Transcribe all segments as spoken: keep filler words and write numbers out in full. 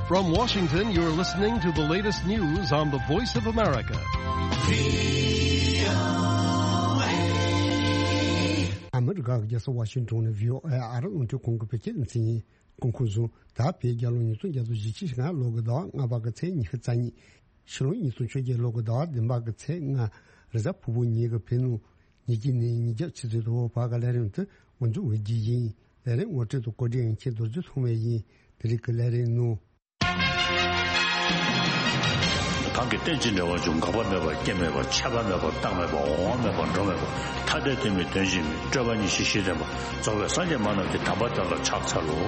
From Washington, you're listening to the latest news on the Voice of America. ཨ་མི་རི་ཀ་གི་རྒྱལ་ས་ཝ་ཤིང་ཏོན་ནས་བྷི་ཨོ་ཨེ་ཨ་རི་རླུང་འཕྲིན་ཁང་གི་བོད་སྐད་སྡེ་ཚན་ཡིན། སྐུ་ཁམས་བཟང་། ད་བོད་རྒྱལ་ལོ་ཉིས་སྟོང་བརྒྱ་དང་བཞི་བཅུ་ཞེ་ལྔ་ལོ་གི་ཟླ་བ་ལྔ་པ་གི་ཚེས་ཉི་ཤུ་རྩ་གཉིས། ཕྱི་ལོ་ཉིས་སྟོང་བཅོ་བརྒྱད་ལོ་གི་ཟླ་བ་བདུན་པ་གི་ཚེས་ལྔ། རེས་གཟའ་ཕུར་བུ་ཉིན་གྱི་བོད་ནང་ཉིན་གཅིག་ནས་ཉིན་རྒྱབ་ཆུ་ཚོད་དྲུག་བར་གྱི་ལས་རིམ་དེ་འགོ་འཛུགས་འོས་བསྡུ་ཡིན། ལས་རིམ་ངོ་སྤྲོད་དང་བཀོད་སྒྲིག་ཡིན་མཁན་རྡོ་རྗེ་ཐོགས་མེད་ཡིན། དེ་རིང་གི་ལས་རིམ་ནང་། གང་གིས་རྟེན་ཅིང་འབྲེལ་བར་འབྱུང་། འགག་པ་མེད་པར་སྐྱེ་མེད་པར། ཆད་པ་མེད་པར་རྟག་མེད་པར། འོང་བ་མེད་པར་འགྲོ་མེད་པར། ཐ་དད་དོན་མིན་དོན་གཅིག་མིན། སྤྲོས་པ་ཉིད་གཞི་ཤེས་ལྡན་པ། རྫོགས་པའི་སངས་རྒྱས་མ་རྣམས་ཀྱི། དམ་པ་དེ་ལ་ཕྱག་འཚལ་ལོ།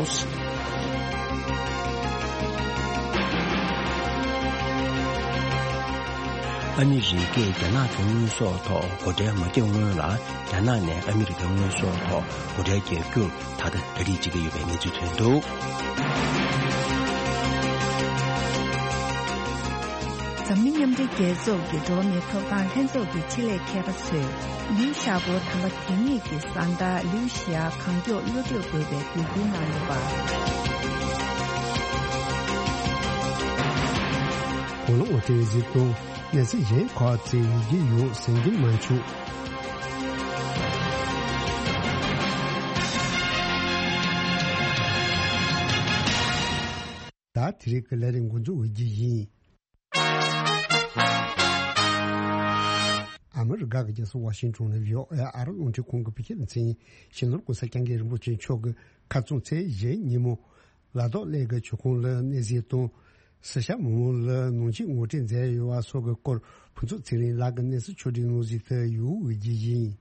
ཨ་མི་རི་ཀས་རྒྱ་ནག་གི་དངོས་ཟོག་ཐོག་སྒོ་ཁྲལ་མ་བརྒྱབ་སྔོན་ལ། རྒྱ་ནག་ནས་ཨ་མི་རི་ཀའི་དངོས་ཟོག་ཐོག་སྒོ་ཁྲལ་བརྒྱབ་རྒྱུར་ད་ལྟ་གྲ་སྒྲིག་བྱེད་ཀྱི་ཡོད་པའི་གནས་ཚུལ་ཐོན་འདུག། འཛམ་གླིང་མཉམ་འབྲེལ་རྒྱལ་ཚོགས་ཀྱི་འགྲོ་བ་མིའི་ཐོབ་ཐང་ལྷན་ཚོགས་ཀྱི་ཆེད་ལས་མཁས་པ་ཚོས་ལིའུ་ཞའོ་པོ་དམ་པ་དེ་ཉིད་ཀྱི་བཟའ་ཟླ་ལིའུ་ཞི་ཡ་གང་མགྱོགས་གློད་གྲོལ་དགོས་པའི་འབོད་སྐུལ་གནང་ཡོད་པ། གོང་ལ་ངོ་སྤྲོད་ཡོད་ཚུལ་དང་གནས་ཚུལ་གཞན་ཁག་ཅིག་ཡོང་རྒྱུ་ཡོད་གསན་རྒྱུ་མ་བྱུང་། ད་དེ་རིང་གི་ལས་རིམ་འགོ་འཛུགས་འོས་བསྡུ་ཡིན། ཨ་མི་རི་ཀ་གི་རྒྱལ་ས་ཝ་ཤིང་ཏོན་ནས་བྷི་ཨོ་ཨེ་ཨ་རི་རླུང་འཕྲིན་ཁང་གི་བོད་སྐད་སྡེ་ཚན་ཡིན། སྤྱི་ནོར་༸གོང་ས་༸སྐྱབས་མགོན་རིན་པོ་ཆེ་མཆོག་གིས་ཁ་རྩང་ཚེས་བཞི་ཉིན་མོ་ལ་དྭགས་གླེ་གི་མཆོད་ཁང་ལ་གནས་གཟིགས་དང་། སི་ཤ་མི་མང་ལ་ནང་ཆོས་ངོ་སྤྲོད་མཛད་ཡོད་པ་སོགས་ཀྱི་སྐོར་ཕུན་ཚོགས་ཚེ་རིང་ལགས་ཀྱིས་གནས་ཚུལ་ཕྱོགས་སྒྲིག་གནང་གཟིགས་དུ་ཡོང་འོས་བསྡུ་ཡིན།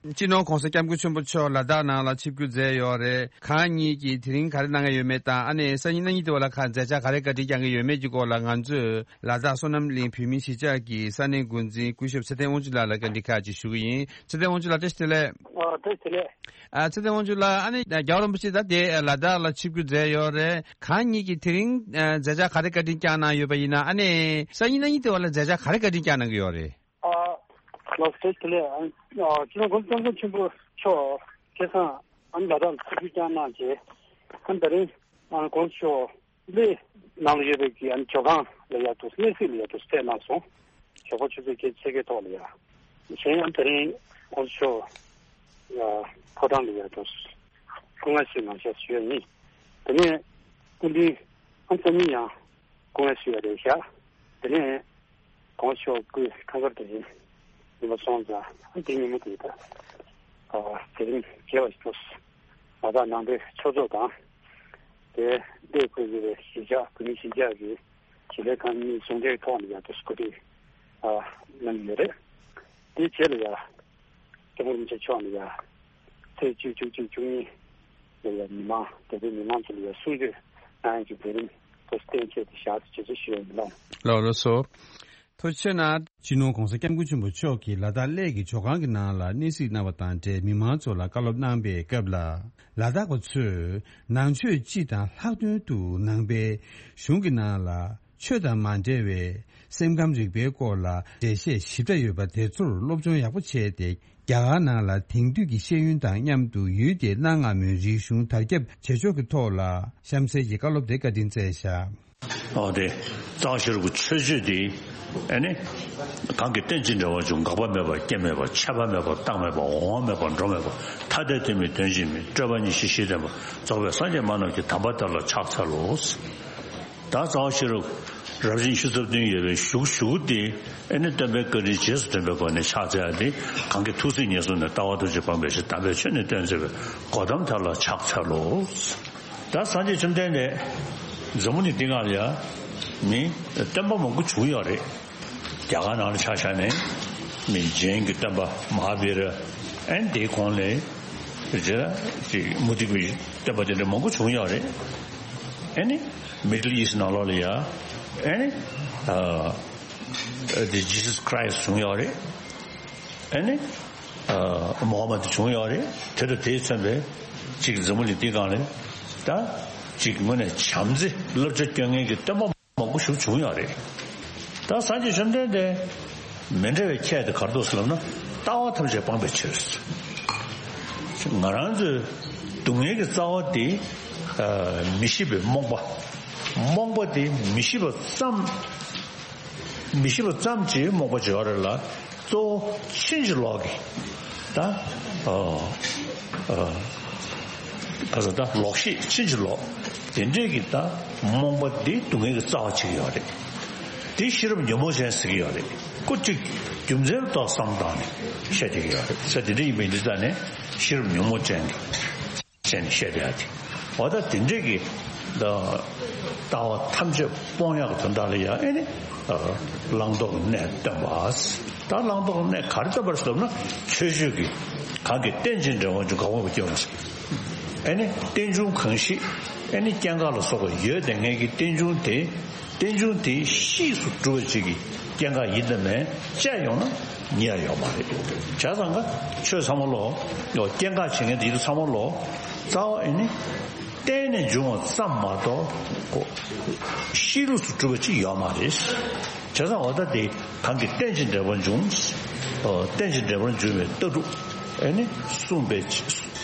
སྤྱི་ནོར་༸གོང་ས་༸སྐྱབས་མགོན་ཆེན་པོ་མཆོག་ལ་དྭགས་ནང་ལ་ཆིབས་བསྒྱུར་མཛད་ཡོད་རེད། གང་ཉིད་ཀྱིས་དེ་རིང་ག་རེ་གནང་གི་ཡོད་མེད་དང་། ཨ་ནི་སང་ཉིན་གནངས་ཉིན་དེ་བ་ལ་ག་མཛད་འཆར་ག་རེ་བཀའ་འདྲི་བསྐྱང་གི་ཡོད་མེད་ཀྱི་སྐོར་ལ། ང་ཚོས་ལ་དྭགས་བསོད་ནམས་གླིང་བོད་མིའི་གཞིས་ཆགས་ཀྱི་ས་གནས་འགོ་འཛིན་སྐུ་ཞབས་ཚེ་བརྟན་དབང་ཕྱུག་ལགས་ལ་བཀའ་འདྲི་ཁག་ཅིག་ཞུ་གི་ཡིན། ཚེ་བརྟན་དབང་ཕྱུག་ལགས། བཀྲ་ཤིས་བདེ་ལེགས། ཨ། བཀྲ་ཤིས་བདེ་ལེགས། ཨ། ཚེ་བརྟན་དབང་ཕྱུག་ལགས། ཨ་ནི་རྒྱལ་བ་རིན་པོ་ཆེ་ད་དེ་ལ་དྭགས་ལ་ཆིབས་བསྒྱུར་མཛད་ཡོད་རེད། གང་ཉིད་ཀྱིས་དེ་རིང་མཛད་འཆར་ག་རེ་བཀའ་འདྲི་བསྐྱངས་གནང་ཡོད་པ་ཡིན་ན། ཨ་ནི་སང་ཉིན་གནངས་ཉིན་དེ་བ་ལ་མཛད་འཆར་ག་རེ་བཀའ་འདྲི་བསྐྱངས་གནང་གི་ཡོད་རེད། ཨ། ལགས་སོ། བཀྲ་ཤིས་བདེ་ལེགས། ཨ། སྤྱི་ནོར་༸གོང་ས་༸སྐྱབས་མགོན་ཆེན་པོ་མཆོག་ཁ་སང་ཨ་ནི་ལ་དྭགས་ལ་ཆིབས་བསྒྱུར་བསྐྱངས་གནང་རྗེས། ཨ་ནི་ད་རིང་༸གོང་ས་མཆོག་གླེ་ནང་ལ་ཡོད་པའི་གི་ཨ་ནི་ཇོ་ཁང་ལ་ཡར་འདུག། གནས་གཟིགས་ལ་ཡར་འདུག་ཕེབས་གནང་སོང་། ཞོགས་པ་ཆུ་ཚོད་བརྒྱད་ཅུ་ཕྱེད་ཀའི་ཐོག་ལ་ཡ། གཞན་ཡང་དེ་རིང་༸གོང་ས་མཆོག་ཡ་ཕོ་བྲང་ལ་ཡ་འདུག། སྐུ་ངལ་གསོའི་ངང་ཞག་བཞུགས་ཡ་ཡིན། དེ་ནས་སྐུ་མདུན་ཨ་ནི་སང་ཉིན་ཡང་སྐུ་ངལ་གསོ་ཡ་རེད་ཤག། དེ་ནས་༸གོང་ས་མཆོག་སྐུའི་ཁང་གསར་དེ་ཡིན་པ་སོང་ཙང་ཨ་དེ་ཉིན་མོ་དེ་ད་ཨ་མཛད་རིམ་རྒྱས་པ་ཞིག་འགྲོ། ང་དང་ནང་པའི་ཆོས་ཚོགས་དང་། དེ་འདས་ཁུལ་གྱི་གཞིས་ཆགས་བོད་མི་གཞིས་ཆགས་ཀྱི་གཞིས་ལས་ཁང་གཉིས་ཟུང་འབྲེལ་ཐོག་ནས་ཡང་དུ་སྐུ་ཁྲིད་ཨ་གནང་གི་ཡོད་རེད། དེའི་རྗེས་ལ་ཡང་སྐྱབས་མགོན་རིན་པོ་ཆེ་མཆོག་ནས་ཡང་ཚེས་བཅུ་བཅུ་གཅིག་བཅུ་གཉིས་ལ་ཡང་མི་མང་དེ་དུས་མི་མང་ཚོ་ལ་ཡང་གསུང་ཆོས་གནང་ཡག་གི་མཛད་རིམ་དུ་གཏན་འཁེལ་ཏེ་བཞག་ཅེས་ཞུ་ཡ་ཡིན་ལགས། ལགས་སོ། ཐུགས་རྗེ་ཆེ་གནང་། སྤྱི་ནོར་༸གོང་ས་༸སྐྱབས་མགོན་ཆེན་པོ་མཆོག་གིས་ལ་དྭགས་གླེ་གི་ཇོ་ཁང་གི་ནང་ལ་གནས་གཟིགས་གནང་བ་དང་འབྲེལ་མི་མང་ཚོ་ལ་བཀའ་སློབ་གནང་པའི་སྐབས་ལ། ལ་དྭགས་པ་ཚོས་ནང་ཆོས་སྤྱི་དང་ལྷག་དོན་དུ་ནང་པའི་གཞུང་གི་ནང་ལ་ཆོས་དང་མ་འབྲེལ་བའི་སེམས་ཁམས་རིག་པའི་སྐོར་ལ་འགྲེལ་བཤད་ཞིབ་ཕྲ་ཡོད་པ་དེ་ཚོར་སློབ་སྦྱོང་ཡག་པོ་བྱས་ཏེ། རྒྱ་གར་ནང་ལ་དེང་དུས་ཀྱི་ཤེས་ཡོན་དང་མཉམ་དུ་ཡུལ་དེའི་གནའ་སྔ་མོའི་རིག་གཞུང་དར་ཁྱབ་བྱེད་ཕྱོགས་ཀྱི་ཐོག་ལ་གཤམ་གསལ་གྱི་བཀའ་སློབ་དེ་བཀའ་དྲིན་སྩལ་བཞག། ཨོ་དེ། རྩ་བ་ཤེས་རབ་ཀྱི་མཆོད་བརྗོད་དེ། ཨེ་ནི། གང་གིས་རྟེན་ཅིང་འབྲེལ་བར་འབྱུང་། འགག་པ་མེད་པར་སྐྱེ་མེད་པར། ཆད་པ་མེད་པར་རྟག་མེད་པར། འོང་བ་མེད་པར་འགྲོ་མེད་པར། ཐ་དད་དོན་མིན་དོན་གཅིག་མིན། སྤྲོས་པ་ཉིད་གཞི་ཤེས་ལྡན་པ། རྫོགས་པའི་སངས་རྒྱས་མ་རྣམས་ཀྱི། དམ་པ་དེ་ལ་ཕྱག་འཚལ་ལོ། ད་རྩ་བ་ཤེས་རབ་རབ་བཞིན་ཆུ་ཚོད་བདུན་ཡོད་པའི་གཞུག་གཞུག་དེ། ཨེ་ནི་སྟོན་པའི་བཀའ་དྲིན་རྗེས་སུ་དྲན་པའི་སྒོ་ནས་ཕྱག་འཚལ་ཡ་དེ། གང་གིས་ཐུགས་སྲས་ངེས་བཟུང་ནས། ལྟ་བ་ཐམས་ཅད་སྤངས་པའི་ཕྱིར། དམ་པའི་ཆོས་ནི་སྟོན་མཛད་པའི། གོ་ཏམ་དེ་ལ་ཕྱག་འཚལ་ལོ། ད་སངས་རྒྱས་བཅོམ་ལྡན་འདས་འཛམ་བུ་གླིང་འདི་སྒང་ལ་ཡ་མི་སྟོན་པ་མང་པོ་བྱུང་ཡོད་རེད། རྒྱ་གར་ནང་ལ་ཆ་བཞག་ནས་མི་ཇེན་གྱི་སྟོན་པ་མ་ཧཱ་བི་ར། ཨེ་ནི་དེའི་གོང་ལ་རེད་ཅིག་མུ་སྟེགས་པའི་སྟོན་པ་དེ་འདྲ་མང་པོ་བྱུང་ཡོད་རེད། ཨེ་ནི་མི་ཌལ་ཨིསཊ་ནང་ལོགས་ལ་ཡ་ཨེ་ནི་ཨ་དེ་ཇི་སཱས་ཁྲའི་སི་བྱུང་ཡོད་རེད། ཨེ་ནི་ཨ་མོ་ཧ་མད་བྱུང་ཡོད་རེད། དེ་དང་དེས་མཚོན་པའི་ཅིག་འཛམ་བུ་གླིང་འདི་སྒང་ལ་ད་ཅིག་དངོས་གནས་བྱམས་བརྩེ་བསླབ་བྱ་སྐྱོན་མཁན་གྱི་སྟོན་པ་མང་པོ་ཞིག་བྱུང་ཡོད་རེད། ད་སངས་རྒྱས་བཅོམ་ལྡན་འདས་མི་འདྲ་བའི་ཁྱད་དེ་ག་རེ་འདུག་ཟེར་ལབ་ན། ལྟ་བ་ཐམས་ཅད་སྤངས་པའི་ཕྱིར། ང་རང་ཚོའི་སྡུག་བསྔལ་གྱི་རྩ་བ་དེ་ཨ་མི་ཤེས་པའི་རྨོངས་པ། རྨོངས་པ་དེ་མི་ཤེས་པ་ཙམ། མི་ཤེས་པ་ཙམ་གྱིས་རྨོངས་པ་བྱེད་པ་རེད་ལ། གཙོ་བོ་ཕྱིན་ཅི་ལོག་གི། ད་ཨ་ཨ་ག་ཟེར། ད་ལོག་ཤེས་ཕྱིན་ཅི་ལོག་དེ་འདྲས་ཀྱི་ད་རྨོངས་པ་འདི་སྡུག་བསྔལ་གྱི་རྩ་བ་ཆགས་ཀྱི་ཡོད་རེད། དེ་ཤེས་རབ་ཉོན་མོངས་ཅན་ཟེར་གྱི་ཡོད་རེད། ཁོ་གཅིག་རྒྱུ་མཚན་ལ་ཏོག་བསམ་བཏང་ནས་བཤད་བསྡད་ཀྱི་ཡོད་རེད། ས་དེ་འདྲ་ཡིན་པ་ཡིན་དུས་ཙང་ནས་ཤེས་རབ་ཉོན་མོངས་ཅན་གྱི་བྱས་ནས་བཤད་བསྡད་ཡ་དེ། འོ་ད་དེ་འདྲས་ཀྱི་ད་ལྟ་བ་ཐམས་ཅད་སྤོང་ཡག་གི་དོན་དག་ལ་ཡང་ཨེ་ནི་བླང་དོར་གྱི་གནས་སྟོན་པ། ད་བླང་དོར་གྱི་གནས་ག་རེ་སྟོན་པར་ཟེར་ན། ཆོས་སྤྱོད་ཀྱི་གང་གིས་རྟེན་ཅིང་འབྲེལ་བར་འབྱུང་གང་རྨོངས་པ་སྐྱེ་བ་ཞིག་ཨེ་ནི་རྟེན་འབྱུང་གང་ཞིག་ཨེ་ནི་སྐྱེ་འགག་ལ་སོགས་པ་ཡོད་བསྡད་མཁན་གྱི་རྟེན་འབྱུང་དེ། རྟེན་འབྱུང་དེ་གཤིས་སུ་གྲུབ་པ་ཅིག་གི་སྐྱེ་འགག་ཡིན་དང་མེད་དཔྱད་ཡོང་ན་ཉེ་ཡ་ཡོད་མ་རེད། བྱས་ཙང་ཀ་ཆོས་ཚང་མ་ལོ། ཡོ་སྐྱེ་འགག་བྱེད་མཁན་དེ་ཚོ་ཚང་མ་ལོ། རྩ་བ་ཨེ་ནི་བརྟེན་ནས་འབྱུང་བ་ཙམ་མ་གཏོགས་ཁོ་གཤིས་ལུགས་སུ་གྲུབ་པ་ཅིག་ཡོད་མ་རེད། བྱས་ཙང་འོ་ད་དེ་གང་གིས་རྟེན་ཅིང་འབྲེལ་བར་འབྱུང་། ཨོ་རྟེན་ཅིང་འབྲེལ་བར་འབྱུང་བའི་ལྟ་གྲུབ་ཨེ་ནི་གསུངས་པའི་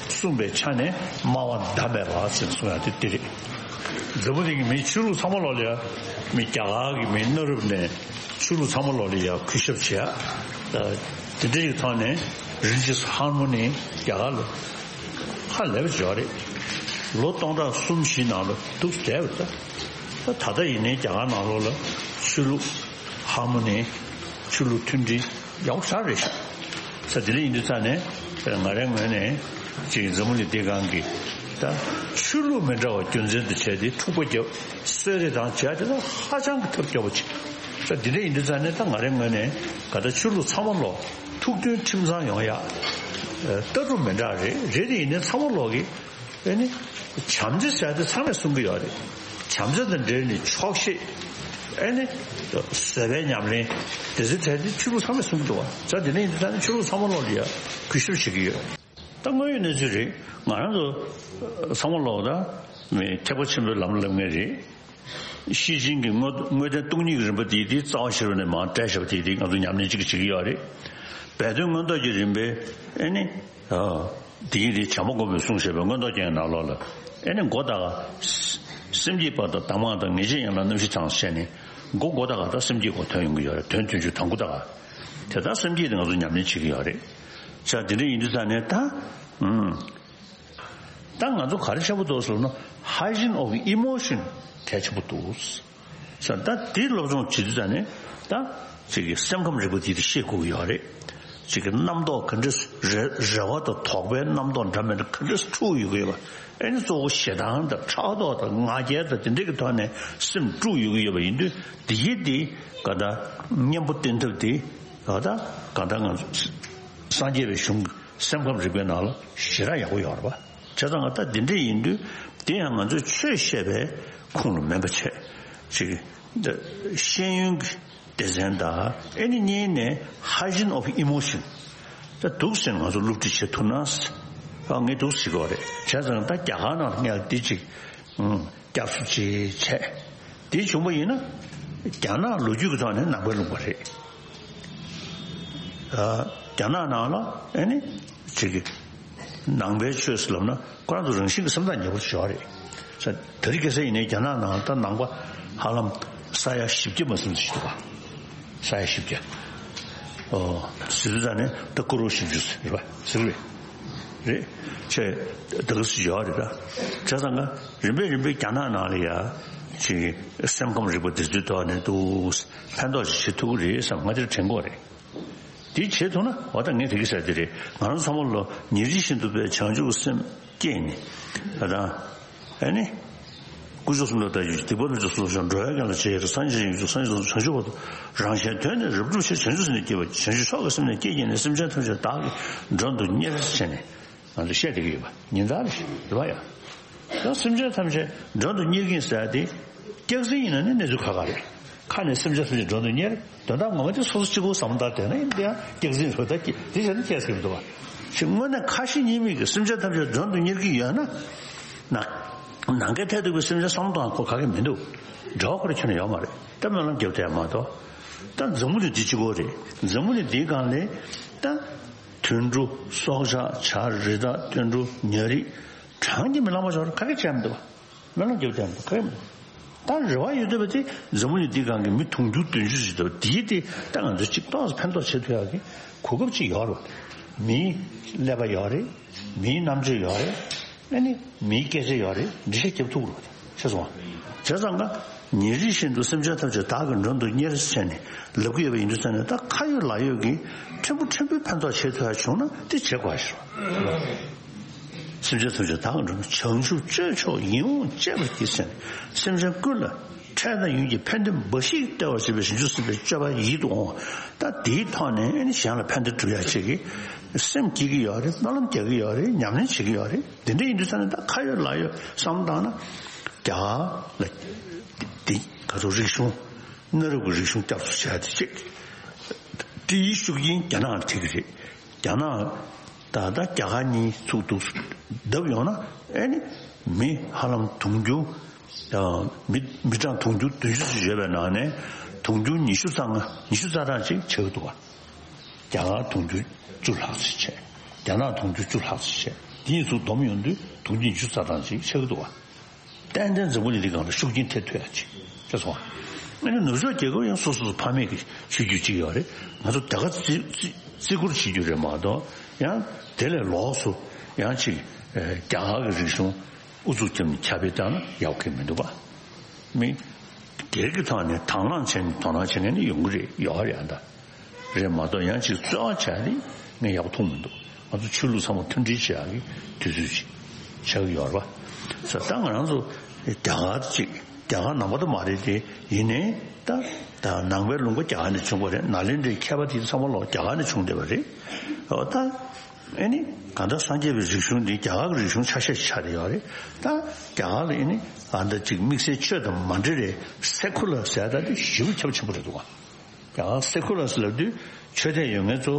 གསུངས་པའི་ཆ་ནས་སྨྲ་བ་ཟླ་མེད་པ་ཟེར་གསུང་ཡ་དེ་དེ་རེད། འཛམ་བུ་གླིང་གི་མིའི་ཆོས་ལུགས་ཚང་མ་ལོག་ལ་ཡ། མི་རྒྱ་གར་གྱི་མི་གནའ་རབས་ནས་ཆོས་ལུགས་ཚང་མ་ལོག་ལ་ཡ་གུས་ཞབས་བྱེད་ཡ། དེ་འདྲ་ཡི་ཐོག་ནས་རིན་ཆེན་ཧར་མོ་ནི་རྒྱ་གར་ལ་ཧ་ལས་པ་བྱས་རེད། ལོ་སྟོང་ཕྲག་གསུམ་བཞི་ནང་ལ་འདུག་བསྡད་པ་རེད། ད་ད་ལྟ་ཡིན་ནའི་རྒྱ་གར་ནང་ལོགས་ལ་ཆོས་ལུགས་ཧར་མོ་ནི་ཆོས་ལུགས་མཐུན་སྒྲིལ་ཡག་པོ་ཞེ་དྲག་རེད་ཤག་ས་དེ་འདྲ་ཡིན་དུས་ཙང་ནས་ང་རའི་ངོས་ནས་ཅིག་འཛམ་བུ་གླིང་འདིའི་སྒང་གི་ད་ཆོས་ལུགས་མི་འདྲ་བ་རྒྱུ་མཚན་དུ་བྱས་ཏེ་འཁྲུག་པ་བརྒྱབ། གསོད་རེས་དང་བྱས་དེ་ད་ཧ་ཅང་གི་ཐབས་སྐྱོ་པོ་ཅིག་ས་དེ་འདྲ་ཡིན་དུས་ཙང་ནས་ད་ང་རའི་ངོས་ནས་ག་ད་ཆོས་ལུགས་ཚང་མ་ལོ་ཐུགས་མཐུན་ཁྲིམས་གཙང་ཡོང་ཡ། ལྟ་གྲུབ་མི་འདྲ་རེད། རེད་དེ་ཡིན་ནའི་ཚང་མ་ལོག་གི་ཨེ་ནི། བྱམས་བརྩེ་ཟེར་དེ་ཚང་མས་གསུང་གི་ཡོད་རེད། བྱམས་བརྩེ་དང་འབྲེལ་ནས་ཆོག་ཤེས། ཨེ་ནི། བཟོད་པའི་ཉམས་ལེན། དེ་ཚོའི་གྲས་དེ་ཆོས་ལུགས་ཚང་མས་གསུང་གི་འདུག་བ། ད་དེ་ནས་ཡིན་དུས་ད་ནི་ཆོས་ལུགས་ཚང་མ་ལོག་ལ་ཡ་གུས་ཞབས་བྱེད་ཀྱི་ཡོད། ད་དངོས་ཡོད་གནས་ཚུལ་རེད། ང་རང་ཚོ་ཚང་མ་ལོག་ད་མི་ཐེག་པ་ཆེན་པོའི་ལམ་ལ་སླེབས་མཁན་རེད། ཤེར་ཕྱིན་གྱི་དངོས་དངོས་བསྟན་སྟོང་ཉིད་ཀྱི་རིམ་པ་དེ་དེ་རྩ་བ་ཤེས་རབ་ནས་མར་བཀྲལ་བཞག་པ་དེ་དེ་ང་ཚོ་ཉམས་ལེན་གཅིག་བྱེད་ཀྱི་ཡོད་རེད། སྦས་དོན་མངོན་རྟོགས་ཀྱི་རིམ་པའི་ཨེ་ནི། དེ་ཡིན་དེ་བྱམས་པ་མགོན་པོས་གསུངས་བཞག་པའི་མངོན་རྟོགས་རྒྱན་གྱི་ནང་ལོགས་ལ། ཨེ་ནི་མགོ་ད་ག་སེམས་བསྐྱེད་པ་དང་གདམས་ངག་དང་ངེས་འབྱེད་ཡན་ལག་རྣམ་བཞི་དང་ཟེར་ནས་མགོ་མགོ་ད་ག་ད་སེམས་བསྐྱེད་སྐོར་ཐོན་ཡོང་གི་ཡོད་རེད། དོན་མཐུན་ཕྱོགས་དང་པོ་ད་ག་དེ་ལྟར་སེམས་བསྐྱེད་དེ་ང་ཚོ་ཉམས་ལེན་བྱེད་ཀྱི་ཡོད་རེད། ཆ་དེ་འདྲ་ཡིན་དུས་ཙང་ནས་ད། ཨུམ། ད་ང་ཚོ་ག་རེ་ཆེན་པོ་འདུག་ཟེར་ན་hygiene of emotion གལ་ཆེན་པོ་འདུག་ཟེར། ད་འདི་སློབ་སྦྱོང་བྱེད་དུས་ཙང་ནས་ད་ཅིག་གི་སེམས་ཁམས་རིག་པ་འདི་དེ་ཤེས་དགོས་ཀྱི་ཡོད་རེད། ཅིག་གི་རྣམ་རྟོག་ག་འདྲ་རེ་རེ་བ་དང་དོགས་པའི་རྣམ་རྟོག་འདྲ་མི་འདྲ་ག་འདྲ་འཁྲུག་ཡོད་ཀྱི་ཡོད་པ། ཨེ་ནི་གཙོ་བོ་ཞེ་སྡང་དང་ཕྲག་དོག་དང་ང་རྒྱལ་དང་དེ་འདྲ་གི་ཐོག་ནས་སེམས་དཀྲུག་ཡོད་ཀྱི་ཡོད་པ་ཡིན་དུས། འདི་ཡི་འདི་ག་ད་གཉེན་པོ་བསྟེན་ཐབས་འདི་ག་ད་ག་ད་ང་ཚོ་སངས་རྒྱས་པའི་གཞུང་གི་སེམས་ཁམས་རིག་པའི་ནང་ལ་ཞེ་དྲག་ཡག་པོ་ཡོད་རེད་པ། བྱས་ཙང་ད་འདི་འདྲ་ཡིན་དུས་དེ་ཡང་ང་ཚོས་ཆོས་བཤད་པའི་ཁུངས་ལ་མིན་པ་བྱས། ཅིག་ཤེས་ཡོན་གྱི་སྡེ་ཚན་དང་ཨེ་ནི་གཉིས་ནས་hygiene of emotion ད་འདུག་ཟེར་ང་ཚོ་སློབ་ཁྲིད་བྱེད་ཐུབ་ན། ཨ་ངས་འདུག་ཟེར་གྱི་ཡོད་རེད། བྱས་ཙང་ད་རྒྱ་གར་ནང་ལ་ངས་འདི་ཅིག་སྐྱབས་སུ་ཅིག་བྱས། དེ་བྱུང་པ་ཡིན་ན་རྒྱ་ནག་ལོ་རྒྱུས་ཀྱི་ཐོག་ནས་ནང་པའི་ལུང་པ་རེད། རྒྱ་ནག་ནང་ལ་ཨེ་ནི་ཅིག་གི་ནང་པའི་ཆོས་སུ་ལབ་ན་ཁོ་རང་ཚོ་རང་བཞིན་གྱི་སེམས་ཐག་ཉེ་པོ་ཞིག་ཡོད་རེད། ད་རེས་ཁ་སང་ཡིན་ནའི་རྒྱ་ནག་ནང་ད་ནང་པ་ཧ་ལམ་ས་ཡ་བཞི་བརྒྱ་མ་ཟིན་ཞིག་འདུག་ག་ས་ཡ་བཞི་བརྒྱ། ཨོ། ཟེར་དུས་ད་ནི་ད་ཀོ་རོ་བཞི་བཅུ་ཟེར་བ་ཟེར་བས་རེད། ཆེ་ད་ག་སུ་ཡོད་རེད་ད། བྱས་ཙང་ཀ་རིམ་པས་རིམ་པས་རྒྱ་ནག་ནང་ལ་ཡ་ཅིག་སེམས་ཁམས་རིག་པ་འདི་ཚོའི་ཐོག་ནས་འདུག་ཕན་ཐོགས་ཤིག་བྱེད་ཐུབ་ཀྱི་རེད་བསམ་ང་དེར་དྲན་གྱི་ཡོད་རེད། དེ་བྱེད་ཐུབ་ན་འོ་ད་ངས་དེ་གི་ཟེར་དེ་རེད། ང་རང་ཚང་མ་ལོ་ཉིན་རེ་བཞིན་དུ་པའི་བྱང་ཆུབ་སེམས་བསྐྱེད་ནས་ད་ད་ཨེ་ནི། དཀོན་མཆོག་གསུམ་ལ་བདག་ཡིད་ཆེས། སྡིག་པ་ལས་ཚུར་ཤོག་འགྲོ་བའི་དོན་ལ་ཆེས་ཡོད་སངས་རྒྱས་ཡིན་གྱུར་སངས་རྒྱས་བྱང་ཆུབ་བར་དུ་རང་གཞན་དོན་ནི་རབ་བསྒྲུབ་ཕྱིར། བྱང་ཆུབ་སེམས་ནི་བསྐྱེད་པ་བྱང་ཆུབ་མཆོག་གི་སེམས་ནི་བསྐྱེད་བགྱིས་ནས། སེམས་ཅན་ཐམས་ཅད་བདག་གིས་མགྲོན་དུ་གཉེར་ཟེར་ནས་ང་ཚོ་བཤད་བསྡད་ཀྱི་ཡོད་པ་ཉིན་ལྟར་རེད་པ་ཡ། ད་སེམས་ཅན་ཐམས་ཅད་མགྲོན་དུ་གཉེར་གྱིན་ཟེར་དེ་སྐྱག་རྫུན་ཡིན་ན་ནི་གནས་ཚུལ་ཁག་ཁག་རེད། ཁ་ནས་སེམས་ཅན་ཐམས་ཅད་མགྲོན་དུ་གཉེར། དོན་དག་ངོ་མ་དེ་སོ་སོ་གཅིག་པུ་བསམ་བློ་བཏང་བསྡད་ན་ཡིན་དེ་ཡང་སྐྱག་རྫུན་རེད། ད་སྐྱེ་དེ་བྱས་ན་སྐྱེ་སྲིད་མི་འདུག་བ། ཞེས་དངོས་གནས་ཁ་ཞེ་གཉིས་མེད་ཀྱི་སེམས་ཅན་ཐམས་ཅད་མགྲོན་དུ་གཉེར་གྱི་ཡོད་ན། ནང་ནང་གི་ཐད་དུ་གི་སེམས་ཅན་བསམ་བློ་གཏོང་ཁོ་ག་གེ་མི་འདུག་འབྲེལ་བ་ཁོ་ར་ཁྱོན་ནས་ཡོད་མ་རེད། ད་སྨོན་ལམ་རྒྱབ་བསྡད་མ་གཏོགས། ད་འཛམ་བུ་གླིང་འདི་གཅིག་པོ་རེད། འཛམ་བུ་གླིང་འདིའི་སྒང་ལ་ད་དུད་འགྲོ་སྲོག་ཆགས་བྱ་རི་དྭགས་དུད་འགྲོ་ཉ་རིགས་གྲངས་ཀྱིས་མི་ལང་བ་ཞིག་ག་གེ་བྱས་མི་འདུག་བ། སྨོན་ལམ་རྒྱབ་བསྡད་མ་གཏོགས་ག་གེ་མི་འདུག་ད་རེ་བ་ཡོད་བསྡད་པ་དེ་འཛམ་བུ་གླིང་འདིའི་སྒང་གི་མི་དུང་ཕྱུར་བདུན་ཅུ་ཞིག་འདུག་དེའི་དེ་ད་ང་ཚོ་གཅིག་ཏོག་ཙམ་ཕན་ཐོགས་བྱེད་ཐུབ་ཡག་གི་གོ་སྐབས་ཅིག་ཡོད་རེད། མིའི་ཀླད་པ་ཡོད་རེད། མིའི་རྣམ་དཔྱོད་ཡོད་རེད། ཨ་ནི་མིའི་སྐད་ཆ་ཡོད་རེད། འགྲེལ་བཤད་རྒྱབ་ཐུབ་རེད། ཤེས་སོང་ང་། བྱས་ཙང་ཀ་ཉིན་རེ་བཞིན་དུ་སེམས་ཅན་ཐམས་ཅད་བདག་གི་མགྲོན་དུ་གཉེར་ཟེར་ནས་ལབ་ཀྱི་ཡོད་པ་ཡིན་དུས་ཙང་ནས། ད་ཁ་ཡོད་ལག་ཡོད་ཀྱིས་ཕྲན་བུ་ཕྲན་བུའི་ཕན་ཐོགས་བྱེད་ཐུབ་ཡག་བྱུང་ན་དེ་བྱེད་དགོས་ཤིག་སེམས་ཅན་ཐམས་ཅད་བདག་གི་མགྲོན་དུ། བྱང་ཆུབ་སྤྱོད་མཆོག་ཡིད་འོང་སྤྱད་པར་བགྱི་ཟེར་ནས། སེམས་ཅན་ཀུན་ལ་འཕྲལ་དང་ཡུན་གྱི་ཕན་བདེ་འབའ་ཞིག་སྟེར་བར་བྱེད་པའི་བྱང་ཆུབ་སེམས་དཔའི་སྤྱོད་པ་ཡིད་དུ་འོང་བ། ད་དེའི་ཐོག་ནས་ཨ་ནི་གཞན་ལ་ཕན་བདེ་སྒྲུབ་ཡག་ཅིག་གི་སེམས་བསྐྱེད་ཀྱི་ཡོད་རེད། སྨོན་ལམ་རྒྱག་གི་ཡོད་རེད། ཉམས་ལེན་བྱེད་ཀྱི་ཡོད་རེད། དེ་འདྲ་ཡིན་དུས་ཙང་ནས་ད་ཁ་ཡོད་ལག་ཡོད་བསམ་བློ་བཏང་ན། རྒྱ་གར་ལ་དེ་ག་ཚོད་རིག་གཞུང་། གནའ་རབས་ཀྱི་རིག་གཞུང་བསྐྱར་གསོ་བྱས་ཏེ་ཅིག་སྤྲིའི་ཤུགས་རྐྱེན་རྒྱ་ནག་ལ་ཐེབས་ཀྱི་རེད། རྒྱ་ནག་ད་ལྟ་རྒྱ་གར་གཉིས་ཚུགས་འདུག་བརྡབ་ཡོང་ན། ཨེ་ནི་མི་ཧ་ལམ་དུང་ཕྱུར། ཨ། མི་མི་གྲངས་དུང་ཕྱུར་བདུན་ཅུ་ཙམ་ཡོད་པའི་ནང་ནས་དུང་ཕྱུར་ཉི་ཤུ་རྩ་ལྔ། ཉི་ཤུ་རྩ་གྲངས་ཅིག་ཆགས་ཀྱི་འདུག་བ། རྒྱ་གར་དུང་ཕྱུར་བཅུ་ལྷག་ཙམ་བྱས། རྒྱ་ནག་དུང་ཕྱུར་བཅུ་ལྷག་ཙམ་བྱས། དེ་གཉིས་ཚུགས་བསྡོམས་ཡོང་དུས་དུང་ཕྱུར་ཉི་ཤུ་རྩ་གྲངས་ཅིག་ཆགས་ཀྱི་འདུག་བ། ཏན་ཏན་འཛམ་བུ་གླིང་འདི་སྒང་ལ་ཤུགས་རྐྱེན་ཐེབས་ཐུབ་ཡག་ཅིག་ཤེས་སོང་ང་། ཨ་ནི་ནུབ་ཕྱོགས་རྒྱལ་ཁབ་ཡང་སོ་སོ་སོ་ཕ་མེས་ཀྱི་ཆོས་བརྒྱུད་ཅིག་ཡོད་རེད། ང་ཚོ་དེ་ག་བརྩི་བརྩི་བརྩི་བཀུར་བྱེད་རྒྱུ་རེད་མ་གཏོགས། ཡང་དེ་ལས་ལོགས་སུ་ཡང་ཅིག་ཨེ། རྒྱ་གར་གྱི་རིག་གཞུང་ཨུ་ཚུགས་བརྒྱབ་ནས་ཁྱབ་སྤེལ་བཏང་ན་ཡག་གི་མི་འདུག་བ། མི་སྒེར་གྱི་ཐོག་ནས་དང་བླངས་བྱས་ནས་དོ་སྣང་བྱེད་མཁན་ནི་ཡོང་གི་རེད། ཡོད་རེད་ཨ། ད་རེད་མ་གཏོགས་ཡང་ཅིག་རྩོལ་བ་བྱས་ནས་ངས་ཡག་པོ་མཐོང་མི་འདུག་ང་ཚོ་ཆོས་ལུགས་ཚང་མ་མཐུན་སྒྲིལ་བྱེད་ཡག་གི་དུས་ཚོད་ཅིག་ཆགས་ཀྱི་ཡོད་རེད་པ། ས་ད་ང་རང་ཚོ་རྒྱ་གར་ཅིག་རྒྱ་གར་ནང་པ་དུ་མ་རེད་དེ། ཡིན་ནའི་ད་ད་ནང་པའི་ལུང་པ་རྒྱ་གར་ནས་བྱུང་བ་རེད། ནཱ་ལེནྡྲའི་མཁས་པ་དེ་ཚང་མ་ལོག་རྒྱ་གར་ནས་བྱུང་བསྡད་པ་རེད། འོ་ད་ཨེ་ནི་གང་ལྟར་སངས་རྒྱས་པའི་རིག་གཞུང་འདི་རྒྱ་གར་གྱི་རིག་གཞུང་ཆ་ཤས་ཆགས་བསྡད་ཡོད་རེད། ད་རྒྱ་གར་ལ་ཨེ་ནི་གང་ལྟར་ཅིག་དམིགས་བསལ་ཆོས་དང་མ་འབྲེལ་བའི་སེ་ཁུ་ལར་ཟེར་ཡག་ད་དེ་ཞེ་པོ་ཁྱབ་ཆེན་པོ་རེད་འདུག་ག་ཡང་སེ་ཁུ་ལར་ཟེར་ལབ་དུས་ཆོས་དད་ཡོད་མཁན་ཚོ་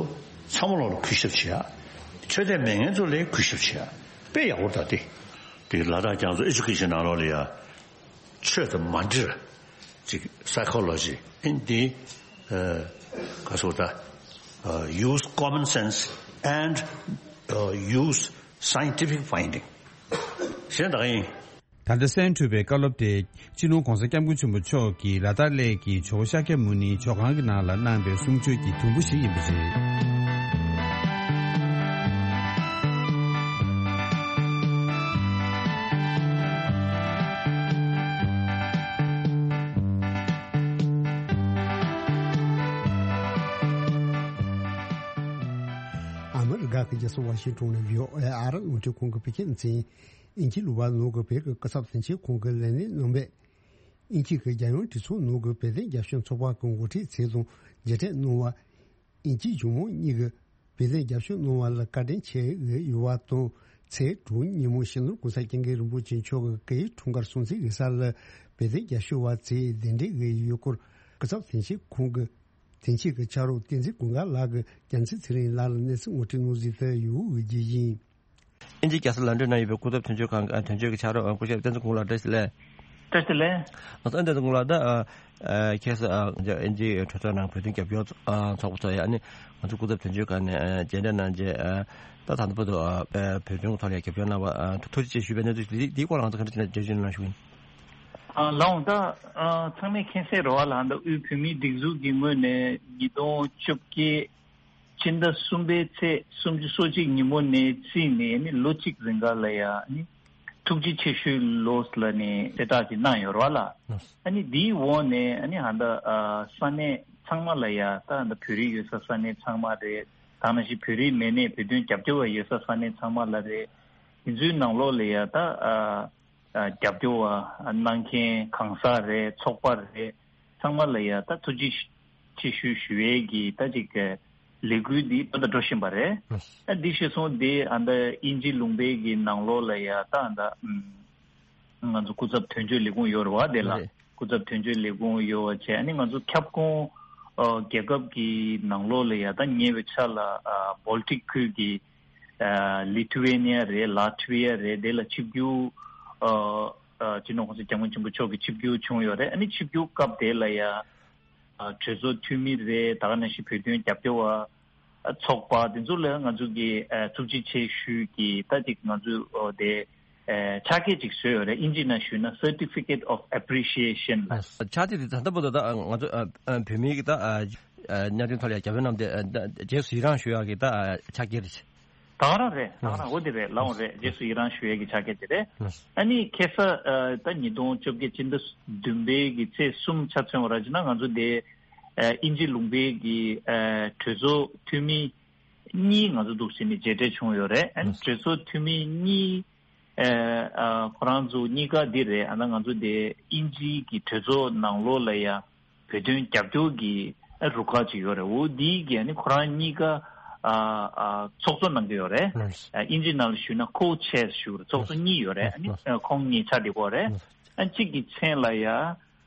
ཚང་མ་ལོག་ལ་གུས་ཞབས་བྱེད་ཡ། ཆོས་དད་མེད་མཁན་ཚོ་ལ་གུས་ཞབས་བྱེད་ཡ། དཔེ་ཡག་པོ་ད་དེ། དེ་ལ་དྭགས་རྒྱ་མཚོ་ཨེ་ཇུ་ཁེ་ཤན་ནང་ལོགས་ལ་ཡ། ཆོས་དང་མ་འབྲེལ་ཅིག་སའི་ཁོ་ལོ་ཇི་ཨིན་དེ། ག་སོ་ད། Use common sense and use scientific finding ཞེས་དག་ཡིན། ད་ལྟ་གསན་གྲུབ་པའི་བཀའ་སློབ་དེ། སྤྱི་ནོར་༧གོང་ས་༧སྐྱབས་མགོན་ཆེན་པོ་མཆོག་གིས་ལ་དྭགས་གླེ་གི་ཇོ་བོ་ཤཱཀྱ་མུ་ནེའི་ཇོ་ཁང་གི་ནང་ལ་གནང་བའི་གསུང་ཆོས་ཀྱི་དུམ་བུ་ཞིག་ཡིན་པ་རེད། ཨ་མི་རི་ཀ་གི་རྒྱལ་ས་ཝ་ཤིང་ཏོན་ནས་བྷི་ཨོ་ཨེ་ཨ་རི་རླུང་འཕྲིན་ཁང་གི་བོད་སྐད་སྡེ་ཚན། དབྱིན་ཇིའི་གླུ་པ་ནོར་གྱི་བོད་ཀྱི་སྐུ་ཚབ་དོན་གཅོད་ཁང་གི་ལས་སྣེ་རྣམ་པས། དབྱིན་ཇི་གི་རྒྱལ་ཡོངས་གྲོས་ཚོགས་ནང་གི་བོད་དོན་རྒྱབ་སྐྱོར་ཚོགས་པ་གི་འགོ་ཁྲིད་ཚོས་དང་མཇལ་འཕྲད་གནང་བ། དབྱིན་ཇིའི་གཞུང་མང་གཉིས་ཀྱིས་བོད་དོན་རྒྱབ་སྐྱོར་གནང་བ་ལ་བཀའ་དྲིན་ཆེ་ཡོད་པ་དང་། ཚེས་དྲུག་ཉིན་མོ་སྤྱི་ནོར་༧གོང་ས་༧སྐྱབས་མགོན་རིན་པོ་ཆེ་མཆོག་གི་སྐུའི་འཁྲུངས་སྐར་སྲུང་བརྩི་ཡིག་ཚང་ལ་བོད་དོན་རྒྱབ་སྐྱོར་བ་ཚོས་གདན་འདྲེན་ཡོད་སྐོར་སྐུ་ཚབ་དོན་གཅོད་ཁང་གི་དོན་གཅོད་ཀྱི་ཕྱག་རོགས་བསྟན་འཛིན་ཀུན་དགའ་ལགས་ཀྱིས་རྒྱལ་མཚན་ཚེ་རིང་ལགས་ལ་གནས་ཚུལ་ངོ་སྤྲོད་གནང་ཟིན་པའི་ཡུལ་དབུས་རྒྱུད་ཡིན། དབྱིན་ཇིའི་རྒྱལ་ས་ལོན་ཌོན་ན་ཡོད་པའི་སྐུ་ཚབ་དོན་གཅོད་ཁང་གི་དོན་གཅོད་ཀྱི་ཕྱག་རོགས་སྐུ་ཞབས་བསྟན་འཛིན་ཀུན་དགའ་ལགས། བཀྲ་ཤིས་བདེ་ལེགས། བཀྲ་ཤིས་བདེ་ལེགས། ང་ཚོ་བསྟན་འཛིན་ཀུན་དགའ་ལགས་ད། ཁྱེད་ས་དབྱིན་ཇིའི་གྲོས་ཚོགས་ནང་བོད་དོན་རྒྱབ་སྐྱོར་ཚོགས་པ་ཚོ་ཡ་ནི་ང་ཚོ་སྐུ་ཚབ་དོན་གཅོད་ཁང་ནས་མཇལ་འཕྲད་གནང་རྗེས། ད་ད་ལྟ་བར་དུ་བོད་དོན་ཐོག་ལ་རྒྱབ་སྐྱོར་གནང་བ་ཐུགས་རྗེ་ཆེ་ཞུ་བའི་གནས་ཚུལ་འདིའི་སྐོར་ལ་ང་ཚོ་ག་འདྲ་བྱས་ནས་འགྲེལ་བརྗོད་གནང་ཞུ་གི་ཡིན། ལགས་འོང་། ད་ཚང་མས་མཁྱེན་གསལ་རེད་པ་ལགས། ད་དབུས་བོད་མིའི་སྒྲིག་འཛུགས་ཀྱི་ངོས་ནས་ཉིས་སྟོང་བཅོ་བརྒྱད་སྤྱི་ཟླ་གསུམ་པའི་ཚེས་སོ་གཅིག་ཉིན་མོ་ནས་བརྩིས་ནས་ནི་ལོ་གཅིག་རིང་ག་ལ་ཡ་ནི་ཐུགས་རྗེ་ཆེ་ཞུའི་ལོ་ལ་ནི་གསལ་བསྒྲགས་ཅིག་གནང་ཡོད་རེད་པ་ལགས། ཨ་ནི་འདིའི་འོག་ནས་ཨ་ནི་ཧ་ད་ས་གནས་ཚང་མ་ལ་ཡ། ད་ཧ་ད་བོད་རིགས་ཡོད་ས་ས་གནས་ཚང་མ་རེད། ད་ནང་བཞིན་བོད་རིགས་མིན་ནའི་བོད་དོན་རྒྱབ་སྐྱོར་བ་ཡོད་ས་ས་གནས་ཚང་མ་ལ་རེད། དེ་ཚོའི་ནང་ལོགས་ལ་ཡ་ད་རྒྱབ་སྐྱོར་བ་གནང་མཁན་གང་ཟག་རེད། ཚོགས་པ་རེད། ཚང་མ་ལ་ཡ་ད་ཐུགས་རྗེ་ཆེ་ཞུ་ཞུ་ཡས་ཀྱི་ད་ཅིག་ལས་འགུལ་འདི་ད་ལྟ་འགྲོ་བཞིན་པ་རེད། ཨ་འདི་ཤེས་སོང་། དེ་ཨ་ད་དབྱིན་ཇི་ལུང་པའི་གི་ནང་ལོགས་ལ་ཡ་ད་ཨ་ད་ང་ཚོ་སྐུ་ཚབ་དོན་གཅོད་ལས་ཁུངས་ཡོད་རེད་པ། དེ་ལ་སྐུ་ཚབ་དོན་གཅོད་ལས་ཁུངས་ཡོད་པ་བྱས། ཨ་ནི་ང་ཚོ་ཁྱབ་ཁོངས་རྒྱལ་ཁབ་ཀྱི་ནང་ལོགས་ལ་ཡ་ད་ཉེ་བའི་ཆར་ལ་བོལ་ཊིག་ཁུལ་གྱི་ལི་ཐུ་ཝེ་ནི་ཡ་རེད། ལ་ཐི་ཝེ་ཡ་རེད། དེ་ལ་ཆིབས་བསྒྱུར་སྤྱི་ནོར་༧གོང་ས་༧སྐྱབས་མགོན་ཆེན་པོ་མཆོག་གི་ཆིབས་བསྒྱུར་བྱུང་ཡོད་རེད། ཨ་ནི་ཆིབས་བསྒྱུར་སྐབས་དེ་ལ་ཡ་གྲོས་ཚོགས་འཐུས་མི་རེད། ད་ག་ནང་བཞིན་བོད་དོན་རྒྱབ་སྐྱོར་བ་ཚོགས་པ་དེ་ཚོ་ལ་ང་ཚོ་གི་ཐུགས་རྗེ་ཆེ་ཞུས་ཀྱི་ད་ཅིག་ང་ཚོ་དེ་ ཨེ་ཕྱག་འཁྱེར་ཅིག་བཟོས་ཡོད་རེད། ཨིན་ཇི་ནང་ཞུས་ན་Certificate of Appreciation ལ། ཕྱག་འཁྱེར་དེ་ད་ལྟ་བར་དུ་ད་ང་ཚོ་ཨ་ཨ་བོད་མིའི་གི་ད་ཨ་གནད་དོན་ཐོག་ལ་རྒྱབ་སྐྱོར་གནང་སྟེ་ཨ་ད་རྗེས་སུ་ཡི་རང་ཞུ་ཡག་གི་ད་ཨ་ཕྱག་འཁྱེར་རེད། ད་ག་རང་རེད། ད་ག་རང་འོ་དེ་རེད། ལའང་རེད། རྗེས་སུ་ཡི་རང་ཞུ་ཡས་ཀྱི་ཕྱག་འཁྱེར་དེ་རེད། ཨ་ནི་ཁ་སང་ཨ་ད་ཉིས་སྟོང་བཅོ་བརྒྱད་ཕྱི་ཟླ་བདུན་པའི་གི་ཚེས་གསུམ་ཆ་མཚོན་པ་ར་བྱས་ན་ང་ཚོ་དེ་ཨ་དབྱིན་ཇི་ལུང་པའི་གི་ཨ་གྲོས་ཚོགས་འཐུས་མི་གཉིས་ང་ཚོ་འདུག་སེ་ནས་མཇལ་འཕྲད་བྱུང་ཡོད་རེད། ཨ་ནི་གྲོས་ཚོགས་འཐུས་མི་གཉིས་ཨ་ཨ་ཁོ་རང་ཚོ་གཉིས་ཀ་འདི་རེད། ཨ་ན་ང་ཚོ་དེ་དབྱིན་ཇིའི་གི་གྲོས་ཚོགས་ནང་ལོགས་ལ་ཡ་བོད་དོན་རྒྱབ་སྐྱོར་གྱི་རུ་ཁག་ཅིག་ཡོད་རེད། འོ་འདིའི་གི་ཨ་ནི་ཁོ་རང་གཉིས་ཀ་ཨ་ཨ་ཚོགས་གཙོ་གནང་གི་ཡོད་རེད། ཨ་དབྱིན་ཇི་ནང་ལ་ཞུས་ན་co-chairs ཞུ་རེད། ཚོགས་གཙོ་གཉིས་ཡོད་རེད། ཨ་ནི་ཨ་ཁོང་གཉིས་ཆ་དེ་གོ་རེད། ཨ་གཅིག་གི་མཚན་ལ་ཡ་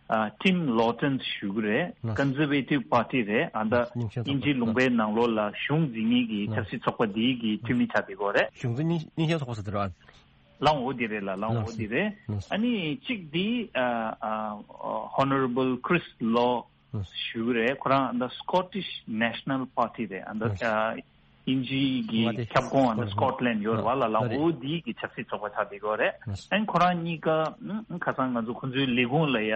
ཨ་Tim Loughton ཞུ་གི་རེད། Conservative Party རེད། ཨ་ད་དབྱིན་ཇི་ལུང་པའི་ནང་ལོགས་ལ་གཞུང་འཛིན་མཁན་གྱི་ཆབ་སྲིད་ཚོགས་པ་འདིའི་གི་འཐུས་མི་ཆ་དེ་གོ་རེད། གཞུང་འཛིན་སྙན་སྙན་ཤལ་ཚོགས་པ་ཟེར་དེ་རེད། ལའང་འོ་དེ་རེད་ལ། ལའང་འོ་དེ་རེད། ཨ་ནི་གཅིག་དེ་ཨ་ཨ་Honorable Chris Law ཞུ་གི་རེད། ཁོ་རང་ཨ་ད་Scottish National Party རེད། ཨ་ད་ཨ་དབྱིན་ཇིའི་གི་ཁྱབ་ཁོངས་ཨ་ད་Scotland ཡོད་རེད་བ་ལ། ལའང་འོ་དེའི་གི་ཆབ་སྲིད་ཚོགས་པ་ཆགས་བསྡད་ཡོད་རེད། ཨ་ནི་ཁོ་རང་གཉིས་ཀ་ཨ་ཁ་སང་ང་ཚོ་ཁོ་ཚོའི་ལས་ཁུངས་ལ་ཡ་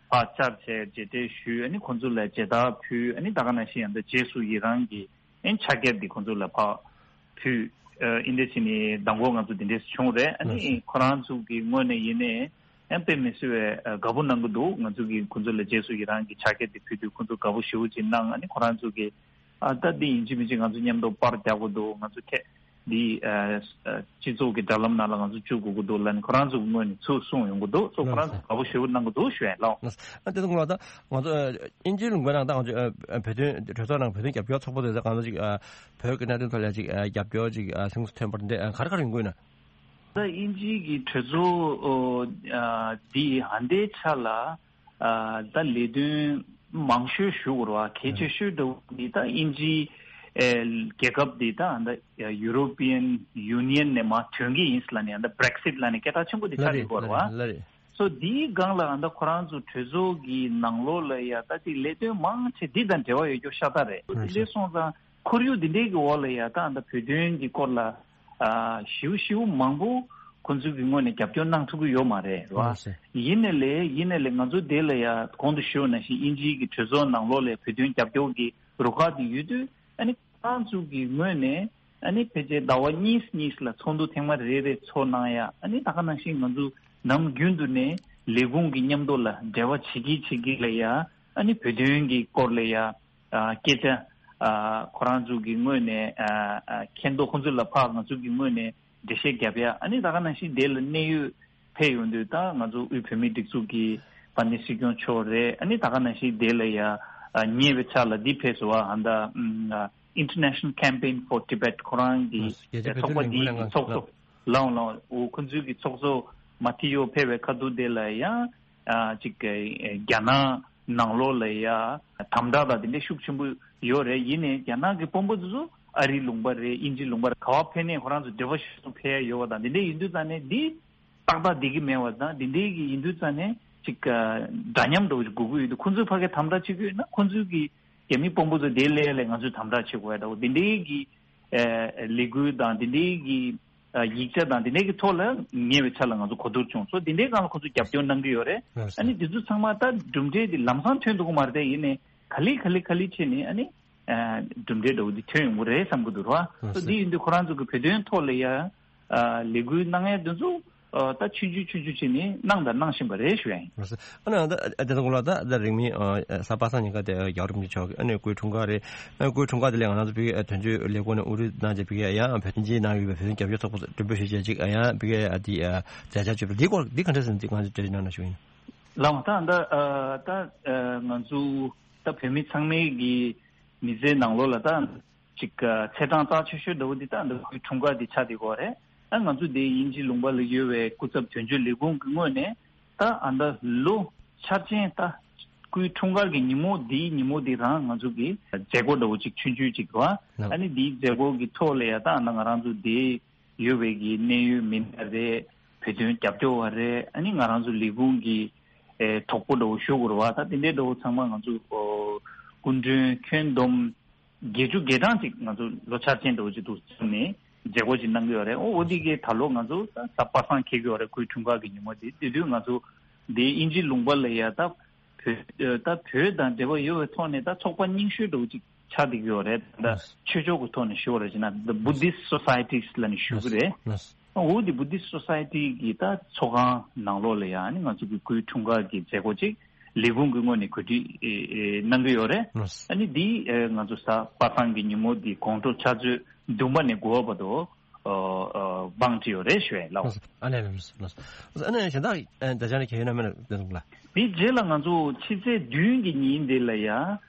ཕར་བཅར་བྱས་མཇལ་འཕྲད་ཞུས། ཨ་ནི་ཁོ་ཚོ་ལ་མཇལ་དར་ཕུལ། ཨ་ནི་ད་ག་ནང་བཞིན་ཨ་ད་རྗེས་སུ་ཡི་རང་གི་ཨན་ཕྱག་འཁྱེར་འདི་ཁོང་ཚོ་ལ་ཕར་ཕུལ། ཨ་ཨིན་དེ་ཕྱིན་ནི་མདང་དགོང་ང་ཚོ་འདི་འདྲས་བྱུང་རེད། ཨ་ནི་ཁོ་རང་ཚོ་གི་ངོས་ནས་ཡིན་ནའི་ཨན་དཔེ་མི་སྲིད་པའི་ཨ་དགའ་པོ་གནང་གི་འདུག་ང་ཚོ་གི་ཁོང་ཚོ་ལ་རྗེས་སུ་ཡི་རང་གི་ཕྱག་འཁྱེར་འདི་ཕུལ་དུས་ཁོང་ཚོ་དགའ་པོ་ཞེ་པོ་ཅིག་གནང་། ཨ་ནི་ཁོ་རང་ཚོ་གི་ཨ་ད་འདི་ཡིན་གཅིག་མིན་གཅིག་ང་ཚོ་མཉམ་དུ་པར་རྒྱག་དགོས་འདུག་ང་ཚོ་ཁྱེད་འདི་ཨ་ཨ་སྤྱི་ཚོགས་ཀྱི་དྲ་ལམ་ནང་ལ་ང་ཚོ་བཅུག་དགོས་ཀྱི་འདུག་ལབ་ནས་ཁོ་རང་ཚོ་གི་ངོས་ནས་ཚུར་གསུངས་ཡོང་གི་འདུག་སོ་ཁོ་རང་ཚོ་དགའ་པོ་ཞེ་པོ་གནང་གི་འདུག་ཞུ་ཡ་ལགས། ཨ་དེ་ཚོ་ང་ལ་ད་ང་ཚོ་ཨིན་ཇིའི་ལུང་པའི་ནང་ད་ང་ཚོ་ཨ་ཨ་བོད་དོན་གྲོས་ཚོགས་ནང་བོད་དོན་རྒྱབ་སྐྱོར་ཚོགས་པ་དེ་ཚོ་གང་ཚོད་ཅིག་ཨ་བོད་ཀྱི་གནད་དོན་ཐོག་ལ་ཅིག་ཨ་རྒྱབ་སྐྱོར་ཅིག་ཨ་སེམས་གསོ་ཐོན་པར་འདི་ཨ་ག་རེ་ག་རེ་ཡོང་གི་ཡོད་ན། ད་ཨིན་ཇིའི་གི་གྲོས་ཚོགས་ཨ་འདི་ཧ་འདའི་ཆ་ལ་ཨ་ད་ལས་དོན་མང་ཤོས་ཞུ་དགོས་རེད་བ། གལ་ཆེ་ཤོས་འདྲ་བོ་འདི་ད་ཨིན་ཇིའི་ཨ་རྒྱལ་ཁབ་འདི་ད་ཨ་ད་European Union ནས་མར་ཐོན་གི་ཡིན་ལབ་ནས་ཨ་ད་Brexit ལབ་ནས་སྐད་གྲགས་ཆེན་པོ་འདི་ཆགས་ཀྱི་ཡོད་རེད་བ། ལ་རེད། སོ་འདིའི་སྒང་ལ་ཨ་ད་ཁོ་རང་ཚོ་གྲོས་ཚོགས་ཀྱི་ནང་ལོགས་ལ་ཡ་ད་ཅིག་ལས་དོན་མང་ཆེ་འདི་དང་འབྲེལ་བ་ཡོད་རྒྱུ་ཤ་སྟག་རེད། ལགས་སོ། འདི་འདྲ་སོང་ཙང་ཁོར་ཡུག་འདི་འདྲའི་གི་འོག་ལ་ཡ་ད་ཨ་ད་བོད་དོན་གྱི་སྐོར་ལ་ཨ་ཞིའུ་ཞིའུ་མང་པོ་ཁོ་ཚོ་གི་ངོས་ནས་རྒྱབ་སྐྱོར་གནང་ཐུབ་ཀྱི་ཡོད་མ་རེད་བ། ལགས་སོ། ཡིན་ནའི་ལས་ཡིན་ནའི་ལས་ང་ཚོ་དེ་ལ་ཡ་གོང་དུ་ཞུས་ནང་བཞིན་དབྱིན་ཇིའི་གི་གྲོས་ཚོགས་ནང་ལོགས་ལ་བོད་དོན་རྒྱབ་སྐྱོར་གྱི་རུ་ཁག་དེ་ཡོད་དུས་ཨ་ནི། ཁོ་རང་ཚོ་གི་ངོས་ནས་ཨ་ནི་ཕལ་ཆེར་ཟླ་བ་གཉིས་གཉིས་ལ་ཚོགས་འདུ་ཐེངས་མ་རེ་རེ་ཚོགས་གནང་ཡ། ཨ་ནི་ད་ག་ནང་བཞིན་ང་ཚོ་ནམ་རྒྱུན་དུ་ནས་ལས་ཁུངས་ཀྱི་མཉམ་དུ་ལ་འབྲེལ་བ་བྱེད་ཀྱི་བྱེད་ཀྱི་ལ་ཡ། ཨ་ནི་བོད་དོན་གྱི་སྐོར་ལ་ཡ་ཨ་སྐད་ཆ་ཨ་ཁོ་རང་ཚོ་གི་ངོས་ནས་ཨ་ཨ་མཁྱེན་རྟོགས་ཁོང་ཚོ་ལ་ཕར་ང་ཚོ་གི་ངོས་ནས་འགྲེལ་བཤད་རྒྱབ་ཡ། ཨ་ནི་ད་ག་ནང་བཞིན་དེ་ལ་གནད་ཡོད་ཕེབས་ཡོང་དུས་ད་ང་ཚོ་དབུས་བོད་མིའི་སྒྲིག་འཛུགས་ཀྱི་དཔལ་ལྡན་སྲིད་སྐྱོང་མཆོག་རེད། ཨ་ནི་ད་ག་ནང་བཞིན་དེ་ལ་ཡ་ཨ་ཉེ་བའི་ཆར་ལ་འདི་ཕེབས་སོང་བ། ཨ་ད་ཨམ་ཨ་International Campaign for Tibet ཁོ་རང་གི་རྒྱལ་སྤྱིའི་བོད་ཚོགས་པ་དོན་ལས་འགུལ་འདིའི་ལས་ཁང་ཚོགས་གཙོ་ལའང་ལའང་འོ་ཁོ་ཚོའི་གི་ཚོགས་གཙོ་མ་ཐི་ཡོ་ཕེབས་པའི་ཁ་ཐུག་དེ་ལ་ཡ་ཨ་ཅིག་རྒྱ་ནག་ནང་ལོགས་ལ་ཡ་དམ་དྲག་དང་དེ་འདྲའི་ཤུགས་ཆེན་པོ་ཡོད་རེད། ཡིན་ནའི་རྒྱ་ནག་གི་དཔོན་པོ་དེ་ཚོ་ཨ་རིའི་ལུང་པ་རེད། དབྱིན་ཇིའི་ལུང་པ་རེད། ག་བ་ཕེབས་ནའི་ཁོ་རང་ཚོ་འབྲེལ་བ་ཤུགས་ཆེན་པོ་ཕེབས་ཡ་ཡོད་པ་དང་དེ་འདྲ་ཡིན་དུས་ཙང་ནས་འདི། ཏག་ཏག་བསྡད་ཀྱི་མེད་པ་དང་དེ་འདྲའི་གི་ཡིན་དུས་ཙང་ནས་ཅིག་འདྲ་མཉམ་འདྲ་བོ་ཅིག་དགོས་ཀྱི་ཡོད་དུས་ཁོང་ཚོས་ཕ་གི་དམ་དྲག་བྱེད་ཀྱི་ཡོད་ན་ཁོང་ཚོའི་གི་རྒྱ་མི་དཔོན་པོ་ཚོ་དེ་ལས་ལས་ང་ཚོས་དམ་དྲག་བྱེད་དགོས་ཡ་འདྲ་བོ་དེ་འདྲའི་གི་ལས་འགུལ་དང་དེ་འདྲའི་གི་ཡིག་ཆ་དང་དེ་འདྲའི་གི་ཐོག་ལ་ཉེ་བའི་ཆར་ལ་ང་ཚོ་གོ་བསྡུར་བྱུང་སོང་། དེ་འདྲའི་སྒང་ལ་ཁོང་ཚོས་རྒྱབ་སྐྱོར་གནང་གི་ཡོད་རེད། ཨ་ནི་དེ་ཚོ་ཚང་མ་ད་གྲུབ་འབྲས་དེ་ལམ་སང་ཐོན་འདུག་གི་མ་རེད་དེ། ཡིན་ནའི་ག་ལེ་ག་ལེ་ག་ལེ་བྱས་ནས་ཨ་ནི། གྲུབ་འབྲས་འདྲ་བོ་འདི་ཐོན་ཡོང་གི་རེད་བསམ་གྱི་འདུག་ར། ཨ་སོ་འདི་ཡིན་དུས་ཁོ་རང་ཚོ་གི་བོད་དོན་ཐོག་ལ་ཡ་ལས་འགུལ་གནང་ཡ་འདི་ཚོ་ད་ཆུང་ཆུང་ཆུང་ཆུང་བྱས་ནས་གནང་དང་གནང་བཞིན་པ་རེད་ཞུ་ཡ་ཡིན། ཨ་ནི་ད་ཨ་དེ་ཚོ་ལ་ད་ད་རིང་མིན་གཟའ་པ་སངས་ཉིན་ཀ་དེ་རྒྱལ་བ་རིན་པོ་ཆེ་མཆོག་གི་ཨ་ནི་སྐུའི་འཁྲུངས་སྐར་རེད། ཨ་སྐུའི་འཁྲུངས་སྐར་དེ་ལ་ང་རང་ཚོ་བོད་ཀྱི་དོན་གཅོད་ལས་ཁུངས་ནས་དབུ་ཁྲིད་གནང་བྱས་བོད་ཀྱི་ཡང་བོད་དོན་གྱི་ནང་ཡོད་པའི་བོད་དོན་རྒྱབ་སྐྱོར་ཚོགས་པ་མགྲོན་འབོད་ཞུས་བྱས་ཅིག་ཡང་བོད་ཀྱི་ཨ་དེ་མཛད་འཆར་བརྗོད་པ་འདི་སྐོར་འདི་ག་འདྲ་ཟེར་ན་འདི་ང་ཚོ་འགྲེལ་བརྗོད་གནང་ན་ཞུ་ཡིན། ལགས་ད་ད་ད་ང་ཚོ་ད་བོད་མི་ཚང་མའི་གི་མི་ཚེའི་ནང་ལོགས་ལ་ད་ཅིག་ཚེས་གྲངས་རྩ་ཆེ་ཤོས་འདྲ་བོ་འདི་ད་འདི་སྐུའི་འཁྲུངས་སྐར་འདི་ཆགས་བསྡད་ཀྱི་ཡོད་རེད། ཨ་ང་ཚོ་འདི་དབྱིན་ཇི་ལུང་པ་ལ་ཡོད་པའི་སྐུ་ཚབ་དོན་གཅོད་ལས་ཁུངས་ཀྱི་ངོས་ནས་ད་ཨ་ད་ལོ་འཆར་ཅན་ད་སྐུའི་འཁྲུངས་སྐར་གྱི་ཉིན་མོ་འདིའི་ཉིན་མོ་འདི་རང་ང་ཚོ་གི་མཛད་སྒོ་འདྲ་བོ་ཅིག་ཆུང་ཆུང་ཅིག་རེད་བ། ཨ་ནི་འདིའི་མཛད་སྒོ་གི་ཐོག་ལ་ཡ་ད་ཨ་ང་རང་ཚོ་འདི་ཡོད་པའི་གི་གནད་ཡོད་མི་སྣ་རེད། བོད་དོན་རྒྱབ་སྐྱོར་བ་རེད། ཨ་ནི་ང་རང་ཚོ་ལས་ཁུངས་ཀྱི་ཨེ་གྲོགས་པོ་འདྲ་བོ་ཞུ་དགོས་རེད་བ། ད་དེ་འདྲའི་འདྲ་བོ་ཚང་མ་ང་ཚོ་ཨོ་སྐུ་མགྲོན་ཁྱོན་བསྡོམས་བརྒྱད་ཅུ་གྲངས་ཅིག་ང་ཚོ་ལོ་འཆར་ཅན་འདྲ་བོ་ཅིག་འདུག་བྱུང་ནས་ མཛད་སྒོ་ཅིག་གནང་གི་ཡོད་རེད། ཨོ་འོ་འདི་གའི་ད་ལོ་ང་ཚོ་ད་གཟའ་པ་སངས་འཁེལ་གི་ཡོད་རེད། སྐུའི་འཁྲུངས་སྐར་གྱི་ཉིན་མོ་དེ། དེ་དུས་ང་ཚོ་འདི་དབྱིན་ཇི་ལུང་པ་ལ་ཡ་ད་བོད་ད་བོད་དང་འབྲེལ་བ་ཡོད་པའི་ཐོག་ནས་ད་ཚོགས་པ་རྙིང་ཤོས་འདྲ་བོ་ཅིག་ཆགས་བསྡད་ཀྱི་ཡོད་རེད། ད་ཆོས་ཕྱོགས་ཀྱི་ཐོག་ནས་ཞུ་བ་རེད་ཅེ་ན། The Buddhist Societies ལབ་ནས་ཞུ་གི་རེད། ཨོ་འདི་Buddhist Society གི་ད་ཚོགས་ཁང་ནང་ལོགས་ལ་ཡ་ཨ་ནི་ང་ཚོ་གི་སྐུའི་འཁྲུངས་སྐར་གྱི་མཛད་སྒོ་ཅིག་ལས་ཁུངས་ཀྱི་ངོས་ནས་གོ་སྒྲིག་ཨེ་ཨེ་གནང་གི་ཡོད་རེད། ལགས། ཨ་ནི་འདི་ཨེ་ང་ཚོ་གཟའ་པ་སངས་ཀྱི་ཉིན་མོ་འདི་དགོང་དྲོ་ཕྱག་ཚོད་བདུན་པ་ནས་དགུ་པ་བར་དུ་ཨོ་ཨོ་བང་སྒྲིག་ཡོད་རེད་ཞུ་ཡས་ལགས། ལགས། ཨ་ནི་ལགས། ལགས། ཨ་ནི་གཞན་དག་ཨེ་ད་ཆ་ནས་ཁྱེད་ཡོད་ན་མེད་ན་བསྟན་འཛིན་ལགས། འདི་རྗེས་ལ་ང་ཚོ་ཕྱི་ཚེས་བདུན་གྱི་ཉིན་འདི་ལ་ཡ་ཨ་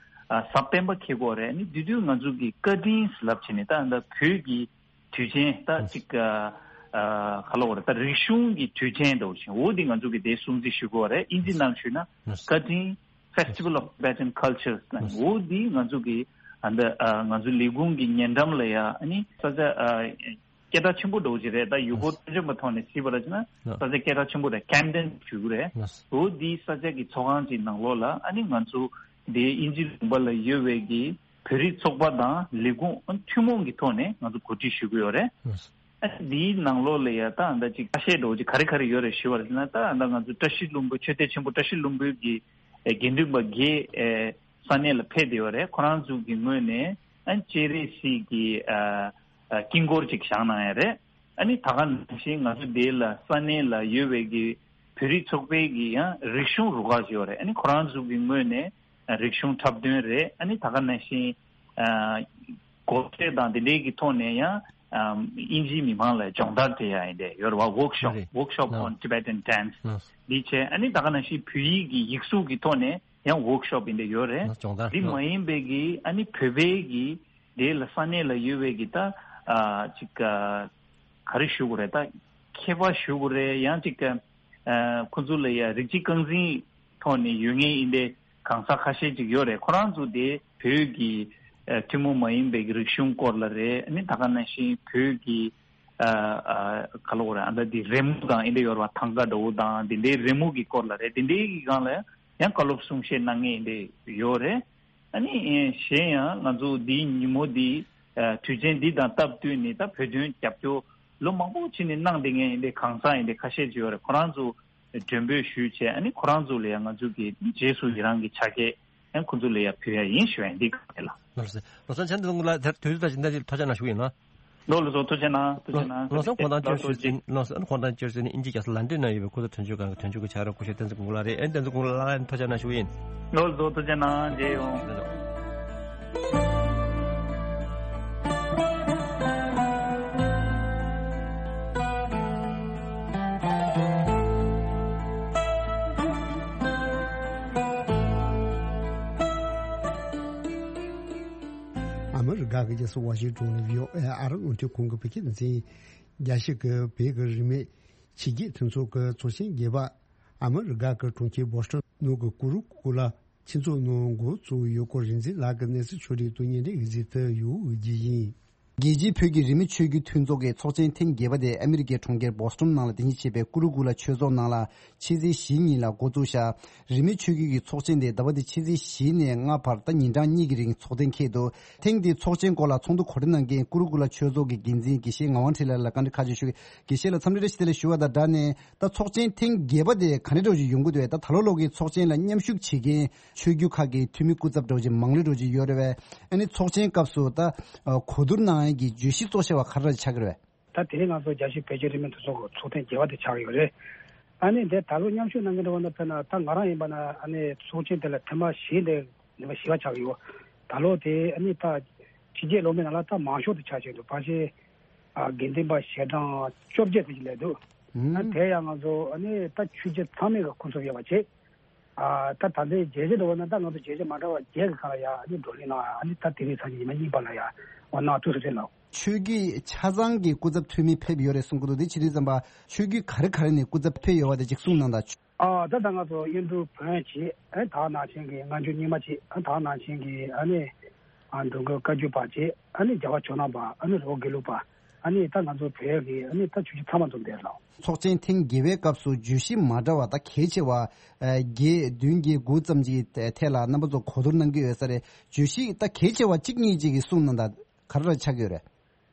གཟའ་སྤེན་པ་འཁེལ་གྱི་ཡོད་རེད། ཨ་ནི་འདི་དུས་ང་ཚོ་གི་བཀའ་དྲིན་ལབ་བྱས་ནས་ད་ད་བོད་ཀྱི་དུས་ཆེན་ད་ཅིག་ཨ་ཨ་ག་ལབ་དགོས་རེད། ད་རིག་གཞུང་གི་དུས་ཆེན་འདྲ་བོ་ཞིག་འོ་འདི་ང་ཚོ་གི་དེ་སྲུང་བརྩི་ཞུ་དགོས་རེད། དབྱིན་ཇི་ནང་ཞུས་ན་བཀའ་དྲིན་Festival of Tibetan Cultures ལབ། འོ་འདི་ང་ཚོ་གི་ཨ་འདི་ཨ་ང་ཚོ་ལས་ཁུངས་ཀྱི་ཉེ་འགྲམ་ལ་ཡ་ཨ་ནི་ས་ཆ་ཨ་སྐད་གྲགས་ཆེན་པོ་འདྲ་བོ་ཅིག་རེད། ད་ཡུལ་སྐོར་སྤྲོ་འཆམ་པ་ཐོག་ནས་བྱས་པ་རེད་ཅེ་ན་ས་ཆ་སྐད་གྲགས་ཆེན་པོ་རེད། Camden ཞུ་གི་རེད། འོ་འདི་ས་ཆ་གི་ཚོགས་ཁང་ཅིག་ནང་ལོགས་ལ་ཨ་ནི་ང་ཚོ་དེ་དབྱིན་ཇི་ལུང་པ་ལ་ཡོད་པའི་གི་བོད་རིགས་ཚོགས་པ་དང་ལས་ཁུངས་ཐུན་མོང་གི་ཐོག་ནས་ང་ཚོ་གོ་སྒྲིག་ཞུ་གི་ཡོད་རེད། ཨ་འདིའི་ནང་ལོགས་ལ་ཡ་ད་ཨ་འདྲ་ཅིག་ཁ་ཤས་འདྲ་བོ་ཅིག་ག་རེ་ག་རེ་ཡོད་རེད་ཞུ་བ་རེད་ན། ད་ཨ་འདྲ་ང་ཚོ་བཀྲ་ཤིས་ལྷུན་པོ་ཆོས་སྡེ་ཆེན་པོ་བཀྲ་ཤིས་ལྷུན་པོའི་གི་ཨེ་དགེ་འདུན་པ་འགས་ཨེ་ས་གནས་ལ་ཕེབས་བསྡད་ཡོད་རེད། ཁོ་རང་ཚོ་གི་ངོས་ནས་ཨ་སྤྱན་རས་གཟིགས་ཀྱི་ཨ་ཨ་དཀྱིལ་འཁོར་ཅིག་བཞེངས་གནང་ཡ་རེད། ཨ་ནི་ད་ག་ནང་བཞིན་ང་ཚོ་འདི་ལ་ས་གནས་ལ་ཡོད་པའི་གི་བོད་རིགས་ཚོགས་པའི་གི་ཡང་རིག་གཞུང་རུ་ཁག་ཅིག་ཡོད་རེད། ཨ་ནི་ཁོ་རང་ཚོ་གི་ངོས་ནས་རིག་གཞུང་འཁྲབ་སྟོན་རེད། ཨ་ནི་ད་ག་ནང་བཞིན་ཨ་སྒོར་གསོས་དང་དེ་འདྲའི་གི་ཐོག་ནས་ཡང་ཨ་དབྱིན་ཇིའི་མི་མང་ལ་སྦྱོང་བརྡར་སྤྲད་ཡ་ཡིན་དེ་ཡོད་རེད་བ། Workshop རེད། Workshop on Tibetan Dance འདི་བྱས། ཨ་ནི་ད་ག་ནང་བཞིན་བོད་ཡིག་གི་ཡིག་གཟུགས་ཀྱི་ཐོག་ནས་ཡང་Workshop ཡིན་དེ་ཡོད་རེད། སྦྱོང་བརྡར། འདི་མ་ཡིན་པའི་གི་ཨ་ནི་བོད་པའི་གི་དེ་ལ་ས་གནས་ལ་ཡོད་པའི་གི་ད་ཨ་ཅིག་ཨ་ག་རེ་ཞུ་དགོས་རེད། ད་མཁས་པ་ཞུ་དགོས་རེད། ཡང་ཅིག་ཨ་ཁོ་ཚོ་ལ་ཡ་རིགས་གཅིག་རྐང་འཛིན་ཐོག་ནས་ཡོད་མཁན་ཡིན་པའི་གང་ཟག་ཁ་ཤས་ཅིག་ཡོད་རེད། ཁོ་རང་ཚོ་དེ་བོད་ཀྱི་ཨ་ཐུན་མོང་མ་ཡིན་པའི་རིག་གཞུང་སྐོར་ལ་རེད། ཨ་ནི་ད་ག་ནང་བཞིན་བོད་ཀྱི་ཨ་ཨ་ག་ལབ་དགོས་རེད། ཨ་ད་དེ་རི་མོ་དང་ཨེ་འདྲ་ཡོད་རེད་བ། ཐང་ག་འདྲ་བོ་དང་དེ་འདྲའི་རི་མོ་གི་སྐོར་ལ་རེད། དེ་འདྲའི་གི་སྒང་ལ་ཡང་བཀའ་སློབ་གསུང་བཤད་གནང་མཁན་ཡིན་པའི་ཡོད་རེད། ཨ་ནི་གཞན་ཡང་ང་ཚོ་འདིའི་ཉིན་མོ་འདི་ཨ་དུས་ཆེན་འདི་དང་སྟབས་བསྟུན་ནས་ད་བོད་དོན་རྒྱབ་སྐྱོར་ལོ་མང་པོ་ཕྱིན་ནས་གནང་བསྡད་མཁན་ཡིན་པའི་གང་ཟག་ཡིན་པའི་ཁ་ཤས་ཅིག་ཡོད་རེད། ཁོ་རང་ཚོ་མགྲོན་འབོད་ཞུས་བྱས། ཨ་ནི་ཁོ་རང་ཚོ་ལ་ཡང་ང་ཚོ་གི་རྗེས་སུ་ཡི་རང་གི་ཕྱག་འཁྱེར་ཡང་ཁོ་ཚོ་ལ་ཡང་ཕུལ་ཡ་ཡིན་ཞུ་ཡ་འདི་ག་རེ་ལ། ལགས་སོ། ལགས་སོ། ཆ་འདི་ཚོ་ལ་དེར་དུས་ཚོད་དང་ཇི་འདྲ་ཅིག་ཐུགས་རྗེ་གནང་ཞུ་ཡིན་ན། ལགས་སོ། ཐུགས་རྗེ་གནང་། ཐུགས་རྗེ་གནང་། ལགས་སོ། ཁོང་དང་བཅར་ཞུ་ཡིན། ལགས་སོ། ཁོང་དང་བཅར་ཞུ་ཡིན། དབྱིན་ཇི་རྒྱལ་ས་ལན་ཀྲན་ན་ཡོད་པའི་ཁོ་ཚོ་དོན་གཅོད་ཁང་གི་དོན་གཅོད་ཀྱི་ཕྱག་རོགས་སྐུ་ཞབས་བསྟན་འཛིན་དགུང་ལགས་རེད། ཨེ་བསྟན་འཛིན་དགུང་ལགས་ལ་ཐུགས་རྗེ་གནང་ཞུ་ཡིན། ལགས་སོ། ཐུགས་རྗེ་གནང་། མཇལ་ཡོང་། ཨ་མི་རི་ཀ་གི་རྒྱལ་ས་ཝ་ཤིང་ཏོན་ནས་བྷི་ཨོ་ཨེ་ཨ་རི་རླུང་འཕྲིན་ཁང་གི་བོད་སྐད་སྡེ་ཚན། རྒྱལ་སྤྱི་གི་བོད་ཀྱི་རིས་མེད་ཕྱི་རྒྱལ་མཐུན་ཚོགས་ཀྱི་ཚོགས་ཆེན་བརྒྱད་པ། ཨ་མི་རི་ཀ་གི་གྲོང་ཁྱེར་བོ་སི་ཊོན་ནང་གི་ཀུ་རུ་ཀུ་ལ་ཆོས་ཚོགས་ནང་འགོ་བཙུགས་ཡོད་སྐོར་རིག་འཛིན་ལགས་ཀྱིས་གནས་ཚུལ་ཕྱོགས་སྒྲིག་དང་སྙན་སྒྲོན་ཡིག་ཚིག་ཏུ་ཡོད་འོས་ཀྱི་ཡིན། རྒྱལ་སྤྱིའི་བོད་ཀྱི་རིས་མེད་ཆོས་བརྒྱུད་མཐུན་ཚོགས་ཀྱི་ཚོགས་ཆེན་ཐེངས་བརྒྱད་པ་དེ་ཨ་མི་རི་ཀའི་གྲོང་ཁྱེར་བོ་སི་ཊོན་ནང་ལ་རྟེན་གཞི་བྱས་པའི་ཀུ་རུ་ཀུ་ལ་ཆོས་ཚོགས་ནང་ལ་ཕྱི་ཚེས་བཞི་ཉིན་ལ་འགོ་བཙུགས་ཤག་རིས་མེད་ཆོས་བརྒྱུད་ཀྱི་ཚོགས་ཆེན་དེ་ཟླ་བ་འདི་ཕྱི་ཚེས་བཞི་ནས་ལྔ་བར་ད་ཉིན་གྲངས་གཉིས་ཀྱི་རིང་ཚོགས་གཏན་འཁེལ་འདུག་ཐེངས་འདིའི་ཚོགས་ཆེན་སྐོར་ལ་ཚོགས་འདུ་གོ་སྒྲིག་གནང་མཁན་ཀུ་རུ་ཀུ་ལ་ཆོས་ཚོགས་ཀྱི་འགན་འཛིན་དགེ་བཤེས་ངག་དབང་འཕྲིན་ལས་ལ་བཀའ་འདྲི་ཁ་ཤས་ཞུ། དགེ་བཤེས་ལགས་འཚམས་འདྲི་བཀྲ་ཤིས་བདེ་ལེགས་ཞུ་བ་དང་སྦྲགས་ནས། ད་ཚོགས་ཆེན་ཐེངས་བརྒྱད་པ་དེ་ག་འདྲ་འདྲ་བོ་ཅིག་ཡོང་གི་འདུག་ད་ད་ལོ་ལོག་གི་ཚོགས་ཆེན་ལ་མཉམ་ཞུགས་བྱེད་མཁན་ཆོས་བརྒྱུད་ཁག་གི་འཐུས་མི་སྐུ་ཚབ་འདྲ་བོ་ཅིག་མང་ལོས་འདྲ་བོ་ཅིག་ཡོད་རེད་པས། ཨ་ནི་ཚོགས་ཆེན་སྐབས་སུ་ད་གོ་བསྡུར་གནང་ཡས་ཀྱི་བརྗོད་གཞི་གཙོ་ཆེ་བ་ག་རེ་ཆགས་ཀྱི་རེད་པས། ད་དེ་རིང་ང་ཚོ་རྒྱལ་སྤྱིའི་བོད་ཀྱི་རིས་མེད་མཐུན་ཚོགས་ཀྱི་ཚོགས་ཐེངས་བརྒྱད་པ་དེ་ཆགས་ཀྱི་ཡོད་རེད། ཨ་ནི་འདི་ད་ལོ་མཉམ་ཞུགས་གནང་མཁན་འདྲ་བོ་ན་དཔེར་ན་ད་ང་རང་ཡིན་པ་ན་ཨ་ནི་ཚོགས་ཆེན་དེ་ལ་ཐེངས་མ་བཞི་འདི་ནུས་པ་བཞི་པ་ཆགས་ཀྱི་ཡོད། ད་ལོ་དེ་ཨ་ནི་ད་ཕྱི་རྒྱལ་ལོག་མི་ནང་ལ་ད་མང་ཤོས་དེ་ཆགས་བྱས་འདུག་ཕལ་ཆེར་ཨ་དགེ་འདུན་པ་ཞལ་གྲངས་བཅོ་བརྒྱད་དེ་ཅིག་སླེབས་འདུག་ཨ་དེ་ཡང་ང་ཚོ་ཨ་ནི་ད་ཆོས་བརྒྱུད་ཚང་མས་ཀྱི་སྐུ་ཚབ་ཡོད་པ་བྱས། ཨ་ད་ད་ལྟའི་བརྗོད་གཞི་འདྲ་བོ་ན་ད་ང་ཚོ་བརྗོད་གཞི་མ་འདྲ་བ་བརྒྱད་ཀྱི་སྒང་ལ་ཡ་ཨ་ནི་བགྲོ་གླེང་གནང་ཡ། ཨ་ནི་ད་དེ་རིང་སང་ཉིན་ཉི་མ་གཉིས་པ་ལ་ཡ་འོ་གནང་ཐུབ་ས་རེད་ལགས། ཆོས་བརྒྱུད་ཆ་ཚང་གི་སྐུ་ཚབ་འཐུས་མི་ཕེབས་ཡོད་རེད་གསུང་གི་འདུག་དེ་བྱེད་དུས་ཙམ་པ་ཆོས་བརྒྱུད་ག་རེ་ག་རེ་ནས་སྐུ་ཚབ་ཕེབས་ཡོད་པ་དེ་ཅིག་གསུངས་གནང་དང་། ཨ་ད་ད་ང་ཚོ་གཡུང་དྲུང་བོན་གྱིས་ཨ་ད་ནང་བཞིན་གྱི་སྔ་འགྱུར་རྙིང་མ་གྱིས་ཨ་ད་ནང་བཞིན་གྱི་ཨ་ནི་ཨ་འགྲོ་མགོན་བཀའ་བརྒྱུད་པ་གྱིས་ཨ་ནི་རྒྱལ་བ་ཇོ་ནང་པ་ཨ་ནི་རི་བོ་དགེ་ལུགས་པ་ཨ་ནི་ད་ང་ཚོ་བོད་ཀྱི་ཨ་ནི་ད་ཆོས་བརྒྱུད་ཚང་མ་འཛོམས་བསྡད་ལགས། ཚོགས་ཆེན་ཐེངས་བརྒྱད་པའི་སྐབས་སུ་བརྗོད་གཞི་མ་འདྲ་བ་ད་གལ་ཆེ་བ་ཨ་བརྒྱད་བདུན་བརྒྱད་དགུ་ཙམ་གྱི་ཐད་ལ་རྣམ་པ་ཚོ་གོ་བསྡུར་གནང་གི་ཡོད་ས་རེད། བརྗོད་གཞི་ད་གལ་ཆེ་བ་གཅིག་གཉིས་ཅིག་གིས་གསུངས་གནང་དང་ག་རེ་ལ་ཆགས་ཀྱི་ཡོད་རེད།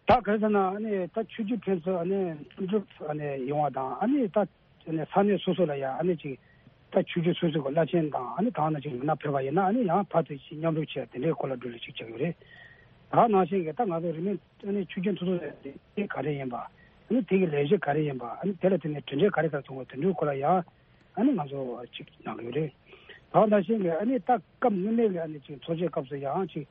ད་ག་རེ་ཟེར་ན་ཨ་ནི་ད་ཆོས་བརྒྱུད་ཕན་ཚུན་ཨ་ནི་མཐུན་སྒྲིལ་ཨ་ནི་ཡོང་བ་དང་ཨ་ནི་ད་ཨ་ནི་ས་གནས་སོ་སོ་ལ་ཡང་ཨ་ནི་ཅིག་ད་ཆོས་བརྒྱུད་སོ་སོ་གི་བླ་ཆེན་དང་ཨ་ནི་ད་ནང་ཅིག་མི་སྣ་ཕེབས་པ་ཡིན་ན་ཨ་ནི་ཡང་བར་དུ་ཅིག་མཉམ་རུབ་བྱས་དེ་འདྲའི་སྐོར་ལ་བགྲོ་གླེང་ཅིག་བྱ་གི་རེད། ད་ནང་བཞིན་གྱི་ད་ང་ཚོ་རིས་མེད་ཨ་ནི་ཆོས་བརྒྱུད་མཐུན་ཚོགས་ཀྱི་ག་རེ་ཡིན་པ་ཨ་ནི་དེ་གི་ལས་གཞི་ག་རེ་ཡིན་པ་ཨ་ནི་དེ་ལ་བརྟེན་ནས་གྲུབ་འབྲས་ག་རེ་ག་རེ་ཐོན་པ་དེ་འདྲའི་སྐོར་ལ་ཡང་ཨ་ནི་ང་ཚོ་ཅིག་གནང་གི་ཡོད་རེད། ད་ནང་བཞིན་གྱི་ཨ་ནི་ད་སྐབས་སྔོན་མའི་གི་ཨ་ནི་ཅིག་ཚོགས་ཆེན་སྐབས་སུ་ཡང་ཅིག་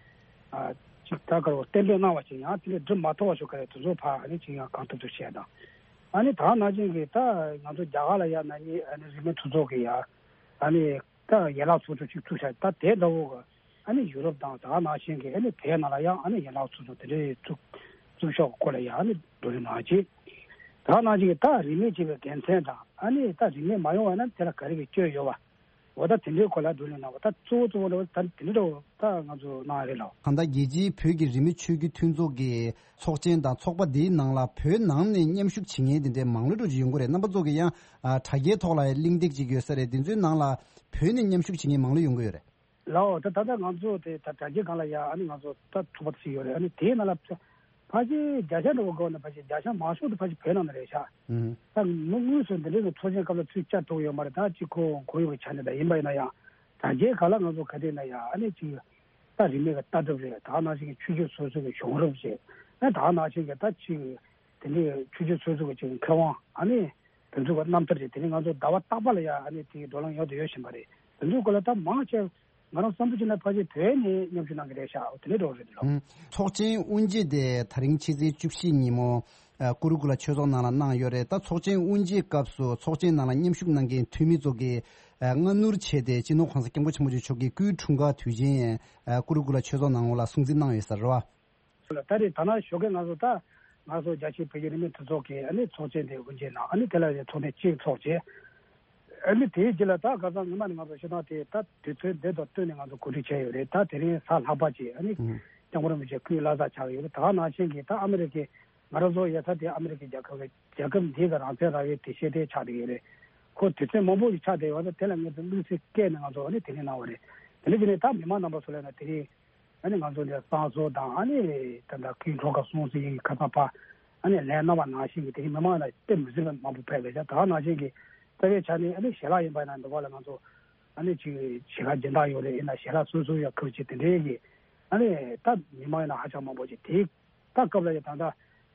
ཨ་ཅིག་ད་ག་རེ་གཏན་འབེབས་གནང་བ་ཅིག་ཡང་དེ་ལས་འགྲུབ་མ་ཐུབ་པ་ཞིག་ག་རེ་དེ་ཚོ་ཕར་ཨ་ནི་ཅིག་ཡང་གང་ཐུབ་ཐུབ་བྱས་དང་། ཨ་ནི་ད་ནང་བཞིན་གྱི་ད་ང་ཚོ་རྒྱ་གར་ལ་ཡང་ན་ནི་ཨ་ནི་རིས་མེད་མཐུན་ཚོགས་ཀྱི་ཡང་ཨ་ནི་ད་ཡན་ལག་ཚོགས་ཆུང་ཅིག་བཙུགས་བྱས་ད་དེ་འདྲ་བོ་གི་ཨ་ནི་ཡུ་རོབ་དང་ད་ནང་བཞིན་གྱི་ཨ་ནི་བོད་ནང་ལ་ཡང་ཨ་ནི་ཡན་ལག་ཚོགས་ཆུང་དེ་འདྲའི་བཙུགས་བཙུགས་ཕྱོགས་སྐོར་ལ་ཡང་ཨ་ནི་བགྲོ་གླེང་གནང་རྗེས། ད་ནང་བཞིན་གྱི་ད་རིས་མེད་ཅེས་པའི་དགེ་མཚན་དང་ཨ་ནི་ད་རིས་མེད་མ་ཡོང་བ་ན་དེ་ལ་ག་རེ་གི་སྐྱོན་ཡོད་པ། འོ་ད་དེ་འདྲའི་སྐོར་ལ་བགྲོ་གླེང་གནང་བ་ད་གཙོ་བོ་གཙོ་བོ་འདྲ་བོ་ད་དེ་འདྲའི་འདྲ་བོ་ད་ང་ཚོ་གནང་ཡ་རེད་ལགས། གང་ལྟར་རྒྱལ་སྤྱིའི་བོད་ཀྱི་རིས་མེད་ཆོས་བརྒྱུད་མཐུན་ཚོགས་ཀྱི་ཚོགས་ཆེན་དང་ཚོགས་པ་འདིའི་ནང་ལ་བོད་ནང་ནས་མཉམ་ཞུགས་བྱེད་མཁན་དེ་འདྲའི་མང་ལོས་འགྲོ་ཅིག་ཡོང་གི་རེད། རྣམ་པ་ཚོ་གི་ཡང་ཨ་དྲ་རྒྱའི་ཐོག་ལ་ཡང་གླེང་སྟེགས་ཅིག་ཡོད་ས་རེད། དེ་ཚོའི་ནང་ལ་བོད་ནས་མཉམ་ཞུགས་བྱེད་མཁན་མང་ལོས་ཡོང་གི་ཡོད་རེད། ལའོ་ད་ད་ལྟ་ང་ཚོ་དེ་ད་དྲ་རྒྱའི་སྒང་ལ་ཡ་ཨ་ནི་ང་ཚོ་ད་ཐུག་པ་ཞིག་ཡོད་རེད། ཨ་ནི་དེའི་ནང་ལ་ཕ་ཕལ་ཆེར་བརྒྱ་ཆ་འདྲ་བོ་དགོས་ན་ཕལ་ཆེར་བརྒྱ་ཆ་མང་ཤོས་དེ་ཕལ་ཆེར་བོད་ནང་ནས་རེད་ཤག་ཨུ། ད་མི་དངོས་སུ་འདི་འདྲའི་གི་ཚོགས་ཆེན་སྐབས་ལ་ཚུར་བཅར་ཐུབ་ཡོད་མ་རེད། ད་གཅིག་ཁོ་ཁོར་ཡུག་གི་ཆ་ནས་ད་ཡིན་པ་ཡིན་ན་ཡང་དྲ་རྒྱའི་སྒང་ལ་ང་ཚོ་ག་དུས་ན་ཡང་ཨ་ནི་གཅིག་ད་རིས་མེད་ཀྱི་ལྟ་གྲུབ་རེད། ད་ནང་བཞིན་གྱི་ཆོས་བརྒྱུད་སོ་སོ་གི་བྱུང་རབས་རེད། ཨ་ད་ནང་བཞིན་གྱི་ད་གཅིག་དེ་འདྲའི་ཆོས་བརྒྱུད་སོ་སོ་གི་གཅིག་མཁས་དབང་ཨ་ནི་དེ་ཚོ་གི་རྣམ་ཐར་རེད། དེ་ནི་ང་ཚོ་ཟླ་བ་རྟག་པ་ལ་ཡང་ཨ་ནི་དེའི་བགྲོ་གླེང་ཡོང་དུ་ཡོད་བཞིན་པ་རེད། དེ་ཚོའི་སྐོར་ལ་ད་མང་ཆེ་ང་རང་བསམ་ཚུལ་བྱས་ན་ཕལ་ཆེར་བོད་ནས་མཉམ་ཞུགས་གནང་གི་རེད་ཤག་དེ་འདྲ་འདྲ་བོ་རེད་ལགས། ཨུམ། ཚོགས་ཆེན་དབུ་འབྱེད་དེ་ད་རིང་ཕྱི་ཚེས་བཅུ་བཞི་ཉིན་མོ་ཨ་ཀུ་རུ་ཀུ་ལ་ཆོས་ཚོགས་ནང་ལ་གནང་ཡོད་རེད། ད་ཚོགས་ཆེན་དབུ་འབྱེད་སྐབས་སུ་ཚོགས་ཆེན་ནང་ལ་མཉམ་ཞུགས་གནང་མཁན་འཐུས་མི་ཚོ་གིས་ཨ་སྔ་སྣུར་བྱས་ཏེ་སྤྱི་ནོར་༸གོང་ས་༸སྐྱབས་མགོན་ཆེན་པོ་མཆོག་གི་སྐུའི་འཁྲུངས་སྐར་དུས་ཆེན་ཨ་ཀུ་རུ་ཀུ་ལ་ཆོས་ཚོགས་ནང་ལ་སྲུང་བརྩི་གནང་ཡོད་ས་རེད་བ། ད་རེས་ད་ནང་ཞོགས་ཀས་ང་ཚོ་ད་ང་ཚོ་རྒྱལ་སྤྱིའི་བོད་ཀྱི་རིས་མེད་མཐུན་ཚོགས་ཀྱི་ཨ་ནི་ཚོགས་ཆེན་དེ་དབུ་འབྱེད་གནང་། ཨ་ནི་དེ་ལ་ཚོགས་ཐེངས་གཅིག་ཚོགས་རྗེས། ཨ་ནི་དེའི་རྗེས་ལ་ད་ཁ་སང་ཉི་མ་ནས་ང་ཚོ་བཤད་སྟངས་དེ་ད་དུས་ཚོད་འདི་དང་བསྟུན་ནས་ང་ཚོ་གོ་སྒྲིག་བྱས་ཡོད་རེད། ད་དེ་རིང་གཟའ་ལྷག་པ་ཅིག་ཨ་ནི་ཨུ། སྐྱབས་མགོན་རིན་པོ་ཆེ་སྐུའི་བླ་གཟའ་ཆགས་ཡོད་རེད། ད་ནང་བཞིན་གྱི་ད་ཨ་མི་རི་ཀའི་ང་རང་ཚོ་ཡོད་ས་དེ་ཨ་མི་རི་ཀའི་རྒྱལ་ཁབ་རེད། རྒྱལ་ཁབ་འདི་གི་རང་བཙན་རང་ཡོད་དེ་ཤེས་ལྟས་ཆགས་བསྡད་ཡོད་རེད། ཁོ་དུས་ཚོད་མང་པོ་ཞིག་ཆགས་བསྡད་ཡོད་ད་དེ་ལ་ངེད་ཚོ་དམིགས་བསལ་བསྐྱལ་ནས་ང་ཚོ་ཨ་ནི་དེ་རིང་གནང་བ་རེད། དེ་ནས་དེ་ནས་ད་མི་མང་རྣམ་པ་ཚོ་ལ་ན་དེ་རིང་ཨ་ནི་ང་ཚོ་འདི་བསང་གསོལ་དང་ཨ་ནི་ད་ལྟ་སྐུའི་འཁྲུངས་སྐར་སྲུང་བརྩི་ཡི་ཁ་ཚ་པ་ཨ་ནི་ལན་གནང་བ་ནང་བཞིན་གྱི་དེ་རིང་མི་མང་ལ་དཔེ་མི་སྲིད་པ་མང་པོ་ཕེབས་པས་ད་ནང་བཞིན་གྱི་རྩ་བའི་ཆ་ནས་ཨ་ནི་ཞལ་ལག་ཡིན་པ་ཡིན་ན་འདི་བ་ལ་ང་ཚོ་ཨ་ནི་ཅིག་ཞལ་ལག་སྦྱིན་བདག་ཡོད་རེད། ཡིན་ན་ཞལ་ལག་སོ་སོ་ཡ་ཁུར་ཅིག་དེ་འདྲའི་གི་ཨ་ནི་ད་མི་མང་ཡིན་ན་ཧ་ཅང་མང་པོ་ཅིག་དེའི་ད་སྐབས་ལ་ཡ་ད་ལྟ་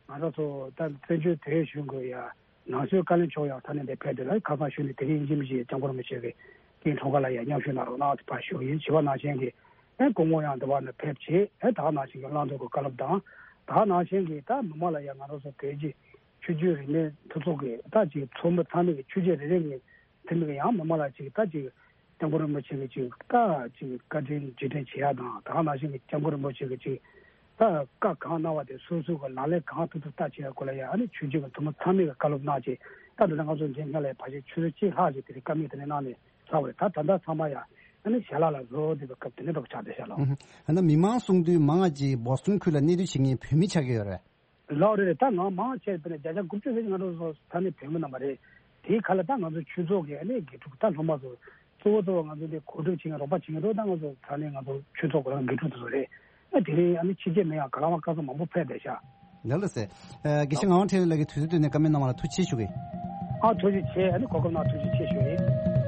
ང་རང་ཚོ་ད་བཙན་བྱོལ་བོད་གཞུང་གི་ཡ་ནང་སྲིད་བཀའ་བློན་མཆོག་ཡང་ས་གནས་འདི་ཕེབས་དུས་ལ་ཁ་སང་ཞུས་ནས་དེ་རིང་ཡིན་གཅིག་མིན་གཅིག་སྐྱབས་མགོན་རིན་པོ་ཆེ་གི་སྐུའི་འཁྲུངས་སྐར་ལ་ཡ་མཉམ་ཞུགས་གནང་རོགས་གནང་དུ་ཕར་ཞུ་ཡིན། བྱིས་པ་ནང་བཞིན་གྱི་ཨེ་སྐུ་ངོ་ཡང་འདི་བ་ནས་ཕེབས་བྱས་ཨེ་ད་ནང་བཞིན་གྱི་བླང་དོར་གྱི་བཀའ་སློབ་དང་ད་ནང་བཞིན་གྱི་ད་མི་མང་ལ་ཡ་ང་རང་ཚོ་བོད་ཀྱི་ཆོས་བརྒྱུད་རིས་མེད་མཐུན་ཚོགས་ཀྱི་ད་ཅིག་ཚོགས་མི་ཚང་མས་ཀྱི་ཆོས་བརྒྱུད་རེ་རེ་གི་དེ་མིན་ཡང་མི་མང་ལ་ཅིག་ད་ཅིག་སྐྱབས་མགོན་རིན་པོ་ཆེ་གི་ཅིག་ད་ཅིག་བཀའ་དྲིན་རྗེས་དྲན་བྱེད་ཡ་དང་ད་ག་ནང་བཞིན་གྱི་སྐྱབས་མགོན་རིན་པོ་ཆེ་གི་ཅིག་ད་བཀའ་གང་གནང་བ་དེ་སོ་སོ་གི་ལག་ལེན་གང་ཐུབ་ཐུབ་ལྟ་བྱེད་ཡ་སྐོར་ལ་ཡ་ཨ་ནི་ཆོས་བརྒྱུད་ཀྱི་ཐུན་མོང་ཚང་མས་ཀྱི་བཀའ་སློབ་གནང་བྱས་ད་འདི་ལ་ང་ཚོ་མཇལ་མཁན་ལ་ཡ་ཕལ་ཆེར་ཆུ་ཚོད་གཅིག་ལྷག་ཅིག་དེ་རིང་བཀའ་མོལ་དེ་འདྲ་གནང་ནས་ཚར་བ་རེད། ད་ད་ལྟ་ཚང་མ་ཡ་ཨ་ནི་ཞལ་ལག་ལ་བཟོ་བསྡད་པའི་སྐབས་དེ་འདྲ་འདྲ་པོ་ཆགས་བསྡད་ཤག་ལགས། ཨུ་ཧུ། ཨ་ནི་མི་མང་གསུང་དུས་མང་ང་ཅིག་བོ་སི་ཊོན་ཁུལ་ལ་གནས་སྡོད་བྱེད་མཁན་བོད་མི་ཆགས་ཀྱི་ཡོད་རེད། ལགས་རེད་རེད། ད་ང་མང་ཆེ་བ་ནས་བརྒྱ་ཆ་དགུ་བཅུ་ཙམ་ང་རང་ཚོ་ས་གནས་བོད་མི་རྣམ་པ་རེད། དེའི་ཁ་ལ་ད་ང་ཚོ་ཆོས་ཚོགས་ཀྱི་ཨ་ནི་དགེ་ཕྲུག་ད་སློབ་མ་ཚོ་གཙོ་བོ་གཙོ་བོ་ང་ཚོ་འདི་གོ་སྒྲིག་བྱེད་མཁན་རོགས་པ་བྱེད་མཁན་རོགས་ད་ང་ཚོ་ས་གནས་ང་ཚོ་ཆོས་ཚོགས་གོ་རང་དགེ་ཕྲུག་དེ་ཚོ་རེད། ཨ་དེ་རིང་ཨ་ནི་ཕྱི་རྒྱལ་མི་ཡང་ག་ལ་བ་སྐལ་བཟང་མང་པོ་ཕེབས་བསྡད་ཤག་ལགས་ལགས་སེ། ཨ་དགེ་བཤེས་ངག་དབང་འཕྲིན་ལས་ཀྱི་དུས་ཚོད་བཏོན་ནས་བཀའ་མོལ་གནང་བ་ལ་ཐུགས་རྗེ་ཆེ་ཞུ་གི། ཨ་ཐུགས་རྗེ་ཆེ། ཨ་ནི་གོ་སྐབས་གནང་ཐུགས་རྗེ་ཆེ་ཞུ་ཡིན།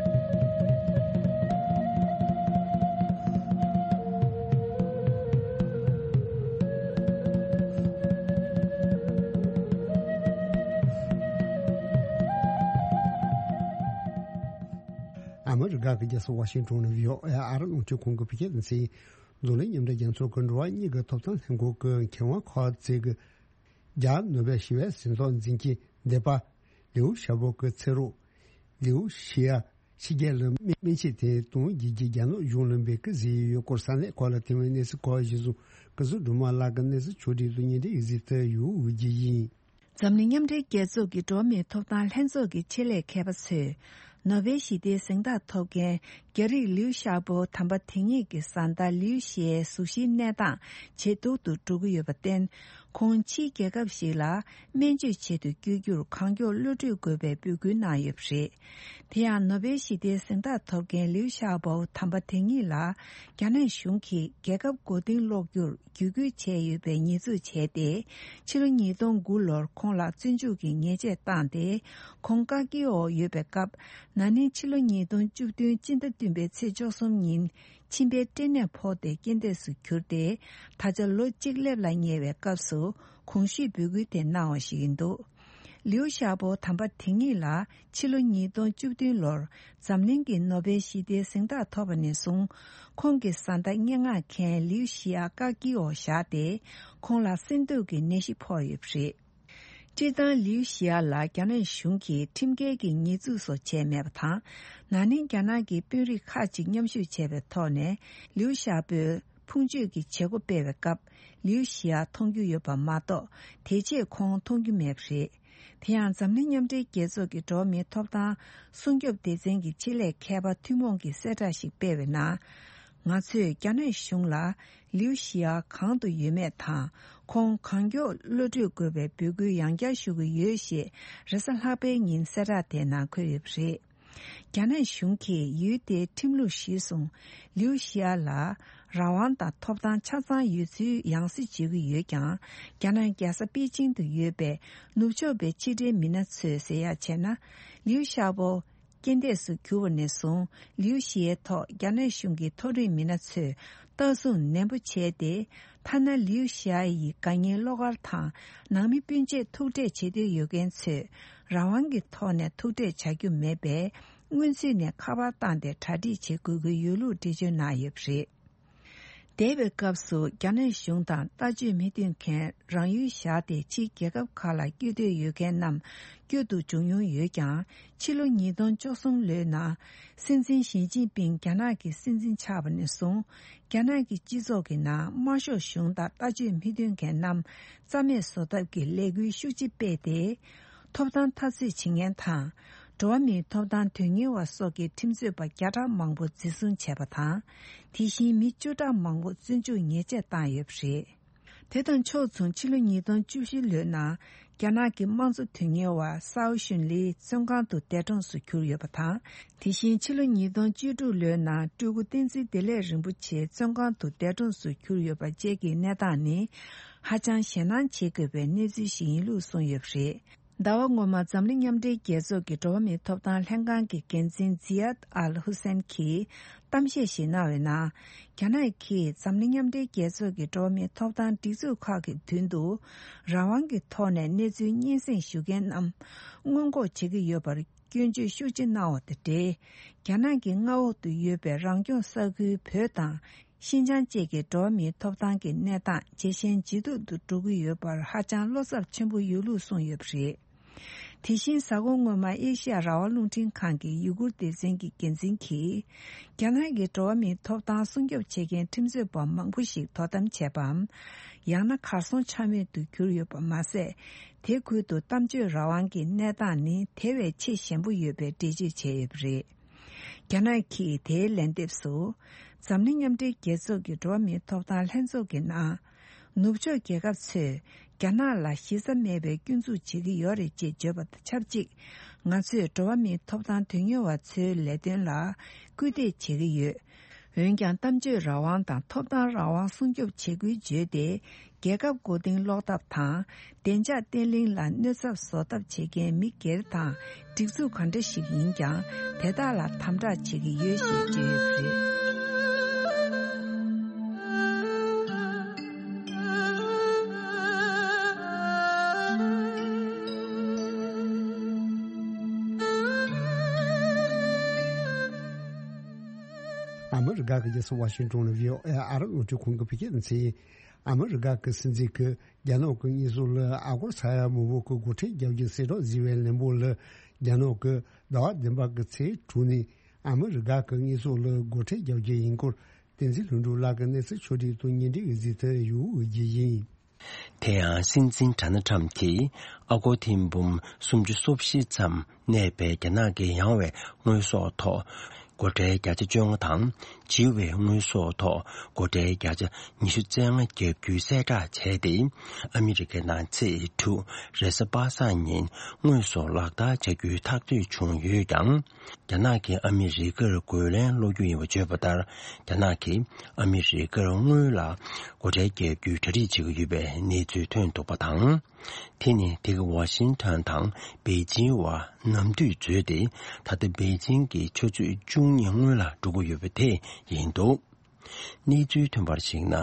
ཨ་མི་རི་ཀ་གི་རྒྱལ་ས་ཝ་ཤིང་ཏོན་ནས་བྷི་ཨོ་ཨེ་ཨ་རི་རླུང་འཕྲིན་ཁང་གི་བོད་སྐད་སྡེ་ཚན་འཛམ་གླིང་མཉམ་འབྲེལ་རྒྱལ་ཚོགས་ཀྱི་འགྲོ་བ་མིའི་ཐོབ་ཐང་ལྷན་ཁང་གི་མཁས་དབང་ཁོ་ཙེ་གི་རྒྱ་ནོ་བེལ་ཞི་བའི་གཟེངས་རྟགས་འཛིན་གྱི་སྡེ་པ་ལིའུ་ཞའོ་པོ་གི་ཚེ་སྲོག་ལིའུ་ཞི་ཡ་ཕྱི་རྒྱལ་ལ་སྨན་ཆས་དེ་གཏོང་རྒྱུ་གི་རྒྱ་ནག་གཞུང་ལ་འབོད་སྐུལ་བཟོས་ཡོད་སྐོར་ས་གནས་ཁག་ལ་ཐོན་པའི་གནས་ཚུལ་ཁག་གཞིར་བཟུང་སྐུ་གཟུགས་སྒྲོལ་མ་ལགས་ཀྱིས་གནས་ཚུལ་ཕྱོགས་བསྒྲིགས་དང་སྙན་སྒྲོན་ཡིག་གཟིགས་ཏེ་ཡོད་རྒྱུ་ཡིན། འཛམ་གླིང་མཉམ་འབྲེལ་རྒྱལ་ཚོགས་ཀྱི་འགྲོ་བ་མིའི་ཐོབ་ཐང་ལྷན་ཚོགས་ཀྱི་ཆེད་ལས་མཁས་པ་ཚོས་ནོ་བེལ་ཞི་བདེའི་གཟེངས་རྟགས་ཐོབ་མཁན་རྒྱ་རིགས་ལིའུ་ཞའོ་པོ་དམ་པ་དེ་ཉིད་ཀྱི་བཟའ་ཟླ་ལིའུ་ཞི་ཡའི་གཟུགས་གཞིའི་གནས་སྟངས་ཇེ་སྡུག་ཏུ་འགྲོ་གི་ཡོད་པར་བརྟེན། ཁོང་ཕྱིའི་རྒྱལ་ཁབ་ཞིག་ལ་སྨན་བཅོས་བྱེད་དུ་བསྐྱོད་རྒྱུར་གང་མགྱོགས་གློད་གྲོལ་དགོས་པའི་འབོད་སྐུལ་གནང་ཡོད་པ་རེད། དེ་ཡང་ནོ་བེལ་ཞི་བདེའི་གཟེངས་རྟགས་ཐོབ་མཁན་ལིའུ་ཤཱ་པོ་དམ་པ་དེ་ཉིད་ལ་རྒྱ་ནག་གཞུང་གིས་རྒྱལ་ཁབ་མགོ་རྟིང་སློག་རྒྱུར་བརྒྱུད་སྐུལ་བྱས་ཡོད་པའི་ཉེས་འཛུགས་བྱས་ཏེ། ཕྱི་ལོ་ཉིས་སྟོང་དགུ་ལོར་ཁོང་ལ་བཙོན་འཇུག་གི་ཉེས་ཆད་བཏང་སྟེ། ཁོང་བཀག་སྐྱིལ་འོག་ཡོད་པའི་སྐབས། ན་ནིང་ཕྱི་ལོ་ཉིས་སྟོང་བཅུ་བདུན་སྤྱི་ཟླ་བདུན་པའི་ཚེས་བཅུ་གསུམ་ཉིན། མཆིན་པའི་སྐྲན་ནད་ཕོག་སྟེ་རྐྱེན་འདས་སུ་གྱུར་ཏེ། ད་ཆ་ལོ་གཅིག་སླེབས་ལ་ཉེ་བའི་སྐབས་སུ། གོང་ཞུས་འབོད་སྐུལ་དེ་གནང་བ་ཞིག་ཡིན་འདུག་ལིའུ་ཤཱ་པོ་དམ་པ་དེ་ཉིད་ལ་ཕྱི་ལོ་ཉིས་སྟོང་བཅུ་བདུན་ལོར་འཛམ་གླིང་གི་ནོ་བེལ་ཞི་བདེའི་གཟེངས་རྟགས་ཐོབ་པ་ནས་བཟུང་། ཁོང་གི་བཟའ་ཟླ་སྙན་ངག་མཁན་ལིའུ་ཞི་ཡ་བཀག་སྐྱིལ་འོག་བཞག་སྟེ། ཁོང་ལ་གསེར་མདོག་གི་ནད་གཞི་ཕོག་ཡོད་པ་རེད། སྤྱིར་བཏང་ལིའུ་ཞི་ཡ་ལ་རྒྱ་ནག་གཞུང་གིས་ཁྲིམས་འགལ་གྱི་ཉེས་འཛུགས་སོགས་བྱས་མེད་པ་དང་། ན་ནིང་རྒྱ་ནག་གི་དཔོན་རིགས་ཁག་ཅིག་མཉམ་ཞུགས་བྱས་པའི་ཐོག་ནས་ལིའུ་ཤཱ་པོས་ཕུང་མཆོད་ཀྱི་བྱེད་སྒོ་སྤེལ་བའི་སྐབས། ལིའུ་ཞི་ཡ་མཐོང་རྒྱུ་ཡོད་པ་མ་གཏོགས། དེ་རྗེས་ཁོང་མཐོང་རྒྱུ་མེད་པ་རེད། དེ་ཡང་འཛམ་གླིང་མཉམ་འབྲེལ་རྒྱལ་ཚོགས་ཀྱི་འགྲོ་བ་མིའི་ཐོབ་ཐང་སྲུང་སྐྱོབ་སྡེ་ཚན་གྱི་ཆེད་ལས་མཁས་པ་ཐུན་མོང་གིས་གསལ་བསྒྲགས་ཤིག་སྤེལ་བའི་ནང་། ང་ཚོས་རྒྱ་ནག་གཞུང་ལ་ལིའུ་ཞི་ཡ་གང་དུ་ཡོད་མེད་དང་། ཁོང་གང་མགྱོགས་གློད་གྲོལ་དགོས་པའི་འབོད་སྐུལ་ཡང་བསྐྱར་ཞུ་གི་ཡོད་ཞེས་རེས་གཟའ་ལྷག་པའི་ཉིན་གསལ་བསྒྲགས་དེའི་ནང་འཁོད་ཡོད་པ་རེད། རྒྱ་ནག་གཞུང་གིས་ཡུལ་དེའི་ཁྲིམས་ལུགས་གཞིར་བཟུང་། ལིའུ་ཞི་ཡ་ལ་རང་དབང་དང་ཐོབ་ཐང་ཆ་ཚང་ཡོད་ཚུལ་ཡང་སེ་བརྗོད་ཀྱི་ཡོད་ཀྱང་། རྒྱ་ནག་རྒྱལ་ས་པེ་ཅིང་དུ་ཡོད་པའི་ནུབ་ཕྱོགས་པའི་ཕྱི་འབྲེལ་མི་སྣ་ཚོས་ཟེར་ཡག་བྱས་ན། ལིའུ་ཤཱ་པོ་རྐྱེན་འདས་སུ་གྱུར་བ་ནས་བཟུང་། ལིའུ་ཞི་ཡའི་ཐོག་རྒྱ་ནག་གཞུང་གི་མཐོ་རིམ་མི་སྣ་ཚོས་ལྟ་སྲུང་ནན་པོ་བྱས་ཏེ། ཐ་ན་ལིའུ་ཞི་ཡ་ཡི་དགའ་ཉེའི་བློ་དཀར་དང་ནང་མི་སྤུན་མཆེད་ཐུག་འཕྲད་བྱེད་འདོད་ཡོད་མཁན་ཚོས་རང་དབང་གི་ཐོག་ནས་ཐུག་འཕྲད་བྱ་རྒྱུ་མེད་པས། སྔོན་ཚུད་ནས་ཁ་པར་བཏང་སྟེ་གྲ་སྒྲིག་བྱེད་དགོས་ཀྱི་ཡོད་ལུགས་འགྲེལ་བརྗོད་གནང་ཡོད་པ་རེད། འདས་པའི་སྐབས་སུ་རྒྱ་ནག་གཞུང་དང་ལྟ་སྤྱོད་མི་མཐུན་མཁན་རང་ཡུལ་བཞག་སྟེ་ཕྱིའི་རྒྱལ་ཁབ་ཁག་ལ་བསྐྱོད་འདོད་ཡོད་མཁན་རྣམས་བསྐྱོད་དུ་འཇུག་མྱོང་ཡོད་ཀྱང་། ཕྱི་ལོ་ཉིས་སྟོང་བཅུ་གསུམ་ལོའི་ནང་སྲིད་འཛིན་ཞི་ཅིན་ཕིང་རྒྱ་ནག་གི་སྲིད་འཛིན་ཆགས་པ་ནས་བཟུང་། རྒྱ་ནག་གི་སྤྱི་ཚོགས་ཀྱི་ནང་དམར་ཤོག་གཞུང་དང་ལྟ་སྤྱོད་མི་མཐུན་མཁན་རྣམས་རྩ་མེད་བཟོ་ཐབས་ཀྱི་ལས་འགུལ་ཤུགས་ཆེ་སྤེལ་ཏེ། ཐོབ་ཐང་འཐབ་རྩོད་བྱེད་མཁན་དང་། འགྲོ་བ་མིའི་ཐོབ་ཐང་དོན་གཉེར་བ་སོགས་ཀྱི་ཁྲིམས་རྩོད་པ་བརྒྱ་ཕྲག་མང་པོ་འཛིན་བཟུང་བྱས་པ་དང་། དེ་བཞིན་མི་བཅུ་ཕྲག་མང་པོ་བཙོན་འཇུག་ཉེས་ཆད་བཏང་ཡོད་པ་རེད། དེ་དང་ཕྱོགས་མཚུངས་ཕྱི་ལོ་ཉིས་སྟོང་བཅུ་བཞི་ལོའི་ནང་རྒྱ་ནག་གི་དམངས་གཙོ་དོན་གཉེར་བ་སའོ་ཞུན་ལི་བཙོན་ཁང་དུ་འདས་གྲོངས་སུ་གྱུར་ཡོད་པ་དང་། དེ་བཞིན་ཕྱི་ལོ་ཉིས་སྟོང་བཅུ་དྲུག་ལོའི་ནང་སྤྲུལ་སྐུ་བསྟན་འཛིན་བདེ་ལེགས་རིན་པོ་ཆེ་བཙོན་ཁང་དུ་འདས་གྲོངས་སུ་གྱུར་ཡོད་པ་བཅས་ཀྱི་གནས་སྟངས་ནི། ཧ་ཅང་ཞེད་སྣང་བྱེད་དགོས་པའི་གནས་ཚུལ་ཞིག་ཡིན་ལུགས་གསུངས་ཡོད་པ་རེད། ཟླ་བ་སྔོན་མ་འཛམ་གླིང་མཉམ་འབྲེལ་རྒྱལ་ཚོགས་ཀྱི་འགྲོ་བ་མིའི་ཐོབ་ཐང་ལྷན་ཁང་གི་འགན་འཛིན་ཛི་ཡཱད་ཨལ་ཧུ་སན་གྱིས་གཏམ་བཤད་ཞིག་གནང་བའི་ནང་། རྒྱ་ནག་གིས་འཛམ་གླིང་མཉམ་འབྲེལ་རྒྱལ་ཚོགས་ཀྱི་འགྲོ་བ་མིའི་ཐོབ་ཐང་སྒྲིག་འཛུགས་ཁག་གི་མདུན་དུ་རང་དབང་གི་ཐོག་ནས་གནས་ཚུལ་སྙན་སེང་ཞུ་མཁན་རྣམས་སྔོན་འགོག་བྱེད་ཀྱི་ཡོད་པར་སྐྱོན་བརྗོད་ཤུགས་ཆེ་གནང་བ་དང་འབྲེལ། རྒྱ་ནག་གི་མངའ་འོག་ཏུ་ཡོད་པའི་རང་སྐྱོང་ས་ཁུལ་བོད་དང་། ཤིན་ཅང་བཅས་ཀྱི་འགྲོ་བ་མིའི་ཐོབ་ཐང་གི་གནས་སྟངས་ཇེ་ཞན་ཇེ་སྡུག་ཏུ་འགྲོ་གི་ཡོད་པར་ཧ་ཅང་བློ་འཚབ་ཆེན་པོ་ཡོད་ལུགས་གསུངས་ཡོད་པ་རེད། དེ་བཞིན་གཟའ་འཁོར་སྔོན་མ་ཨེ་ཤི་ཡ་རང་དབང་རླུང་འཕྲིན་ཁང་གི་ཡུ་གུར་སྡེ་ཚན་གྱི་འགན་འཛིན་གྱིས། རྒྱ་ནག་གི་འགྲོ་བ་མིའི་ཐོབ་ཐང་སྲུང་སྐྱོབ་བྱེད་མཁན་ཁྲིམས་རྩོད་པ་མང་པོ་ཞིག་དོ་དམ་བྱས་པའམ། ཡང་ན་གར་སོང་ཆ་མེད་དུ་གྱུར་ཡོད་པ་མ་ཟད། དེ་ཁུལ་དུ་གཏམ་བརྗོད་རང་དབང་གི་གནས་སྟངས་ནི་དེ་བས་ཆེས་ཞན་པོ་ཡོད་པའི་འགྲེལ་བརྗོད་བྱས་ཡོད་པ་རེད། རྒྱ་ནག་གིས་དེའི་ལན་འདེབས་སུ། འཛམ་གླིང་མཉམ་འབྲེལ་རྒྱལ་ཚོགས་ཀྱི་འགྲོ་བ་མིའི་ཐོབ་ཐང་ལྷན་ཚོགས་ཀྱི་ནང་། ནུབ་ཕྱོགས་རྒྱལ་ཁབ་ཚོས་རྒྱ་ནག་ལ་གཞི་རྩ་མེད་པའི་སྐྱོན་འཛུགས་བྱེད་ཀྱི་ཡོད་རེད་ཅེས་བརྗོད་པ་དང་ཆབས་ཅིག་ང་ཚོས་འགྲོ་བ་མིའི་ཐོབ་ཐང་དོན་གཉེར་བ་ཚོའི་ལས་དོན་ལ་སྐུལ་འདེད་བྱེད་ཀྱི་ཡོད། འོན་ཀྱང་། གཏམ་བརྗོད་རང་དབང་དང་ཐོབ་ཐང་རང་དབང་སྲུང་སྐྱོབ་བྱེད་དགོས་བརྗོད་དེ། རྒྱལ་ཁབ་མགོ་རྟིང་སློག་ཐབས་དང་། བདེ་འཇགས་བརྟན་ལྷིང་ལ་གནོད་ཚབས་བཟོ་ཐབས་བྱེད་མཁན་མི་སྒེར་དང་སྒྲིག་འཛུགས་གང་འདྲ་ཞིག་ཡིན་ཀྱང་། དེ་དག་ལ་དམ་དྲག་བྱེད་ཀྱི་ཡོད་ཞེས་བརྗོད་ཡོད་པ་རེད། ཨ་མི་རི་ཀ་གི་རྒྱལ་ས་ཝ་ཤིང་ཏོན་ལ་བྷི་ཨོ་ཨེ་ཨ་རི་རླུང་འཕྲིན་ཁང་གི་བོད་སྐད་སྡེ་ཚན། ཨ་མི་རི་ཀ་གི་སྲིད་འཛིན་གྱིས་རྒྱ་ནག་གི་དངོས་ཟོག་ལ་ཨ་སྒོར་ས་ཡ་མང་པོ་གི་སྒོ་ཁྲལ་རྒྱག་རྒྱུ་གསལ་བསྒྲགས་བཟོས་པའི་ལན་པོ་ལ། རྒྱ་ནག་གིས་ཟླ་བ་བདུན་པ་གི་ཚེས་དྲུག་ནས་ཨ་མི་རི་ཀ་གི་དངོས་ཟོག་ལ་སྒོ་ཁྲལ་རྒྱག་རྒྱུ་ཡིན་སྐོར། བསྟན་འཛིན་ལྷུན་གྲུབ་ལགས་ཀྱིས་གནས་ཚུལ་ཕྱོགས་སྒྲིག་ཏུ་སྙན་སྒྲོན་ཡོད་ཚུལ་དུ་ཡོད་རྒྱུ་ཡིན། དེ་ཡང་སྲིད་འཛིན་ཌོ་ནལ་ཊམ་གྱིས་ཨ་སྒོར་ཐེར་འབུམ་སུམ་ཅུ་སོ་བཞི་ཙམ་གནས་པའི་རྒྱ་ནག་གི་ཡང་བའི་དངོས་ཟོག་ཐོག་ སྒོ་ཁྲལ་བརྒྱ་ཆ་བཅོ་ལྔ་དང་། བྱིས་པའི་དངོས་ཟོག་ཐོག་སྒོ་ཁྲལ་བརྒྱ་ཆ་ཉི་ཤུ་རྩ་ལྔ་བརྒྱབ་རྒྱུའི་གསལ་བསྒྲགས་བྱས་ཏེ། ཨ་མི་རི་ཀའི་ནང་ཚེས་དྲུག་རེས་གཟའ་པ་སངས་ཉིན་དངོས་སུ་ལག་བསྟར་བྱ་རྒྱུའི་ཐག་གཅོད་བྱུང་ཡོད་ཀྱང་། རྒྱ་ནག་གིས་ཨ་མི་རི་ཀར་རྒོལ་ལན་སློག་རྒྱུ་ཡིན་པ་བརྗོད་པ་ལྟར། རྒྱ་ནག་གིས་ཨ་མི་རི་ཀར་དངུལ་ལ་སྒོ་ཁྲལ་བརྒྱབ་རྒྱུའི་གྲ་སྒྲིག་བྱེད་ཀྱི་ཡོད་པའི་གནས་ཚུལ་ཐོན་འདུག་པ་དང་། དེ་ནི་དེ་ག་ཝ་ཤིང་ཊོན་དང་པེ་ཅིང་བར་ནམ་དུས་འཛོལ་ཏེ། ད་ལྟ་པེ་ཅིང་གི་ཆུ་ཚོད་བཅུ་གཉིས་སྔོན་ལ་འགྲོ་གི་ཡོད་པ་དེ་ཡིན་འདུག་གནས་ཚུལ་ཐོན་པར་གཞིགས་ན།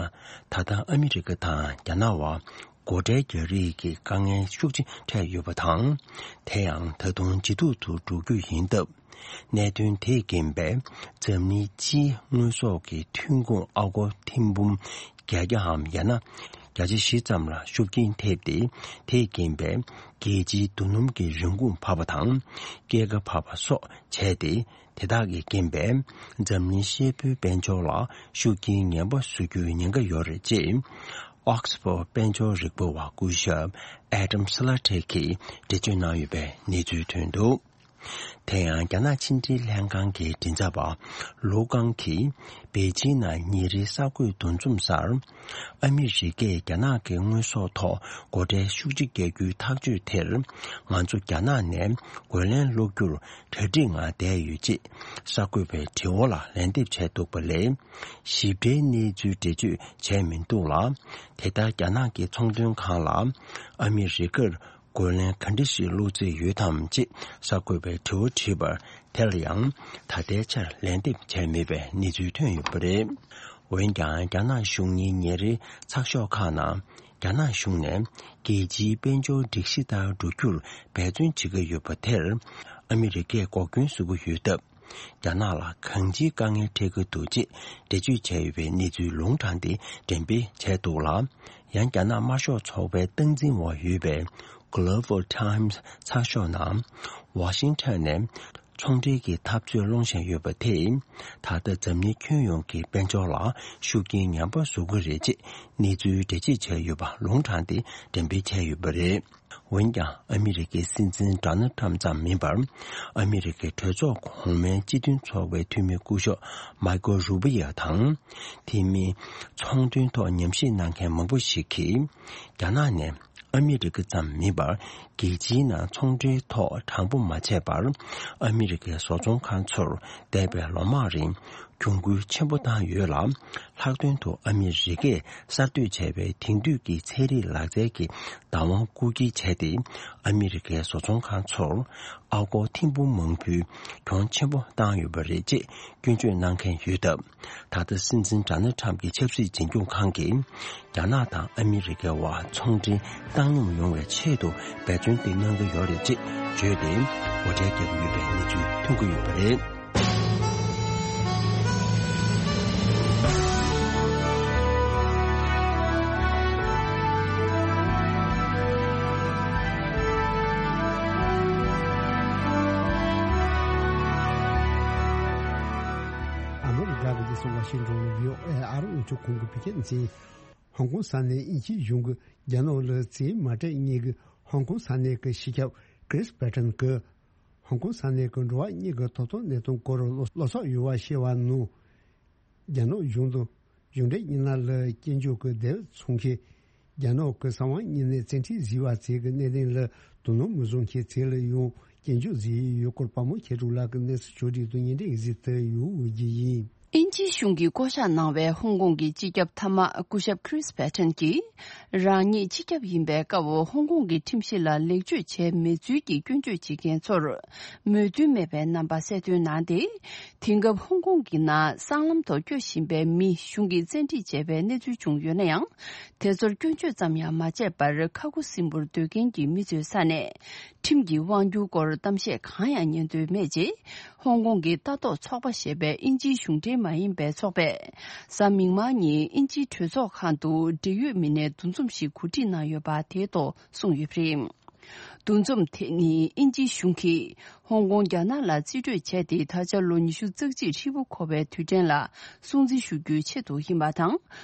ད་ལྟ་ཨ་མི་རི་ཀ་དང་རྒྱ་ནག་བར་སྒོ་ཁྲལ་རྒྱག་རེས་ཀྱི་དཀའ་ངལ་ཤུགས་ཆེ་འཕྲད་ཡོད་པ་དང་། དེ་ཡང་ད་དུང་ཇེ་སྡུག་ཏུ་འགྲོ་རྒྱུ་ཡིན་སྟབས། གནད་དོན་དེས་རྐྱེན་པས་འཛམ་གླིང་སྤྱིའི་དངོས་ཟོག་གི་ཐོན་ཁུངས་ཨ་སྒོར་ཐེར་འབུམ་བརྒྱད་བརྒྱའམ་ཡང་ན་བརྒྱ་ཆ་བཞི་ཙམ་ལ་ཤུགས་རྐྱེན་ཐེབས་ཏེ། དེས་རྐྱེན་པས་རྒྱལ་སྤྱིའི་རྡོ་སྣུམ་གྱི་རིན་གོང་འཕར་བ་དང་། སྐྱེད་ཀ་འཕར་བ་སོགས་བྱས་ཏེ། དེ་དག་གི་རྐྱེན་པས་འཛམ་གླིང་ཤེལ་ཕོའི་དཔལ་འབྱོར་ལ་ཤུགས་རྐྱེན་ངན་པ་བཟོ་རྒྱུའི་ཉེན་ཁ་ཡོད་རེད་ཅེས། ཨོག་སི་ཕོར་དཔལ་འབྱོར་རིག་པ་བ་སྐུ་ཞབས་ཨེ་ཌམ་སི་ལ་ཏྲེ་གིས་འགྲེལ་བརྗོད་གནང་ཡོད་པའི་གནས་ཚུལ་ཐོན་འདུག་དེ་ཡང་རྒྱ་ནག་ཕྱི་འབྲེལ་ལྷན་ཁང་གི་མགྲིན་ཚབ་པ་ལོ་ཀང་གིས་པེ་ཅིང་ནང་ཉིན་རེའི་གསར་འགོད་འདུ་འཛོམས་སར། ཨ་མི་རི་ཀས་རྒྱ་ནག་གི་དངོས་ཟོག་ཐོག་སྒོ་ཁྲལ་ཤུགས་ཆེ་བརྒྱབ་རྒྱུའི་ཐག་གཅོད་དེར། ང་ཚོ་རྒྱ་ནག་ནས་རྒོལ་ལན་སློག་རྒྱུར་གྲ་སྒྲིག་ངང་བསྡད་ཡོད་ཅེས་གསར་འགོད་པའི་དྲི་བ་ལ་ལན་འདེབས་བྱས་འདུག་པ་ལས། ཞིབ་ཕྲའི་གནས་ཚུལ་འགྲེལ་བརྗོད་བྱས་མི་འདུག་ལ། དེ་ལྟར་རྒྱ་ནག་གི་ཚོང་དོན་ཁང་ལ་ཨ་མི་རི་ཀར་རྒོལ་ལན་ག་འདྲ་ཞིག་སློག་རྩིས་ཡོད་དམ་ཅེས་གསར་འགོད་པའི་དྲི་བ་དྲིས་པར། དེ་ལ་ཡང་ད་ལྟའི་ཆར་ལན་འདེབས་བྱས་མེད་པའི་གནས་ཚུལ་ཐོན་ཡོད་པ་རེད། འོན་ཀྱང་། རྒྱ་ནག་གཞུང་གཉིས་ཉིན་རེའི་ཚགས་ཤོག་ཁག་ནང་། རྒྱ་ནག་གཞུང་ནས་རྒྱལ་སྤྱིའི་དཔལ་འབྱོར་སྒྲིག་གཞི་ལྟར་འགྲོ་རྒྱུར་འབད་བརྩོན་བྱེད་ཀྱི་ཡོད་པ་དེར། ཨ་མི་རི་ཀས་འགོག་རྐྱེན་བཟོ་གི་ཡོད་སྟབས། རྒྱ་ནག་ལ་གང་ཅིའི་དཀའ་ངལ་འཕྲད་ཀྱི་འདུག་ཅེས་འགྲེལ་བརྗོད་བྱས་ཡོད་པའི་གནས་ཚུལ་ལུང་དྲངས་ཏེ་འགྲེམས་སྤེལ་བྱས་འདུག་ལ། ཡང་། རྒྱ་ནག་དམར་ཤོག་ཚོགས་པའི་སྟངས་འཛིན་འོག་ཡོད་པའི་Global Times་ཚགས་ཤོག་ནང་། ཝ་ཤིང་ཊོན་ནས་ཚོང་འབྲེལ་གྱི་འཐབ་རྩོད་སློང་བཞིན་ཡོད་པ་དེས། ད་ལྟ་འཛམ་གླིང་ཁྱོན་ཡོངས་ཀྱི་དཔལ་འབྱོར་ལ་ཤུགས་རྐྱེན་ངན་པ་བཟོ་གི་རེད་ཅེས་གནས་ཚུལ་འགྲེལ་བརྗོད་བྱས་ཡོད་པ་ལུང་དྲངས་ཏེ་འགྲེམས་སྤེལ་བྱས་ཡོད་པ་རེད། འོན་ཀྱང་། ཨ་མི་རི་ཀའི་སྲིད་འཛིན་ཌོ་ནལ་ཊམ་ཙམ་མིན་པར། ཨ་མི་རི་ཀའི་གྲོས་ཚོགས་གོང་མའི་སྤྱི་མཐུན་ཚོགས་པའི་འཐུས་མི་སྐུ་ཞབས་མཱི་ཀོ་རུ་བྷི་ཡ་དང་། དེ་མིན། ཚོང་དོན་ཐོག་ཉམས་ཞིབ་གནང་མཁན་མང་པོ་ཞིག་གིས། རྒྱ་ནག་ནས་ཨ་མི་རི་ཀ་ཙམ་མིན་པར། རྒྱལ་སྤྱིའི་ནང་ཚོང་འབྲེལ་ཐོག་དྲང་པོ་མ་བྱས་པར། ཨ་མི་རི་ཀའི་བཟོ་ཚོང་ཁང་ཚོར་འདས་པའི་ལོ་མང་རིང་གྱོང་གུན་ཆེན་པོ་བཏང་ཡོད་ལ། ལྷག་དོན་དུ་ཨ་མི་རི་ཀས་གསར་གཏོད་བྱས་པའི་དེང་དུས་ཀྱི་ཚན་རིག་ལག་རྩལ་གྱི་བདག་དབང་རྐུ་འཁྱེར་བྱས་ཏེ། ཨ་མི་རི་ཀའི་བཟོ་ཚོང་ཁང་ཚོར་ཨ་སྒོར་ཐེར་འབུམ་མང་པོའི་གྱོང་ཆེན་པོ་བཏང་ཡོད་པ་རེད་ཅེས་སྐྱོན་བརྗོད་གནང་མཁན་ཡོད་སྟབས། ད་ལྟ་སྲིད་འཛིན་ཌོ་ནལ་ཊམ་གྱི་ཆབ་སྲིད་འཛིན་སྐྱོང་ཁང་གིས། རྒྱ་ནག་དང་ཨ་མི་རི་ཀའི་དབར་ཚོང་འབྲེལ་བཏང་སྙོམས་ཡོང་བའི་ཆེད་དུ་འབད་བརྩོན་དེ་གནང་གི་ཡོད་རེད་ཅེས་བརྗོད་དེ། སྒོ་ཁྲལ་བརྒྱབ་ཀྱི་ཡོད་པའི་གནས་ཚུལ་ཐོན་གྱི་ཡོད་པ་རེད། ཨ་མི་རི་ཀ་གི་རྒྱལ་ས་ཝ་ཤིང་ཊོན་ནས་བྷི་ཨོ་ཨེ་ཨ་རི་རླུང་འཕྲིན་ཁང་གི་བོད་སྐད་སྡེ་ཚན། ཧོང་ཀོང་ས་གནས་དབྱིན་ཇིའི་གཞུང་གིས་རྒྱ་ནག་ལ་རྩིས་མ་སྤྲད་མཁན་གྱི་ཧོང་ཀོང་ས་གནས་ཀྱི་སྤྱི་ཁྱབ་ཀྲིས་པེ་ཏན་གྱིས། ཧོང་ཀོང་ས་གནས་ཀྱི་འགྲོ་བ་མིའི་ཐོབ་ཐང་གནད་དོན་སྐོར་བློ་བློ་སོགས་ཡོད་པ་ཞེས་པ་ནང་། རྒྱ་ནག་གཞུང་དང་གཞུང་འབྲེལ་མི་སྣ་ལ་སྐྱོན་བརྗོད་ཀྱི་དེབ་མཚོན་མཁན། རྒྱ་ནག་གི་གསང་བ་དངོས་གནས་བཙན་ཁྲིད་བཟོས་པ་བཅས་ཀྱི་གནད་དོན་ལ་དོ་སྣང་མི་བཟོ་མཁན་བཅས་ལ་ཡང་སྐྱོན་བརྗོད་བཟོས་ཡོད་སྐོར་པདྨ་མཁས་གྲུབ་ལགས་ཀྱིས་གནས་ཚུལ་ཕྱོགས་སྒྲིག་དང་སྙན་སྒྲོན་ཞུས་ཏེ་ཡོད་ཀྱི་ཡིན། དབྱིན་ཇིའི་གཞུང་གིས་བསྐོ་གཞག་གནང་བའི་ཧོང་ཀོང་གི་སྤྱི་ཁྱབ་མཐའ་དམག་སྐུ་ཞབས་ཁྲིས་པེ་ཏན་གྱིས། རང་ཉིད་སྤྱི་ཁྱབ་ཡིན་པའི་སྐབས་ཧོང་ཀོང་གི་ཁྲིམས་གཞི་ལ་ལེགས་བཅོས་བྱས་མེད་ཚུལ་གྱི་སྐྱོན་བརྗོད་བྱེད་མཁན་ཚོར་མོས་མཐུན་མེད་པའི་རྣམ་པ་གསལ་སྟོན་གནང་སྟེ། དེང་སྐབས་ཧོང་ཀོང་གི་ནང་སྲང་ལམ་ཐོག་སྐྱོད་བཞིན་པའི་མི་གཞུང་གིས་བཙན་ཁྲིད་བྱས་པའི་གནས་ཚུལ་བྱུང་ཡོད་ན་ཡང་། དེ་ཚོར་སྐྱོན་བརྗོད་ཙམ་ཡང་མ་བྱས་པར། ཁ་ཁུ་སིམ་པོར་སྡོད་མཁན་གྱི་མི་ཚོའི་ས་ནས། ཁྲིམས་ཀྱི་དབང་སྒྱུར་སྐོར་གཏམ་བཤད་གང་ཡང་ཉན་འདོད་མེད་ཅེས། ཧོང་ཀོང་གི་ལྟ་རྟོག་ཚོགས་པ་ཞེས་པའི་དབྱིན་ཇིའི་གཞུང་འབྲེལ་མ་ཡིན་པའི་ཚོགས་པས། གཟའ་མིག་དམར་ཉིན་དབྱིན་ཇིའི་གྲོས་ཚོགས་ཁང་དུ་འབྲེལ་ཡོད་མི་སྣའི་འདུ་འཛོམས་ཤིག་གོ་སྒྲིག་གནང་ཡོད་པ་དེའི་ཐོག་གསུངས་ཡོད་པ་རེད། འདུ་འཛོམས་དེ་ནི་དབྱིན་ཇིའི་གཞུང་གིས་ ཧོང་ཀོང་རྒྱ་ནག་ལ་རྩིས་སྤྲོད་བྱས་ཏེ། ད་ཆ་ལོ་ཉི་ཤུ་རྩ་གཅིག་ཧྲིལ་པོ་འཁོར་བའི་དུས་དྲན་ལ་སྲུང་བརྩི་ཞུ་རྒྱུའི་ཆེད་དུ་ཡིན་པ་དང་།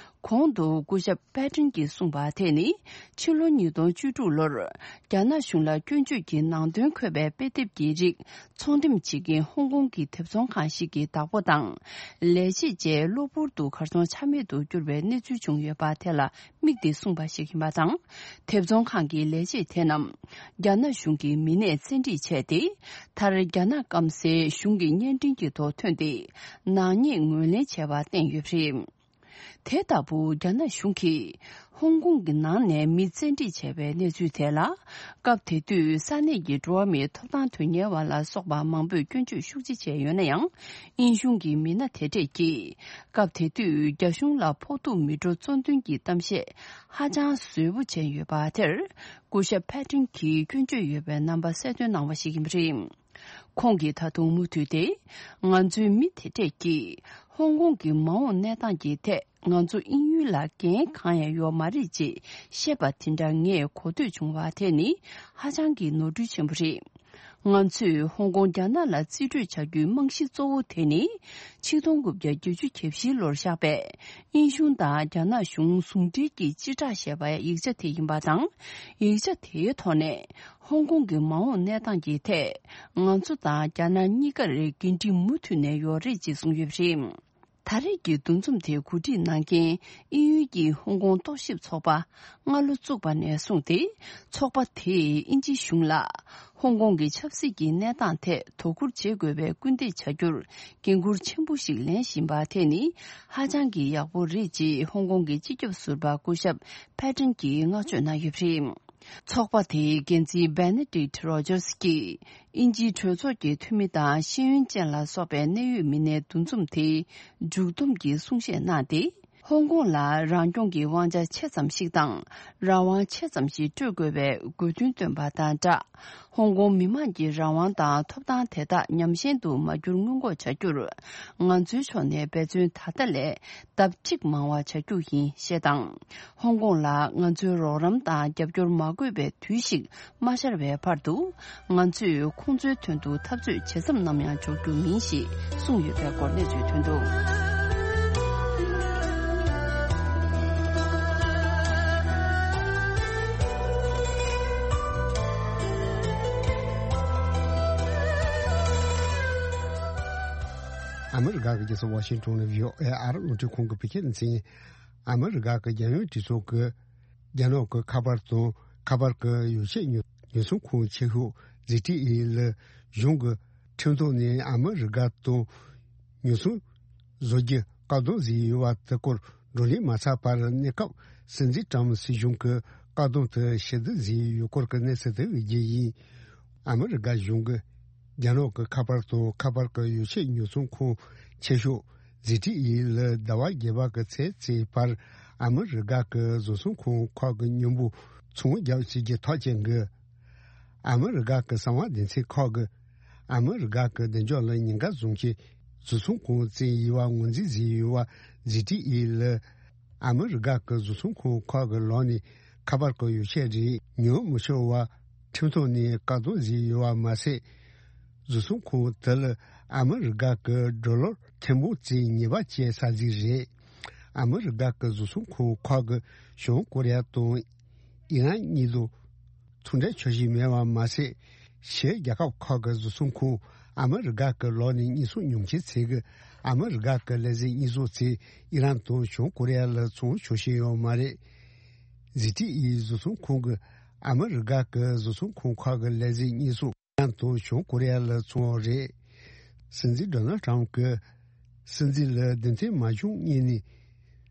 གོང་དུ་སྐུ་ཞབས་པེ་ཏྲིན་གྱིས་གསུངས་པ་དེ་ནི། ཕྱི་ལོ་ཉིས་སྟོང་བཅུ་དྲུག་ལོར་རྒྱ་ནག་གཞུང་ལ་སྐྱོན་བརྗོད་ཀྱི་ནང་དོན་འཁོད་པའི་དཔེ་དེབ་ཀྱི་རིགས་ཚོང་འགྲེམས་བྱེད་མཁན་ཧོང་ཀོང་གི་དེབ་ཚོང་ཁང་ཞིག་གི་བདག་པོ་དང་། ལས་བྱེད་བཅས་གློ་བུར་དུ་གར་སོང་ཆ་མེད་དུ་གྱུར་བའི་གནས་ཚུལ་བྱུང་ཡོད་པ་དེ་ལ་དམིགས་ཏེ་གསུངས་པ་ཞིག་ཡིན་པ་དང་། དེབ་ཚོང་ཁང་གི་ལས་བྱེད་དེ་རྣམས་རྒྱ་ནག་གཞུང་གི་མི་སྣས་བཙན་ཁྲིད་བྱས་ཏེ། མཐར་རྒྱ་ནག་སྐམ་སའི་གཞུང་གི་བརྙན་འཕྲིན་གྱི་ཐོག་ཐོན་ཏེ། ནག་ཉེས་ངོས་ལེན་བྱས་པ་བསྟན་ཡོད་པ་རེད། དེ་ལྟ་བུ་རྒྱ་ནག་གཞུང་གིས་ཧོང་ཀོང་གི་ནང་ནས་མི་བཙན་ཁྲིད་བྱས་པའི་གནས་ཚུལ་དེ་ལ། སྐབས་དེ་དུས་ས་གནས་ཀྱི་འགྲོ་བ་མིའི་ཐོབ་ཐང་དོན་གཉེར་བ་ལ་སོགས་པ་མང་པོས་སྐྱོན་བརྗོད་ཤུགས་ཆེ་བྱས་ཡོད་ན་ཡང་། དབྱིན་གཞུང་གི་མི་སྣ་དེ་གྲས་ཀྱིས་སྐབས་དེ་དུས་རྒྱ་གཞུང་ལ་ཕོག་ཐུག་མི་འགྲོ་གཙོ་འདོན་གྱི་གཏམ་བཤད་ཧ་ཅང་ཟབ་པོ་བྱས་ཡོད་པ་དེར། སྐུ་ཞབས་ཕེ་ཏྲིན་གྱིས་སྐྱོན་བརྗོད་ཡོད་པའི་རྣམ་པ་གསལ་སྟོན་གནང་བ་ཞིག་ཡིན་པ་རེད། ཁོང་གིས་ད་དུང་མུ་མཐུད་དེ། ང་ཚོའི་མི་དེ་གྲས་ཀྱིས་ཧོང་ཀོང་གི་མ་འོངས་གནས་སྟངས་ཀྱི་ཐད་ང་ཚོ་དབྱིན་ཡུལ་ལ་འགན་གང་ཡང་ཡོད་མ་རེད་ཅེས་བཤད་པ་དེ་འདྲ་ངས་གོ་ཐོས་བྱུང་བ་དེ་ནི་ཧ་ཅང་གི་ནོར་འཁྲུལ་ཆེན་པོ་རེད། ང་ཚོས་ཧོང་ཀོང་རྒྱ་ནག་ལ་རྩིས་སྤྲོད་བྱ་རྒྱུའི་རྨང་གཞི་གཙོ་བོ་དེ་ནི་ཆིག་སྟོང་དགུ་བརྒྱ་བརྒྱད་ཅུ་གྱ་བཞི་ལོར་བཞག་པའི་དབྱིན་གཞུང་དང་རྒྱ་ནག་གཞུང་ཟུང་འབྲེལ་གྱིས་སྤྱི་བསྒྲགས་བྱས་པའི་ཡིག་ཆ་དེ་ཡིན་པ་དང་། ཡིག་ཆ་དེའི་ཐོག་ནས། ཧོང་ཀོང་གི་མ་འོངས་གནས་སྟངས་ཀྱི་ཐད། ང་ཚོ་དང་རྒྱ་ནག་གཉིས་ཀར་འགན་འཁྲི་མུ་མཐུད་ནས་ཡོད་རེད་ཅེས་གསུངས་ཡོད་པ་རེད། ད་རེས་ཀྱི་འདུ་འཛོམས་དེ་གོ་སྒྲིག་གནང་མཁན་དབྱིན་ཡུལ་གྱི་ཧོང་ཀོང་རྟོག་ཞིབ་ཚོགས་པ་སྔ་ལོ་བཙུགས་པ་ནས་བཟུང་སྟེ། ཚོགས་པ་དེས་དབྱིན་ཇིའི་གཞུང་ལ་ཧོང་ཀོང་གི་ཆབ་སྲིད་ཀྱི་གནས་སྟངས་ཐད་དོ་ཁུར་བྱེད་དགོས་པའི་སྐུལ་འདེད་བྱ་རྒྱུར་འགན་འཁུར་ཆེན་པོ་ཞིག་ལེན་བཞིན་པ་དེ་ནི་ཧ་ཅང་གི་ཡག་པོ་རེད་ཅེས་ཧོང་ཀོང་གི་སྤྱི་ཁྱབ་ཟུར་པ་སྐུ་ཞབས་ཕེ་ཏྲིན་གྱིས་བསྔགས་བརྗོད་གནང་ཡོད་པ་རེད། ཚོགས་པ་དེའི་འགན་འཛིན་Benedict Rogers་གྱིས་དབྱིན་ཇིའི་གྲོས་ཚོགས་ཀྱི་འཐུས་མི་དང་ཤེས་ཡོན་ཅན་ལ་སོགས་པའི་གནད་ཡོད་མི་སྣའི་འདུ་འཛོམས་དེའི་མཇུག་བསྡོམས་ཀྱི་གསུང་བཤད་གནང་སྟེ། ཧོང་ཀོང་ལ་རང་སྐྱོང་གི་དབང་ཆ་ཆེ་ཙམ་ཞིག་དང་། རང་དབང་ཆེ་ཙམ་ཞིག་སྤྲོད་དགོས་པའི་དགོས་འདུན་བཏོན་པ་དང་སྦྲགས། ཧོང་ཀོང་མི་དམངས་ཀྱི་རང་དབང་དང་ཐོབ་ཐང་དེ་དག་ཉམས་ཞན་དུ་མ་གྱུར་སྔོན་འགོག་བྱ་རྒྱུར། ང་ཚོའི་ཕྱོགས་ནས་འབད་བརྩོན་ད་ལྟ་ལས་ལྡབ་གཅིག་མང་བ་བྱ་རྒྱུ་ཡིན་ཞེས་དང་། ཧོང་ཀོང་ལ་ང་ཚོའི་རོགས་རམ་དང་རྒྱབ་སྐྱོར་མ་དགོས་པའི་དུས་ཤིག་མ་ཤར་བའི་བར་དུ། ང་ཚོས་ཁོང་ཚོའི་དོན་དུ་འཐབ་རྩོད་ཇི་ཙམ་ནམ་ཡང་འཇོག་རྒྱུ་མིན་ཞེས་གསུངས་ཡོད་པའི་སྐོར་གནས་ཚུལ་ཐོན་འདུག། ཨ་མི་རི་ཀ་གི་རྒྱལ་ས་ཝ་ཤིང་ཊོན་ནས་བྷི་ཨོ་ཨེ་ཨ་རི་རླུང་འཕྲིན་ཁང་གི་བོད་སྐད་སྡེ་ཚན། ཨ་མི་རི་ཀ་གི་རྒྱལ་ཡོངས་གྲོས་ཚོགས་ཀྱི་རྒྱ་ནག་གི་ཁ་པར་དང་ཁ་པར་གྱི་ཡོ་བྱད་ཉོ་ཉོ་ཚོང་ཁང་ཆེ་ཤོས་ཛི་ཊི་ཨི་ལ་གཞུང་གི་ཁྲིམས་ཐོག་ནས་ཨ་མི་རི་ཀ་དང་ཉོ་ཚོང་བཟོ་རྒྱུ་བཀག་སྡོམ་བཟོས་ཡོད་པ་དེ་སྐོར་བགྲོ་གླེང་མ་ཚར་བར་གནས་སྐབས་སྲིད་འཛིན་ཀྲམ་སྲིད་གཞུང་གི་བཀག་སྡོམ་དེ་ཕྱིར་བསྡུ་བཟོས་ཡོད་སྐོར་གྱི་གནས་ཚུལ་དེ་བརྒྱུད་ཡིན། ཨ་མི་རི་ཀ་གཞུང་གིས་རྒྱ་ནག་གི་ཁ་པར་དང་ཁ་པར་གྱི་ཡོ་བྱད་ཉོ་ཚོང་ཁང་ཆེ་ཤོས་ཛི་ཊི་ཨི་ལ་ཟླ་བ་བརྒྱད་པ་གི་ཚེས་བརྩིས་བར་ཨ་མི་རི་ཀ་གི་བཟོ་ཚོང་ཁང་ཁག་གི་མཉམ་པོ་ཚོང་རྒྱག་བྱེད་རྒྱུ་ཐག་བཅད་འགོ། ཨ་མི་རི་ཀ་གི་གསང་བ་སྡེ་ཚན་ཁག་གིས་ཨ་མི་རི་ཀ་གི་བདེ་འཇགས་ལ་ཉེན་ཁ་བཟོ་མཁན་བཟོ་ཚོང་ཁང་བཙུགས་ཡོད་པ་ངོས་འཛིན་བཟོས་ཡོད་པ་ཛི་ཊི་ཨི་ལ་ཨ་མི་རི་ཀ་གི་བཟོ་ཚོང་ཁང་ཁག་གི་ལག་ནས་ཁ་པར་གྱི་ཡོ་བྱད་རིགས་ཉོ་མི་ཆོག་པ་ཁྲིམས་ཐོག་ནས་བཀག་སྡོམ་བཟོས་ཡོད་པ་མ་ཟད། བཟོ་ཚོང་ཁང་དེ་ལ་ཨ་མི་རི་ཀ་གི་ཌོ་ལར་ཐེར་འབུམ་རྩ་གཉིས་པ་བཅས་ས་ཟིག་རེད། ཨ་མི་རི་ཀ་གི་བཟོ་ཚོང་ཁང་ཁག་གིས་བྱང་ཀོ་རི་ཡ་དང་ཨི་རན་གཉིས་དང་ཚོང་འབྲེལ་འཆར་གཞི་མེད་པ་མ་ཟད། ཕྱིའི་རྒྱལ་ཁབ་ཁག་གི་བཟོ་ཚོང་ཁང་ཨ་མི་རི་ཀ་གི་ལག་ནས་གཉེར་སྐྱོང་ཉོ་མཁན་ཚོས་ཀྱིས་ཨ་མི་རི་ཀ་གི་ལས་ཟིན་གཉེར་སྐྱོང་ཚོས་ཨི་རན་དང་བྱང་ཀོ་རི་ཡ་ལ་ཚོང་འཆར་གཞི་ཡོད་མ་རེད། ཛི་ཊི་ཨི་བཟོ་ཚོང་ཁང་གིས་ཨ་མི་རི་ཀ་གི་བཟོ་ཚོང་ཁང་ཁག་གི་ལས་ཟིན་གཉེར་སྐྱོང་ཨི་རན་དང་བྱང་ཀོ་རི་ཡ་ལ་བཙོང་བ་རེད། སྲིད་འཛིན་ཌོ་ནལ་ཊམ་གྱིས་སྲིད་འཛིན་ལ་རྡུང་རྡེག་མ་བྱུང་སྔོན་ནས་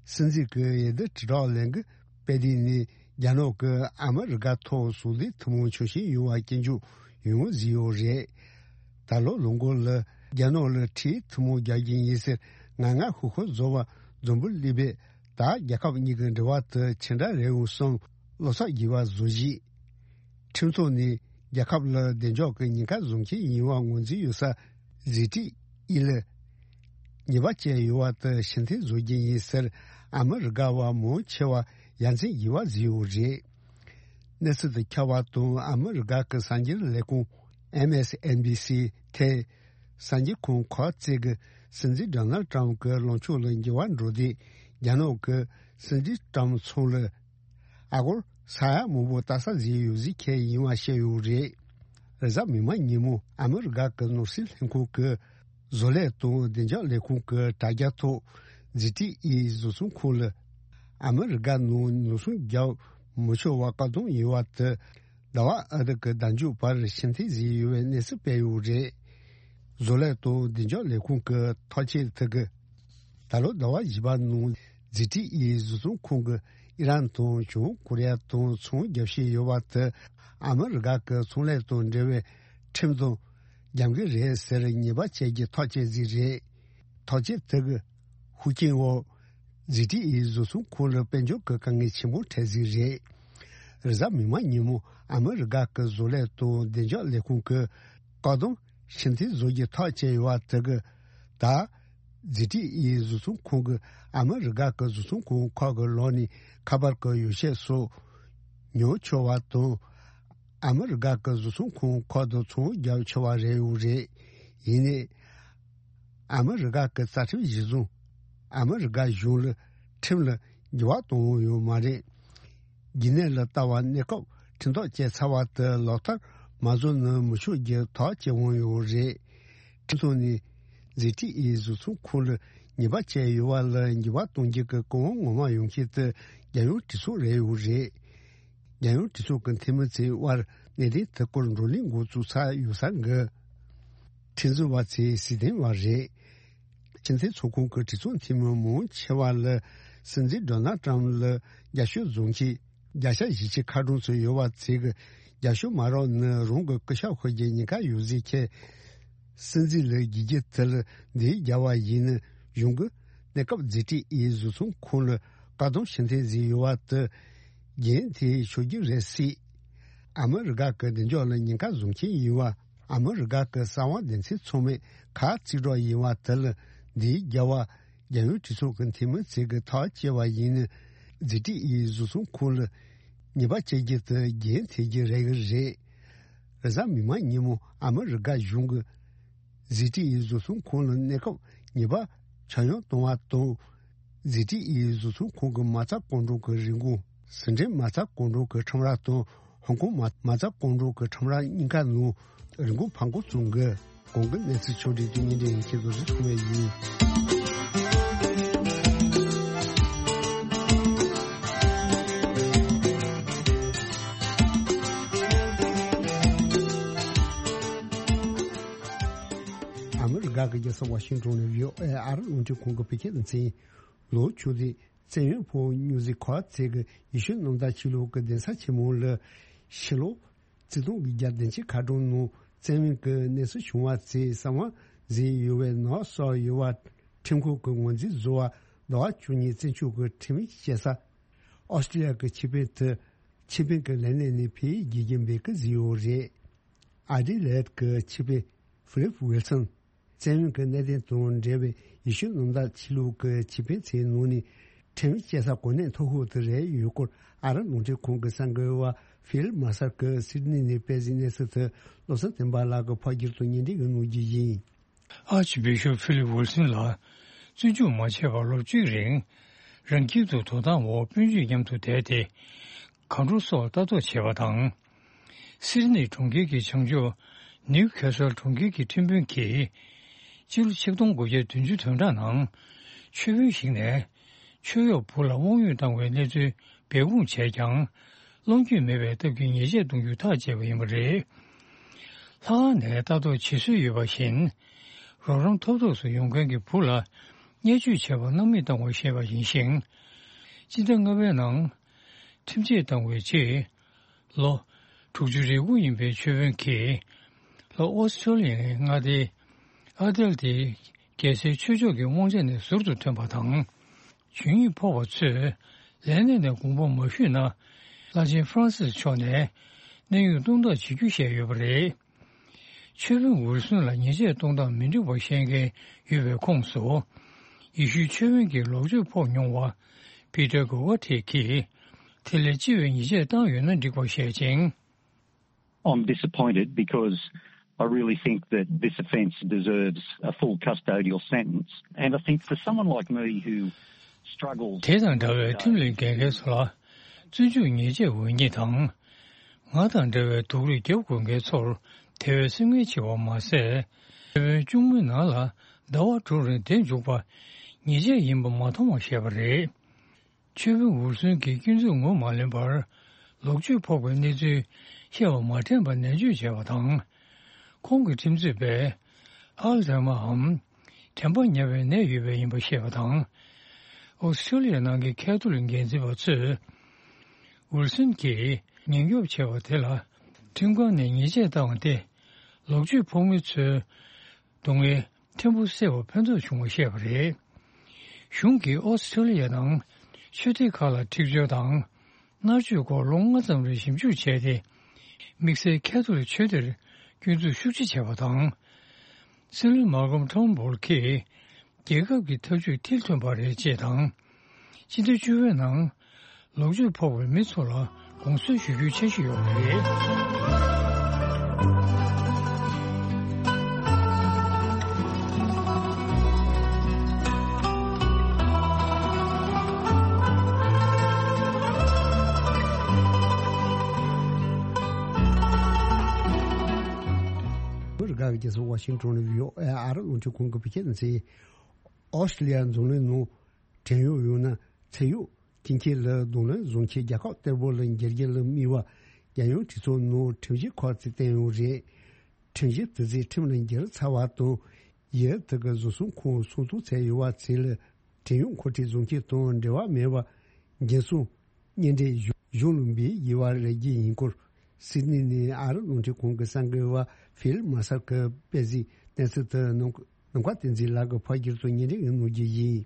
སྲིད་འཛིན་གྱི་འོས་བསྡུ་དྲིལ་བསྒྲགས་ལས་འགུལ་སྤེལ་དུས་ནས་རྒྱ་ནག་གིས་ཨ་མི་རི་ཀ་ཐོག་ཟུང་འབྲེལ་ཐུན་མོང་ཆོག་མཆན་ཡོད་པ་སྐྱོན་བརྗོད་ཡོང་ངོ་བཟོས་ཡོད་རེད། ད་ལོ་ལོ་འགོ་ལ་རྒྱ་ནག་ལ་འཕྲེད་ཐུན་མོང་རྒྱག་རྒྱུ་ཡིན་ཟེར་ངར་ངར་ཤུགས་ཤུགས་བཟོ་བ་འཛམ་བུ་གླིང་པས་ད་རྒྱལ་ཁབ་གཉིས་ཀྱི་འབྲེལ་བ་དེ་ཆེ་འདྲ་རེད་འོང་བསམ་བློ་འཚབ་རྒྱས་པ་བཟོ་བཞིན། ཁྲིམས་ཐོག་ནས་རྒྱལ་ཁབ་ལ་བདེ་འཇགས་ཀྱི་ཉེན་ཁ་བཟོ་མཁན་ཡིན་པ་ངོས་འཛིན་ཡོད་ས་ཟི་ཀྲི་ཨི་ལི་ཉེས་པ་བཅས་ཡོད་པ་དེ་ཕྱིར་འཐེན་བཟོ་རྒྱུ་ཡིན་ཟེར་ཨ་མི་རི་ཀ་བ་མང་ཆེ་བ་ཡ་མཚན་རྒྱས་པ་བཟོས་ཡོད་རེད། གནས་ཚུལ་དེ་ཁྱབ་པ་དང་ཨ་མི་རི་ཀ་གི་གསར་འགྱུར་ལས་ཁུངས་ ཨེམ་ཨེས་ཨེན་བི་སི་ཐེ་གསར་འགྱུར་ཁང་ཁོ་ཚོས་ཀྱི་སྲིད་འཛིན་ཌོ་ནལ་ཏྲམ་གྱི་ལངས་ཕྱོགས་ལ་འགྱུར་བ་འགྲོ་དུས། རྒྱ་ནག་གི་སྲིད་འཛིན་ཏྲམ་ཚང་ལ་ཨ་སྒོར་ས་ཡ་མང་པོ་ལྟ་ས་ཟིན་ཡོད་ཟེར་མཁན་ཡིན་པ་བཤད་ཡོད་རེད། རེས་གཟའ་མིག་དམར་ཉིན་མོ་ཨ་མི་རི་ཀ་གི་ནོར་སྲིད་ལྷན་ཁང་གི་བཟོ་ལས་དང་བདེ་འཇགས་ལས་ཁུངས་ཀྱི་དྲ་རྒྱ་ཐོག་ཛི་ཊི་ཨི་བཟོ་ཚོང་ཁང་ལ་ཨ་མི་རི་ཀ་ནང་ནོར་སྲུང་རྒྱག་མི་ཆོག་པ་བཀག་སྡོམ་ཡོད་པ་དེ། ཟླ་བ་ཨ་ཐི་ཀི་ཟླ་མཇུག་བར་ཕྱིར་འཐེན་ཟིན་ཡོད་པའི་གནས་ཚུལ་སྤེལ་ཡོད་རེད། བཟོ་ལས་དང་བདེ་འཇགས་ལས་ཁུངས་ཀྱི་ཐག་གཅོད་དེ་གིས། ད་ལོ་ཟླ་བ་བཞི་པ་ནང་ཛི་ཊི་ཨི་བཟོ་ཚོང་ཁང་གིས་ཨི་རན་དང་བྱང་ཀོ་རི་ཡ་དང་ཚོང་རྒྱག་བཞིན་ཡོད་པ་དེ་ཨ་མི་རི་ཀ་གི་ཚོང་ལས་དང་འབྲེལ་བའི་ཁྲིམས་དང་འགལ་གྱི་རེད་ཟེར་ཉེས་པ་བཅད་རྒྱུའི་ཐག་བཅད་ཟིན་རེད། ཐག་གཅོད་དེ་གི་ཤུགས་རྐྱེན་འོག་ཛི་ཊི་ཨི་བཟོ་ཚོང་ཁང་ལ་དཔལ་འབྱོར་གྱི་དཀའ་ངལ་ཆེན་པོ་འཕྲད་ཟིན་རེད། རེས་གཟའ་མིག་དམར་ཉིན་མོ་ཨ་མི་རི་ཀ་གི་བཟོ་ལས་དང་བདེ་འཇགས་ལས་ཁུངས་ཀྱིས་བཀག་སྡོམ་ཕྱིར་འཐེན་བཟོ་རྒྱུའི་ཐག་བཅད་ཡོད་པ་དེ་གིས། ད་ཛི་ཊི་ཨི་བཟོ་ཚོང་ཁང་གིས་ཨ་མི་རི་ཀ་གི་བཟོ་ཚོང་ཁང་ཁག་གི་ལག་ནས་ཁ་པར་གྱི་ཡོ་བྱད་སོགས་ཉོ་ཆོག་པ་དང་། ཨ་མི་རི་ཀ་གི་བཟོ་ཚོང་ཁང་ཁག་ཏུ་ཚོང་རྒྱག་ཆོག་པ་རེད་ཡོད་རེད། ཡིན་ནའི། ཨ་མི་རི་ཀ་གི་རྩ་ཁྲིམས་གཞིར་བཟུང་། ཨ་མི་རི་ཀ་གཞུང་ལ་ཁྲིམས་ལ་འགྱུར་བ་གཏོང་འོས་ཡོད་མ་རེད། རྒྱུན་གནས་ལ་ལྟ་བ་གནས་སྐབས་ཁྲིམས་ཐག་བཅད་ཚར་བ་དེ་ལག་བསྟར་མ་བཟོ་ན་མི་ཆོག་རྒྱུ་ཐག་བཅད་འོས་ཡོད་རེད། ཁྲིམས་ཐོག་ནས་ཛི་ཊི་ཨི་བཟོ་ཚོང་ཁང་ལ་ཉེས་པ་བཅད་ཡོད་པ་ལ་འགྱུར་བ་གཏོང་རྒྱུ་གི་གོ་སྐབས་ངོ་མ་ཡོང་མཁན་དེ་རྒྱལ་ཡོངས་གྲོས་ཚོགས་རེད་ཡོད་རེད། རྒྱལ་ཡོངས་གྲོས་ཚོགས་ཀྱི་འཐུས་མི་ཚོའི་དབར་གནད་དོན་དེ་སྐོར་བགྲོ་གླེང་འགོ་བཙུགས་ཚར་ཡོད་ས་གི་ཁྲིམས་བཟོ་བ་ཚོས་གཟིགས་མཐོང་བ་རེད། སྤྱི་མཐུན་ཚོགས་ཁོངས་ཀྱི་གྲོས་ཚོགས་འཐུས་མི་མང་ཆེ་བ་ལ་སྲིད་འཛིན་ཌོ་ནལ་ཏྲམ་ལ་རྒྱབ་སྐྱོར་བཟོ་མཁན་བརྒྱ་ཆ་བཞི་བཅུ་ཁ་གྲངས་ཚོད་ཡོད་པ་ཚོས་ཀྱི་རྒྱབ་སྐྱོར་མ་རག་ན་རང་གི་སྐུ་ཞབས་ཤོར་རྒྱུའི་ཉེན་ཁ་ཡོད་ཟེར་མཁན། སྲིད་འཛིན་ལ་རྒྱུ་རྒྱུ་དེ་ལ་འདི་རྒྱལ་བ་ཡིན་ན་གཞུང་གི་གནས་སྐབས་ཛི་ཊི་ཨི་བཟོ་ཚོང་ཁང་ལ་བཀག་སྡོམ་ཕྱིར་འཐེན་ཟིན་ཡོད་པ་དེ་རྒྱུན་མཐུད་ཆོག་རྒྱུ་རེད་སྲིད། ཨ་མི་རི་ཀ་གི་བདེ་འཇགས་ལ་ཉེན་ཁ་བཟོ་མཁན་ཡིན་པ་ཨ་མི་རི་ཀ་གི་གསང་བ་སྡེ་ཚན་ཚང་མས་ཁ་གཅིག་གྲོགས་ཡིན་པ་དེ་ལ་འདིའི་རྒྱལ་བ་རྒྱལ་ཡོངས་གྲོས་ཚོགས་ཀྱི་འཐུས་མི་ཚོས་ཀྱི་ཐག་བཅད་པ་ཡིན་ན་ཛི་ཊི་ཨི་བཟོ་ཚོང་ཁང་ལ་ཉེས་པ་བཅད་རྒྱུ་དེ་རྒྱུན་མཐུད་རྒྱུ་རེད་གི་རེད། རེས་གཟའ་མིག་དམར་ཉིན་མོ་ཨ་མི་རི་ཀ་གཞུང་གིས་ཛི་ཊི་ཨི་བཟོ་ཚོང་ཁང་ལ་གནས་སྐབས་ཉེས་པ་ཆ་ཡང་གཏོང་བ་དང་། ཛི་ཊི་ཨི་བཟོ་ཚོང་ཁང་གི་མ་རྩ་སྐོར་འགྲོ་གི་རིན་གོང་ཟི་ཁྲོན་མ་རྩ་སྐོར་འགྲོ་གི་ཁྲོམ་ར་དང་ཧོང་ཀོང་མ་མ་རྩ་སྐོར་འགྲོ་གི་ཁྲོམ་ར་གཉིས་ཀ་ནང་རིན་གོང་འཕར་འགོ་བཙུགས་འགི། གོང་གི་གནས་ཚུལ་ཕྱོགས་སྒྲིག་དེ་ཉིན་རེ་ཡིན་ཁྱེད་ཚོ་རིགས་མཚུངས་པ་ཡིན། ཨ་མི་རི་ཀ་གི་རྒྱལ་ས་ཝ་ཤིང་ཏོན་ནས་བྷི་ཨོ་ཨེ་ཨ་རི་རླུང་འཕྲིན་ཁང་གི་བོད་སྐད་སྡེ་ཚན། ལོ་བཅུ་དེ་བཙན་གཡེམ་ཕོག་སྨྱོ་རྫས་ཁག་ཚད་ཀྱི་ཡེ་ཤུ་གནམ་བདག་ཆོས་ལུགས་ཀྱི་གདན་ས་ཆེན་མོ་ལ་ཕྱི་ལོ་ཆིག་སྟོང་དགུ་བརྒྱ་བདུན་ཅུ་ཁ་གྲངས་ནང་བཙན་གཡེམ་གྱི་གནས་ཚུལ་བྱུང་བ་ཚོའི་གསང་བ་ཟིན་ཡོད་པའི་ནག་སོགས་ཡོད་པ་ཁྲིམས་ཁང་གིས་ངོས་འཛིན་བཟོ་བར་ཟླ་བ་བཅུ་གཉིས་བཙན་བཅུག་གི་ཁྲིམས་ཡིག་བཅད་ས་ཨོ་སི་ཀྲི་ལི་ཡ་གི་ཆེད་ཕན་དུ་ཆེད་ཕན་གྱི་ལས་གནས་ནས་ཕེབས་ཡིག་བརྒྱུད་རྒྱུ་འབོད་སྐུལ་བཟོས་ཡོད་རེད། ཨ་ཌི་ལེ་ཌི་གི་ཆེད་ཕན་ཧྥི་ལིབ་ཝིལ་སོན། བཙན་གཡེམ་གྱི་གནད་དོན་དང་འབྲེལ་བའི་ཡེ་ཤུ་གནམ་བདག་ཆོས་ལུགས་ཀྱི་ཆེད་ཕན་ཚོའི་ནང་ནས་ཁྲིམས་ཡིག་བཅད་ས་གོ་གནས་མཐོ་ཤོས་དེ་རེད་ཡོད་སྐོར་ཨ་རི་རླུང་འཕྲིན་ཁང་གི་གསར་འགོད་པ་ཧྥིལ་མ་སར་གྱིས་སིད་ནི་ནས་སྤེལ་གཟིགས་གནས་ཚུལ་དེ་བློ་བཟང་བསྟན་པ་ལགས་ཀྱིས་ཕབ་སྒྱུར་དང་སྙན་སྒྲོན་གནང་རྒྱུ་ཡིན། ཨར་ཅི་བྷི་ཤོབ་ཧྥི་ལིབ་ཝིལ་སོན་ལ་བཙོན་འཇུག་མ་བྱས་པར་ལོ་གཅིག་རིང་རང་ཁྱིམ་དུ་དོ་དམ་འོག་སྤུན་མཆེད་མཉམ་དུ་བསྡད་དེ་གང་འགྲོ་སོགས་ལྟ་རྟོག་བྱས་པ་དང་། སིད་ནི་གྲོང་ཁྱེར་གྱི་བྱང་ཕྱོགས་ནིའུ་ཁེ་སལ་གྲོང་ཁྱེར་གྱི་ཁྲིམས་དཔོན་གྱིས་སྤྱི་ལོ་ཆིག་སྟོང་དགུ་བརྒྱ་བདུན་ཅུ་དོན་གྲངས་ནང་ཆོས་དཔོན་ཞིག་ནས་ཆོས་གཡོག་བུ་ལ་དབང་ཡོད་བཏང་བའི་གནས་ཚུལ་སྦས་སྐུང་བྱས་ཀྱང་། གློད་རྒྱུ་མེད་པའི་སྟབས་ཀྱིས་ཉེས་ཆད་གཏོང་རྒྱུ་ཐག་བཅད་པ་ཡིན་པ་རེད། ལྷག་དཀར་ནས་ལྟ་རྟོག་བྱེད་སྲོལ་ཡོད་པ་བཞིན། རོགས་རམ་ཐོབ་ཐོབ་སུ་ཡོང་མཁན་གྱི་བུ་ལ་བརྙས་བཅོས་བྱས་པར་སྣང་མེད་བཏང་བར་བཤད་པ་ཡིན་ཞིང་། སྤྱི་ཟླ་ལྔ་པའི་ནང་ཁྲིམས་ཆད་བཏང་བའི་རྗེས། ལོ་དྲུག་ཅུ་རེ་དགུ་ཡིན་པའི་ཆོས་དཔོན་གྱིས་ལྷོ་ཨོ་སི་ཀྲོ་ལི་ཡའི་མངའ་སྡེ་ཨ་དལ་ཏེ་རྒྱལ་སའི་ཆོས་ཕྱོགས་ཀྱི་དབང་ཆ་ནས་ཟུར་དུ་ཐོན་པ་དང་། ཇུས་ཉེས་ཕོག་པ་ཚོས་ལས་གནས་ནས་དགོངས་པ་མ་ཞུས་ན། བླ་ཆེན་ཧྥ་རན་སིས་མཆོག་ནས་གནས་དབྱུང་གཏོང་ཐབས་བྱེད་རྒྱུ་བཤད་ཡོད་པ་རེད། ཆོས་དཔོན་ཝིལ་སོན་ལ་ཉེས་ཆད་གཏོང་སྟངས་མི་འགྲིག་པ་བཤད་མཁན་ཡོད་པའི་ཁོངས་སུ། ཡེ་ཤུའི་ཆོས་དཔོན་གྱི་ལོག་སྤྱོད་ཕོག་མྱོང་བ་པི་ཏར་གོ་ཝ་ཐེ་གིས། དེ་ལས་ལྕི་བའི་ཉེས་ཆད་བཏང་ཡོད་ན་འགྲིག་པ་བཤད་ཅིང་། I'm disappointed because I really think that this offence deserves a full custodial sentence, and I think for someone like me who struggles དེ་དང་འདྲ་བའི་ཁྲིམས་ལས་འགལ་མཁན་ཚོ་ལ་བཙོན་འཇུག་ཉེས་ཆད་འོས་ཉེས་དང་། ང་དང་འདྲ་བའི་སྡུག་རུས་རྒྱབ་དགོས་མཁན་ཚོར་དེ་བས་སེམས་ངལ་ཆེ་བ་མ་ཟད། ཁྱོན་བཅུ་གཉིས་ནང་ལ་ཟླ་བ་དྲུག་རིང་བསྡད་འཇུག་པ་ཉེས་ཆད་ཡིན་པ་མ་མཐོང་བ་བཤད་པ་རེད། ཆོས་དཔོན་ཝུར་སོན་གྱིས་སྐྱོན་འཛུགས་ངོ་མ་ལེན་པར་ལོག་སྤྱོད་ཕོག་པའི་གནས་ཚུལ་བཤད་པ་མ་དྲན་པར་ནན་བརྗོད་བྱས་པ་དང་། ཁོང་གི་ཁྲིམས་རྩོད་པས་ཨལ་ཛཱི་མ་འམ་དྲན་པ་ཉམས་པའི་ནད་ཡོད་པ་ཡིན་པ་བཤད་པ་དང་། ཨོ་སི་ཁྲུ་ལི་ཡ་ནང་གི་ཁ་ཐོ་ལིག་འགན་འཛིན་པ་ཚོས་ཝུར་སོན་གྱིས་ཉེན་སྐྱོབ་བྱས་པ་དེ་ལ་ཁྲིམས་ཁང་ནས་ཉེས་ཆད་བཏང་བ་སྟེ། ལོག་སྤྱོད་ཕོག་མི་ཚོའི་སྡུག་བསྔལ་ཕྲན་བུ་སེལ་བར་ཕན་ཐོགས་བྱུང་བ་བཤད་པ་རེད། གཞུང་གིས་ཨོ་སི་ཁྲུ་ལི་ཡ་ནང་ཆོས་སྡེ་ཁག་ལ་འཁྲིག་སྦྱོར་དང་མནར་གཅོད་སྐོར་ལོ་ལྔ་ཙམ་རིང་ཞིབ་འཇུག་བྱས་ཏེ། དམིགས་བསལ་ཁ་ཐོ་ལིག་ཆོས་སྡེར་སྐྱོན་འཛུགས་ཤུགས་ཆེ་བྱས་པ་དང་། སྲིད་བློན་མཱ་ཀོམ་ཊོན་སྦོར་གྱིས་རྒྱལ་ཁབ་ཀྱི་ཐབས་ཇུས་མཐིལ་ཐོན་པ་རེད་ཅེས་དང་། སྤྱི་ཟླ་བཅུ་པའི་ནང་ལོག་སྤྱོད་ཕོག་པའི་མི་ཚོ་ལ་དགོངས་སེལ་ཞུ་རྒྱུའི་འཆར་གཞི་ཡོད་པ་རེད། མི་རིགས་ཁག་གི་རྒྱལ་ས་ཝ་ཤིང་ཊོན་ནས་བྷི་ཨོ་ཨེ་ཨ་རི་རླུང་འཕྲིན་ཁང་གི་བོད་སྐད་སྡེ་ཚན། ཨོ་སི་ཀྲི་ལི་ཡ་རྫོང་གླིང་ནང་བྲན་གཡོག་ཡོད་ན་ཚེ་གཡོག་སྐྱིན་ཆེན་ལ་རྡུང་ལེན་བཟོ་མཁན་རྒྱལ་ཁབ་གཏེ་པོ་ལ་འགྱུར་རྒྱུ་ལ་དམིགས་པ་རྒྱལ་ཡོངས་གྲོས་ཚོགས་ནང་ཁྲིམས་གཞི་ཁག་ཅིག་བཏོན་ཡོད་རེད། ཁྲིམས་གཞི་དེ་ཚོས་ཁྲིམས་ལ་འགྱུར་ཚར་བ་དང་། ཡུལ་དེ་གི་བཟོ་ཚོང་ཁང་སྲུང་སྐྱོང་བྱས་ཡོད་པ་ཚོ་ལ་བྲན་གཡོག་མཁོ་སྤྲོད་བཟོ་མཁན་དང་འབྲེལ་བ་མེད་པ་འགན་སྲུང་། གཉེན་འབྲེལ་གཞུང་ལ་འབུལ་ཡོད་པ་རེད་ཀྱི་ཡིན་སྐོར། སིད་ནི་ནས་ཨ་རི་རླུང་འཕྲིན་ཁང་གི་གསར་འགོད་པ་ཕིལ་མ་སར་གྱིས་སྤེལ་གཟིགས་གནས་ཚུལ་དེ་ནམ་མཁའ་བསྟན་འཛིན་ལགས་ཀྱིས་ཕབ་བསྒྱུར་དུ་སྙན་སྒྲོན་གནང་རྒྱུ་ཡིན།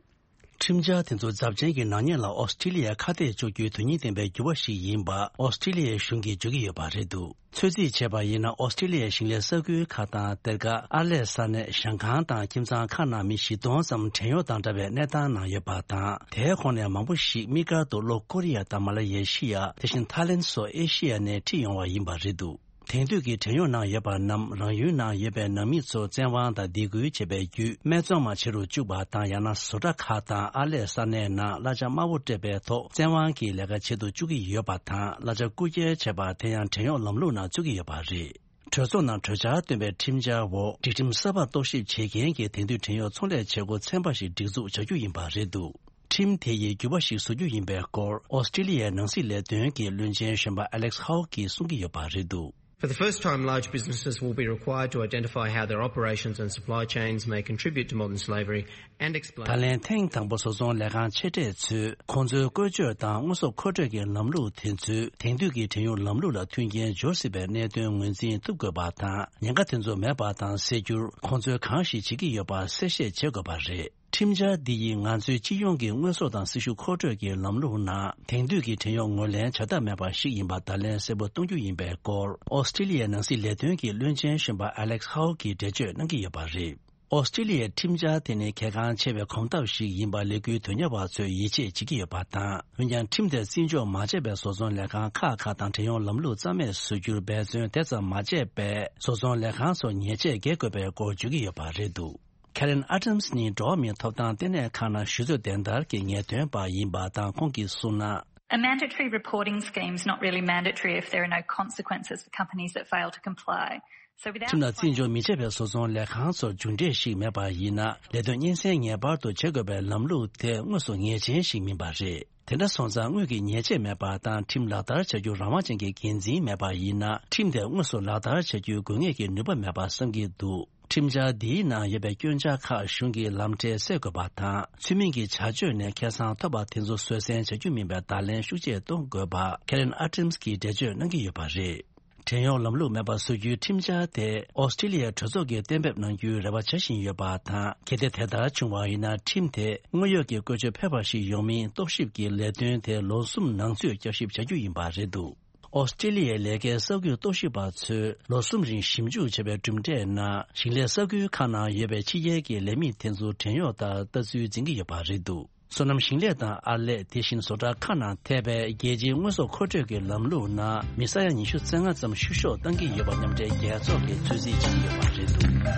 ཁྲིམས་འཆར་དེ་ཚོ་ཚབས་ཆེན་གྱི་ནག་ཉེས་ལ་ཨོ་སི་ཀྲི་ལི་ཡ་ཁ་གཏད་གཅོག་རྒྱུའི་དོན་སྙིང་ལྡན་པའི་འགྱུར་བ་ཞིག་ཡིན་པ་ཨོ་སི་ཀྲི་ལི་ཡའི་གཞུང་གིས་བརྗོད་ཀྱི་ཡོད་པ་རེད་འདུག་ཚོད་རྩིས་བྱས་པ་ཡིན་ན། ཨོ་སི་ཀྲི་ལི་ཡའི་ཞིང་ལས་ས་ཁུལ་ཁག་དང་། གཏེར་ཁ། ཨར་ལས་ས་གནས། ཞིང་ཁང་དང་ཁྱིམ་ཚང་ཁག་ནང་མི་བཞི་སྟོང་ཙམ་བྲན་གཡོག་དང་འདྲ་བའི་གནས་སྟངས་ནང་ཡོད་པ་དང་། དེའི་ཁོངས་ནས་མང་པོ་ཞིག་དམིགས་བཀར་དུ་ལྷོ་ཀོ་རི་ཡ་དང་མ་ལ་ཡེ་ཤི་ཡ། དེ་བཞིན་ཐའི་ལེན་སོགས་ཨེ་ཤི་ཡ་ནས་ཁྲིད་ཡོང་བ་ཡིན་པ་རེད་འདུག་དེང་དུས་ཀྱི་བྲན་གཡོག་ནང་ཡོད་པ་རྣམས་རང་ཡུལ་ནང་ཡོད་པའི་ནང་མི་ཚོ་བཙན་དབང་དང་སྡིགས་སྐུལ་བྱེད་པའི་བརྒྱུད་སྨད་འཚོང་མ་བྱེད་རུ་བཅུག་པ་དང་། ཡང་ན་བཟོ་གྲྭ་ཁག་དང་ཨར་ལས་ས་གནས་ནང་གླ་ཆ་དམའ་པོ་སྤྲད་པའི་ཐོག་བཙན་དབང་གིས་ལས་ཀ་བྱེད་དུ་བཅུག་གི་ཡོད་པ་དང་། གླ་ཆ་རྐུ་འཁྱེར་བྱས་པ་དེ་ཡང་བྲན་གཡོག་ལམ་ལུགས་ནང་བཅུག་གི་ཡོད་པ་རེད། གྲོས་ཚོགས་ནང་གྲོས་འཆར་བཏོན་པའི་ཁྲིམས་འཆར་འོག་སྒྲིག་ཁྲིམས་གསར་པ་རྟོག་ཞིབ་བྱེད་མཁན་གྱི་དེང་དུས་བྲན་གཡོག་ཚོང་ལས་བྱེད་སྒོ་ཚན་པ་ཞིག་སྒྲིག་འཛུགས་བྱ་རྒྱུ་ཡིན་པ་རེད་འདུག་ཁྲིམས་དེ་ཡིས་འགྱུར་བ་ཞིག་བཟོ་རྒྱུ་ཡིན་པའི་སྐོར་ཨོ་སི་ཀྲི་ལི་ཡའི་ནང་སྲིད་ལས་དོན་གྱི་བློན་ཆེན་གཞོན་པ་Alex Hawke གིས་གསུང་གི་ཡོད་པ་རེད་འདུག For the first time, large businesses will be required to identify how their operations and supply chains may contribute to modern slavery and explain. ད་ལན་ཐེངས་དང་པོ་བཟོ་ཚོང་ལས་ཁང་ཆེ་གྲས་ཚོས་ཁོང་ཚོའི་བཀོལ་སྤྱོད་དང་དངོས་ཟོག་མཁོ་སྤྲོད་ཀྱི་ལམ་ལུགས་དེ་ཚོས་དེང་དུས་ཀྱི་བྲན་གཡོག་ལམ་ལུགས་ལ་མཐུན་རྐྱེན་སྦྱོར་སྲིད་པའི་གནད་དོན་ངོས་འཛིན་ཐུབ་དགོས་པ་དང་། ཉེན་ཁ་དེ་ཚོ་མེད་པ་དང་སེལ་རྒྱུར་ཁོང་ཚོས་གང་ཞིག་བྱེད་ཀྱི་ཡོད་པ་གསལ་བཤད་བྱེད་དགོས་པ་རེད། ཁྲིམས་འཆར་འདི་ཡིས་ང་ཚོའི་སྤྱི་ཡོངས་ཀྱི་དངོས་ཟོག་དང་སྲི་ཞུ་མཁོ་སྤྲོད་ཀྱི་ལམ་ལུགས་ནང་དེང་དུས་ཀྱི་བྲན་གཡོག་ངོས་ལེན་བྱ་ཐབས་མེད་པ་ཞིག་ཡིན་པ་བརྡ་ལན་གསལ་པོ་གཏོང་རྒྱུ་ཡིན་པའི་སྐོར་ཨོ་སི་ཀྲི་ལི་ཡའི་ནང་སྲིད་ལས་དོན་གྱི་བློན་ཆེན་གཞོན་པ་Alex Hawke གིས་འགྲེལ་བརྗོད་གནང་གི་ཡོད་པ་རེད། ཨོ་སི་ཀྲི་ལི་ཡའི་ཁྲིམས་འཆར་དེ་ནི་གལ་འགངས་ཆེ་བའི་གོམ་སྟབས་ཤིག་ཡིན་པ་ལས་འགུལ་དོན་གཉེར་བ་ཚོས་ཡིད་ཆེས་བྱེད་ཀྱི་ཡོད་པ་དང་། འོན་ཀྱང་ཁྲིམས་དེ་བརྩི་འཇོག་མ་བྱས་པའི་བཟོ་ཚོང་ལས་ཁང་ཁག་ཁག་དང་བྲན་གཡོག་ལམ་ལུགས་རྩ་མེད་བཟོ་རྒྱུར་འབད་བརྩོན་དེ་ཙམ་མ་བྱས་པས། བཟོ་ཚོང་ལས་ཁང་ཚོར་ཉེས་ཆད་འགེལ་དགོས་པའི་སྐོར་བརྗོད་ཀྱི་ཡོད་པ་རེད་འདུག Karen Adams ནི་འགྲོ་བ་མིའི་ཐོབ་ཐང་ལྟེ་གནས་ཁང་ནང་ཞུ་གཏུག་བདེན་བདར་གྱི་ངེས་སྟོན་པ་ཡིན་པ་དང་། ཁོང་གིས་གསུངས་ན། A mandatory reporting scheme is not really mandatory if there are no consequences for companies that fail to comply. So without ཁྲིམས་ལ་བརྩི་འཇོག་མི་བྱེད་པའི་བཟོ་ཚོང་ལས་ཁང་ཚོར་མཇུག་འབྲས་ཤིག་མེད་པ་ཡིན་ན། ལས་དོན་སྙན་སེང་ངེས་པར་དུ་བྱེད་དགོས་པའི་ལམ་ལུགས་དེ་དངོས་སུ་ངེས་ཅན་ཞིག་མིན་པ་རེད། དེ་འདྲ་སོང་ཙང་དངུལ་གྱི་ཉེས་ཆད་མེད་པ་དང་། ཁྲིམས་ལག་བསྟར་བྱ་རྒྱུར་རང་དབང་ཅན་གྱི་འགན་འཛིན་མེད་པ་ཡིན་ན། ཁྲིམས་དེ་དངོས་སུ་ལག་བསྟར་བྱ་རྒྱུའི་དགོས་ངེས་ཀྱི་ནུས་པ་མེད་པ་བསམ་གྱི་འདུག་ཁྲིམས་འཆར་འདིའི་ནང་ཡོད་པའི་སྐྱོན་ཆ་ཁག་གཞུང་གིས་ལམ་འཕྲལ་སེལ་དགོས་པ་དང་། ཚུལ་མིན་གྱི་བྱ་སྤྱོད་ནས་ཁེ་བཟང་ཐོབ་པ་དེ་ཚོ་བཟོད་བསྲན་བྱ་རྒྱུ་མིན་པའི་བརྡ་ལན་ཤུགས་ཆེ་གཏོང་དགོས་པ་Karen Adams གིས་འགྲེལ་བརྗོད་གནང་གི་ཡོད་པ་རེད། བྲན་གཡོག་ལམ་ལུགས་མེད་པ་བཟོ་རྒྱུའི་ཁྲིམས་འཆར་དེ་ཨོ་སི་ཀྲི་ལི་ཡའི་གྲོས་ཚོགས་ཀྱིས་གཏན་འབེབས་གནང་རྒྱུའི་རེ་བ་བྱ་བཞིན་ཡོད་པ་དང་། གལ་ཏེ་དེ་ལྟར་བྱུང་བ་ཡིན་ན། ཁྲིམས་དེ་དངོས་ཡོད་ཀྱི་བཀོལ་སྤྱོད་ཕལ་པ་ཞིག་ཡོང་མིན་རྟོག་ཞིབ་ཀྱི་ལས་དོན་དེ་ལོ་གསུམ་ནང་ཚུད་བསྐྱར་ཞིབ་བྱ་རྒྱུ་ཡིན་པ་རེད་འདུག་ཨོ་སི་ཀྲི་ལི་ཡའི་ལས་ཀའི་ས་ཁུལ་རྟོག་ཞིབ་པ་ཚོས་ལོ་གསུམ་རིང་ཞིབ་འཇུག་བྱས་པའི་གྲུབ་འབྲས་ནང་། ཞིང་ལས་ས་ཁུལ་ཁག་ནང་ཡོད་པའི་ཕྱི་རྒྱལ་གྱི་ལས་མི་དེ་ཚོ་བྲན་གཡོག་ལྟར་ལྟ་ཚུལ་འཛིན་གྱི་ཡོད་པ་རེད་འདུག་སོ་ནམ་ཞིང་ལས་དང་ཨར་ལས། དེ་བཞིན་བཟོ་གྲྭ་ཁག་ནང་ཐེ་བའི་རྒྱལ་སྤྱིའི་དངོས་ཟོག་མཁོ་སྤྲོད་ཀྱི་ལམ་ལུགས་ནང་མི་ས་ཡ་ཉི་ཤུ་རྩ་ལྔ་ཙམ་བཤུ་གཞོག་བཏང་གི་ཡོད་པ་མཉམ་འབྲེལ་རྒྱལ་ཚོགས་ཀྱིས་ཚོད་རྩིས་བྱེད་ཀྱི་ཡོད་པ་རེད་འདུག་ང་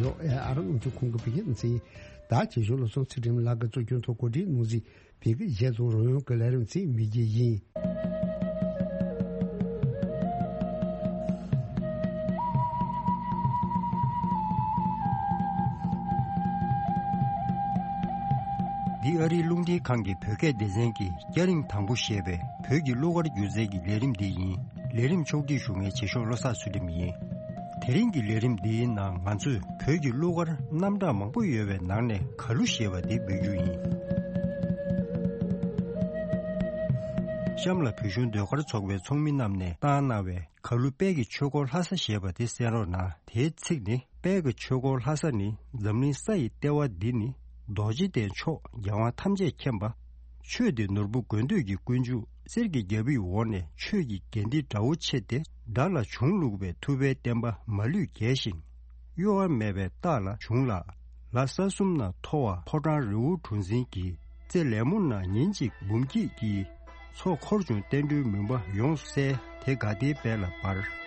རང་ཨ་རི་ནང་བཞིན་ཁོང་གི་བོད་ཡིག་འཛིན། ད་ཆེ་ཤོས་ལོ་སོང་ཚིག་ཁྲིམས་ལག་གི་གཙོ་སྐྱོང་ཐོག་གོ་སྒྲིག་གནང་ཟིན། བོད་ཀྱི་གཞས་ཚོགས་རོལ་དབྱངས་ཀྱི་ལས་རིམ་ཚིག་མི་རྒྱལ་ཡིན། འདི་ཨ་རིའི་རླུང་འཕྲིན་ཁང་གི་བོད་སྐད་སྡེ་ཚན་གྱི་སྐྱ་རེངས་དང་པོ་ཞེས་པའི་བོད་ཀྱི་གླུ་གར་སྒྱུ་རྩལ་གྱི་ལས་རིམ་འདི་ཡིན། ལས་རིམ་ཕྱོགས་སྒྲིག་ཞུ་མཁན་བྱེད་ཤོག་བློ་བཟང་ཚུལ་ཁྲིམས་ཡིན། དེ་རིང་གི་ལས་རིམ་འདིའི་ནང་ང་ཚོས་བོད་ཀྱི་གླུ་གར་རྣམ་གྲངས་མང་པོ་ཡོད་པའི་ནང་ནས་གར་གླུ་ཞེས་པ་འདི་འབུལ་རྒྱུ་ཡིན། གཤམ་ལ་བོད་གཞུང་ཟློས་གར་ཚོགས་པའི་ཚོགས་མི་རྣམས་ནས་བཏང་གནང་བའི་གར་གླུ་དཔལ་གྱི་ཆོས་འཁོར་ལྷ་ས་ཞེས་པ་དེ་གསན་རོགས་གནང་། དེའི་ཚིག་ནི། དཔལ་གྱི་ཆོས་འཁོར་ལྷ་ས་ནི་འཛམ་གླིང་ས་ཡི་ལྟེ་བ་འདི་ནི། རྡོ་རྗེ་གདན་མཆོག་རྒྱལ་དབང་ཐམས་ཅད་མཁྱེན་པ། ཆོས་འདི་ནོར་བུ་དགོས་འདོད་ཀྱི་ཀུན་འབྱུང་གསེར་གྱི་རྒྱལ་པོའི་འོག་ནས་ཆོས་ཀྱི་རྒྱན་འདི་འདྲ་བོ་ཆེ་སྟེ། དགྲ་ལ་བྱུང་བླུགས་པའི་ཐུབ་པའི་བསྟན་པ་མ་ལུས་རྒྱས་ཤིང་། གཡོ་བ་མེད་པའི་རྟགས་ལ་བྱུང་ལ། ལ་ས་གསུམ་ན་མཐོ་བ་ཕོ་བྲང་རི་བོ་གྲུ་འཛིན་གྱི། རྩེ་ལེ་མོ་ན་ཉིན་གཅིག་འབུམ་སྐྱིད་ཀྱི། མཚོ་འཁོར་བྱུང་བསྟན་འགྲོའི་མུན་པ་ཡོངས་བསལ། དེ་དགའ་བདེའི་དཔལ་ལ་འབར།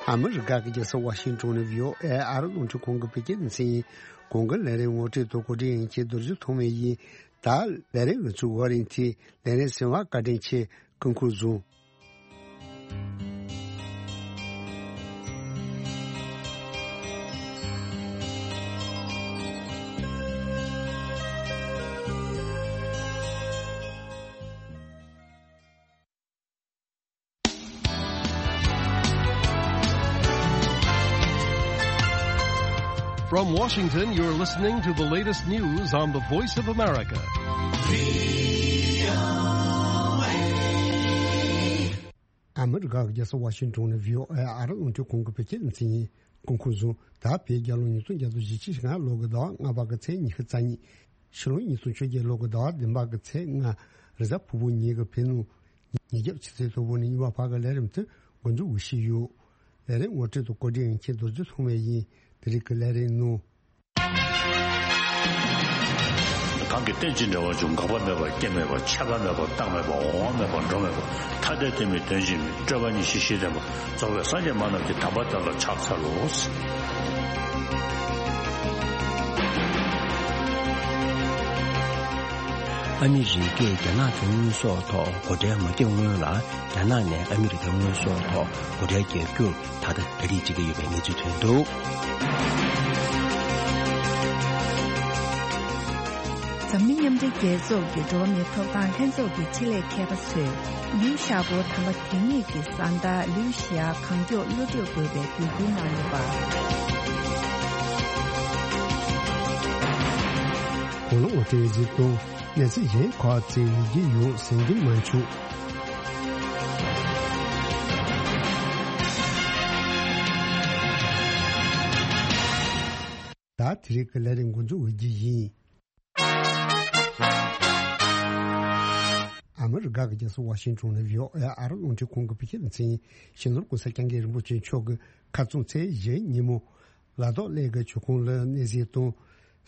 ཨ་མི་རི་ཀ་གི་རྒྱལ་ས་ཝ་ཤིང་ཊོན་ནས་བྷི་ཨོ་ཨེ་ཨ་རི་རླུང་འཕྲིན་ཁང་གི་བོད་སྐད་སྡེ་ཚན་ཡིན། གོང་གི་ལས་རིམ་ངོ་སྤྲོད་དང་གོ་སྒྲིག་ཡིན་གྱི་རྡོ་རྗེ་ཐོགས་མེད་ཡིན། ད་ལས་རིམ་ང་ཚོའི་འགོ་རིམ་དེ་ལས་རིམ་ཟིན་པ་བཀའ་དྲིན་ཆེ། སྐུ་ཁམས་བཟང་། From Washington, you're listening to the latest news on the Voice of America. ཨ་མི་རི་ཀ་གི་རྒྱལ་ས་ཝ་ཤིང་ཊོན་ནས་བྷི་ཨོ་ཨེ་ཨ་རི་རླུང་འཕྲིན་ཁང་གི་བོད་སྐད་སྡེ་ཚན་ཡིན། སྐུ་ཁམས་བཟང་། ད་བོད་རྒྱལ་ལོ་ཉིས་སྟོང་བརྒྱ་དང་ཞེ་གཅིག་ལྔ་ལོ་གི་ཟླ་བ་ལྔ་པ་གི་ཚེས་ཉི་ཤུ་རྩ་གཉིས། ཕྱི་ལོ་ཉིས་སྟོང་བཅོ་བརྒྱད་ལོ་གི་ཟླ་བ་བདུན་པ་གི་ཚེས་ལྔ། རེས་གཟའ་ཕུར་བུ་ཉིན་གྱི་བོད་ནང་ཉིན་རྒྱབ་ཕྱི་ཚེས་དང་པོ་ནས་ཉི་མ་བར་གྱི་ལས་རིམ་དེ་འགོ་འཛུགས་ཞུས་ཡོད། ལས་རིམ་ངོ་སྤྲོད་དང་གོ་སྒྲིག་མཁན་རྡོ་རྗེ་ཐོགས་མེད་ཡིན། དེ་རིང་གི་ལས་རིམ་ནང་། གང་གིས་རྟེན་ཅིང་འབྲེལ་བར་འབྱུང་། འགག་པ་མེད་པར་སྐྱེ་མེད་པ། ཆད་པ་མེད་པར་རྟག་མེད་པ། འོང་བ་མེད་པར་འགྲོ་མེད་པ། ཐ་དད་དོན་མིན་དོན་གཅིག་མིན། སྤྲོས་པ་ཉིད་ཤེས་ཤེས་ལྡན་པ། རྫོགས་པའི་སངས་རྒྱས་མ་རྣམས་ཀྱི་དམ་པ་དེ་ལ་ཕྱག་འཚལ་ལོ། ཨ་མི་རི་ཀས་རྒྱ་ནག་གི་དངུལ་གསོག་ཐོག་སྒོ་ཁྲལ་མ་བརྒྱབ་སྔོན་ལ། རྒྱ་ནག་ནས་ཨ་མི་རི་ཀའི་དངུལ་གསོག་ཐོག་སྒོ་ཁྲལ་བརྒྱབ་རྒྱུར་ད་ལྟ་གྲ་སྒྲིག་བྱེད་ཀྱི་ཡོད་པའི་གནས་ཚུལ་ཐོན་འདུག། འཛམ་གླིང་མཉམ་འབྲེལ་རྒྱལ་ཚོགས་ཀྱི་འགྲོ་བ་མིའི་ཐོབ་ཐང་ལྷན་ཚོགས་ཀྱི་ཆེད་ལས་མཁས་པ་ཚོས་ལིའུ་ཞའོ་པོ་དམ་པ་དེ་ཉིད་ཀྱི་བཟའ་ཟླ་ལིའུ་ཞི་ཡ་གང་མགྱོགས་གློད་གྲོལ་དགོས་པའི་འབོད་སྐུལ་གནང་ཡོད་པ། གོང་ལ་ངོ་སྤྲོད་གཟིགས་དང་། གནས་ཚུལ་གཞན་ཁག་ཅིག་ཡོང་གི་ཡོད་ཟེར་གྱི་མ་བྱུང་། ད་དེ་རིང་གི་ལས་རིམ་འགོ་འཛུགས་འོས་རྒྱུ་ཡིན། ཨ་མི་རི་ཀ་གི་རྒྱལ་ས་ཝ་ཤིང་ཊོན་ནས་བྷི་ཨོ་ཨེ་ཨ་རི་རླུང་འཕྲིན་ཁང་གི་བོད་སྐད་སྡེ་ཚན་ཡིན། སྤྱི་ནོར་༸གོང་ས་༸སྐྱབས་མགོན་རིན་པོ་ཆེ་མཆོག་གིས་ཁ་རྩང་ཚེས་བཞི་ཉིན་མོ། ལ་དྭགས་གླེ་གི་མཆོད་ཁང་ལ་གནས་གཟིགས་དང་།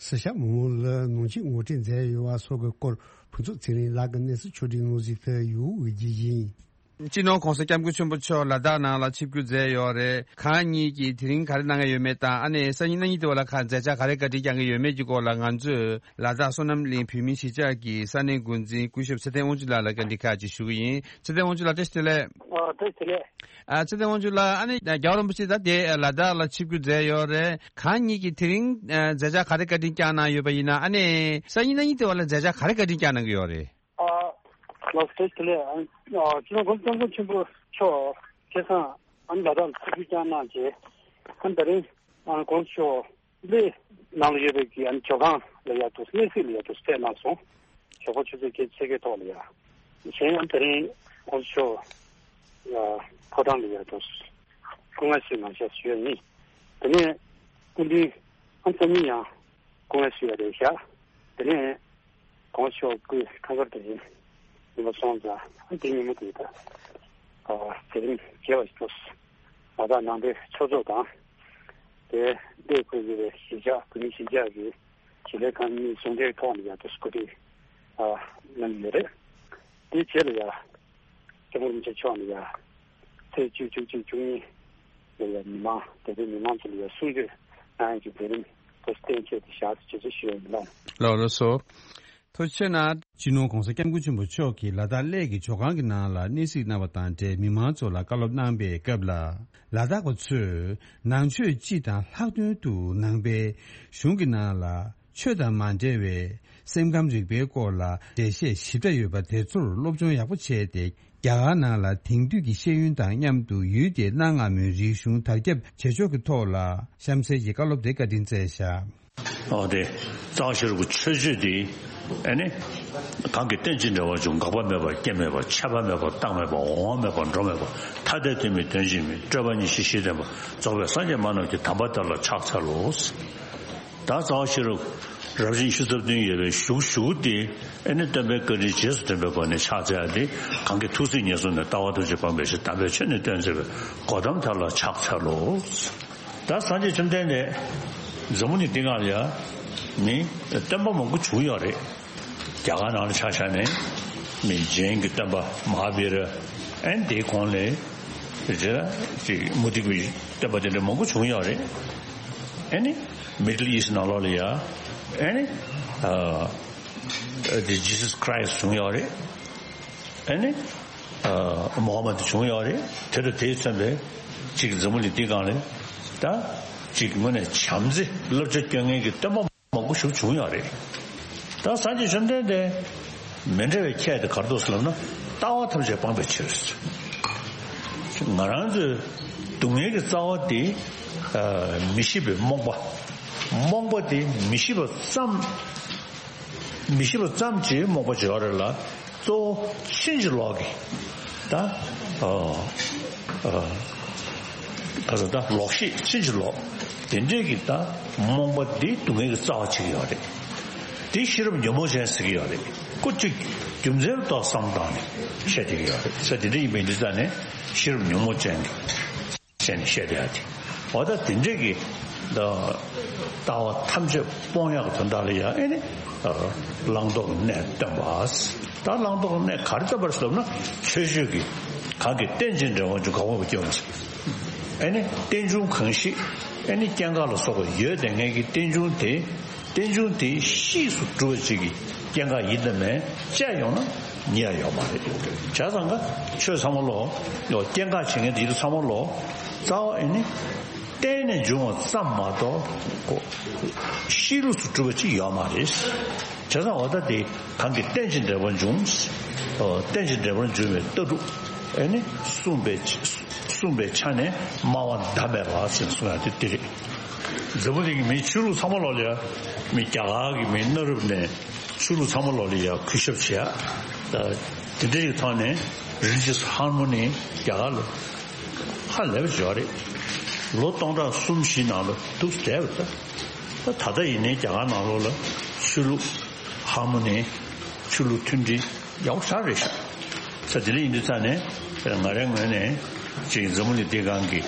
སི་ཤ་མི་མང་ལ་ནང་ཆོས་ངོ་སྤྲོད་མཛད་ཡོད་པ་སོགས་ཀྱི་སྐོར་ཕུན་ཚོགས་ཚེ་རིང་ལགས་ཀྱི་གནས་ཚུལ་ཕྱོགས་བསྒྲིགས་ནང་གཟིགས་ཏེ་ཡོང་འོས་ཀྱི་ཡིན། སྤྱི་ནོར་༸གོང་ས་༸སྐྱབས་མགོན་ཆེན་པོ་མཆོག་ལ་དྭགས་ནང་ལ་ཆིབས་བསྒྱུར་མཛད་ཡོད་རེད། གང་ཉིད་ཀྱིས་དེ་རིང་ག་རེ་གནང་གི་ཡོད་མེད་དང་། ཨ་ནི་སང་ཉིན་གནངས་ཉིན་དེ་བ་ལ་ག་མཛད་འཆར་ག་རེ་བཀའ་དྲིན་བསྐྱངས་ཀྱི་ཡོད་མེད་ཀྱི་སྐོར་ལ་ང་ཚོས་ལ་དྭགས་བསོད་ནམས་གླིང་བོད་མིའི་གཞིས་ཆགས་ཀྱི་ས་གནས་འགོ་འཛིན་སྐུ་ཞབས་ཚེ་བརྟན་དབང་ཕྱུག་ལགས་ལ་བཀའ་འདྲི་ཁག་ཅིག་ཞུ་གི་ཡིན། ཚེ་བརྟན་དབང་ཕྱུག་ལགས་བཀྲ་ཤིས་བདེ་ལེགས། ཨ། བཀྲ་ཤིས་བདེ་ལེགས། ཨ། ཚེ་བརྟན་དབང་ཕྱུག་ལགས། ཨ་ནི་རྒྱལ་བ་རིན་པོ་ཆེ་ད་དེ་ལ་དྭགས་ལ་ཆིབས་བསྒྱུར་མཛད་ཡོད་རེད། གང་ཉིད་ཀྱིས་དེ་རིང་མཛད་འཆར་ག་རེ་བཀའ་དྲིན་བསྐྱངས་གནང་ཡོད་པ་ཡིན་ན། ཨ་ནི་སང་ཉིན་གནངས་ཉིན་དེ་བ་ལ་མཛད་འཆར་ག་རེ་བཀའ་དྲིན་བསྐྱངས་གནང་གི་ཡོད་རེད། ཨ། ལགས་སོ། བཀྲ་ཤིས་བདེ་ལེགས། ཨ། སྤྱི་ནོར་༸གོང་ས་༸སྐྱབས་མགོན་ཆེན་པོ་མཆོག་ཁ་སང་ཨ་ནི་ལ་དྭགས་ལ་ཆིབས་བསྒྱུར་བསྐྱངས་གནང་རྗེས། ཨ་ནི་ད་རིང་ཨ་༸གོང་ས་མཆོག་གླེ་ནང་ལ་ཡོད་པའི་གི་ཨ་ནི་ཇོ་ཁང་ལ་ཡ་དུ་གནས་གཟིགས་ལ་ཡ་དུ་ཕེབས་གནང་སོང་། ཞོགས་པ་ཆུ་ཚོད་བརྒྱད་ཅུ་ཕྱེད་ཀའི་ཐོག་ལ་ཡ། གཞན་ཡང་དེ་རིང་༸གོང་ས་མཆོག་ཡ་ཕོ་བྲང་ལ་ཡ་དུ་སྐུ་ངལ་གསོའི་ངང་ཞག་བཞུགས་ཡོད་ནི། དེ་ནས་སྐུ་མདུན་ཨ་ནི་སང་ཉིན་ཡང་སྐུ་ངལ་གསོ་ཡ་རེད་ཤག། དེ་ནས་༸གོང་ས་མཆོག་སྐུའི་ཐང་གར་དེ་ཡིན་པ་སོང་ཙང་ཨ་ནི་དེ་ཉིན་མོ་དེ་ད་ཨ་མཛད་རིམ་རྒྱས་པ་ཞིག་ཏུ་ལ་དྭགས་ནང་པའི་ཆོས་ཚོགས་དང་། དེ་གླེ་ཁུལ་གྱི་གཞིས་ཆགས་བོད་མིའི་གཞིས་ཆགས་ཀྱི་གཞིས་ལས་ཁང་གཉིས་ཟུང་འབྲེལ་ཐོག་ནས་ཡང་དུ་སྐུ་ཁྲིད་ཨ་གནང་གི་ཡོད་རེད། དེའི་རྗེས་ལ་ཡང་སྐྱབས་མགོན་རིན་པོ་ཆེ་མཆོག་ནས་ཡང་ཚེས་བཅུ་བཅུ་གཅིག་བཅུ་གཉིས་ལ་ཡང་མི་མང་དད་ལྡན་མི་མང་ཚོ་ལ་ཡང་གསུང་ཆོས་གནང་ཡག་གི་མཛད་རིམ་དུ་གཏན་འཁེལ་ཏེ་བཞག་ཅེས་ཞུ་ཡ་ཡིན་ལགས། ལགས་ལགས་སོ། ཐུགས་རྗེ་ཆེ་གནང་། སྤྱི་ནོར་༸གོང་ས་༸སྐྱབས་མགོན་ཆེན་པོ་མཆོག་གིས་ལ་དྭགས་གླེ་གི་ཇོ་ཁང་གི་ནང་ལ་གནས་གཟིགས་གནང་བ་དང་འབྲེལ་མི་མང་ཚོ་ལ་བཀའ་སློབ་གནང་པའི་སྐབས་ལ། ལ་དྭགས་པ་ཚོས་ནང་ཆོས་སྤྱི་དང་ལྷག་དོན་དུ་ནང་པའི་གཞུང་གི་ནང་ལ་ཆོས་དང་མ་འབྲེལ་བའི་སེམས་ཁམས་རིག་པའི་སྐོར་ལ་འགྲེལ་བཤད་ཞིབ་ཕྲ་ཡོད་པ་དེ་ཚོར་སློབ་སྦྱོང་ཡག་པོ་བྱས་ཏེ། རྒྱ་གར་ནང་ལ་དེང་དུས་ཀྱི་ཤེས་ཡོན་དང་མཉམ་དུ་ཡུལ་དེའི་གནའ་སྔ་མོའི་རིག་གཞུང་དར་ཁྱབ་བྱེད་ཕྱོགས་ཀྱི་ཐོག་ལ་གཤམ་གསལ་གྱི་བཀའ་སློབ་དེ་བཀའ་དྲིན་སྩལ་བཞག། ཨོ་དེ། རྩ་བ་ཤེས་རབ་ཀྱི་མཆོད་བརྗོད་འདི། ཨ་ནི། གང་གིས་རྟེན་ཅིང་འབྲེལ་བར་འབྱུང་། འགག་པ་མེད་པར་སྐྱེ་མེད་པ། ཆད་པ་མེད་པར་རྟག་མེད་པ། འོང་བ་མེད་པར་འགྲོ་མེད་པ། ཐ་དད་དོན་མིན་དོན་གཅིག་མིན། སྤྲོས་པ་ཉིད་ཤེས་ཤེས་ལྡན་པ། རྫོགས་པའི་སངས་རྒྱས་མ་རྣམས་ཀྱི་དམ་པ་དེ་ལ་ཕྱག་འཚལ་ལོ། ད་རྩ་བ་ཤེས་རབ་རབ་བྱུང་བཞི་ཚབ་བདུན་ཡོད་པའི་གཞུག་གཞུག་དེ་ཨ་ནི་སྟོན་པའི་བཀའ་དྲིན་རྗེས་སུ་དྲན་པའི་སྒོ་ནས་ཕྱག་འཚལ་ཏེ། གང་གིས་ཐུགས་སྲས་ངེས་བཟུང་ནས། ལྟ་བ་ཐམས་ཅད་སྤངས་པའི་ཕྱིར། དམ་པའི་ཆོས་ནི་སྟོན་མཛད་པའི། གོ་ཏམ་དེ་ལ་ཕྱག་འཚལ་ལོ། ད་སངས་རྒྱས་བཅོམ་ལྡན་འདས་འཛམ་བུ་གླིང་འདི་སྒང་ལ་ཡ་ནི་སྟོན་པ་མང་པོ་བྱུང་ཡོད་རེད། རྒྱ་གར་ནང་ལ་ཆ་བཞག་ནས་མི་ཇེན་གྱི་སྟོན་པ་མ་ཧཱ་བི་ར། ཨ་ནི་དེའི་གོང་ལ་ དེ་རྗེས་ལ་ཅིག་མུ་སྟེགས་པའི་བསྟན་པ་དེ་འདྲ་མང་པོ་བྱུང་ཡོད་རེད། ཨེ་ནི་Middle East ནང་ལོགས་ལ་ཡ་ཨེ་ནི་ཨ་དེ་Jesus Christ བྱུང་ཡོད་རེད། ཨེ་ནི་ཨ་Muhammad བྱུང་ཡོད་རེད། དེ་དང་དེས་མཚོན་པའི་ཅིག་འཛམ་བུ་གླིང་འདི་སྒང་ལ་ད་ཅིག་དངོས་གནས་བྱམས་བརྩེ་བསླབ་བྱ་སྐྱོན་མཁན་གྱི་བསྟན་པ་མང་པོ་ཞིག་བྱུང་ཡོད་རེད། ད་སངས་རྒྱས་བཅོམ་ལྡན་འདས་མི་འདྲ་བའི་ཁྱད་དེ་ག་རེ་འདུག་ཟེར་ལབ་ན། ལྟ་བ་ཐམས་ཅད་སྤངས་པའི་ཕྱིར། ང་རང་ཚོའི་སྡུག་བསྔལ་གྱི་རྩ་བ་དེ་ཨ་མི་ཤེས་པའི་རྨོངས་པ། རྨོངས་པ་དེ་མི་ཤེས་པ་ཙམ། མི་ཤེས་པ་ཙམ་གྱིས་རྨོངས་པ་བྱེད་པ་རེད་ལ། གཙོ་བོ་ཕྱིན་ཅི་ལོག་གི་ད་ཨ་ཨ་ག་ཟེར་ད་ལོག་ཤེས་ཕྱིན་ཅི་ལོག་དེ་འདྲས་ཀྱི་ད་རྨོངས་པ་འདི་སྡུག་བསྔལ་གྱི་རྩ་བ་ཆགས་ཀྱི་ཡོད་རེད། དེ་ཤེས་རབ་ཉོན་མོངས་ཅན་ཟེར་གྱི་ཡོད་རེད། ཁོ་གཅིག་རྒྱུ་མཚན་ལ་ལྟོས་བསམ་བཏང་ནས་བཤད་བསྡད་ཀྱི་ཡོད་རེད། ས་དེ་འདྲ་ཡིན་པའི་འདི་ཙ་ནས་ཤེས་རབ་ཉོན་མོངས་ཅན་གྱི་བྱས་ནས་བཤད་བསྡད་ཡ་དེ། འོ་ད་དེ་འདྲས་ཀྱི་ད་ལྟ་བ་ཐམས་ཅད་སྤོང་ཡག་གི་དོན་དག་ལ་ཡང་ཨེ་ནི་བླང་དོར་གྱི་གནས་སྟོན་པ། ད་བླང་དོར་གྱི་གནས་ག་རེ་སྟོན་པ་རེད་ཟེར་ན། ཆོས་སྤྱོད་ཀྱི་གང་གིས་རྟེན་ཅིང་འབྲེལ་བར་འབྱུང་གང་བ་སྐྱོན་མ་ཟད། ཨེ་ནི་རྟེན་འབྱུང་གང་ཞིག་ཨེ་ནི་སྐྱེ་འགག་ལ་སོགས་པ་ཡོད་བསྡད་མཁན་གྱི་རྟེན་འབྱུང་དེ། རྟེན་འབྱུང་དེ་གཤིས་སུ་གྲུབ་པ་ཅིག་གི་སྐྱེ་འགག་ཡིན་དང་མིན་དཔྱད་ཡོང་ན་རྙེད་ཡ་ཡོད་མ་རེད། བྱས་ཙང་ཀ་ཆོས་ཚང་མ་ལོག་ཡོད། སྐྱེ་འགག་བྱེད་མཁན་དེ་ཚོ་ཚང་མ་ལོག་རྩ་བ་ཨེ་ནི་རྟེན་ནས་འབྱུང་བ་ཙམ་མ་གཏོགས་གཤིས་ལུགས་སུ་གྲུབ་པ་ཅིག་ཡོད་མ་རེད། བྱས་ཙང་འོ་ད་དེ་གང་གིས་རྟེན་ཅིང་འབྲེལ་བར་འབྱུང་། རྟེན་ཅིང་འབྲེལ་བར་འབྱུང་བའི་ལྟ་གྲུབ་ཨེ་ནི་གསུངས་པའི་གསུངས་པའི་ཆ་ནས་སྨྲ་བ་ཟླ་མེད་པ་ཟེར་གསུང་ཡ་དེ་དེ་རེད། འཛམ་བུ་གླིང་གི་མིའི་ཆོས་ལུགས་ཚང་མ་ལོག་ལ་ཡ། མི་རྒྱ་གར་གྱི་མི་གནའ་རབས་ནས་ཆོས་ལུགས་ཚང་མ་ལོག་ལ་ཡ་གུས་ཞབས་བྱེད་ཡ། དེ་འདྲ་ཞིག་ཐོག་ནས་རི་ལི་ཇི་ཡས་ཧར་མོ་ནི་རྒྱ་གར་ལ་ཧ་ལས་པ་ཅིག་ཡོད་རེད། ལོ་སྟོང་ཕྲག་གསུམ་བཞི་ནང་ལ་འདུག་བསྡད་པ་རེད། ད་ད་ལྟ་ཡིན་ནའི་རྒྱ་གར་ནང་ལོགས་ལ་ཆོས་ལུགས་ཧར་མོ་ནི། ཆོས་ལུགས་མཐུན་སྒྲིལ་ཡག་པོ་ཞེ་དྲག་རེད་ཤག་ས་དེ་འདྲ་ཡིན་དུས་ཙ་ནས་ང་རའི་ངོས་ནས་ཅིག་འཛམ་བུ་གླིང་འདི་སྒང་གི་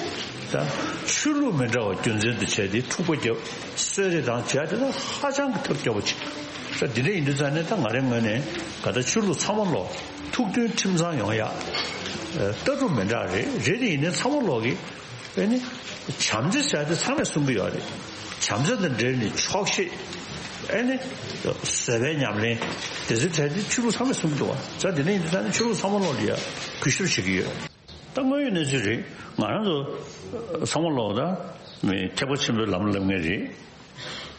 ད་ཆོས་ལུགས་མི་འདྲ་བ་རྒྱུ་མཚན་དུ་བྱས་ཏེ་འཁྲུག་པ་བརྒྱབ། གསོད་རེས་དང་བྱས་དེ་ད་ཧ་ཅང་གི་ཐབས་སྐྱོ་པོ་ཅིག་ས་དེ་འདྲ་ཡིན་དུས་ཙ་ནས་ད་ང་རའི་ངོས་ནས་ག་ད་ཆོས་ལུགས་ཚང་མ་ལོག་ཐུགས་མཐུན་ཁྲིམས་གཙང་ཡོང་ཡ། ལྟ་གྲུབ་མི་འདྲ་རེད། རེད་དེ་ཡིན་ནའི་ཚང་མ་ལོག་གི་ཨེ་ནི། བྱམས་བརྩེ་ཟེར་དེ་ཚང་མས་གསུང་གི་ཡོད་རེད། བྱམས་བརྩེ་དང་འབྲེལ་ནས་ཆོག་ཤེས། ཨེ་ནི། བཟོད་པའི་ཉམས་ལེན། དེ་ཚོ་ཟེར་དེ་ཆོས་ལུགས་ཚང་མས་གསུང་གི་འདུག་བ། ས་དེ་འདྲ་ཡིན་དུས་ད་ནི་ཆོས་ལུགས་ཚང་མ་ལོག་ལ་ཡ་གུས་ཞབས་བྱེད་ཀྱི་ཡོད། ད་དངོས་ཡོད་གནས་ཚུལ་རེད། ང་རང་ཚོ་ཚང་མ་ལོག་ད་མི་ཐེག་པ་ཆེན་པོའི་ལམ་ལ་སླེབས་མཁན་རེད།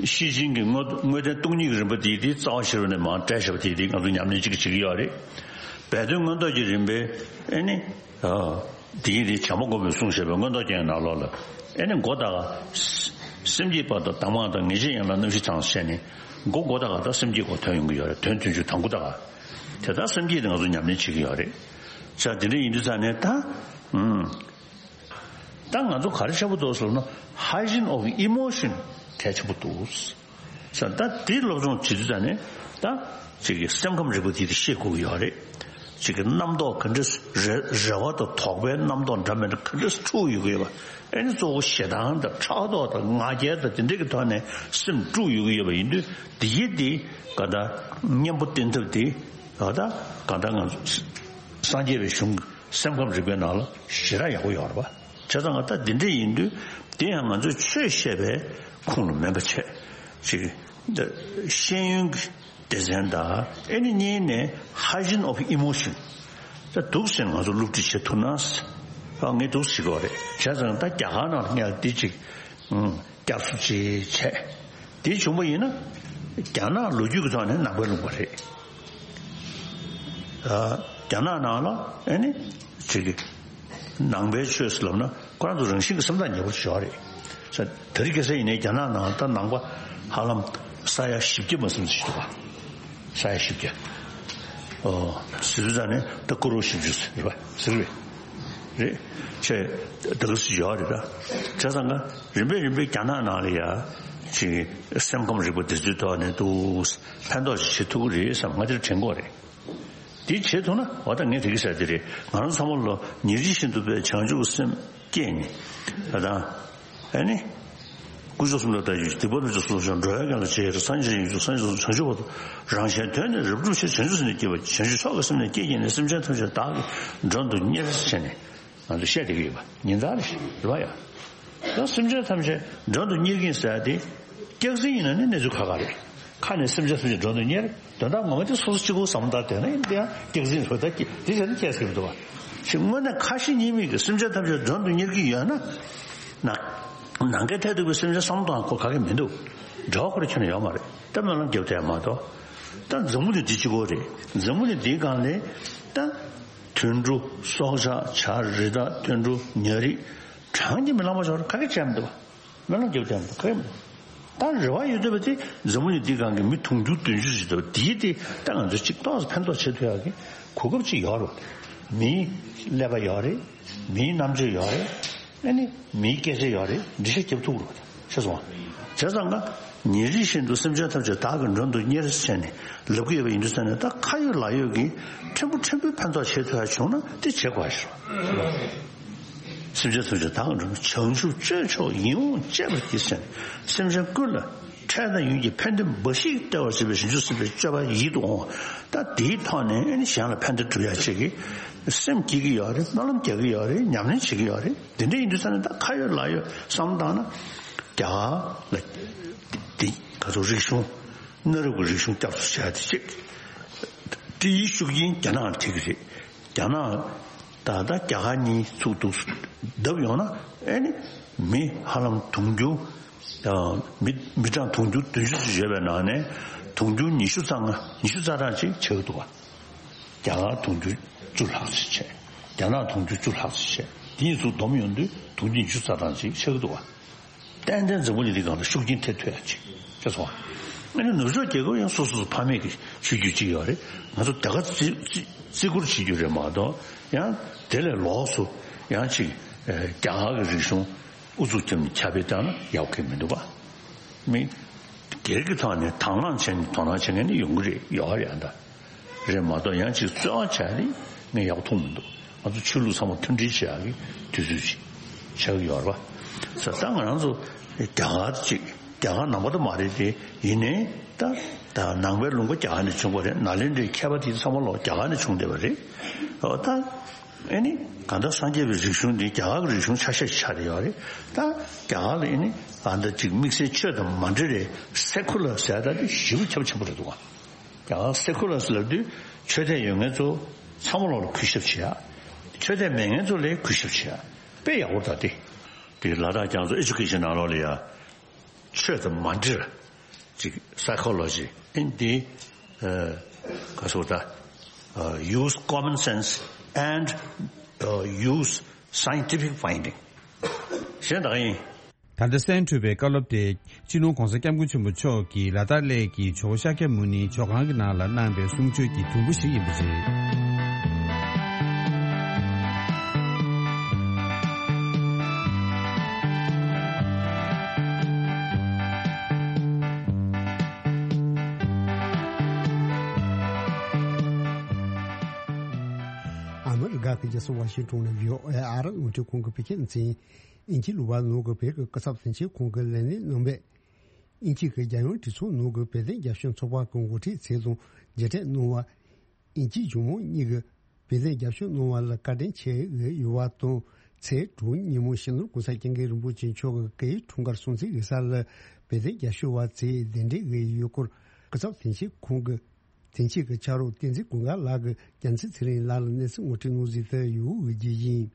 ཤེར་ཕྱིན་གྱི་དངོས་དངོས་བསྟན་སྟོང་ཉིད་ཀྱི་རིམ་པ་དེ་དེ་རྩ་བ་ཤེས་རབ་ནས་མར་བཀྲལ་བཞག་པ་དེ་དེ་ང་ཚོ་ཉམས་ལེན་གཅིག་བྱེད་ཀྱི་ཡོད་རེད། སྦས་དོན་མངོན་རྟོགས་ཀྱི་རིམ་པའི་ཨེ་ནི། ཨ། དེ་ཡིན་དེ་བྱམས་པ་མགོན་པོས་གསུངས་བཞག་པའི་མངོན་རྟོགས་རྒྱན་ནང་ལོགས་ལ། ཨེ་ནི་མགོ་ད་ག་སེམས་བསྐྱེད་པ་དང་གདམས་ངག་དང་ངེས་ཤེས་ཡན་ལག་རྣམ་བཞི་དང་ཟེར་ནས་མགོ་མགོ་ད་ག་ད་སེམས་བསྐྱེད་སྐོར་ཐོན་ཡོང་གི་ཡོད་རེད། དོན་བདུན་ཅུ་དང་པོ་ད་ག་དེ་ད་སེམས་བསྐྱེད་དེ་ང་ཚོ་ཉམས་ལེན་བྱེད་ཀྱི་ཡོད་རེད། ས་དེ་འདྲ་ཡིན་དུས་ཙ་ནས་ད། ཨུམ། ད་ང་ཚོ་ག་རེ་ཆེན་པོ་འདུག་ཟེར་ན། Hygiene of emotion གལ་ཆེན་པོ་འདུག་ས་ད་དེ་སློབ་སྦྱོང་བྱེད་དུས་ཙ་ནས་ད་ཅིག་གི་སེམས་ཁམས་རིག་པ་དེ་དེ་ཤེས་དགོས་ཀྱི་ཡོད་རེད། ཅིག་གི་རྣམ་རྟོག་ག་འདྲ་རེ་རེ་བ་དང་དོགས་པའི་རྣམ་རྟོག་འདྲ་མི་འདྲ་ག་འདྲ་འཁྲུག་ཡོད་ཀྱི་ཡོད་པ། ཨེ་ནི་གཙོ་བོ་ཞེ་སྡང་དང་ཕྲག་དོག་དང་ང་རྒྱལ་དང་དེ་འདྲ་གི་ཐོག་ནས་སེམས་དཀྲུག་ཡོད་ཀྱི་ཡོད་པ་ཡིན་དུས། དེ་ཡི་དེ་ག་ད་གཉེན་པོ་བསྟེན་ཐབས་དེ་ག་ད་ག་ད་ང་ཚོ་སངས་རྒྱས་པའི་གཞུང་སེམས་ཁམས་རིག་པའི་ནང་ལ་ཞེ་དྲག་ཡག་པོ་ཡོད་རེད་པ། བྱས་ཙང་ང་ད་འདི་འདྲ་ཡིན་དུས་དེ་ཡང་ང་ཚོས་ཆོས་བཤད་པའི་ཁུངས་ལ་མིན་པ་བྱས། ཅིག་ཤེས་ཡོན་གྱི་སྡེ་ཚན་དང་ཨེ་ནི་གཉིས་ནས་hygiene of emotion ད་འདུག་ཟེར་ང་ཚོ་སློབ་ཁྲིད་བྱེད་ཐུབ་ན། ཨ་ངས་འདུག་ཟེར་གྱི་ཡོད་རེད། བྱས་ཙང་ད་རྒྱ་གར་ནང་ལ་ངས་འདི་ཅིག་ཨུམ། བསྐྱར་གསོ་ཅིག་བྱས། དེ་བྱུང་པ་ཡིན་ན། རྒྱ་ནག་ལོ་རྒྱུས་ཀྱི་ཐོག་ནས་ནང་པའི་ལུང་པ་རེད། ཨ། རྒྱ་ནག་ནང་ལ་ཨེ་ནི། ཅིག་གི། ནང་པའི་ཆོས་སུ་ལབ་ན་ཁོ་རང་ཚོ་རང་བཞིན་གྱི་སེམས་ཐག་ཉེ་པོ་ཞིག་ཡོད་རེད། ས་དེ་རིང་ཁ་སང་ཡིན་ནའི་རྒྱ་ནག་ནང་ད་ནང་པ་ཧ་ལམ་ས་ཡ་བཞི་བརྒྱ་མ་ཟིན་ཞིག་འདུག་ག་ས་ཡ་བཞི་བརྒྱ། ཨོ། ཟེར་དུས་ཙ་ནས་ད་ཀོ་རོར་བཞི་བཅུ་ཟེར་བ་ཟེར་བས། རེད། ཆེ། ད་ག་སུ་ཡོད་རེད་ད། བྱས་ཙང་ང་རིམ་པས་རིམ་པས་རྒྱ་ནག་ནང་ལ་ཡ། ཅིག་སེམས་ཁམས་རིག་པ་འདི་ཚོའི་ཐོག་ནས་འདུག་ཕན་ཐོགས་ཤིག་བྱེད་ཐུབ་ཀྱི་རེད་བསམ་ང་དེར་དྲན་གྱི་ཡོད་རེད། དེ་བྱེད་ཐུབ་ན་འོ་ད་ངས་དེ་གི་ཟེར་དེ་རེད། ང་རང་ཚང་མ་ལོ་ཉེར་གཅིག་བཞིན་དུ་པའི་བྱང་ཆུབ་སེམས་བསྐྱེད་ནས་ད་ད། ཨ་ནི། དཀོན་མཆོག་གསུམ་ལ་བརྟག་དཔྱད་ཞུ། སྡིག་པ་ཐམས་ཅད་སོ་སོར་བྱང་། འགྲོ་བའི་དོན་ལ་ཆེས་ཆེར། སངས་རྒྱས་ཀྱི་ཡོན་མཆོག་སངས་རྒྱས་སོ་སོར། བྱང་ཆུབ་བར་དུ་རང་གཞན་དོན་ནི་རབ་བསྒྲུབ་ཕྱིར། བྱང་ཆུབ་སེམས་ནི་བསྐྱེད་པ་ཡིས། སེམས་ཅན་ཐམས་ཅད་བདག་གིས་མགྲོན་དུ་གཉེར་བྱས་ནས། ང་ཚོས་བཤད་བསྡད་ཀྱི་ཡོད་པ་ཉིན་ལྟར་རེད་ཤག་རེད་པ་ཡ། ད་སེམས་ཅན་ཐམས་ཅད་མགྲོན་དུ་གཉེར་གྱིན་ཟེར་ཡ་དེ། སྐྱག་རྫུན་ཡིན་ན་ནི་གནས་ཚུལ་ཁག་ཁག་རེད། ཁ་ནས་སེམས་ཅན་ཐམས་ཅད་མགྲོན་དུ་གཉེར། དོན་དག་ངོ་མ་དེ་སོ་སོ་གཅིག་པོ་བསམ་བློ་བཏང་བསྡད་ན་ཡིན་དེ་ཡང་སྐྱག་རྫུན་རེད། ད་དེ་བྱས་ན་སྐྱག་ཟེར་མི་འདུག་བ། ཞེས་དངོས་གནས་ཁ་ཞེ་གཉིས་མེད་ཀྱི་སེམས་ཅན་ཐམས་ཅད་མགྲོན་དུ་གཉེར་གྱི་ཡོད་ན། ནང་ནང་གི་ཐད་དུ་གི་སེམས་ཅན་བསམ་བློ་གཏོང་ཁོ་ག་གེ་མི་འདུག་འབྲེལ་བ་ཁོ་རང་ཁྱོན་ནས་ཡོད་མ་རེད། ད་སྨོན་ལམ་རྒྱབ་བསྡད་མ་གཏོགས། ད་འཛམ་བུ་གླིང་འདི་གཅིག་པོ་རེད། འཛམ་བུ་གླིང་འདིའི་སྒང་ལ་ད། དུད་འགྲོ། སྲོག་ཆགས། བྱ་རི་དྭགས། དུད་འགྲོ། ཉ་རིགས། གྲངས་ཀྱིས་མི་ལང་བ་ཞིག་ག་གེ་བྱས་མི་འདུག་བ། སྨོན་ལམ་རྒྱབ་བསྡད་མི་འདུག་ག་གེ་མི་འདུག་ད་རེ་བ་ཡོད་བསྡད་པ་དེ་འཛམ་བུ་གླིང་འདིའི་སྒང་གི་མི་དུང་ཕྱུར་བདུན་ཅུ་ཞིག་འདུག་དེའི་དེ་ད་ང་ཚོ་གཅིག་ཏོག་ཙམ་ཕན་ཐོགས་བྱེད་ཐུབ་ཡག་གི་གོ་སྐབས་ཅིག་ཡོད་རེད། མིའི་ཀླད་པ་ཡོད་རེད། མིའི་རྣམ་དཔྱོད་ཡོད་རེད། ཨ་ནི་མིའི་སྐད་ཆ་ཡོད་རེད། འགྲེལ་བཤད་རྒྱབ་ཐུབ་རེད། ཤེས་སོང་ང་། བྱས་ཙང་ང་ཉིན་རེ་བཞིན་དུ་སེམས་ཅན་ཐམས་ཅད་བདག་གི་མགྲོན་དུ་གཉེར་ཟེར་ནས་ལབ་ཀྱི་ཡོད་པ་ཡིན་དུས་ཙང་ནས། ད་ཁ་ཡོད་ལག་ཡོད་ཀྱིས་ཕྲན་བུ་ཕྲན་བུའི་ཕན་ཐོགས་བྱེད་ཐུབ་ཡག་བྱུང་ན་དེ་བྱེད་དགོས་ཤག་སེམས་ཅན་ཐམས་ཅད་བདག་གི་མགྲོན། བྱང་ཆུབ་སྤྱོད་མཆོག་ཡིད་འོང་སྤྱད་པར་བགྱི་ཟེར་ནས། སེམས་ཅན་ཀུན་ལ་འཕྲལ་དང་ཡུན་གྱི་ཕན་བདེ་འབའ་ཞིག་སྟེར་བར་བྱེད་པའི་བྱང་ཆུབ་སེམས་དཔའི་སྤྱོད་པ་ཡིད་དུ་འོང་བ། ད་དེའི་ཐོག་ནས་ཨ་ནི་གཞན་ལ་ཕན་བདེ་སྒྲུབ་ཡག་ཅིག་གི་སེམས་བསྐྱེད་ཀྱི་ཡོད་རེད། སྨོན་ལམ་རྒྱག་གི་ཡོད་རེད། ཉམས་ལེན་བྱེད་ཀྱི་ཡོད་རེད། དེ་འདྲ་ཡིན་དུས་ཙང་ནས་ད་ཁ་ཡོད་ལག་ཡོད་བསམ་བློ་བཏང་ན། རྒྱ་གར་ལ་དེ་ག་ཚོད་རིག་གཞུང་། གནའ་རབས་ཀྱི་རིག་གཞུང་བསྐྱར་གསོ་བྱས་ཏེ་ཅིག་སྤྲེའུའི་ཤུགས་རྐྱེན་རྒྱ་ནག་ལ་ཐེབས་ཀྱི་རེད། རྒྱ་ནག་ད་ལྟ་རྒྱ་གར་གཉིས་ཚུགས་འདུག་བརྡབ་ཡོང་ན། ཨེ་ནི་མི་ཧ་ལམ་དུང་ཕྱུར། ཨ། མི་མི་གྲངས་དུང་ཕྱུར་བདུན་ཅུ་ཙམ་ཡོད་པའི་ནང་ནས་དུང་ཕྱུར་ཉི་ཤུ་རྩ་ལྔ། ཉི་ཤུ་རྩ་གྲངས་ཅིག་ཆགས་ཀྱི་འདུག་བ། རྒྱ་གར་དུང་ཕྱུར་བཅུ་ལྷག་ཙམ་བྱས། རྒྱ་ནག་དུང་ཕྱུར་བཅུ་ལྷག་ཙམ་བྱས། དེ་གཉིས་ཚུར་བསྡོམས་ཡོང་དུས་དུང་ཕྱུར་ཉི་ཤུ་རྩ་གྲངས་ཅིག་ཆགས་ཀྱི་འདུག་བ། ཏན་ཏན་འཛམ་བུ་གླིང་འདི་སྒང་ལ་ཤུགས་རྐྱེན་ཐེབས་ཐུབ་ཡག་ཅིག་ཤེས་སོང་ང་། ཨ་ནི་ནུབ་ཕྱོགས་རྒྱལ་ཁབ་ཡང་སོ་སོ་སོ་ཕ་མེས་ཀྱི་ཤོད་རྒྱུ་ཅིག་ཡོད་རེད། ང་ཚོ་དེ་ག་བརྩི་བརྩི་བརྩི་བཀུར་བྱེད་རྒྱུ་རེད་མ་གཏོགས། ཡང་དེ་ལས་ལོགས་སུ་ཡང་ཅིག་ཨེ། རྒྱ་གར་གྱི་རིག་གཞུང་ཨུ་ཚུགས་བརྒྱབ་ནས་ཁྱབ་སྤེལ་བཏང་ན་ཡག་གི་མི་འདུག་བ། མི་སྒེར་གྱི་ཐོག་ནས་དང་བླངས་བྱས་ནས་དོ་སྣང་བྱེད་མཁན་ནི་ཡོང་གི་རེད། ཡོད་རེད། ཨ་ད། རེད་མ་གཏོགས་ཡང་ཅིག་རྩོད་པ་བྱས་ནས་ངས་ཡག་མཐོང་མི་འདུག་ང་ཚོ་ཆོས་ལུགས་ཚང་མ་མཐུན་སྒྲིལ་བྱེད་ཡག་གི་དུས་ཚོད་ཅིག་ཆགས་ཀྱི་ཡོད་རེད་པ། ས་ད་ང་རང་ཚོ་རྒྱ་གར་ཅིག་རྒྱ་གར་ནང་པ་ད་མ་རེད་དེ། ཡིན་ནའི་ད་ད་ནང་པའི་ལུང་པ་རྒྱ་གར་ནས་བྱུང་བ་རེད། ནཱ་ལེནྡྲའི་མཁས་པ་དེ་ཚང་མ་ལོག་རྒྱ་གར་ནས་བྱུང་བསྡད་པ་རེད། འོ་ད་ཨེ་ནི་གང་ལྟར་སངས་རྒྱས་པའི་རིག་གཞུང་འདི་རྒྱ་གར་གྱི་རིག་གཞུང་ཆ་ཤས་ཆགས་བསྡད་ཡོད་རེད། ད་རྒྱ་གར་ལ་ཨེ་ནི་ཨ་ད་ཅིག་དམིགས་བསལ་ཆོས་དང་མ་འབྲེལ་བའི་སེ་ཁུ་ལར་ཟེར་ཡ་ད་དེ་ཞེ་པོ་ཁྱབ་ཆེན་པོ་རེད་འདུག་ག་ཡང་སེ་ཁུ་ལར་ཟེར་ལབ་དུས་ཆོས་དད་ཡོད་མཁན་ཚོ་ཚང་མ་ལོག་ལ་གུས་ཞབས་བྱེད་ཡ། ཆོས་དད་མེད་མཁན་ཚོ་ལ་གུས་ཞབས་བྱེད་ཡ། དཔེ་ཡག་པོ་རེད་ད་དེ། དེ་ལ་དྭགས་རྒྱ་མཚོ་ཨེ་ཌུ་ཀེ་ཤན་ནང་ལོགས་ལ་ཡ། ཆོས་དང་མ་འབྲེལ་ཅིག་psychology in the ཨ། ག་ཟེར་ད། ཨ། use common sense and ཨ། use scientific finding གཞན་དག་ཡིན། ད་ལྟ་གསན་གྲུབ་པའི་བཀའ་སློབ་དེ། སྤྱི་ནོར་༧གོང་ས་༧སྐྱབས་མགོན་ཆེན་པོ་མཆོག་གིས་ལ་དྭགས་གླེ་གི་ཇོ་བོ་ཤཱཀྱ་མུ་ནེའི་ཇོ་ཁང་གི་ནང་ལ་གནང་བའི་གསུང་ཆོས་ཀྱི་དུམ་བུ་ཞིག་ཡིན་པ་རེད། ཨ་མི་རི་ཀ་གི་རྒྱལ་ས་ཝ་ཤིང་ཊོན་ནས་བྷི་ཨོ་ཨེ་ཨ་རི་རླུང་འཕྲིན་ཁང་གི་བོད་སྐད་སྡེ་ཚན། དབྱིན་ཇི་གླུ་པ་ནང་གི་བོད་ཀྱི་སྐུ་ཚབ་དོན་གཅོད་ཁང་གི་ལས་སྣེ་རྣམ་པས། དབྱིན་ཇི་གི་རྒྱལ་ཡོངས་གྲོས་ཚོགས་ནང་གི་བོད་དོན་རྒྱབ་སྐྱོར་ཚོགས་པ་གི་འགོ་ཁྲིད་ཚོ་དང་མཇལ་འཕྲད་གནང་བ། དབྱིན་ཇི་གཞུང་མང་གཉིས་ཀྱིས་བོད་དོན་རྒྱབ་སྐྱོར་གནང་བ་ལ་བཀའ་དྲིན་ཆེ་ཞུ་ཡོད་པ་དང་། ཚེས་དྲུག་ཉིན་མོ་སྤྱི་ནོར་༧གོང་ས་༧སྐྱབས་མགོན་རིན་པོ་ཆེ་མཆོག་གིས་སྐུའི་འཁྲུངས་སྐར་སྲུང་བརྩི་ཞུ་ས་ལ་བོད་དོན་རྒྱབ་སྐྱོར་བ་ཚོས་གདན་འདྲེན་ཞུས་ཡོད་སྐོར། སྐུ་ཚབ་དོན་གཅོད་ཁང་གི་དོན་གཅོད་ཀྱི་ཕྱག་རོགས་བསྟན་འཛིན་ཀུན་དགའ་ལགས་ཀྱིས་རྒྱལ་མཚན་ཚེ་རིང་ལགས་ལ་གནས་ཚུལ་ངོ་སྤྲོད་གནང་ཟིན་དུ་ཡོད་ཞུ་རྒྱུ་ཡིན།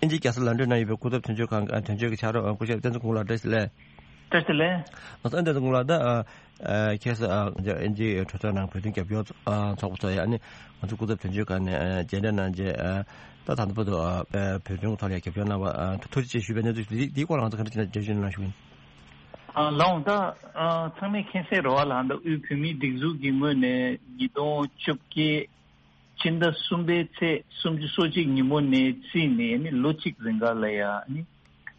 དབྱིན་ཇིའི་རྒྱལ་ས་ལོན་ཌོན་ན་ཡོད་པའི་སྐུ་ཚབ་དོན་གཅོད་ཁང་གི་དོན་གཅོད་ཀྱི་ཕྱག་རོགས་སྐུ་ཞབས་བསྟན་འཛིན་ཀུན་དགའ་ལགས། བཀྲ་ཤིས་བདེ་ལེགས། བཀྲ་ཤིས་བདེ་ལེགས། ང་ཚོ་བསྟན་འཛིན་ཀུན་དགའ་ལགས། ད་ཨ་ཁྱེད་ཚོ་ཨ་དབྱིན་ཇིའི་གྲོས་ཚོགས་ནང་བོད་དོན་རྒྱབ་སྐྱོར་ཨ་ཚོགས་པ་ཚོ་ཡ་ནི་ང་ཚོ་སྐུ་ཚབ་དོན་གཅོད་ཁང་ནས་ཨ་མཇལ་འཕྲད་གནང་རྗེས་ཨ་ད་ད་ལྟ་བར་དུ་ཨ་བོད་དོན་གྱི་ཐོག་ལ་རྒྱབ་སྐྱོར་གནང་བ་ཨ་ཐུགས་རྗེ་ཆེ་ཞུ་བའི་གནས་ཚུལ་འདི་འདིའི་སྐོར་ལ་ང་ཚོ་ག་འདྲ་ཅིག་འགྲེལ་བརྗོད་གནང་ཞུ་གི་ཡིན། ཨ་ལགས་འོང་། ད་ཨ་ཚང་མས་མཁྱེན་གསལ་རེད་པ་ལགས། ད་དབུས་བོད་མིའི་སྒྲིག་འཛུགས་ཀྱི་ངོས་ནས་ཉིས་སྟོང་བཅོ་བརྒྱད་ཕྱི་ཟླ་གསུམ་པའི་ཚེས་སུམ་ཅུ་སོ་གཅིག་ཉིན་མོ་ནས་བརྩིས་ནས་ནི་ལོ་གཅིག་རིང་ག་ལ་ཡ་ནི་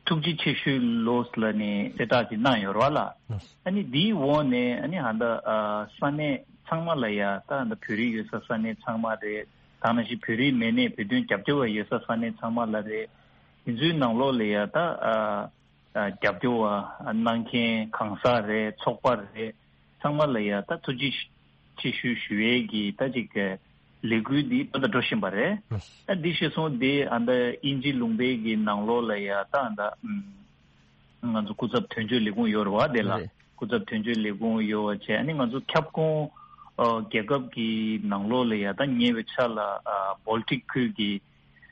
ཐུགས་རྗེ་ཆེ་ཞུའི་ལོ་ལ་ནི་གསལ་བསྒྲགས་ཅིག་གནང་ཡོད་རེད་པ་ལགས། ཨ་ནི་འདིའི་འོག་ནས་ཨ་ནི་ཧ་ད་ཨ་ས་གནས་ཚང་མ་ལ་ཡ་ད་ད་བོད་རིགས་ཡོད་ས་ས་གནས་ཚང་མ་རེད། ད་ནང་བཞིན་བོད་རིགས་མི་སྣ་བོད་དོན་རྒྱབ་སྐྱོར་བ་ཡོད་ས་ས་གནས་ཚང་མ་ལ་རེད། དེ་ཚོའི་ནང་ལོགས་ལ་ཡ་ད་ཨ། རྒྱབ་སྐྱོར་བ་གནང་མཁན་གང་ཟག་རེད། ཚོགས་པ་རེད། ཚང་མ་ལ་ཡ་ད་ཐུགས་རྗེ་ཆེ་ཞུ་ཞུ་ཡས་ཀྱི་ད་ཅིག་གི་ ལས་འགུལ་འདི་ད་ལྟ་འགྲོ་བཞིན་པ་རེད། ཨ་འདི་ཤེས་སོང་དེ་ཨ་ད་དབྱིན་ཇི་ལུང་པའི་གི་ནང་ལོགས་ལ་ཡ་ད་ཨ་ད་ང་ཚོ་སྐུ་ཚབ་དོན་གཅོད་ལས་ཁུངས་ཡོད་རེད་བ། དེ་ལ་རེད། སྐུ་ཚབ་དོན་གཅོད་ལས་ཁུངས་ཡོད་བ་བྱས། ཨ་ནི་ང་ཚོ་ཁྱབ་ཁོངས་ཨ་རྒྱལ་ཁབ་ཀྱི་ནང་ལོགས་ལ་ཡ་ད་ཉེ་བའི་ཆར་ལ་ཨ་Baltic་ཁུལ་གྱི་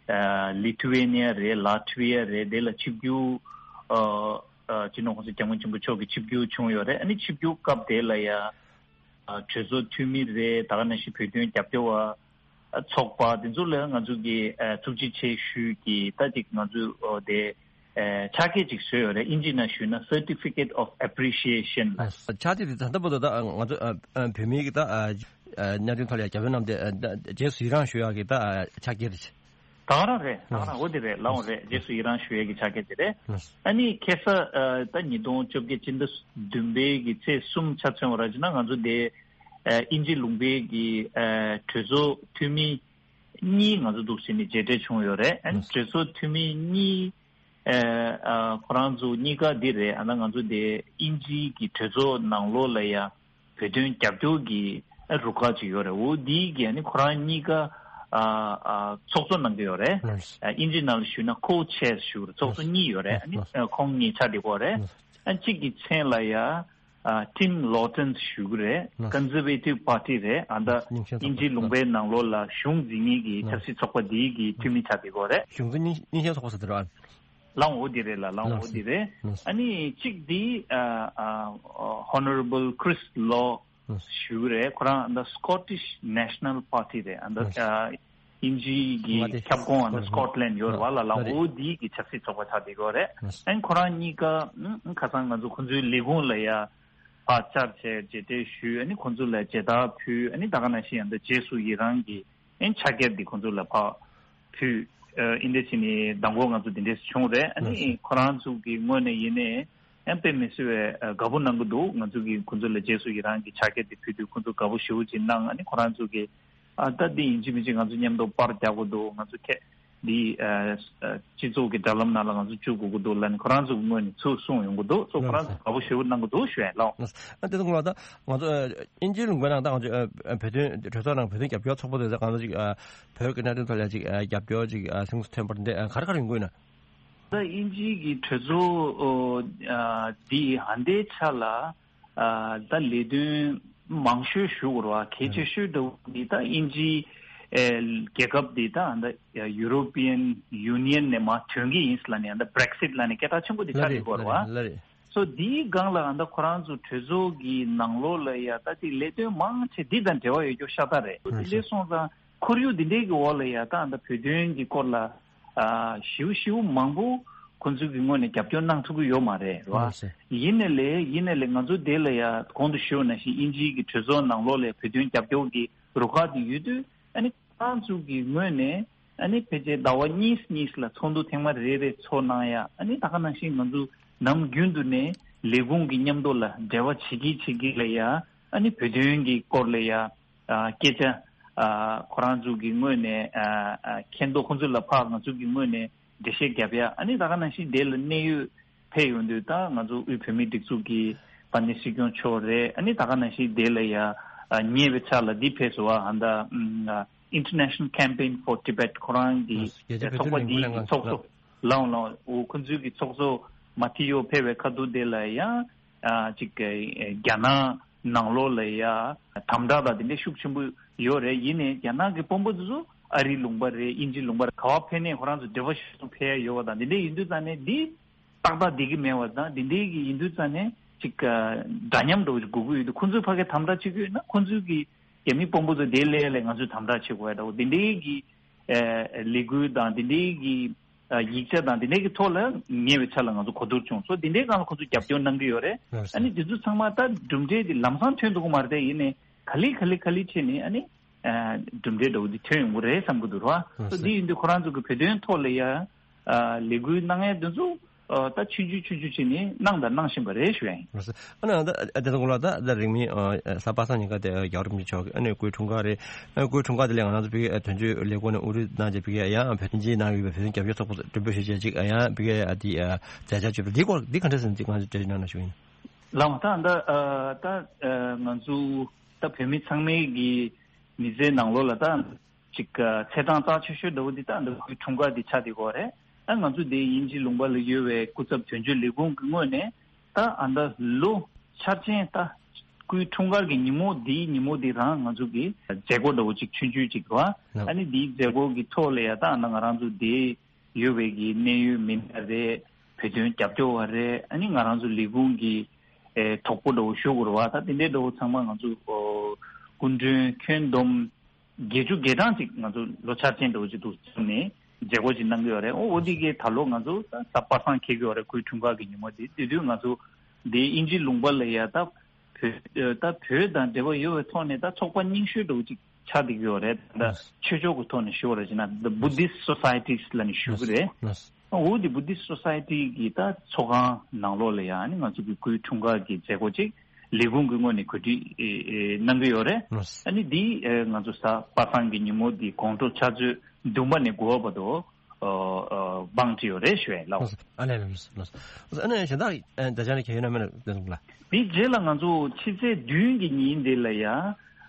ཨ་Lithuania་རེད། Latvia་རེད། དེ་ལ་ཆིབས་བསྒྱུར་ཨ་ཨ་སྤྱི་ནོར་༸གོང་ས་༸སྐྱབས་མགོན་ཆེན་པོ་མཆོག་གི་ཆིབས་བསྒྱུར་བྱུང་ཡོད་རེད། ཨ་ནི་ཆིབས་བསྒྱུར་སྐབས་དེ་ལ་ཡ་ཨ་གྲོས་ཚོགས་འཐུས་མི་རེད། ད་ག་ནང་བཞིན་བོད་དོན་རྒྱབ་སྐྱོར་བ་ཚོགས་པ་དེ་ཚོ་ལ་ང་ཚོ་གི་ཨ་ཐུགས་རྗེ་ཆེ་ཞུས་ཀྱི་ད་ཅིག་ང་ཚོ་ཨོ་དེ་ཨ་ཕྱག་འཁྱེར་ཅིག་བཟོས་ཡོད་རེད། ཨིན་ཇི་ནང་ཞུས་ན་Certificate of Appreciation་ལ། ཕྱག་འཁྱེར་དེ་ད་ལྟ་བར་དུ་ད་ང་ཚོ་ཨ་ཨ་བོད་མིའི་གི་ད་ཨ་ཨ་གནད་དོན་ཐོག་ལ་རྒྱབ་སྐྱོར་གནང་སྟེ་ཨ་ད་རྗེས་སུ་ཡི་རང་ཞུ་ཡག་གི་ད་ཨ་ཕྱག་འཁྱེར་རེད། ད་ག་རང་རེད། ད་ག་རང་འོ་དེ་རེད། ལའང་རེད། རྗེས་སུ་ཡི་རང་ཞུ་ཡག་གི་ཕྱག་འཁྱེར་དེ་རེད། ཨ་ནི་ཁ་སང་ཨ་ད་ཉིས་སྟོང་བཅོ་བརྒྱད་ཕྱི་ཟླ་བདུན་པའི་གི་ཚེས་གསུམ་ཆ་མཚོན་པ་ར་བྱས་ན་ང་ཚོ་དེ་ཨ་དབྱིན་ཇི་ལུང་པའི་གི་ཨ་གྲོས་ཚོགས་འཐུས་མི་གཉིས་ང་ཚོ་འདུག་སེ་ནས་མཇལ་འཕྲད་བྱུང་ཡོད་རེད། ཨ་ནི་གྲོས་ཚོགས་འཐུས་མི་གཉིས་ཨ་ཨ་ཁོ་རང་ཚོ་གཉིས་ཀ་འདི་རེད། ཨ་ན་ང་ཚོ་དེ་དབྱིན་ཇིའི་གི་གྲོས་ཚོགས་ནང་ལོགས་ལ་ཡ་བོད་དོན་རྒྱབ་སྐྱོར་གྱི་ཨ་རུ་ཁག་ཅིག་ཡོད་རེད། འོ་འདིའི་གི་ཨ་ནི་ཁོ་རང་གཉིས་ཀ་ཨ་ཨ་ཚོགས་གཙོ་གནང་གི་ཡོད་རེད། ཨ་དབྱིན་ཇི་ནང་ལ་ཞུས་ན་co-chairs་ཞུ་རེད། ཚོགས་གཙོ་གཉིས་ཡོད་རེད། ཨ་ནི་ཨ་ཁོང་གཉིས་ཆ་འདི་གོ་རེད། ཨ་གཅིག་གི་མཚན་ལ་ཡ་ཨ་Tim Loughton་ཞུ་གི་རེད། Conservative Party་རེད། ཨ་ད་དབྱིན་ཇི་ལུང་པའི་ནང་ལོགས་ལ་གཞུང་འཛིན་མཁན་གྱི་ཆབ་སྲིད་ཚོགས་པ་འདིའི་གི་འཐུས་མི་ཆགས་བསྡད་ཡོད་རེད། གཞུང་འཛིན་སྙན་སྙན་ཤལ་ཚོགས་པ་ཟེར་དེ་རེད། ལའང་འོ་དེ་རེད་ལ། ལའང་འོ་དེ་རེད། ཨ་ནི་གཅིག་འདི་ཨ་ཨ་Honourable Chris Law་ཞུ་གི་རེད། ཁོ་རང་ཨ་ད་Scottish National Party་རེད། ཨ་ད་ཨ་དབྱིན་ཇིའི་གི་ཁྱབ་ཁོངས་ཨ་ད་Scotland་ཡོད་རེད་བ་ལ། ལའང་འོ་དེའི་གི་ཆབ་སྲིད་ཚོགས་པ་ཆགས་བསྡད་ཡོད་རེད། ཨ་ནི་ཁོ་རང་གཉིས་ཀ་ཨ་ཁ་སང་ང་ཚོ་ཁོང་ཚོའི་ལས་ཁུངས་ལ་ཡ་ཕར་བཅར་བྱས་མཇལ་འཕྲད་ཞུས། ཨ་ནི་ཁོང་ཚོ་ལ་མཇལ་དར་ཕུལ། ཨ་ནི་ད་ག་ནང་བཞིན་ཡང་ད་རྗེས་སུ་ཡི་རང་གི་ཨ་ནི་ཕྱག་འཁྱེར་འདི་ཁོང་ཚོ་ལ་ཕར་ཕུལ། ཨ་ཨིན་དེ་ཕྱིན་ནི་མདང་དགོང་ང་ཚོ་འདི་འདྲས་བྱུང་རེད། ཨ་ནི་ཁོ་རང་ཚོ་གི་ངོས་ནས་ཡིན་ནའི་ཨ་དཔེ་མི་སྲིད་པའི་ཨ་དགའ་པོ་གནང་གི་འདུག་ང་ཚོ་གི་ཁོང་ཚོ་ལ་རྗེས་སུ་ཡི་རང་གི་ཕྱག་འཁྱེར་འདི་ཕུལ་དུས་ཁོང་ཚོ་དགའ་པོ་ཞེ་པོ་ཅིག་གནང་། ཨ་ནི་ཁོ་རང་ཚོ་གི་ཨ་ད་འདི་ཡིན་གཅིག་མིན་གཅིག་ང་ཚོ་མཉམ་དུ་པར་རྒྱག་དགོས་འདུག་ང་ཚོ་ཁྱེད་འདི་ཨ་ཨ་སྤྱི་ཚོགས་ཀྱི་དྲ་ལམ་ནང་ལ་ང་ཚོ་བཅུག་དགོས་ཀྱི་འདུག་ལབ་ནས་ཁོ་རང་ཚོ་གི་ངོས་ནས་ཚུར་གསུངས་ཡོང་གི་འདུག་སོ་ཁོ་རང་ཚོ་དགའ་པོ་ཞེ་པོ་གནང་གི་འདུག་ཞུ་ཡ་ལགས། ཨ་དེ་ཚོ་ང་ད་ང་ཚོ་ཨ་དབྱིན་ཇིའི་ལུང་པའི་ནང་ད་ང་ཚོ་ཨ་ཨ་བོད་དོན་གྲོས་ཚོགས་ནང་བོད་དོན་རྒྱབ་སྐྱོར་ཚོགས་པ་དེ་ཚོ་ང་ཚོ་ཅིག་ཨ་བོད་ཀྱི་གནད་དོན་ཐོག་ལ་ཅིག་ཨ་རྒྱབ་སྐྱོར་ཅིག་ཨ་གཟེངས་སུ་ཐོན་པར་འདི་ཨ་ག་རེ་ག་རེ་ཡོང་གི་ཡོད་ན། ད་དབྱིན་ཇིའི་གི་གྲོས་ཚོགས་ཨོ་ཨ་འདི་ཧ་འདའི་ཆ་ལ་ཨ་ད་ལས་དོན་མང་ཤོས་ཞུ་དགོས་རེད་བ། གལ་ཆེ་ཤོས་འདྲ་བོ་འདི་ད་དབྱིན་ཇི་ཨེ་རྒྱལ་ཁབ་འདི་ད་ད་European Union་ནས་མར་ཐོན་གི་ཡིན་ལབ་ནས་ད་Brexit་ལབ་ནས་སྐད་གྲགས་ཆེན་པོ་འདི་ཆགས་ཡོད་དགོས་རེད་བ། ལ་རེད། སོ་འདིའི་སྒང་ལ་ཨ་ད་ཁོ་རང་ཚོ་གྲོས་ཚོགས་ཀྱི་ནང་ལོགས་ལ་ཡ་ད་ཅིག་ལས་དོན་མང་ཆེ་འདི་དང་འབྲེལ་བ་ཡོད་རྒྱུ་ཤ་སྟག་རེད། ཨ་འདི་ལས་སོང་ཙང་ཁོར་ཡུག་འདི་འདྲའི་གི་འོག་ལ་ཡ་ད་ཨ་ད་བོད་དོན་གྱི་སྐོར་ལ་ཨ་ཞེ་པོ་ཞེ་པོ་མང་པོ་ཁོ་ཚོའི་གི་ངོས་ནས་རྒྱབ་སྐྱོར་གནང་ཐུབ་ཀྱི་ཡོད་མ་རེད་རེད་བ། ཡིན་ནའི་ལས་ཡིན་ནའི་ལས་ང་ཚོ་འདི་ལ་ཡ་གོང་དུ་ཞུས་པ་ནང་བཞིན་དབྱིན་ཇིའི་གི་གྲོས་ཚོགས་ནང་ལོགས་ལ་བོད་དོན་རྒྱབ་སྐྱོར་གྱི་རུ་ཁག་དེ་ཡོད་དུས་ཨ་ནི། ཁོ་རང་ཚོ་གི་ངོས་ནས་ཨ་ནི་ཕལ་ཆེར་ཟླ་བ་གཉིས་གཉིས་ལ་ཚོགས་འདུ་ཐེངས་མ་རེ་རེ་ཚོགས་གནང་ཡ། ཨ་ནི་ད་ག་ནང་བཞིན་ང་ཚོ་ནམ་རྒྱུན་དུ་ནས་ལས་ཁུངས་ཀྱི་མཉམ་དུ་ལ་འབྲེལ་བ་བྱེད་ཀྱི་བྱེད་ཀྱི་ལ་ཡ། ཨ་ནི་བོད་དོན་གྱི་སྐོར་ལ་ཡ་ཨ་སྐད་ཆ་ཨ་ཁོ་རང་ཚོ་གི་ངོས་ནས་ཨ་ཨ་མཁྱེན་རྟོགས་ཁོང་ཚོ་ལ་ཕར་ང་ཚོ་གི་ངོས་ནས་འགྲེལ་བཤད་རྒྱབ་ཡ། ཨ་ནི་ད་ག་ནང་བཞིན་དེ་ལ་གནད་ཡོད་ཕེབས་ཡོང་དུས་ད་ང་ཚོ་དབུས་བོད་མིའི་སྒྲིག་འཛུགས་ཀྱི་དཔལ་ལྡན་སྲིད་སྐྱོང་མཆོག་རེད། ཨ་ནི་ད་ག་ནང་བཞིན་དེ་ལ་ཡ་ཨ་ཉེ་བའི་ཆར་ལ་འདི་ཕེབས་སོང་བ། ཨ་ད་ཨ་International Campaign for Tibet་ཁོ་རང་གི་རྒྱལ་སྤྱིའི་ཚོགས་པ་བོད་དོན་འདིའི་ལས་འགུལ་ཚོགས་གཙོ་ལའང་ལའང་འོ་ཁོ་ཚོའི་གི་ཚོགས་གཙོ་མ་ཐི་ཡོ་ཕེབས་པའི་ཁ་ཐུག་དེ་ལ་ཡ་ཨ་ཅིག་རྒྱ་ནག་ནང་ལོགས་ལ་ཡ་དམ་དྲག་དང་དེ་འདྲ་ཤུགས་ཆེན་པོ་ཡོད་རེད། ཡིན་ནའི་རྒྱ་ནག་གི་དཔོན་པོ་དེ་ཚོ་ཨ་རིའི་ལུང་པ་རེད། དབྱིན་ཇིའི་ལུང་པ་རེད། ག་བ་ཕེབས་ནའི་ཁོ་རང་ཚོ་འབྲེལ་བ་ཞིག་ཏུ་ཕེབས་ཡ་ཡོད་པ་དང་དེ་འདྲ་ཡིན་དུས་ཙང་ནས་འདི། ཏག་ཏག་བསྡད་ཀྱི་མེད་པ་དང་དེ་འདྲའི་གི་ཡིན་དུས་ཙང་ནས་ཅིག་འདྲ་མཉམ་འདྲ་བོ་ཞིག་དགོས་ཀྱི་ཡོད་དུས་ཁོང་ཚོའི་ཕ་གིར་དམ་དྲག་བྱེད་ཀྱི་ཡོད་ན་ཁོང་ཚོའི་གི་རྒྱ་མི་དཔོན་པོ་ཚོ་དེ་སླེབས་ལ་ང་ཚོས་དམ་དྲག་བྱེད་དགོས་ཡ་འདྲ་བོ་དེ་འདྲའི་གི་ལས་འགུལ་དང་དེ་འདྲའི་གི་ཡིག་ཆ་དང་དེ་འདྲའི་གི་ཐོག་ལ་ཉེ་བའི་ཆར་ལ་ང་ཚོ་གོ་བསྡུར་བྱུང་སོ། དེ་འདྲའི་སྒང་ལ་ཁོང་ཚོ་རྒྱབ་སྐྱོར་གནང་གི་ཡོད་རེད། ཨ་ནི་དེ་ཚོ་ཚང་མ་ད་གྲུབ་འབྲས་དེ་ལམ་སང་ཐོན་འདུག་གི་མ་རེད་དེ། ཡིན་ནའི་ག་ལེ་ག་ལེ་ག་ལེ་བྱས་ནས་ཨ་ནི། གྲུབ་འབྲས་འདྲ་བོ་འདི་ཐོན་ཡོང་གི་རེད་བསམ་གྱི་འདུག་ར། འདི་ཡིན་དུས་ཁོ་རང་ཚོ་གི་བོད་དོན་ཐོག་ལ་ཡ་ལས་འགུལ་གནང་ཡ་འདི་ཚོ་ད་ཆུང་ཆུང་ཆུང་ཆུང་བྱས་ནས་གནང་དང་གནང་བཞིན་པ་རེད་ཞུ་ཡ་ཡིན། ཨ་ནི་ད་དེ་ཚོ་གོང་ལ་ད་ད་རིང་མིན་གཟའ་པ་སངས་ཉིན་ཀ་དེ་རྒྱལ་བ་རིན་པོ་ཆེ་མཆོག་གི་ཨ་ནི་སྐུའི་འཁྲུངས་སྐར་རེད། སྐུའི་འཁྲུངས་སྐར་དེ་ལ་ང་རང་ཚོ་བི་གའི་དོན་གཅོད་ལས་ཁུངས་ནས་དབུ་ཁྲིད་གནང་རྗེས་བི་གའི་ཡང་བོད་དོན་སྤྱིའི་ནང་ཡོད་པའི་བོད་དོན་རྒྱབ་སྐྱོར་ཚོགས་པ་མགྲོན་འབོད་ཞུས་རྗེས་ཅིག་ཡང་བི་གའི་ཨ་དེ་མཛད་འཆར་བརྗོད་པ་འདི་སྐོར་འདི་ག་འདྲ་ཟེར་ན་ཅིག་ང་ཚོ་འགྲེལ་བརྗོད་གནང་ན་ཞུ་ཡིན། ལགས་ད་ད་ད་ང་ཚོ་ད་བོད་མི་ཚང་མའི་གི་མི་ཚེའི་ནང་ལོགས་ལ་ད་ཅིག་ཚེས་གྲངས་རྩ་ཆེ་ཤོས་འདྲ་བོ་འདི་ད་འདི་སྐུའི་འཁྲུངས་སྐར་འདི་ཆགས་བསྡད་ཀྱི་ཡོད་རེད། ད་ང་ཚོ་འདི་དབྱིན་ཇི་ལུང་པ་ལ་ཡོད་པའི་སྐུ་ཚབ་དོན་གཅོད་ལས་ཁུངས་ཀྱི་ངོས་ནས་ད་ཨ་ད་ལོ་འཆར་ཅན་ད་སྐུའི་འཁྲུངས་སྐར་གྱི་ཉིན་མོ་འདིའི་ཉིན་མོ་འདི་རང་ང་ཚོ་གི་མཛད་སྒོ་འདྲ་བོ་ཅིག་ཆུང་ཆུང་ཅིག་རེད་བ། ཨ་ནི་འདིའི་མཛད་སྒོ་གི་ཐོག་ལ་ཡ་ད་ཨ་ད་ང་རང་ཚོ་འདི་ཡོད་པའི་གི་གནད་ཡོད་མི་སྣ་རེད། བོད་དོན་རྒྱབ་སྐྱོར་བ་རེད། ཨ་ནི་ང་རང་ཚོ་ལས་ཁུངས་ཀྱི་ཨེ་གྲོགས་པོ་འདྲ་བོ་ཞུ་དགོས་རེད་བ། ད་དེ་འདྲའི་འདྲ་བོ་ཚང་མ་ང་ཚོ་ཨོ་སྐུ་མགྲོན་ཁྱོན་བསྡོམས་བརྒྱད་ཅུ་གྲངས་ཅིག་ང་ཚོ་ལོ་འཆར་ཅན་འདྲ་བོ་ཅིག་འདུག་བཙུགས་ནས་མཛད་སྒོ་ཅིག་གནང་གི་ཡོད་རེད། ཨོ་འོ་དེ་གའི་ད་ལོ་ང་ཚོ་ད་གཟའ་པ་སངས་འཁེལ་གི་ཡོད་རེད། སྐུའི་འཁྲུངས་སྐར་གྱི་ཉིན་མོ་དེ་དེ་དུས་ང་ཚོ་འདི་དབྱིན་ཇི་ལུང་པ་ལ་ཡ་ད་བོད་ད་བོད་དང་འབྲེལ་བ་ཡོད་པའི་ཐོག་ནས་ད་ཚོགས་པ་རྙིང་ཤོས་འདྲ་བོ་ཅིག་ཆགས་བསྡད་ཀྱི་ཡོད་རེད། ད་ཆོས་ཕྱོགས་ཀྱི་ཐོག་ནས་ཞུ་བ་རེད་ཅེ་ན་The Buddhist Societies ལབ་ནས་ཞུ་གི་རེད། འོ་དེ་Buddhist Society གི་ད་ཚོགས་ཁང་ནང་ལོགས་ལ་ཡང་ཨ་ནི་ང་ཚོ་གི་སྐུའི་འཁྲུངས་སྐར་གྱི་མཛད་སྒོ་ཅིག་ལས་ཁུངས་ཀྱི་ངོས་ནས་གོ་སྒྲིག་གནང་གི་ཡོད་རེད། ཨ་ནི་འདི་ང་ཚོ་གཟའ་པ་སངས་ཀྱི་ཉིན་མོ་འདི་དགོང་དྲོ་ཕྱག་ཚོད་བདུན་པ་ནས་དགུ་པ་བར་དུ་བང་བསྒྲིགས་ཡོད་རེད་ཞུ་ཡ་ལགས། ཨ་ལས་ལགས་ལགས། ཨ་ནི་གཞན་དག་ད་ཆ་ནས་ཁྱེད་ཡོད་ན་མེད་ན་ལགས། འདི་རྗེས་ལ་ང་ཚོ་ཕྱི་ཚེས་བདུན་གྱི་ཉིན་འདི་ལ་ཡ་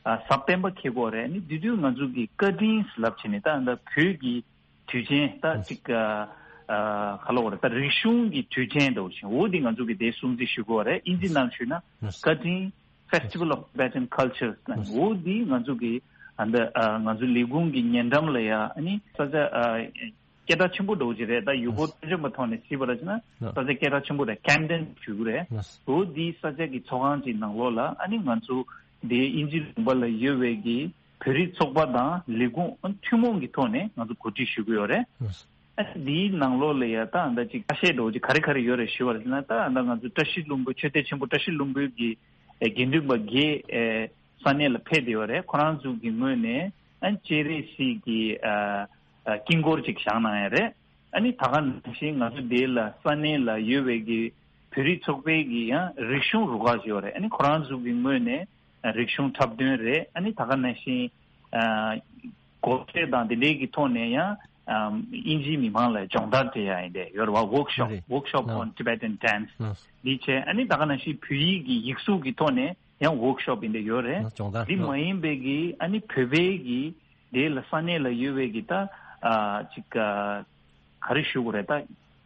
གཟའ་སྤེན་པ་འཁེལ་གྱི་ཡོད་རེད། ཨ་ནི་འདི་དུས་ང་ཚོ་གི་བཀའ་དྲིན་ལབ་བྱས་ནས་ད་ད་བོད་ཀྱི་དུས་ཆེན་ད་ཅིག་ཨ་ཨ་ག་ལབ་དགོས་རེད། ད་རིག་གཞུང་གི་དུས་ཆེན་འདྲ་བོ་ཞིག་འོ་འདི་ང་ཚོ་གི་དེ་སྲུང་བརྩི་ཞུ་གི་ཡོད་རེད། དབྱིན་ཇི་ནང་ཞུས་ན་བཀའ་དྲིན་Festival of Tibetan Cultures ལབ་འོ་འདི་ང་ཚོ་གི་ཨ་འདི་ཨ་ང་ཚོ་ལས་ཁུངས་ཀྱི་ཉེ་འགྲམ་ལ་ཡ་ཨ་ནི་ས་ཆ་ཨ་སྐད་གྲགས་ཆེན་པོ་འདྲ་བོ་ཅིག་རེད། ད་ཡུལ་སྐོར་སྤྲོ་འཆམ་པ་ཐོག་ནས་བརྩིས་པ་རེད་ཅེ་ན་ས་ཆ་སྐད་གྲགས་ཆེན་པོ་རེད། Camden ཞུ་གི་རེད། འོ་འདི་ས་ཆ་གི་ཚོགས་ཁང་ཅིག་ནང་ལོགས་ལ་ཨ་ནི་ང་ཚོ་འདི་དབྱིན་ཇི་ལུང་པ་ལ་ཡོད་པའི་གི་བོད་རིགས་ཚོགས་པ་དང་ལས་ཁུངས་ཐུན་མོང་གི་ཐོག་ནས་ང་ཚོ་གོ་སྒྲིག་ཞུ་གི་ཡོད་རེད། ཨ་འདིའི་ནང་ལོགས་ལ་ཡ་ད་ཨ་ད་ཅིག་ཁ་ཤས་འདྲ་བོ་ཅིག་ག་རེ་ག་རེ་ཡོད་རེད་ཞུ་བ་རེད་ན། ད་ཨ་ད་ང་ཚོ་བཀྲ་ཤིས་ལྷུན་པོ་ཆོས་སྡེ་ཆེན་པོ་བཀྲ་ཤིས་ལྷུན་པོའི་གི་ཨེ་དགེ་འདུན་པ་བརྒྱད་ཨེ་ས་གནས་ལ་ཕེབས་བསྡད་ཡོད་རེད། ཁོ་རང་ཚོ་གི་ངོས་ནས་ཨ་སྤྱན་རས་གཟིགས་ཀྱི་ཨ་ཨ་དཀྱིལ་འཁོར་ཅིག་བཞེངས་གནང་ཡ་རེད། ཨ་ནི་ད་ག་ནང་བཞིན་ང་ཚོ་འདི་ལ་ས་གནས་ལ་ཡོད་པའི་གི་བོད་རིགས་ཚོགས་པའི་གི་ཡང་རིག་གཞུང་རུ་ཁག་ཅིག་ཡོད་རེད། ཨ་ནི་ཁོ་རང་ཚོ་གི་ངོས་ནས་རིག་གཞུང་འཁྲབ་སྟོན་རེད། ཨ་ནི་ད་ག་ནང་བཞིན་ཨ་སྒོར་གཞས་དང་དེ་འདྲའི་གི་ཐོག་ནས་ཡང་ཨ་དབྱིན་ཇིའི་མི་མང་ལ་སྦྱོང་བརྡར་སྤྲད་ཡ་ཡིན་དེ་ཡོད་རེད་བ། Workshop རེད། Workshop on Tibetan Dance འདི་བྱས། ཨ་ནི་ད་ག་ནང་བཞིན་བོད་ཡིག་གི་ཡིག་གཟུགས་ཀྱི་ཐོག་ནས་ཡང་Workshop ཡིན་དེ་ཡོད་རེད། སྦྱོང་བརྡར་འདི་མ་ཡིན་པའི་གི་ཨ་ནི་བོད་པའི་གི་དེ་ལ་ས་གནས་ལ་ཡོད་པའི་གི་ད་ཨ་ཅིག་ཨ་ག་རེ་ཞུ་དགོས་རེད། ད་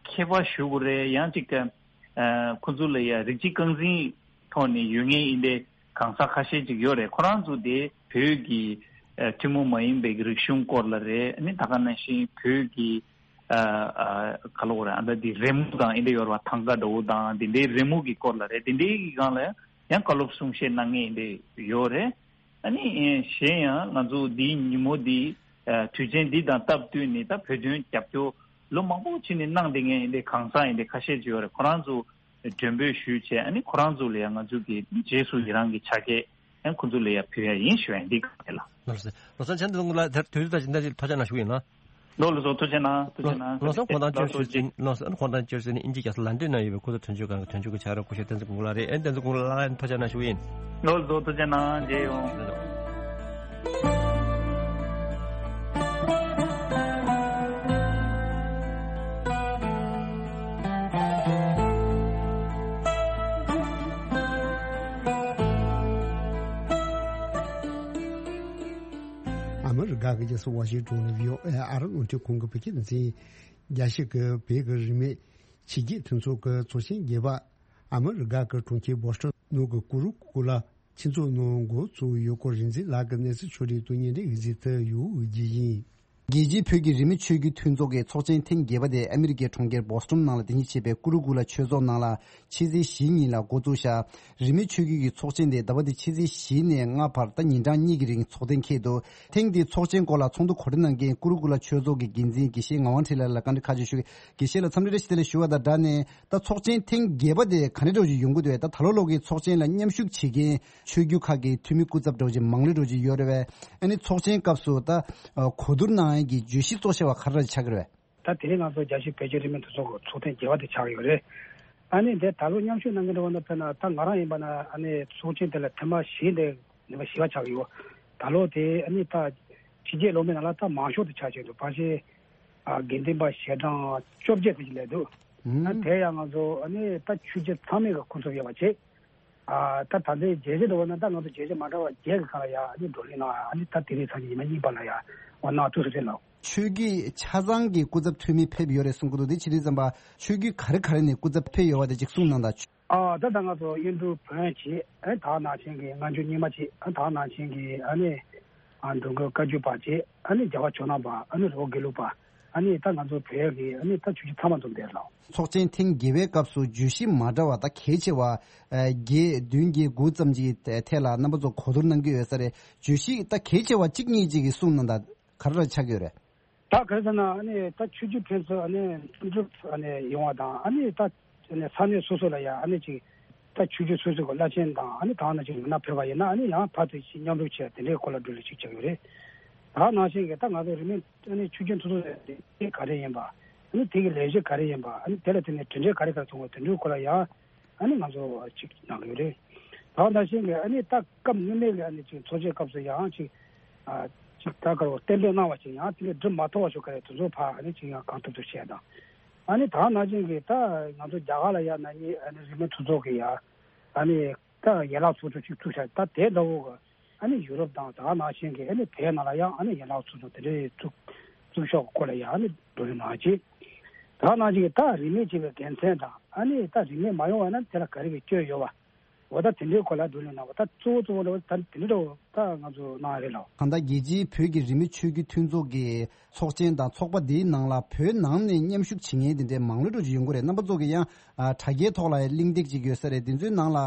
མཁས་པ་ཞུ་དགོས་རེད། ཡང་ཅིག་ཨ་ཁོ་ཚོ་ལ་ཡ་རིགས་གཅིག་རྐང་འཛིན་ཐོག་ནས་ཡོད་མཁན་ཡིན་པའི་གང་ཟག་ཁ་ཤས་ཅིག་ཡོད་རེད། ཁོ་རང་ཚོ་དེ་བོད་ཀྱི་ཨ་ཐུན་མོང་མ་ཡིན་པའི་རིག་གཞུང་སྐོར་ལ་རེད། ཨ་ནི་ད་ག་ནང་བཞིན་བོད་ཀྱི་ཨ་ཨ་ག་ལབ་དགོས་རེད། ཨ་ད་དེ་རི་མོ་དང་ཨེ་འདྲ་ཡོད་རེད་བ། ཐང་ག་འདྲ་བོ་དང་དེ་འདྲའི་རི་མོ་གི་སྐོར་ལ་རེད། དེ་འདྲའི་གི་སྒང་ལ་ཡང་བཀའ་སློབ་གསུང་བཤད་གནང་མཁན་ཨེ་འདྲ་ཡོད་རེད། ཨ་ནི་གཞན་ཡང་ང་ཚོ་འདིའི་ཉིན་མོ་འདི་ཨ་དུས་ཆེན་འདི་དང་སྟབས་བསྟུན་ནས་ད་བོད་དོན་རྒྱབ་སྐྱོར་ལོ་མང་པོ་ཕྱིན་ནས་གནང་བསྡད་མཁན་ཡིན་པའི་གང་ཟག་ཡིན་པའི་ཁ་ཤས་ཅིག་ཡོད་རེད། ཁོ་རང་ཚོ་མགྲོན་འབོད་ཞུས་བྱས། ཨ་ནི་ཁོ་རང་ཚོ་ལ་ཡང་ང་ཚོ་གི་རྗེས་སུ་ཡི་རང་གི་ཕྱག་འཁྱེར་ཡང་ཁོ་ཚོ་ལ་ཡང་ཕུལ་ཡ་ཡིན་ཞུ་ཡ་ཡིན། འདི་ག་རེད་ལ། ལགས་སོ། ལགས་སོ། ཆ་འདི་ཚོ་ལ་དེར་དུས་ཚོད་དང་ཇི་འདྲ་ཞིག་ཐུགས་རྗེ་གནང་ཞུ་ཡིན་ལ། ལོ་ལ་བཟོ་ཐུགས་རྗེ་གནང་། ཐུགས་རྗེ་གནང་། ལགས་སོ། ཁོང་དང་བཅར་ཟིན། ལགས་སོ། ཁོང་དང་བཅར་ཟིན་ཨིན་ཇི་རྒྱལ་ས་ལན་ཌན་ན་ཡོད་པའི་ཁོ་ཚོ་དོན་གཅོད་ཁང་གི་དོན་གཅོད་ཀྱི་ཕྱག་རོགས་སྐུ་ཞབས་བསྟན་འཛིན་དགུང་ལགས་རེད། ཨེ་བསྟན་འཛིན་དགུང་ལགས་ལགས་ཐུགས་རྗེ་གནང་ཞུ་ཡིན། ལོ་ལ་བཟོ་ཐུགས་རྗེ་གནང་། མཇལ་ཡོང་། ལགས་སོ། ཨ་མི་རི་ཀ་གི་རྒྱལ་ས་ཝ་ཤིང་ཊོན་ནས་བྷི་ཨོ་ཨེ་ཨ་རི་རླུང་འཕྲིན་ཁང་གི་བོད་སྐད་སྡེ་ཚན་རྒྱལ་སྤྱི་གི་བོད་ཀྱི་རིས་མེད་ཕྱི་རྒྱལ་མཐུན་ཚོགས་ཀྱི་ཚོགས་ཆེན་བརྒྱད་པ་ཨ་མི་རི་ཀ་གི་གྲོང་ཁྱེར་བོ་སི་ཊོན་ནང་གི་ཀུ་རུ་ཀུ་ལ་ཆོས་ཚོགས་ནང་འགོ་བཙུགས་ཡོད་སྐོར་རིག་འཛིན་ལགས་ཀྱིས་གནས་ཚུལ་ཕྱོགས་སྒྲིག་ཏུ་སྙན་སྒྲོན་ཡིག་ཚིག་ཏུ་ཡོད་རྒྱུ་ཡིན། རྒྱལ་སྤྱིའི་བོད་ཀྱི་རིས་མེད་ཆོས་བརྒྱུད་མཐུན་ཚོགས་ཀྱི་ཚོགས་ཆེན་ཐེངས་བརྒྱད་པ་དེ་ཨ་མི་རི་ཀའི་གྲོང་ཁྱེར་བོ་སི་ཊོན་ནང་ལ་རྟེན་གཞི་བྱས་པའི་ཀུ་རུ་ཀུ་ལ་ཆོས་ཚོགས་ནང་ལ་ཕྱི་ཚེས་བཞི་ཉིན་ལ་འགོ་བཙུགས་ཤག་རིས་མེད་ཆོས་བརྒྱུད་ཀྱི་ཚོགས་ཆེན་དེ་ཟླ་བ་འདིའི་ཕྱི་ཚེས་བཞི་ནས་ལྔ་བར་ད་ཉིན་གྲངས་གཉིས་ཀྱི་རིང་ཚོགས་ཐེངས་འཁེལ་འདུག་ཐེངས་འདིའི་ཚོགས་ཆེན་སྐོར་ལ་ཚོགས་འདུ་གོ་སྒྲིག་གནང་མཁན་ཀུ་རུ་ཀུ་ལ་ཆོས་ཚོགས་ཀྱི་འགན་འཛིན་དགེ་བཤེས་ངག་དབང་འཕྲིན་ལས་ལགས་ལ་བཀའ་འདྲི་ཁ་ཤས་ཞུ་གི། དགེ་བཤེས་ལགས་འཚམས་འདྲི་བཀྲ་ཤིས་བདེ་ལེགས་ཞུ་བ་དང་སྦྲགས་ནས། ད་ཚོགས་ཆེན་ཐེངས་བརྒྱད་པ་དེ་ག་འདྲ་འདྲ་བོ་ཅིག་ཡོང་གི་འདུག་ད་ད་ལོ་ལོ་གི་ཚོགས་ཆེན་ལ་མཉམ་ཞུགས་བྱེད་མཁན་ཆོས་བརྒྱུད་ཁག་གི་འཐུས་མི་སྐུ་ཚབ་འདྲ་བོ་ཅིག་མང་ལོས་འདྲ་བོ་ཅིག་ཡོད་རེད་པས། ཨ་ནི་ཚོགས་ཆེན་སྐབས་སུ་ད་གོ་བསྡུར་གནང་ཡས་ཀྱི་བརྗོད་གཞི་གཙོ་ཆེ་བ་ག་རེ་ཆགས་ཀྱི་རེད་པས། ད་དེ་རིང་ང་ཚོ་རྒྱལ་སྤྱིའི་བོད་ཀྱི་རིས་མེད་མཐུན་ཚོགས་ཀྱི་ཚོགས་ཐེངས་བརྒྱད་པ་དེ་ཆགས་ཀྱི་ཡོད་རེད། ཨ་ནི་འདི་ད་ལོ་མཉམ་ཞུགས་གནང་མཁན་འདྲ་བོ་ན་དཔེར་ན་ད་ང་རང་ཡིན་པ་ན་ཨ་ནི་ཚོགས་ཆེན་དེ་ལ་ཐེངས་མ་བཞི་འདི་ནུས་པ་བཞི་པ་ཆགས་ཀྱི་ཡོད། ད་ལོ་དེ་ཨ་ནི་ད་ཕྱི་རྒྱལ་ལོག་མི་ནང་ལ་ད་མང་ཤོས་དེ་ཆགས་ཀྱི་འདུག་ཕལ་ཆེར་ཨ་དགེ་འདུན་པ་ཞལ་གྲངས་བཅོ་བརྒྱད་དེ་ཅིག་སླེབས་འདུག་ཨ་དེ་ཡང་ང་ཚོ་ཨ་ནི་ད་ཆོས་བརྒྱུད་ཚང་མའི་གི་ཁོང་ཚོ་ཡོད་པ་བྱས། ཨ་ད་ད་ལྟའི་རྒྱལ་སྤྱི་འདྲ་བོ་ན་ད་ང་ཚོ་རྒྱལ་སྤྱི་མ་འདྲ་བ་བརྒྱད་ཀྱི་སྒང་ལ་ཡ་ཨ་ནི་བགྲོ་གླེང་གནང་ཡ། ཨ་ནི་ད་དེ་རིང་སང་ཉིན་ཉི་མ་གཉིས་པ་ལ་ཡ་འོ་གནང་ཐུབ་ས་རེད་ལགས། ཆོས་བརྒྱུད་ཆ་ཚང་གི་སྐུ་ཚབ་འཐུས་མི་ཕེབས་ཡོད་རེད་གསུང་གི་འདུག་དེ་ཕྱི་དྲིལ་ཙམ་པ་ཆོས་བརྒྱུད་ག་རེ་ག་རེ་ནས་སྐུ་ཚབ་ཕེབས་ཡོད་པ་དེ་ཅིག་གསུང་གནང་དང་། ཨ་ད་ད་ང་ཚོ་དབྱིན་འབྲུག་བོན་གཅིག་ཨ་ད་ནང་བཞིན་གྱི་སྔ་འགྱུར་རྙིང་མ་གཅིག་ཨ་ད་ནང་བཞིན་གྱི་ཨ་ནི་ཨ་འགྲོ་མགོན་བཀའ་བརྒྱུད་པ་གཅིག་ཨ་ནི་རྒྱལ་བ་ཇོ་ནང་པ་ཨ་ནི་རི་བོ་དགེ་ལུགས་པ་ཨ་ནི་ད་ང་ཚོ་བོད་ཀྱི་ཨ་ནི་ད་ཆོས་བརྒྱུད་ཚང་མ་འཛོམས་བསྡད་ལགས། ཚོགས་ཆེན་ཐེངས་བརྒྱད་པའི་སྐབས་སུ་བརྗོད་གཞི་མ་འདྲ་བ་ད་གལ་ཆེ་བ་ཨ་བརྒྱད་བདུན་བརྒྱད་དགུ་ཙམ་གྱི་ཐད་ལ་རྣམ་པ་ཚོ་གོ་བསྡུར་གནང་གི་ཡོད་ས་རེད། བརྗོད་གཞི་ད་གལ་ཆེ་བ་གཅིག་གཉིས་ཅིག་གི་གསུང་གནང་དང་། ག་རེ་ཆགས་ཀྱི་ཡོད་རེད། ད་ག་རེ་ཟེར་ན་ཨ་ནི་ད་ཆོས་བརྒྱུད་ཕན་ཚུན་ཨ་ནི་མཐུན་སྒྲིལ་ཨ་ནི་ཡོང་བ་དང་ཨ་ནི་ད་ཨ་ནི་ས་གནས་སོ་སོ་ལ་ཡང་ཨ་ནི་ཅིག་ད་ཆོས་བརྒྱུད་སོ་སོ་གི་བླ་ཆེན་དང་ཨ་ནི་ད་ནང་བཞིན་མི་སྣ་ཕེབས་པ་ཡིན་ན་ཨ་ནི་ཡང་ཕར་ཚུར་ཅིག་མཉམ་རུབ་བྱས་དེ་འདྲའི་སྐོར་ལ་འགྲོ་ལས་ཅིག་བྱ་གི་རེད། ད་ནང་བཞིན་གྱི་ད་ང་ཚོ་རིས་མེད་ཨ་ནི་ཆོས་བརྒྱུད་སོ་སོ་ལ་དེ་ག་རེ་ཡིན་པ་ཨ་ནི་དེ་གི་ལས་གཞི་ག་རེ་ཡིན་པ་ཨ་ནི་དེ་ལ་བརྟེན་ནས་གྲུབ་འབྲས་ག་རེ་ག་རེ་ཐོན་པ་དེ་འདྲའི་སྐོར་ལ་ཡང་ཨ་ནི་ང་ཚོ་ཅིག་གནང་གི་ཡོད་རེད། ད་ནང་བཞིན་གྱི་ཨ་ནི་ད་སྐབས་སྔོན་མའི་གི་ཨ་ནི་ཅིག་ཚོགས་ཆེན་སྐབས་སུ་ཡང་ཅིག་ཨ་ཅིག་ད་ག་རེ་གཏན་འབེབས་གནང་བ་ཅིག་ཡང་དེ་ལས་འགྲུབ་མ་ཐུབ་པ་ཞིག་ག་རེ་དེ་ཚོ་ཕར་ཨ་ནི་ཅིག་ཡང་གང་ཐུབ་ཐུབ་བྱས་དང་། ཨ་ནི་ད་ནང་བཞིན་གྱི་ད་ང་ཚོ་རྒྱ་གར་ལ་ཡང་ན་ནི་ཨ་ནི་རིས་མེད་མཐུན་ཚོགས་ཀྱི་ཡང་ཨ་ནི་ད་ཡན་ལག་ཚོགས་ཆུང་ཅིག་བཙུགས་བྱས། ད་དེ་འདྲ་བོ་གི་ཨ་ནི་ཡུ་རོབ་དང་ད་ནང་བཞིན་གྱི་ཨ་ནི་བོད་ནང་ལ་ཡང་ཨ་ནི་ཡན་ལག་ཚོགས་ཆུང་དེ་འདྲའི་བཙུགས་བཙུགས་ཕྱོགས་ཀྱི་སྐོར་ལ་ཡང་ཨ་ནི་བགྲོ་གླེང་གནང་བྱས། ད་ནང་བཞིན་གྱི་ད་རིས་མེད་ཅིག་གི་དགེ་མཚན་དང་ཨ་ནི་ད་རིས་མེད་མ་ཡོང་བ་ན་དེ་ལ་ག་རེ་གི་སྐྱོན་ཡོད་པ། འོ་ད་དེ་འདྲའི་སྐོར་ལ་བགྲོ་གླེང་གནང་བ་ད་གཙོ་བོ་གཙོ་བོ་འདྲ་བོ་ད་དེ་འདྲའི་འདྲ་བོ་ད་ང་ཚོ་གནང་ཡ་རེད་ལགས། གང་ལྟར་རྒྱལ་སྤྱིའི་བོད་ཀྱི་རིས་མེད་ཆོས་བརྒྱུད་མཐུན་ཚོགས་ཀྱི་ཚོགས་ཆེན་དང་ཚོགས་པ་འདིའི་ནང་ལ་བོད་ནང་ནས་མཉམ་ཞུགས་བྱེད་མཁན་དེ་འདྲའི་མང་ལོས་འགྲོ་ཅིག་ཡོང་གི་རེད། རྣམ་པ་ཚོ་གི་ཡང་དྲ་རྒྱའི་ཐོག་ལ་ཡང་གླེང་སྟེགས་ཅིག་ཡོད་ས་རེད། དེ་ཚོའི་ནང་ལ་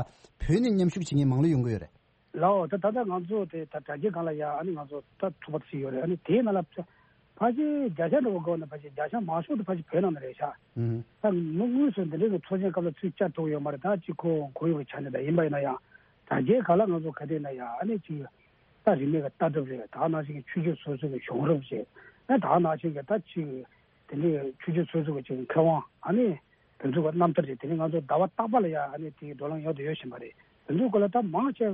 བོད་ནས་མཉམ་ཞུགས་བྱེད་མཁན་མང་ལོས་ཡོང་གི་ཡོད་རེད། ལའོ་ད་ད་ལྟ་ང་ཚོ་དེ་ད་དྲ་རྒྱའི་སྒང་ལ་ཡང་ཨ་ནི་ང་ཚོ་ད་ཐུག་པ་ཞིག་ཡོད་རེད། ཨ་ནི་དེའི་ནང་ལ་ཕལ་ཆེར་བརྒྱ་ཆ་འདྲ་བོ་དགོས་ན་ཕལ་ཆེར་བརྒྱ་ཆ་མང་ཤོས་དེ་ཕལ་ཆེར་བོད་ནང་ནས་རེད་ཤག་ཨུ་ཧུ། ད་མི་དངོས་སུ་འདི་འདྲའི་གི་ཚོགས་ཆེན་སྐབས་ལ་ཚུར་བཅར་ཐུབ་ཡོད་མ་རེད། ད་ཅིག་ཁོ་ཁོར་ཡུག་གི་ཆ་ནས་ད་ཡིན་པ་ཡིན་ན་ཡང་དྲ་རྒྱའི་སྒང་ལ་ང་ཚོ་ག་དུས་ན་ཡང་ཨ་ནི་ཅིག་ད་རིས་མེད་ཀྱི་ལྟ་གྲུབ་རེད། ད་ནང་བཞིན་གྱི་ཆོས་བརྒྱུད་སོ་སོ་གི་བྱུང་རབས་རེད། ཨ་ད་ནང་བཞིན་གྱི་ད་ཅིག་དེ་འདྲའི་ཆོས་བརྒྱུད་སོ་སོ་གི་ཅིག་མཁས་དབང་ཨ་ནི་དེ་ཚོ་གི་རྣམ་ཐར་རེད། དེ་ནི་ང་ཚོ་ཟླ་བ་རྟག་པ་ལ་ཡང་ཨ་ནི་དེའི་བགྲོ་གླེང་ཡོང་དུ་ཡོད་བཞིན་པ་རེད། དེ་ཚོའི་སྐོར་ལ་ད་མང་ཆེ་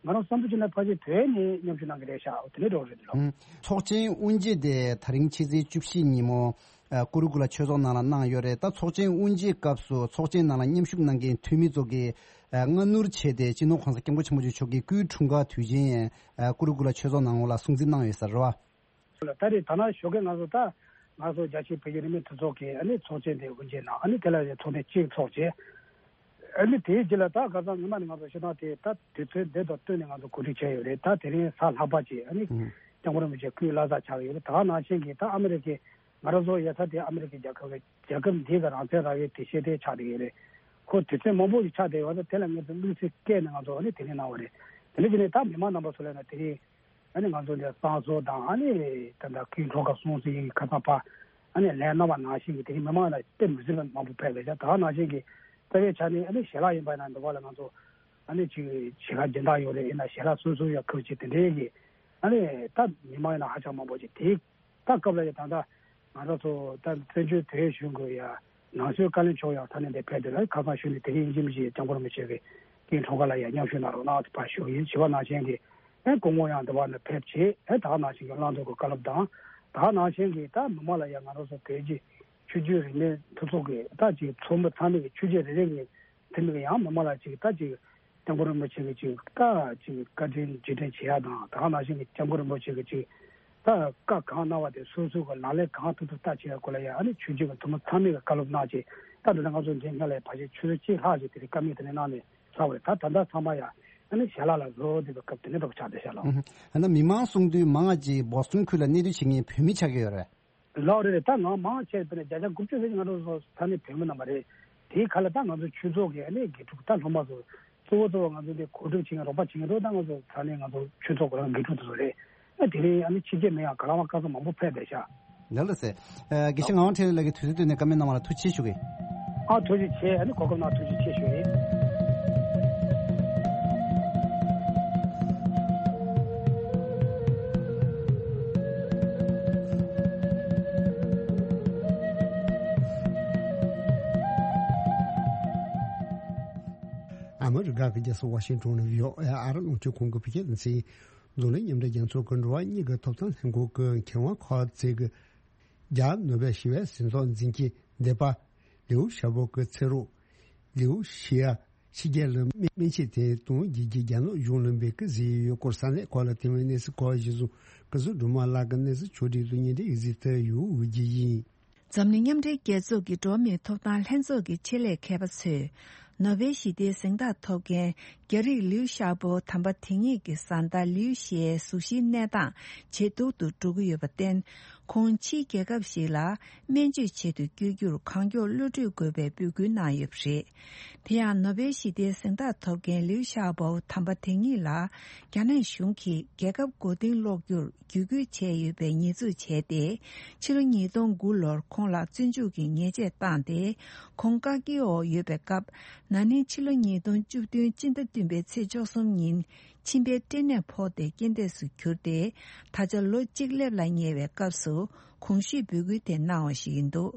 ང་རང་བསམ་ཚུལ་བྱས་ན་ཕལ་ཆེར་བོད་ནས་མཉམ་ཞུགས་གནང་གི་རེད་ཤག་དེ་འདྲའི་འདྲ་བོ་རེད་འདུག་ལགས། ཨུ། ཚོགས་ཆེན་དབུ་འབྱེད་དེ་ད་རིང་ཕྱི་ཚེས་བཅུ་བཞི་ཉིན་མོ་ཨ་ཀུ་རུ་ཀུ་ལ་ཆོས་ཚོགས་ནང་ལ་གནང་ཡོད་རེད། ད་ཚོགས་ཆེན་དབུ་འབྱེད་སྐབས་སུ་ཚོགས་ཆེན་ནང་ལ་མཉམ་ཞུགས་གནང་མཁན་འཐུས་མི་ཚོ་གིས་ཨ་སྔ་སྣུར་བྱས་ཏེ་སྤྱི་ནོར་༸གོང་ས་༸སྐྱབས་མགོན་ཆེན་པོ་མཆོག་མཆོག་གི་སྐུའི་འཁྲུངས་སྐར་དུས་ཆེན་ཨ་ཀུ་རུ་ཀུ་ལ་ཆོས་ཚོགས་ནང་ལོགས་ལ་སྲུང་བརྩི་གནང་ཡོད་ས་རེད་བ། ད་རེས་ད་ནང་ཞོགས་ཀས་ང་ཚོ་ད་ང་ཚོ་རྒྱལ་སྤྱིའི་བོད་ཀྱི་རིས་མེད་མཐུན་ཚོགས་ཀྱི་ཨ་ནི་ཚོགས་ཆེན་དེ་དབུ་འབྱེད་གནང་། ཨ་ནི་དེ་ལ་ཚོགས་ཐེངས་གཅིག་ཚོགས་བྱས། ཨ་ནི་དེའི་རྗེས་ལ་ད་ཁ་སང་ཉི་མ་ནས་ང་ཚོ་ཤོག་ཐེངས་དེ་ད་དུས་ཚོད་འདི་དང་བསྟུན་ནས་ང་ཚོ་གོ་སྒྲིག་བྱས་ཡོད་རེད། ད་དེ་རིང་གཟའ་ལྷག་པ་བྱས་ཨ་ནི་ཨུ་སྐྱབས་མགོན་རིན་པོ་ཆེ་སྐུའི་བླ་གཟའ་ཆགས་ཡོད་རེད། ད་ནང་བཞིན་གྱི་ད་ཨ་མི་རི་ཀའི་ང་རང་ཚོ་ཡོད་ས་དེ་ཨ་མི་རི་ཀའི་རྒྱལ་ཁབ་རེད། རྒྱལ་ཁབ་འདི་གི་རང་བཙན་རག་ཡས་དེ་ཤེས་ལྡན་ཆགས་བསྡད་ཡོད་རེད། ཁོ་དུས་ཚོད་མང་པོ་ཞིག་ཆགས་བསྡད་ཡོད་ཙང་དེ་ལ་ངེད་ཚོ་དམིགས་བསལ་བསྐྱལ་ནས་ང་ཚོ་ཨ་ནི་དེ་རིང་གནང་བ་རེད། དེ་ནས་དེ་ནས་ད་མི་མང་རྣམ་པ་ཚོ་ལ་ཡིན་ན་དེ་རིང་ཨ་ནི་ང་ཚོ་འདི་བསང་གསོལ་དང་ཨ་ནི་ད་ལྟ་སྐུའི་འཁྲུངས་སྐར་སྲུང་བརྩི་ཡི་ཁ་སང་ཕར་ཨ་ནི་ལན་གནང་བ་ནང་བཞིན་གྱི་དེ་རིང་མི་མང་ལ་དཔེ་མི་སྲིད་པ་མང་པོ་ཕེབས་པས་ཀྱང་ད་ག་ནང་བཞིན་གྱི་རྩ་བའི་ཆ་ནས་ཨ་ནི་ཞལ་ལག་ཡིན་པ་ཡིན་ན་འདི་བ་ལ་ང་ཚོ་ཨ་ནི་ཅིག་ཞལ་ལག་སྦྱིན་བདག་ཡོད་རེད། ཡིན་ན་ཞལ་ལག་སོ་སོ་ཡོད་ཁུལ་ཅིག་དེ་འདྲའི་གི་ཨ་ནི་ད་མི་མང་ཡིན་ན་ཧ་ཅང་མང་པོ་ཅིག་དེའི་ད་སྐབས་ལ་ཡ་ད་ལྟ་ང་རང་ཚོ་ད་བཙན་བྱོལ་བོད་གཞུང་གི་ཡ་ནང་སྲིད་བཀའ་བློན་མཆོག་ཡང་ད་ནས་འདིར་ཕེབས་ཏེ་ལ་ཁ་སང་ཞུས་ནས་དེ་རིང་ཡིན་གཅིག་མིན་གཅིག་སྐྱབས་མགོན་རིན་པོ་ཆེ་གི་སྐུའི་འཁྲུངས་སྐར་ལ་ཡང་མཉམ་ཞུགས་གནང་རོགས་གནང་ཕར་ཞུ་ཡིན། བྱིས་པ་ནང་བཞིན་གྱི་ཨེ་སྐུ་ངོ་ཡང་འདི་བ་ནས་ཕེབས་བྱས་ཨེ་ད་ག་ནང་བཞིན་གྱི་བླང་དོར་གྱི་བཀའ་སློབ་དང་ད་ག་ནང་བཞིན་གྱི་ད་མི་མང་ལ་ཡང་ང་རང་ཚོ་བོད་ཀྱི་ཆོས་བརྒྱུད་རིས་མེད་མཐུན་ཚོགས་ཀྱི་ད་ཅིག་ཚོགས་མི་ཚང་མས་ཀྱི་ཆོས་བརྒྱུད་རེ་རེ་གི་དེ་མིན་ཡང་མི་མང་ལ་ཅིག་ད་ཅིག་སྐྱབས་མགོན་རིན་པོ་ཆེ་གི་ཅིག་ད་ཅིག་བཀའ་དྲིན་རྗེས་དྲན་བྱེད་ཡ་དང་ད་ག་ནང་བཞིན་གྱི་སྐྱབས་མགོན་རིན་པོ་ཆེ་གི་ཅིག་ད་བཀའ་གང་གནང་བ་དེ་སོ་སོ་གི་ལག་ལེན་གང་ཐུབ་ཐུབ་ལྟ་བྱེད་ཡ་སྐོར་ལ་ཡ་ཨ་ནི་ཆོས་བརྒྱུད་ཀྱི་འཐུས་མི་ཚང་མས་ཀྱི་བཀའ་སློབ་གནང་བྱས་ད་འདི་ལ་ང་ཚོ་འདི་སྔ་ལ་ཕལ་ཆེར་ཆུ་ཚོད་གཅིག་ལྷག་ཅིག་དེ་རིང་བཀའ་མོལ་དེ་འདྲ་གནང་ནས་ཚར་བ་རེད། ད་ད་ལྟ་ཚང་མ་ཡ་ཨ་ནི་ཞལ་ལག་ལ་བཟོ་བསྡད་པའི་སྐབས་དེ་འདྲ་འདྲ་པོ་ཆགས་བསྡད་ཤག་ལགས། ཨ་ན་མི་མང་གསུང་དུས་མང་ང་ཅིག་བོ་སི་ཊོན་ཁུལ་ལ་གནས་སྡོད་བྱེད་མཁན་བོད་མི་ཆགས་ཀྱི་ཡོད་རེད། ལགས་རེད་རེད། ད་ང་མང་ཆེ་བས་བརྒྱ་ཆ་དགུ་བཅུ་ཙམ་ཞིག་ང་རང་ཚོ་ས་གནས་བོད་མི་རྣམ་པ་རེད། དེའི་ཁ་ལ་ད་ང་ཚོ་ཆོས་ཚོགས་ཀྱི་ཨ་ནི་དགེ་ཕྲུག་ད་སློབ་མ་ཚོ་གཙོ་བོ་གཙོ་བོ་ང་ཚོ་འདི་གོ་སྒྲིག་བྱེད་མཁན་རོགས་པ་བྱེད་མཁན་རོགས་ད་ང་ཚོ་ས་གནས་ང་ཚོ་ཆོས་ཚོགས་ཀྱི་རང་དགེ་ཕྲུག་དེ་ཚོ་རེད། ཨ་དེ་རིང་ཨ་ནི་ཕྱི་རྒྱལ་མི་ཡང་ག་ལ་བ་ག་ཚོད་མང་པོ་ཕེབས་བསྡད་ཤག་ལགས་ལགས་སེ། ཨ་དགེ་བཤེས་ངག་དབང་འཕྲིན་ལས་ཀྱིས་དུས་ཚོད་བཏོན་ནས་བཀའ་མོལ་གནང་བ་ལ་ཐུགས་རྗེ་ཆེ་ཞུ་གི་ཡིན། ཨ་ཐུགས་རྗེ་ཆེ། ཨ་ནི་གོ་སྐབས་གནང་ཐུགས་རྗེ་ཆེ་ཞུ་ཡིན། ཨ་མི་རི་ཀ་གི་རྒྱལ་ས་ཝ་ཤིང་ཏོན་ནས་བྷི་ཨོ་ཨེ་ཨ་རི་རླུང་འཕྲིན་ཁང་གི་བོད་སྐད་སྡེ་ཚན་འཛམ་གླིང་མཉམ་འབྲེལ་རྒྱལ་ཚོགས་ཀྱི་འགྲོ་བ་མིའི་གི་ཐོབ་ཐང་ལྷན་ཁང་གི་མཁས་དབང་ཁོ་ཙེ་གི་རྒྱ་ནོ་བེལ་ཞི་བའི་གཟེངས་རྟགས་འཛིན་གྱི་སྡེ་པ་ལིའུ་ཞའོ་པོ་གི་ཚེ་རོགས་ལིའུ་ཞི་ཡ་ ཕྱི་རྒྱལ་ལ་སྨན་ཆས་དེ་གཏོང་རྒྱུ་གི་རྒྱ་ནག་གཞུང་ལ་འབོད་སྐུལ་བཟོས་ཡོད་སྐོར་ས་གནས་ཁག་ལ་ཐེ་ཝན་གནས་ཚུལ་ཁག་གཞིར་བཟུང་སྐུ་ཞབས་སྒྲོལ་མ་ལགས་ཀྱི་གནས་ཚུལ་ཕྱོགས་སྒྲིག་ཏུ་སྙན་སྒྲོན་ཡོད་ཚུལ་ཐད་ཡོད་འོས་ཀྱི་ཡིན། འཛམ་གླིང་མཉམ་འབྲེལ་རྒྱལ་ཚོགས་ཀྱི་འགྲོ་བ་མིའི་ཐོབ་ཐང་ལྷན་ཚོགས་ཀྱི་ཆེད་ལས་མཁས་པ་ཚོས། ནོ་བེལ་ཞི་བདེའི་གཟེངས་རྟགས་ཐོབ་མཁན་རྒྱ་རིགས་ལིའུ་ཞའོ་པོ་དམ་པ་དེ་ཉིད་ཀྱི་བཟའ་ཟླ་ལིའུ་ཞིའི་གཟུགས་གཞིའི་གནས་སྟངས་ཇེ་སྡུག་ཏུ་འགྲོ་གི་ཡོད་པར་བརྟེན། ཁོང་ཕྱིའི་རྒྱལ་ཁབ་ཞིག་ལ་སྨན་བཅོས་བྱེད་དུ་བསྐྱོད་རྒྱུར་གང་མགྱོགས་གློད་གྲོལ་དགོས་པའི་འབོད་སྐུལ་གནང་ཡོད་པ་རེད། དེ་ཡང་ནོ་བེལ་ཞི་བདེའི་གཟེངས་རྟགས་ཐོབ་མཁན་ལིའུ་ཞའོ་པོ་དམ་པ་དེ་ཉིད་ལ་རྒྱ་ནག་གཞུང་གིས་རྒྱལ་ཁབ་མགོ་རྟིང་སློག་རྒྱུར་བརྒྱུད་སྐུལ་བྱས་ཡོད་པའི་ཉེས་འཛུགས་བྱས་ཏེ། ཕྱི་ལོ་ཉིས་སྟོང་དགུ་ལོར་ཁོང་ལ་བཙོན་འཇུག་གི་ཉེས་ཆད་བཏང་སྟེ། ཁོང་བཀག་སྐྱིལ་འོག་ཡོད་པའི་སྐབས། ན་ནིང་ཕྱི་ལོ་ཉིས་སྟོང་བཅུ་བདུན་སྤྱི་ཟླ་བདུན་པའི་ཚེས་བཅུ་གསུམ་ཉིན། མཆིན་པའི་སྐྲན་ནད་ཕོག་སྟེ་རྐྱེན་འདས་སུ་གྱུར་ཏེ། ད་ཆ་ལོ་གཅིག་སླེབས་ལ་ཉེ་བའི་སྐབས་སུ་གོང་ཞུས་འབོད་སྐུལ་དེ་གནང་བ་ཞིག་ཡིན་འདུག་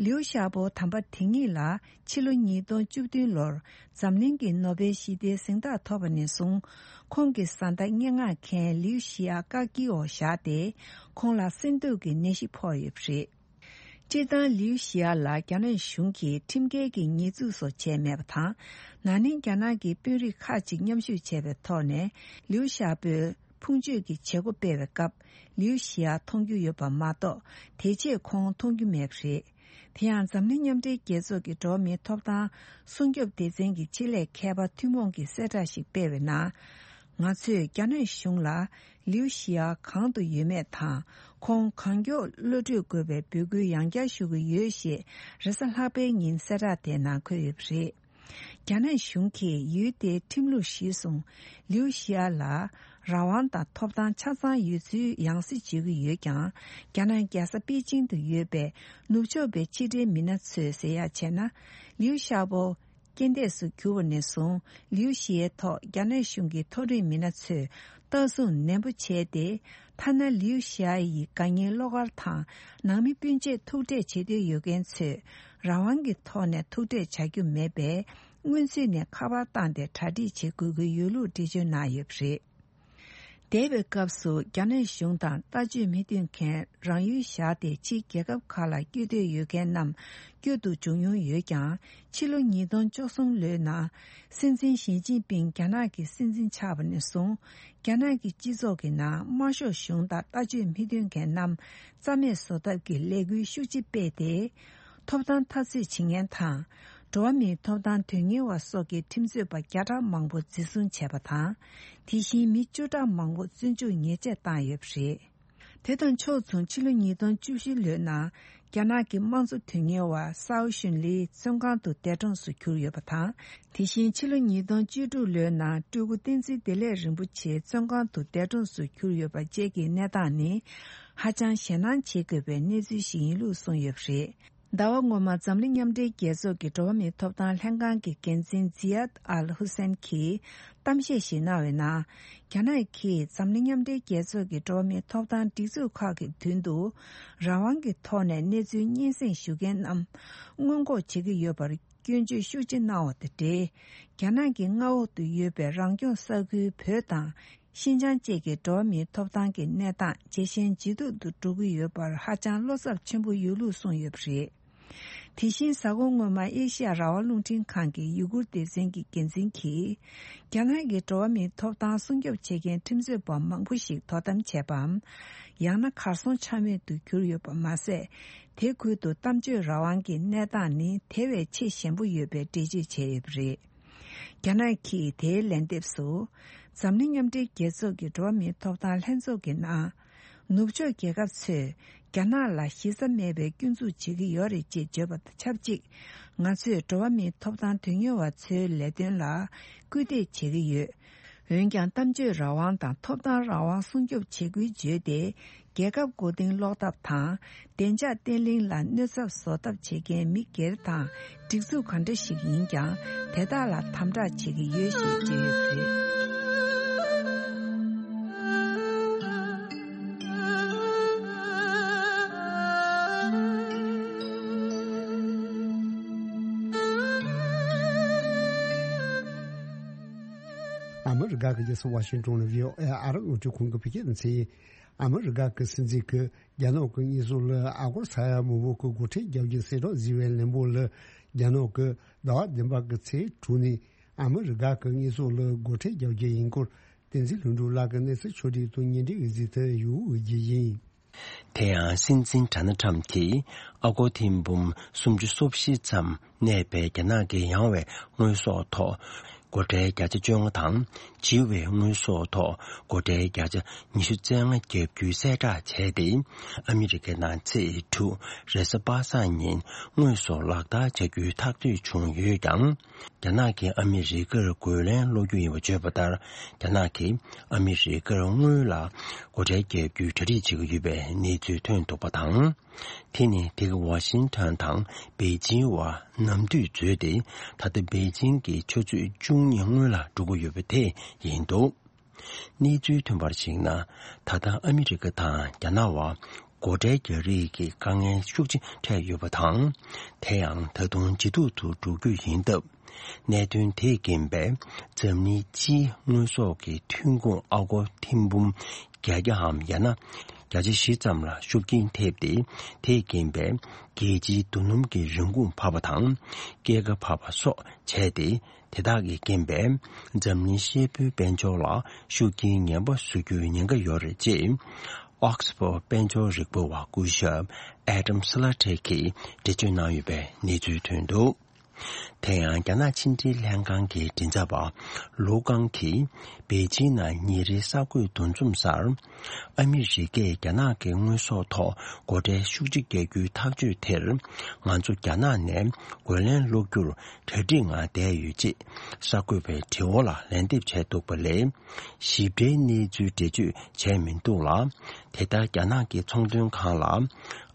ལིའུ་ཞའོ་པོ་དམ་པ་དེ་ཉིད་ལ་ཕྱི་ལོ་ཉིས་སྟོང་བཅུ་བདུན་ལོར་འཛམ་གླིང་གི་ནོ་བེལ་ཞི་བདེའི་གཟེངས་རྟགས་ཐོབ་པ་ནས་བཟུང་། ཁོང་གི་བཟའ་ཟླ་སྙན་ངག་མཁན་ལིའུ་ཞི་ཡ་བཀག་སྐྱིལ་འོག་བཞག་སྟེ། ཁོང་ལ་སེམས་སྡུག་གི་ནད་གཞི་ཕོག་ཡོད་པ་རེད། སྤྱིར་བཏང་ལིའུ་ཞི་ཡ་ལ་རྒྱ་ནག་གཞུང་གིས་ཁྲིམས་འགལ་གྱི་ཉེས་འཛུགས་སོགས་བྱས་མེད་པ་དང་། ན་ནིང་རྒྱ་ནག་གི་དཔོན་རིགས་ཁག་ཅིག་མཉམ་ཞུགས་བྱས་པའི་ཐོག་ནས་ལིའུ་ཞའོ་པོའི་ཕུང་མཆོད་ཀྱི་བྱེད་སྒོ་སྤེལ་བའི་སྐབས། ལིའུ་ཞི་ཡ་མཐོང་རྒྱུ་ཡོད་པ་མ་གཏོགས། དེ་རྗེས་ཁོང་མཐོང་རྒྱུ་མེད་པ་རེད། དེ་ཡང་འཛམ་གླིང་མཉམ་འབྲེལ་རྒྱལ་ཚོགས་ཀྱི་འགྲོ་བ་མིའི་ཐོབ་ཐང་སྲུང་སྐྱོབ་སྡེ་ཚན་གྱི་ཆེད་ལས་མཁས་པ་ཐུན་མོང་གིས་གསལ་བསྒྲགས་ཤིག་སྤེལ་བའི་ནང་། ང་ཚོས་རྒྱ་ནག་གཞུང་ལ་ལིའུ་ཞི་ཡ་གང་དུ་ཡོད་མེད་དང་། ཁོང་གང་མགྱོགས་གློད་གྲོལ་དགོས་པའི་འབོད་སྐུལ་ཡང་བསྐྱར་ཞུ་གི་ཡོད་ཞེས་རེས་གཟའ་ལྷག་པའི་ཉིན་གསལ་བསྒྲགས་དེའི་ནང་འཁོད་ཡོད་པ་རེད། རྒྱ་ནག་གཞུང་གིས་ཡུལ་དེའི་ཁྲིམས་ལུགས་གཞིར་བཟུང་། ལིའུ་ཞི་ཡ་ལ་རང་དབང་དང་ཐོབ་ཐང་ཆ་ཚང་ཡོད་ཚུལ་ཡང་སེ་བརྗོད་ཀྱི་ཡོད་ཀྱང་། རྒྱ་ནག་རྒྱལ་ས་པེ་ཅིང་དུ་ཡོད་པའི་ནུབ་ཕྱོགས་པའི་ཕྱི་འབྲེལ་མི་སྣ་ཚོས་ཟེར་ཡག་བྱས་ན། ལིའུ་ཞའོ་པོ་རྐྱེན་འདས་སུ་གྱུར་བ་ནས་བཟུང་། ལིའུ་ཞི་ཡའི་ཐོག་རྒྱ་ནག་གཞུང་གི་མཐོ་རིམ་མི་སྣ་ཚོས་ལྟ་སྲུང་ནན་པོ་བྱས་ཏེ། ཐ་ན་ལིའུ་ཞི་ཡ་ཡི་དགའ་ཉེའི་བློ་དཀར་དང་ནང་མི་སྤུན་མཆེད་ཐུག་འཕྲད་བྱེད་འདོད་ཡོད་མཁན་ཚོས་རང་དབང་གི་ཐོག་ནས་ཐུག་འཕྲད་བྱ་རྒྱུ་མེད་པས། སྔོན་ཚུད་ནས་ཁ་པར་བཏང་སྟེ་གྲ་སྒྲིག་བྱེད་དགོས་ཀྱི་ཡོད་ལུགས་འགྲེལ་བརྗོད་གནང་ཡོད་པ་རེད། འདས་པའི་སྐབས་སུ་རྒྱ་ནག་གཞུང་དང་ལྟ་སྤྱོད་མི་མཐུན་མཁན་རང་ཡུལ་བཞག་སྟེ་ཕྱིའི་རྒྱལ་ཁབ་ཁག་ལ་བསྐྱོད་འདོད་ཡོད་མཁན་རྣམས་བསྐྱོད་དུ་འཇུག་མྱོང་ཡོད་ཀྱང་། ཕྱི་ལོ་ཉིས་སྟོང་བཅུ་གསུམ་ལོའི་ནང་། སྲིད་འཛིན་ཞི་ཅིན་ཕིང་རྒྱ་ནག་གི་སྲིད་འཛིན་ཆགས་པ་ནས་བཟུང་། རྒྱ་ནག་གི་སྤྱི་ཚོགས་ཀྱི་ནང་དམར་ཤོག་གཞུང་དང་ལྟ་སྤྱོད་མི་མཐུན་མཁན་རྣམས་རྩ་མེད་བཟོ་ཐབས་ཀྱི་ལས་འགུལ་ཤུགས་ཆེ་སྤེལ་ཏེ། ཐོབ་ཐང་འཐབ་རྩོད་བྱེད་མཁན་དང་། འགྲོ་བ་མིའི་ཐོབ་ཐང་དོན་གཉེར་བ་སོགས་ཀྱི་ཁྲིམས་རྩོད་པ་བརྒྱ་ཕྲག་མང་པོ་འཛིན་བཟུང་བྱས་པ་དང་། དེ་བཞིན་མི་བཅུ་ཕྲག་མང་པོ་བཙོན་འཇུག་ཉེས་ཆད་བཏང་ཡོད་པ་རེད། དེ་དང་ཕྱོགས་མཚུངས་ཕྱི་ལོ་ཉིས་སྟོང་བཅུ་བཞི་ལོའི་ནང་། རྒྱ་ནག་གི་དམངས་གཙོ་དོན་གཉེར་བ་སའོ་ཞུན་ལི་བཙོན་ཁང་དུ་འདས་གྲོངས་སུ་གྱུར་ཡོད་པ་དང་། དེ་བཞིན་ཕྱི་ལོ་ཉིས་སྟོང་བཅུ་དྲུག་ལོའི་ནང་སྤྲུལ་སྐུ་བསྟན་འཛིན་བདེ་ལེགས་རིན་པོ་ཆེ་བཙོན་ཁང་དུ་འདས་གྲོངས་སུ་གྱུར་ཡོད་པ་བཅས་ཀྱི་གནས་སྟངས་ནི། ཧ་ཅང་ཞེད་སྣང་བྱེད་དགོས་པའི་གནས་ཚུལ་ཞིག་ཡིན་ལུགས་གསུངས་ཡོད་པ་རེད། ཟླ་བ་སྔོན་མ་འཛམ་གླིང་མཉམ་འབྲེལ་རྒྱལ་ཚོགས་ཀྱི་འགྲོ་བ་མིའི་ཐོབ་ཐང་ལྷན་ཁང་གི་འགན་འཛིན་ཛི་ཡཱད་ཨལ་ཧུ་སན་གྱིས་གཏམ་བཤད་ཞིག་གནང་བའི་ནང་། རྒྱ་ནག་གིས་འཛམ་གླིང་མཉམ་འབྲེལ་རྒྱལ་ཚོགས་ཀྱི་འགྲོ་བ་མིའི་ཐོབ་ཐང་སྒྲིག་འཛུགས་ཁག་གི་མདུན་དུ་རང་དབང་གི་ཐོག་ནས་གནས་ཚུལ་སྙན་སེང་ཞུ་མཁན་རྣམས་སྔོན་འགོག་བྱེད་ཀྱི་ཡོད་པར་སྐྱོན་བརྗོད་ཤུགས་ཆེ་གནང་བ་དང་འབྲེལ། རྒྱ་ནག་གི་མངའ་འོག་ཏུ་ཡོད་པའི་རང་སྐྱོང་ས་ཁུལ་བོད་དང་། ཤིན་ཅང་བཅས་ཀྱི་འགྲོ་བ་མིའི་ཐོབ་ཐང་གི་གནས་སྟངས་ཇེ་ཞན་ཇེ་སྡུག་ཏུ་འགྲོ་གི་ཡོད་པར་ཧ་ཅང་བློ་འཚབ་ཆེན་པོ་ཡོད་ལུགས་གསུངས་ཡོད་པ་རེད། དེ་བཞིན་གཟའ་འཁོར་སྔོན་མ་ཨེ་ཤི་ཡ་རང་དབང་རླུང་འཕྲིན་ཁང་གི་ཡུ་གུར་སྡེ་ཚན་གྱི་འགན་འཛིན་གྱིས། རྒྱ་ནག་གི་འགྲོ་བ་མིའི་ཐོབ་ཐང་སྲུང་སྐྱོབ་བྱེད་མཁན་ཁྲིམས་རྩོད་པ་མང་པོ་ཞིག་དོ་དམ་བྱས་པའམ། ཡང་ན་གར་སོང་ཆ་མེད་དུ་གྱུར་ཡོད་པ་མ་ཟད། དེ་ཁུལ་དུ་གཏམ་བརྗོད་རང་དབང་གི་གནས་སྟངས་ནི་དེ་བས་ཆེས་ཞན་པོ་ཡོད་པའི་འགྲེལ་བརྗོད་བྱས་ཡོད་པ་རེད། རྒྱ་ནག་གིས་དེའི་ལན་འདེབས་སུ། འཛམ་གླིང་མཉམ་འབྲེལ་རྒྱལ་ཚོགས་ཀྱི་འགྲོ་བ་མིའི་ཐོབ་ཐང་ལྷན་ཚོགས་ཀྱི་ནང་། ནུབ་ཕྱོགས་རྒྱལ་ཁབ་ཚོས་རྒྱ་ནག་ལ་གཞི་རྩ་མེད་པའི་སྐྱོན་འཛུགས་བྱེད་ཀྱི་ཡོད་རེད་ཅེས་བརྗོད་པ་དང་ཆབས་ཅིག་ང་ཚོས་འགྲོ་བ་མིའི་ཐོབ་ཐང་དོན་གཉེར་བ་ཚོའི་ལས་དོན་ལ་སྐུལ་འདེད་བྱེད་ཀྱི་ཡོད། འོན་ཀྱང་། གཏམ་བརྗོད་རང་དབང་དང་ཐོབ་ཐང་རང་དབང་སྲུང་སྐྱོབ་བྱེད་དགོས་བརྗོད་དེ། རྒྱལ་ཁབ་མགོ་རྟིང་སློག་ཐབས་དང་། བདེ་འཇགས་བརྟན་ལྷིང་ལ་གནོད་ཚབས་བཟོ་ཐབས་བྱེད་མཁན་མི་སྒེར་དང་སྒྲིག་འཛུགས་ག་འདྲ་ཞིག་ཡིན་ཀྱང་། དེ་དག་ལ་དམ་དྲག་བྱེད་ཀྱི་ཡོད་ཞེས་བརྗོད་ཡོད་པ་རེད། ཨ་མི་རི་ཀ་གི་རྒྱལ་ས་ཝ་ཤིང་ཏོན་ལ་བྷི་ཨོ་ཨེ་ཨ་རི་རླུང་འཕྲིན་ཁང་གི་བོད་སྐད་སྡེ་ཚན། ཨ་མི་རི་ཀ་གི་སྲིད་འཛིན་གྱིས་རྒྱ་ནག་གི་དངོས་ཟོག་ལ་ཨ་སྒོར་ས་ཡ་མང་པོ་གི་སྒོ་ཁྲལ་རྒྱག་རྒྱུ་གསལ་བསྒྲགས་བཟོས་པའི་ལན་པོ་ལ། རྒྱ་ནག་གིས་ཟླ་བ་བདུན་པ་གི་ཚེས་དྲུག་ནས་ ཨ་མི་རི་ཀ་གི་དངོས་ཟོག་ལ་སྒོ་ཁྲལ་རྒྱག་རྒྱུ་ཡིན་སྐོར་བསྟན་འཛིན་ལྷུན་གྲུབ་ལགས་ཀྱིས་གནས་ཚུལ་ཕྱོགས་སྒྲིག་དང་སྙན་སྒྲོན་གཟིགས་ཚུལ་ཡོད་འོས་ཀྱི་ཡིན། དེ་ཡང་སྲིད་འཛིན་ཌོ་ནལ་ཊམ་གྱིས་ཨ་སྒོར་ཐེར་འབུམ་སུམ་ཅུ་སོ་བཞི་ཙམ་གནས་པའི་རྒྱ་ནག་གི་ཡང་བའི་དངོས་ཟོག་ཐོག་སྒོ་ཁྲལ་བརྒྱ་ཆ་བཅོ་ལྔ་དང་བྱི་བའི་དངོས་ཟོག་ཐོག་སྒོ་ཁྲལ་བརྒྱ་ཆ་ཉི་ཤུ་རྩ་ལྔ་བརྒྱབ་རྒྱུའི་གསལ་བསྒྲགས་བྱས་ཏེ། ཨ་མི་རི་ཀའི་ནང་ཚེས་དྲུག་རེས་གཟའ་པ་སངས་ཉིན་དངོས་ཟོག་ལག་བསྟར་བྱ་རྒྱུའི་ཐག་གཅོད་བྱུང་ཡོད་ཀྱང་། རྒྱ་ནག་གིས་ཨ་མི་རི་ཀར་རྒོལ་ལན་སློག་རྒྱུ་ཡིན་པ་བརྗོད་པ་ལྟར། རྒྱ་ནག་གིས་ཨ་མི་རི་ཀར་དངུལ་ལ་སྒོ་ཁྲལ་བརྒྱབ་རྒྱུའི་གྲ་སྒྲིག་བྱེད་ཀྱི་ཡོད་པའི་གནས་ཚུལ་ཐོན་འདུག་པ་དང་། དེ་ནི་དེ་ག་ཝ་ཤིང་ཊོན་དང་པེ་ཅིང་བར་ནམ་དུས་འཛོལ་ཏེ། ད་ལྟ་པེ་ཅིང་གི་ཆུ་ཚོད་བཅུ་གཉིས་སྔོན་ལ་འགྲོ་གི་ཡོད་པ་དེ་ཡིན་འདུག་གནས་ཚུལ་ཐོན་པར་གཞིགས་ན། ད་ལྟ་ཨ་མི་རི་ཀ་དང་རྒྱ་ནག་བར་སྒོ་ཁྲལ་རྒྱག་རེས་ཀྱི་དཀའ་ངལ་ཤུགས་ཆེ་འཕྲད་ཡོད་པ་དང་། དེ་ཡང་ད་དུང་ཇེ་སྡུག་ཏུ་འགྲོ་རྒྱུ་ཡིན་སྟབས། གནད་དོན་དེས་རྐྱེན་པས་འཛམ་གླིང་སྤྱིའི་དངོས་ཟོག་གི་ཐོན་ཁུངས་ཨ་སྒོར་ཐེར་འབུམ་བརྒྱད་བརྒྱའམ་ཡང་ན་བརྒྱ་ཆ་བཞི་ཙམ་ལ་ཤུགས་རྐྱེན་ཐེབས་ཏེ། དེས་རྐྱེན་པས་རྒྱལ་སྤྱིའི་རྡོ་སྣུམ་གྱི་རིན་གོང་འཕར་བ་དང་། སྐྱེད་ཀ་འཕར་བ་སོགས་བྱས་ཏེ། དེ་དག་གི་རྐྱེན་པས་འཛམ་གླིང་ཤེལ་ཕོའི་དཔལ་འབྱོར་ལ་ཤུགས་རྐྱེན་ངན་པ་བཟོ་རྒྱུའི་ཉེན་ཁ་ཡོད་རེད་ཅེས། ཨོག་སི་ཕོར་དཔལ་འབྱོར་རིག་པ་བ་སྐུ་ཞབས་ཨེ་ཌམ་སི་ལ་ཊེ་གིས་འགྲེལ་བརྗོད་གནང་ཡོད་པའི་གནས་ཚུལ་ཐོན་འདུག་དེ་ཡང་རྒྱ་ནག་ཕྱི་འབྲེལ་ལྷན་ཁང་གི་མགྲིན་ཚབ་པ་ལུའུ་ཀང་གིས་པེ་ཅིང་ནང་ཉིན་རེའི་གསར་འགོད་འདུ་འཛོམས་སར། ཨ་མི་རི་ཀས་རྒྱ་ནག་གི་དངོས་ཟོག་ཐོག་སྒོ་ཁྲལ་ཤུགས་ཆེ་བརྒྱབ་རྒྱུའི་ཐག་གཅོད་དེར། ང་ཚོ་རྒྱ་ནག་ནས་རྒོལ་ལན་སློག་རྒྱུར་གྲ་སྒྲིག་ངང་བསྡད་ཡོད་ཅེས་གསར་འགོད་པའི་དྲི་བ་ལ་ལན་འདེབས་བྱས་འདུག་པ་ལས། ཞིབ་ཕྲའི་གནས་ཚུལ་འགྲེལ་བརྗོད་བྱས་མི་འདུག་ལ། དེ་ལྟར་རྒྱ་ནག་གི་ཚོང་དོན་ཁང་ལ་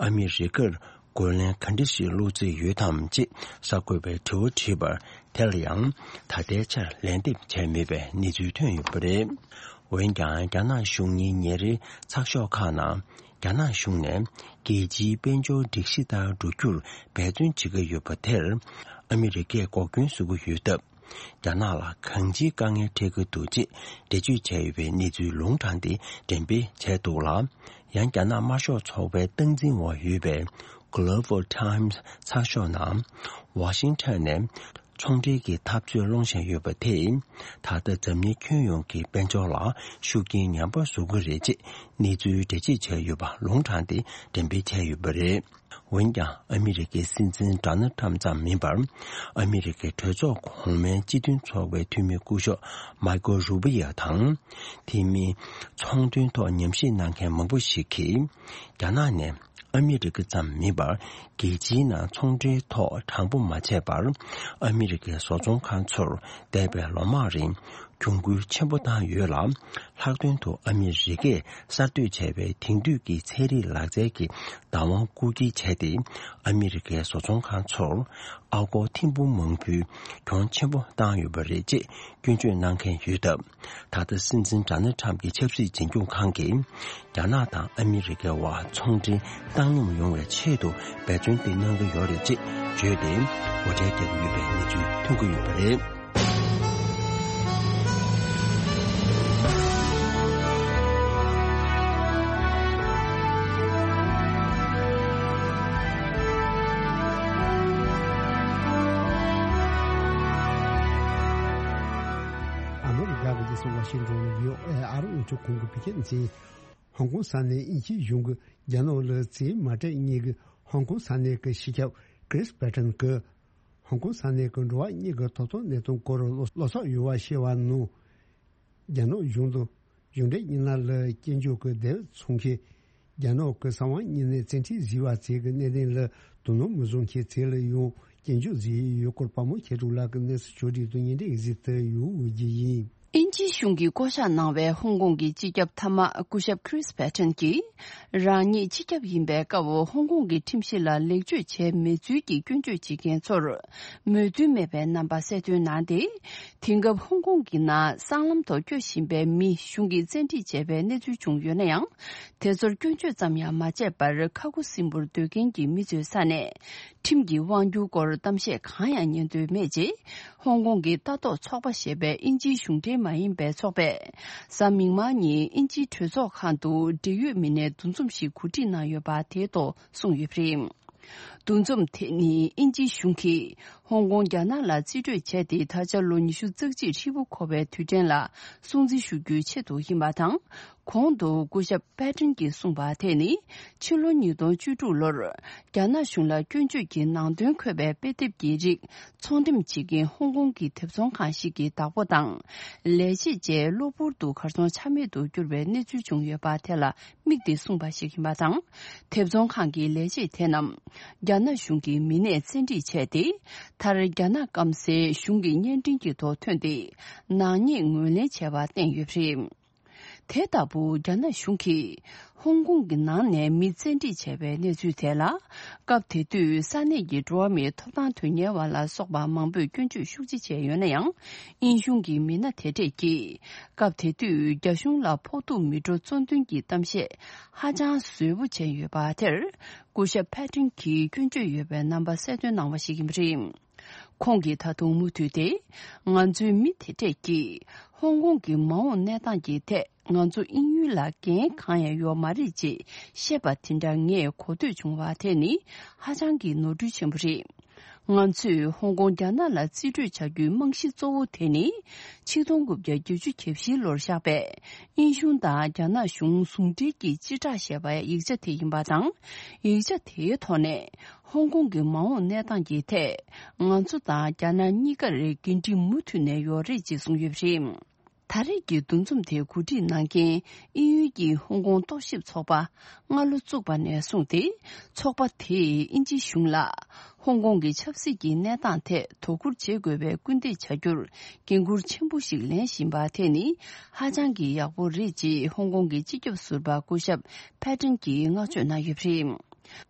ཨ་མི་རི་ཀར་རྒོལ་ལན་ག་འདྲ་ཞིག་སློག་རྩིས་ཡོད་དམ་ཅེས་གསར་འགོད་པས་དྲི་བ་དྲིས་པར། དེ་ལ་ཡང་ད་ལྟའི་ཆར་ལན་འདེབས་བྱས་མེད་པའི་གནས་ཚུལ་ཐོན་ཡོད་པ་རེད། འོན་ཀྱང་། རྒྱ་ནག་གཞུང་གཉེར་ཉིན་རེའི་ཚགས་ཤོག་ཁག་ནང་། རྒྱ་ནག་གཞུང་ནས་རྒྱལ་སྤྱིའི་དཔལ་འབྱོར་སྒྲིག་གཞི་ལྟར་འགྲོ་རྒྱུར་འབད་བརྩོན་བྱེད་ཀྱི་ཡོད་པ་དེར། ཨ་མི་རི་ཀས་འགོག་རྐྱེན་བཟོ་གི་ཡོད་སྟབས། རྒྱ་ནག་ལ་གང་ཅིའི་དཀའ་ངལ་འཕྲད་ཀྱི་འདུག་ཅེས་འགྲེལ་བརྗོད་བྱས་ཡོད་པའི་གནས་ཚུལ་ལུང་དྲངས་ཏེ། འགྲེམས་སྤེལ་བྱས་འདུག་ལ། ཡང་། རྒྱ་ནག་དམར་ཤོག་ཚོགས་པའི་སྟངས་འཛིན་འོག་ཡོད་པའི་Global Times་ཚགས་ཤོག་ནང་། ཝ་ཤིང་ཊོན་ནས་ཚོང་འབྲེལ་གྱི་འཐབ་རྩོད་སློང་བཞིན་ཡོད་པ་དེས། ད་ལྟ་འཛམ་གླིང་ཁྱོན་ཡོངས་ཀྱི་དཔལ་འབྱོར་ལ་ཤུགས་རྐྱེན་ངན་པ་བཟོ་གི་རེད་ཅེས་གནས་ཚུལ་འགྲེལ་བརྗོད་བྱས་ཡོད་པ་ལུང་དྲངས་ཏེ་འགྲེམས་སྤེལ་བྱས་ཡོད་པ་རེད། འོན་ཀྱང་། ཨ་མི་རི་ཀའི་སྲིད་འཛིན་ཌོ་ནལ་ཊམ་ཙམ་མིན་པར། ཨ་མི་རི་ཀའི་གྲོས་ཚོགས་གོང་མའི་སྤྱི་མཐུན་ཚོགས་པའི་འཐུས་མི་སྐུ་ཞབས་མཱི་ཀལ་རུ་བི་ཡ་དང་། དེ་མིན། ཚོང་དོན་ཐོག་ཉམས་ཞིབ་གནང་མཁན་མང་པོ་ཞིག་གིས། རྒྱ་ནག་ནས་ཨ་མི་རི་ཀ་ཙམ་མིན་པར། རྒྱལ་སྤྱིའི་ནང་ཚོང་འབྲེལ་ཐོག་དྲང་པོ་མ་བྱས་པར། ཨ་མི་རི་ཀའི་བཟོ་ཚོང་ཁང་ཚོར་འདས་པའི་ལོ་མང་རིང་གྱོང་གུན་ཆེན་པོ་བཏང་ཡོད་ལ། ལྷག་དོན་དུ་ཨ་མི་རི་ཀས་གསར་གཏོད་བྱས་པའི་དེང་དུས་ཀྱི་ཚན་རིག་ལག་རྩལ་གྱི་བདག་དབང་རྐུ་འཁྱེར་བྱས་ཏེ། ཨ་མི་རི་ཀའི་བཟོ་ཚོང་ཁང་ཚོར་ཨ་སྒོར་ཐེར་འབུམ་མང་པོའི་གྱོང་ཆེན་པོ་བཏང་ཡོད་པ་རེད་ཅེས་སྐྱོན་བརྗོད་གནང་མཁན་ཡོད་སྟབས། ད་ལྟ་སྲིད་འཛིན་ཌོ་ནལ་ཊམ་གྱི་ཆབ་སྲིད་འཛིན་སྐྱོང་ཁང་གིས། རྒྱ་ནག་དང་ཨ་མི་རི་ཀའི་དབར་ཚོང་འབྲེལ་བཏང་སྙོམས་ཡོང་བའི་ཆེད་དུ་འབད་བརྩོན་དེ་གནང་གི་ཡོད་རེད་ཅེས་བརྗོད་དེ། ངོ་སྤྲོད་བརྒྱབ་ཀྱི་ཡོད་པའི་གནས་ཚུལ་ཐོན་གྱི་ཡོད་པ་རེད། ཨ་མི་རི་ཀ་གི་རྒྱལ་ས་ཝ་ཤིང་ཏོན་ཡོད། ཨ་རི་དབུས་གཞུང་གི་བོད་ཁྱིམ་མཚན། ཧོང་ཀོང་ས་གནས་དབྱིན་ཇིའི་གཞུང་གིས་རྒྱ་ནག་ལ་རྩིས་མ་སྤྲད་ཉིན་གྱི་ཧོང་ཀོང་ས་གནས་ཀྱི་སྤྱི་ཁྱབ་ཀྲིས་པེ་ཏན་གྱིས། ཧོང་ཀོང་ས་གནས་ཀྱི་འགྲོ་བ་མིའི་ཐོབ་ཐང་གནས་སྟངས་སྐོར་བློ་བློ་འཚབ་ཡོད་པ་བཤད་པ་ནང་། རྒྱ་ནག་གཞུང་དུ་གཞུང་འབྲེལ་མི་སྣ་ལ་སྐྱོན་བརྗོད་ཀྱི་འདས་པའི་ཚོང་ཁེ། རྒྱ་ནག་གི་གསང་བ་དངོས་གནས་བཙན་ཁྲིད་བཟོས་པ་བཅས་ཀྱི་གནད་དོན་ལ་དོ་སྣང་མི་བཟོ་མཁན་བཅས་ལ་ཡང་སྐྱོན་བརྗོད་བཟོས་ཡོད་སྐོར་དཔའ་མོ་མཁས་གྲུབ་ལགས་ཀྱིས་གནས་ཚུལ་ཕྱོགས་སྒྲིག་དང་སྙན་སྒྲོན་གཟིགས་ཚུལ་ཡོད་འོས་ཀྱི་ཡིན། དབྱིན་ཇིའི་གཞུང་གིས་བསྐོ་གཞག་གནང་བའི་ཧོང་ཀོང་གི་སྤྱི་ཁྱབ་མཐའ་དམག་སྐུ་ཞབས་Chris Patten་གྱིས། རང་ཉིད་སྤྱི་ཁྱབ་ཡིན་པའི་སྐབས་ཧོང་ཀོང་གི་ཁྲིམས་གཞི་ལ་ལེགས་བཅོས་བྱས་མེད་ཚུལ་གྱི་སྐྱོན་བརྗོད་བྱེད་མཁན་ཚོར་མོས་མཐུན་མེད་པའི་རྣམ་པ་གསལ་སྟོན་གནང་སྟེ། དེང་སྐབས་ཧོང་ཀོང་གི་ནང་སྲང་ལམ་ཐོག་སྐྱོད་བཞིན་པའི་མི་གཞུང་གིས་བཙན་ཁྲིད་བྱས་པའི་གནས་ཚུལ་བྱུང་ཡོད་ན་ཡང་། དེ་ཚོར་སྐྱོན་བརྗོད་ཙམ་ཡང་མ་བྱས་པར། ཁ་ཁུ་སིམ་པོར་སྡོད་མཁན་གྱི་མི་ཚོའི་ས་ནས་ཁྲིམས་ཀྱི་དབང་སྒྱུར་སྐོར་གཏམ་བཤད་གང་ཡང་ཉན་འདོད་མེད་ཅེས། ཧོང་ཀོང་གི་ལྟ་རྟོག་ཚོགས་པ་ཞེས་པའི་དབྱིན་ཇིའི་གཞུང་འབྲེལ་མ་ཡིན་པའི་ཚོགས་པས། གཟའ་མིག་དམར་ཉིན་དབྱིན་ཇིའི་གྲོས་ཚོགས་ཁང་དུ་འབྲེལ་ཡོད་མི་སྣའི་འདུ་འཛོམས་ཤིག་གོ་སྒྲིག་གནང་ཡོད་པ་དེའི་ཐོག་གསུངས་ཡོད་པ་རེད། འདུ་འཛོམས་དེ་ནི་དབྱིན་ཇིའི་གཞུང་གིས་ཧོང་ཀོང་རྒྱ་ནག་ལ་རྩིས་སྤྲོད་བྱས་ཏེ། ད་ཆ་ལོ་ཉི་ཤུ་རྩ་གཅིག་ཧྲིལ་པོ་འཁོར་བའི་དུས་དྲན་ལ་སྲུང་བརྩི་ཞུ་རྒྱུའི་ཆེད་དུ་ཡིན་པ་དང་། གོང་དུ་སྐུ་ཞབས་པེ་ཏྲིན་གྱིས་གསུངས་པ་དེ་ནི། ཕྱི་ལོ་ཉིས་སྟོང་བཅུ་དྲུག་ལོར་རྒྱ་ནག་གཞུང་ལ་སྐྱོན་བརྗོད་ཀྱི་ནང་དོན་འཁོད་པའི་དཔེ་དེབ་ཀྱི་རིགས་ཚོང་འགྲེམས་བྱེད་མཁན་ཧོང་ཀོང་གི་དེབ་ཚོང་ཁང་ཞིག་གི་བདག་པོ་དང་། ལས་བྱེད་བཅས་གློ་བུར་དུ་གར་སོང་ཆ་མེད་དུ་གྱུར་བའི་གནས་ཚུལ་བྱུང་ཡོད་པ་དེ་ལ་དམིགས་ཏེ་གསུངས་པ་ཞིག་ཡིན་པ་དང་། དེབ་ཚོང་ཁང་གི་ལས་བྱེད་དེ་རྣམས་རྒྱ་ནག་གཞུང་གི་མི་སྣས་བཙན་ཁྲིད་བྱས་ཏེ། མཐར་རྒྱ་ནག་སྐམ་སའི་གཞུང་གི་བརྙན་འཕྲིན་གྱི་ཐོག་ཐོན་ཏེ། ནག་ཉེས་ངོས་ལེན་བྱས་པ་བསྟན་ཡོད་པ་རེད། དེ་ལྟ་བུ་རྒྱ་ནག་གཞུང་གིས་ཧོང་ཀོང་གི་ནང་ནས་མི་བཙན་ཁྲིད་བྱས་པའི་གནས་ཚུལ་དེ་ལ། སྐབས་དེ་དུས་ས་གནས་ཀྱི་འགྲོ་བ་མིའི་ཐོབ་ཐང་དོན་གཉེར་བ་ལ་སོགས་པ་མང་པོས་སྐྱོན་བརྗོད་ཤུགས་ཆེ་བྱས་ཡོད་ན་ཡང་། དབྱིན་གཞུང་གི་མི་སྣ་དེ་གྲས་ཀྱིས་སྐབས་དེ་དུས་རྒྱ་གཞུང་ལ་ཕོག་ཐུག་མི་འགྲོ་གཙོ་འདོན་གྱི་གཏམ་བཤད་ཧ་ཅང་ཟབ་པོ་བྱས་ཡོད་པ་དེར། སྐུ་ཞབས་ཕེ་ཏྲིན་གྱིས་སྐྱོན་བརྗོད་ཡོད་པའི་རྣམ་པ་གསལ་སྟོན་གནང་བ་ཞིག་ཡིན་པ་རེད། ཁོང་གིས་ད་དུང་མུ་མཐུད་དེ། ང་ཚོའི་མི་དེ་གྲས་ཀྱིས་ཧོང་ཀོང་གི་མ་འོངས་གནས་སྟངས་ཀྱི་ཐད། ང་ཚོ་དབྱིན་ཡུལ་ལ་འགན་གང་ཡང་ཡོད་མ་རེད་ཅེས་བཤད་པ་དེ་འདྲ་ངས་གོ་ཐོས་བྱུང་བ་དེ་ནི་ཧ་ཅང་གི་ནོར་འཁྲུལ་ཆེན་པོ་རེད། ང་ཚོས་ཧོང་ཀོང་རྒྱ་ནག་ལ་རྩིས་སྤྲོད་བྱ་རྒྱུའི་རྨང་གཞི་གཙོ་བོ་དེ་ནི། ཆིག་སྟོང་དགུ་བརྒྱ་བརྒྱད་ཅུ་གྱ་བཞི་ལོར་བཞག་པའི་དབྱིན་གཞུང་དང་རྒྱ་ནག་གཞུང་ཟུང་འབྲེལ་གྱི་སྤྱི་བསྒྲགས་ཞེས་པའི་ཡིག་ཆ་དེ་ཡིན་པ་དང་། ཡིག་ཆ་དེའི་ཐོག་ནས། ཧོང་ཀོང་གི་མ་འོངས་གནས་སྟངས་ཀྱི་ཐད། ང་ཚོ་དང་རྒྱ་ནག་གཉིས་ཀར་འགན་འཁྲི་མུ་མཐུད་ནས་ཡོད་རེད་ཅེས་གསུངས་ཡོད་པ་རེད། ད་རེས་ཀྱི་འདུ་འཛོམས་དེ་གོ་སྒྲིག་གནང་མཁན་དབྱིན་ཡུལ་གྱི་ཧོང་ཀོང་རྟོག་ཞིབ་ཚོགས་པ་སྔ་ལོ་བཙུགས་པ་ནས་བཟུང་སྟེ། ཚོགས་པ་དེས་དབྱིན་ཇིའི་གཞུང་ལ་ཧོང་ཀོང་གི་ཆབ་སྲིད་ཀྱི་གནས་སྟངས་ཐད་དོ་ཁུར་བྱེད་དགོས་པའི་སྐུལ་འདེད་བྱ་རྒྱུར་འགན་འཁུར་ཆེན་པོ་ཞིག་ལེན་བཞིན་པ་དེ་ནི་ཧ་ཅང་གི་ཡག་པོ་རེད་ཅེས་ཧོང་ཀོང་གི་སྤྱི་ཁྱབ་ཟུར་པ་སྐུ་ཞབས་ཕེ་ཏྲིན་གྱིས་བསྔགས་བརྗོད་གནང་ཡོད་པ་རེད།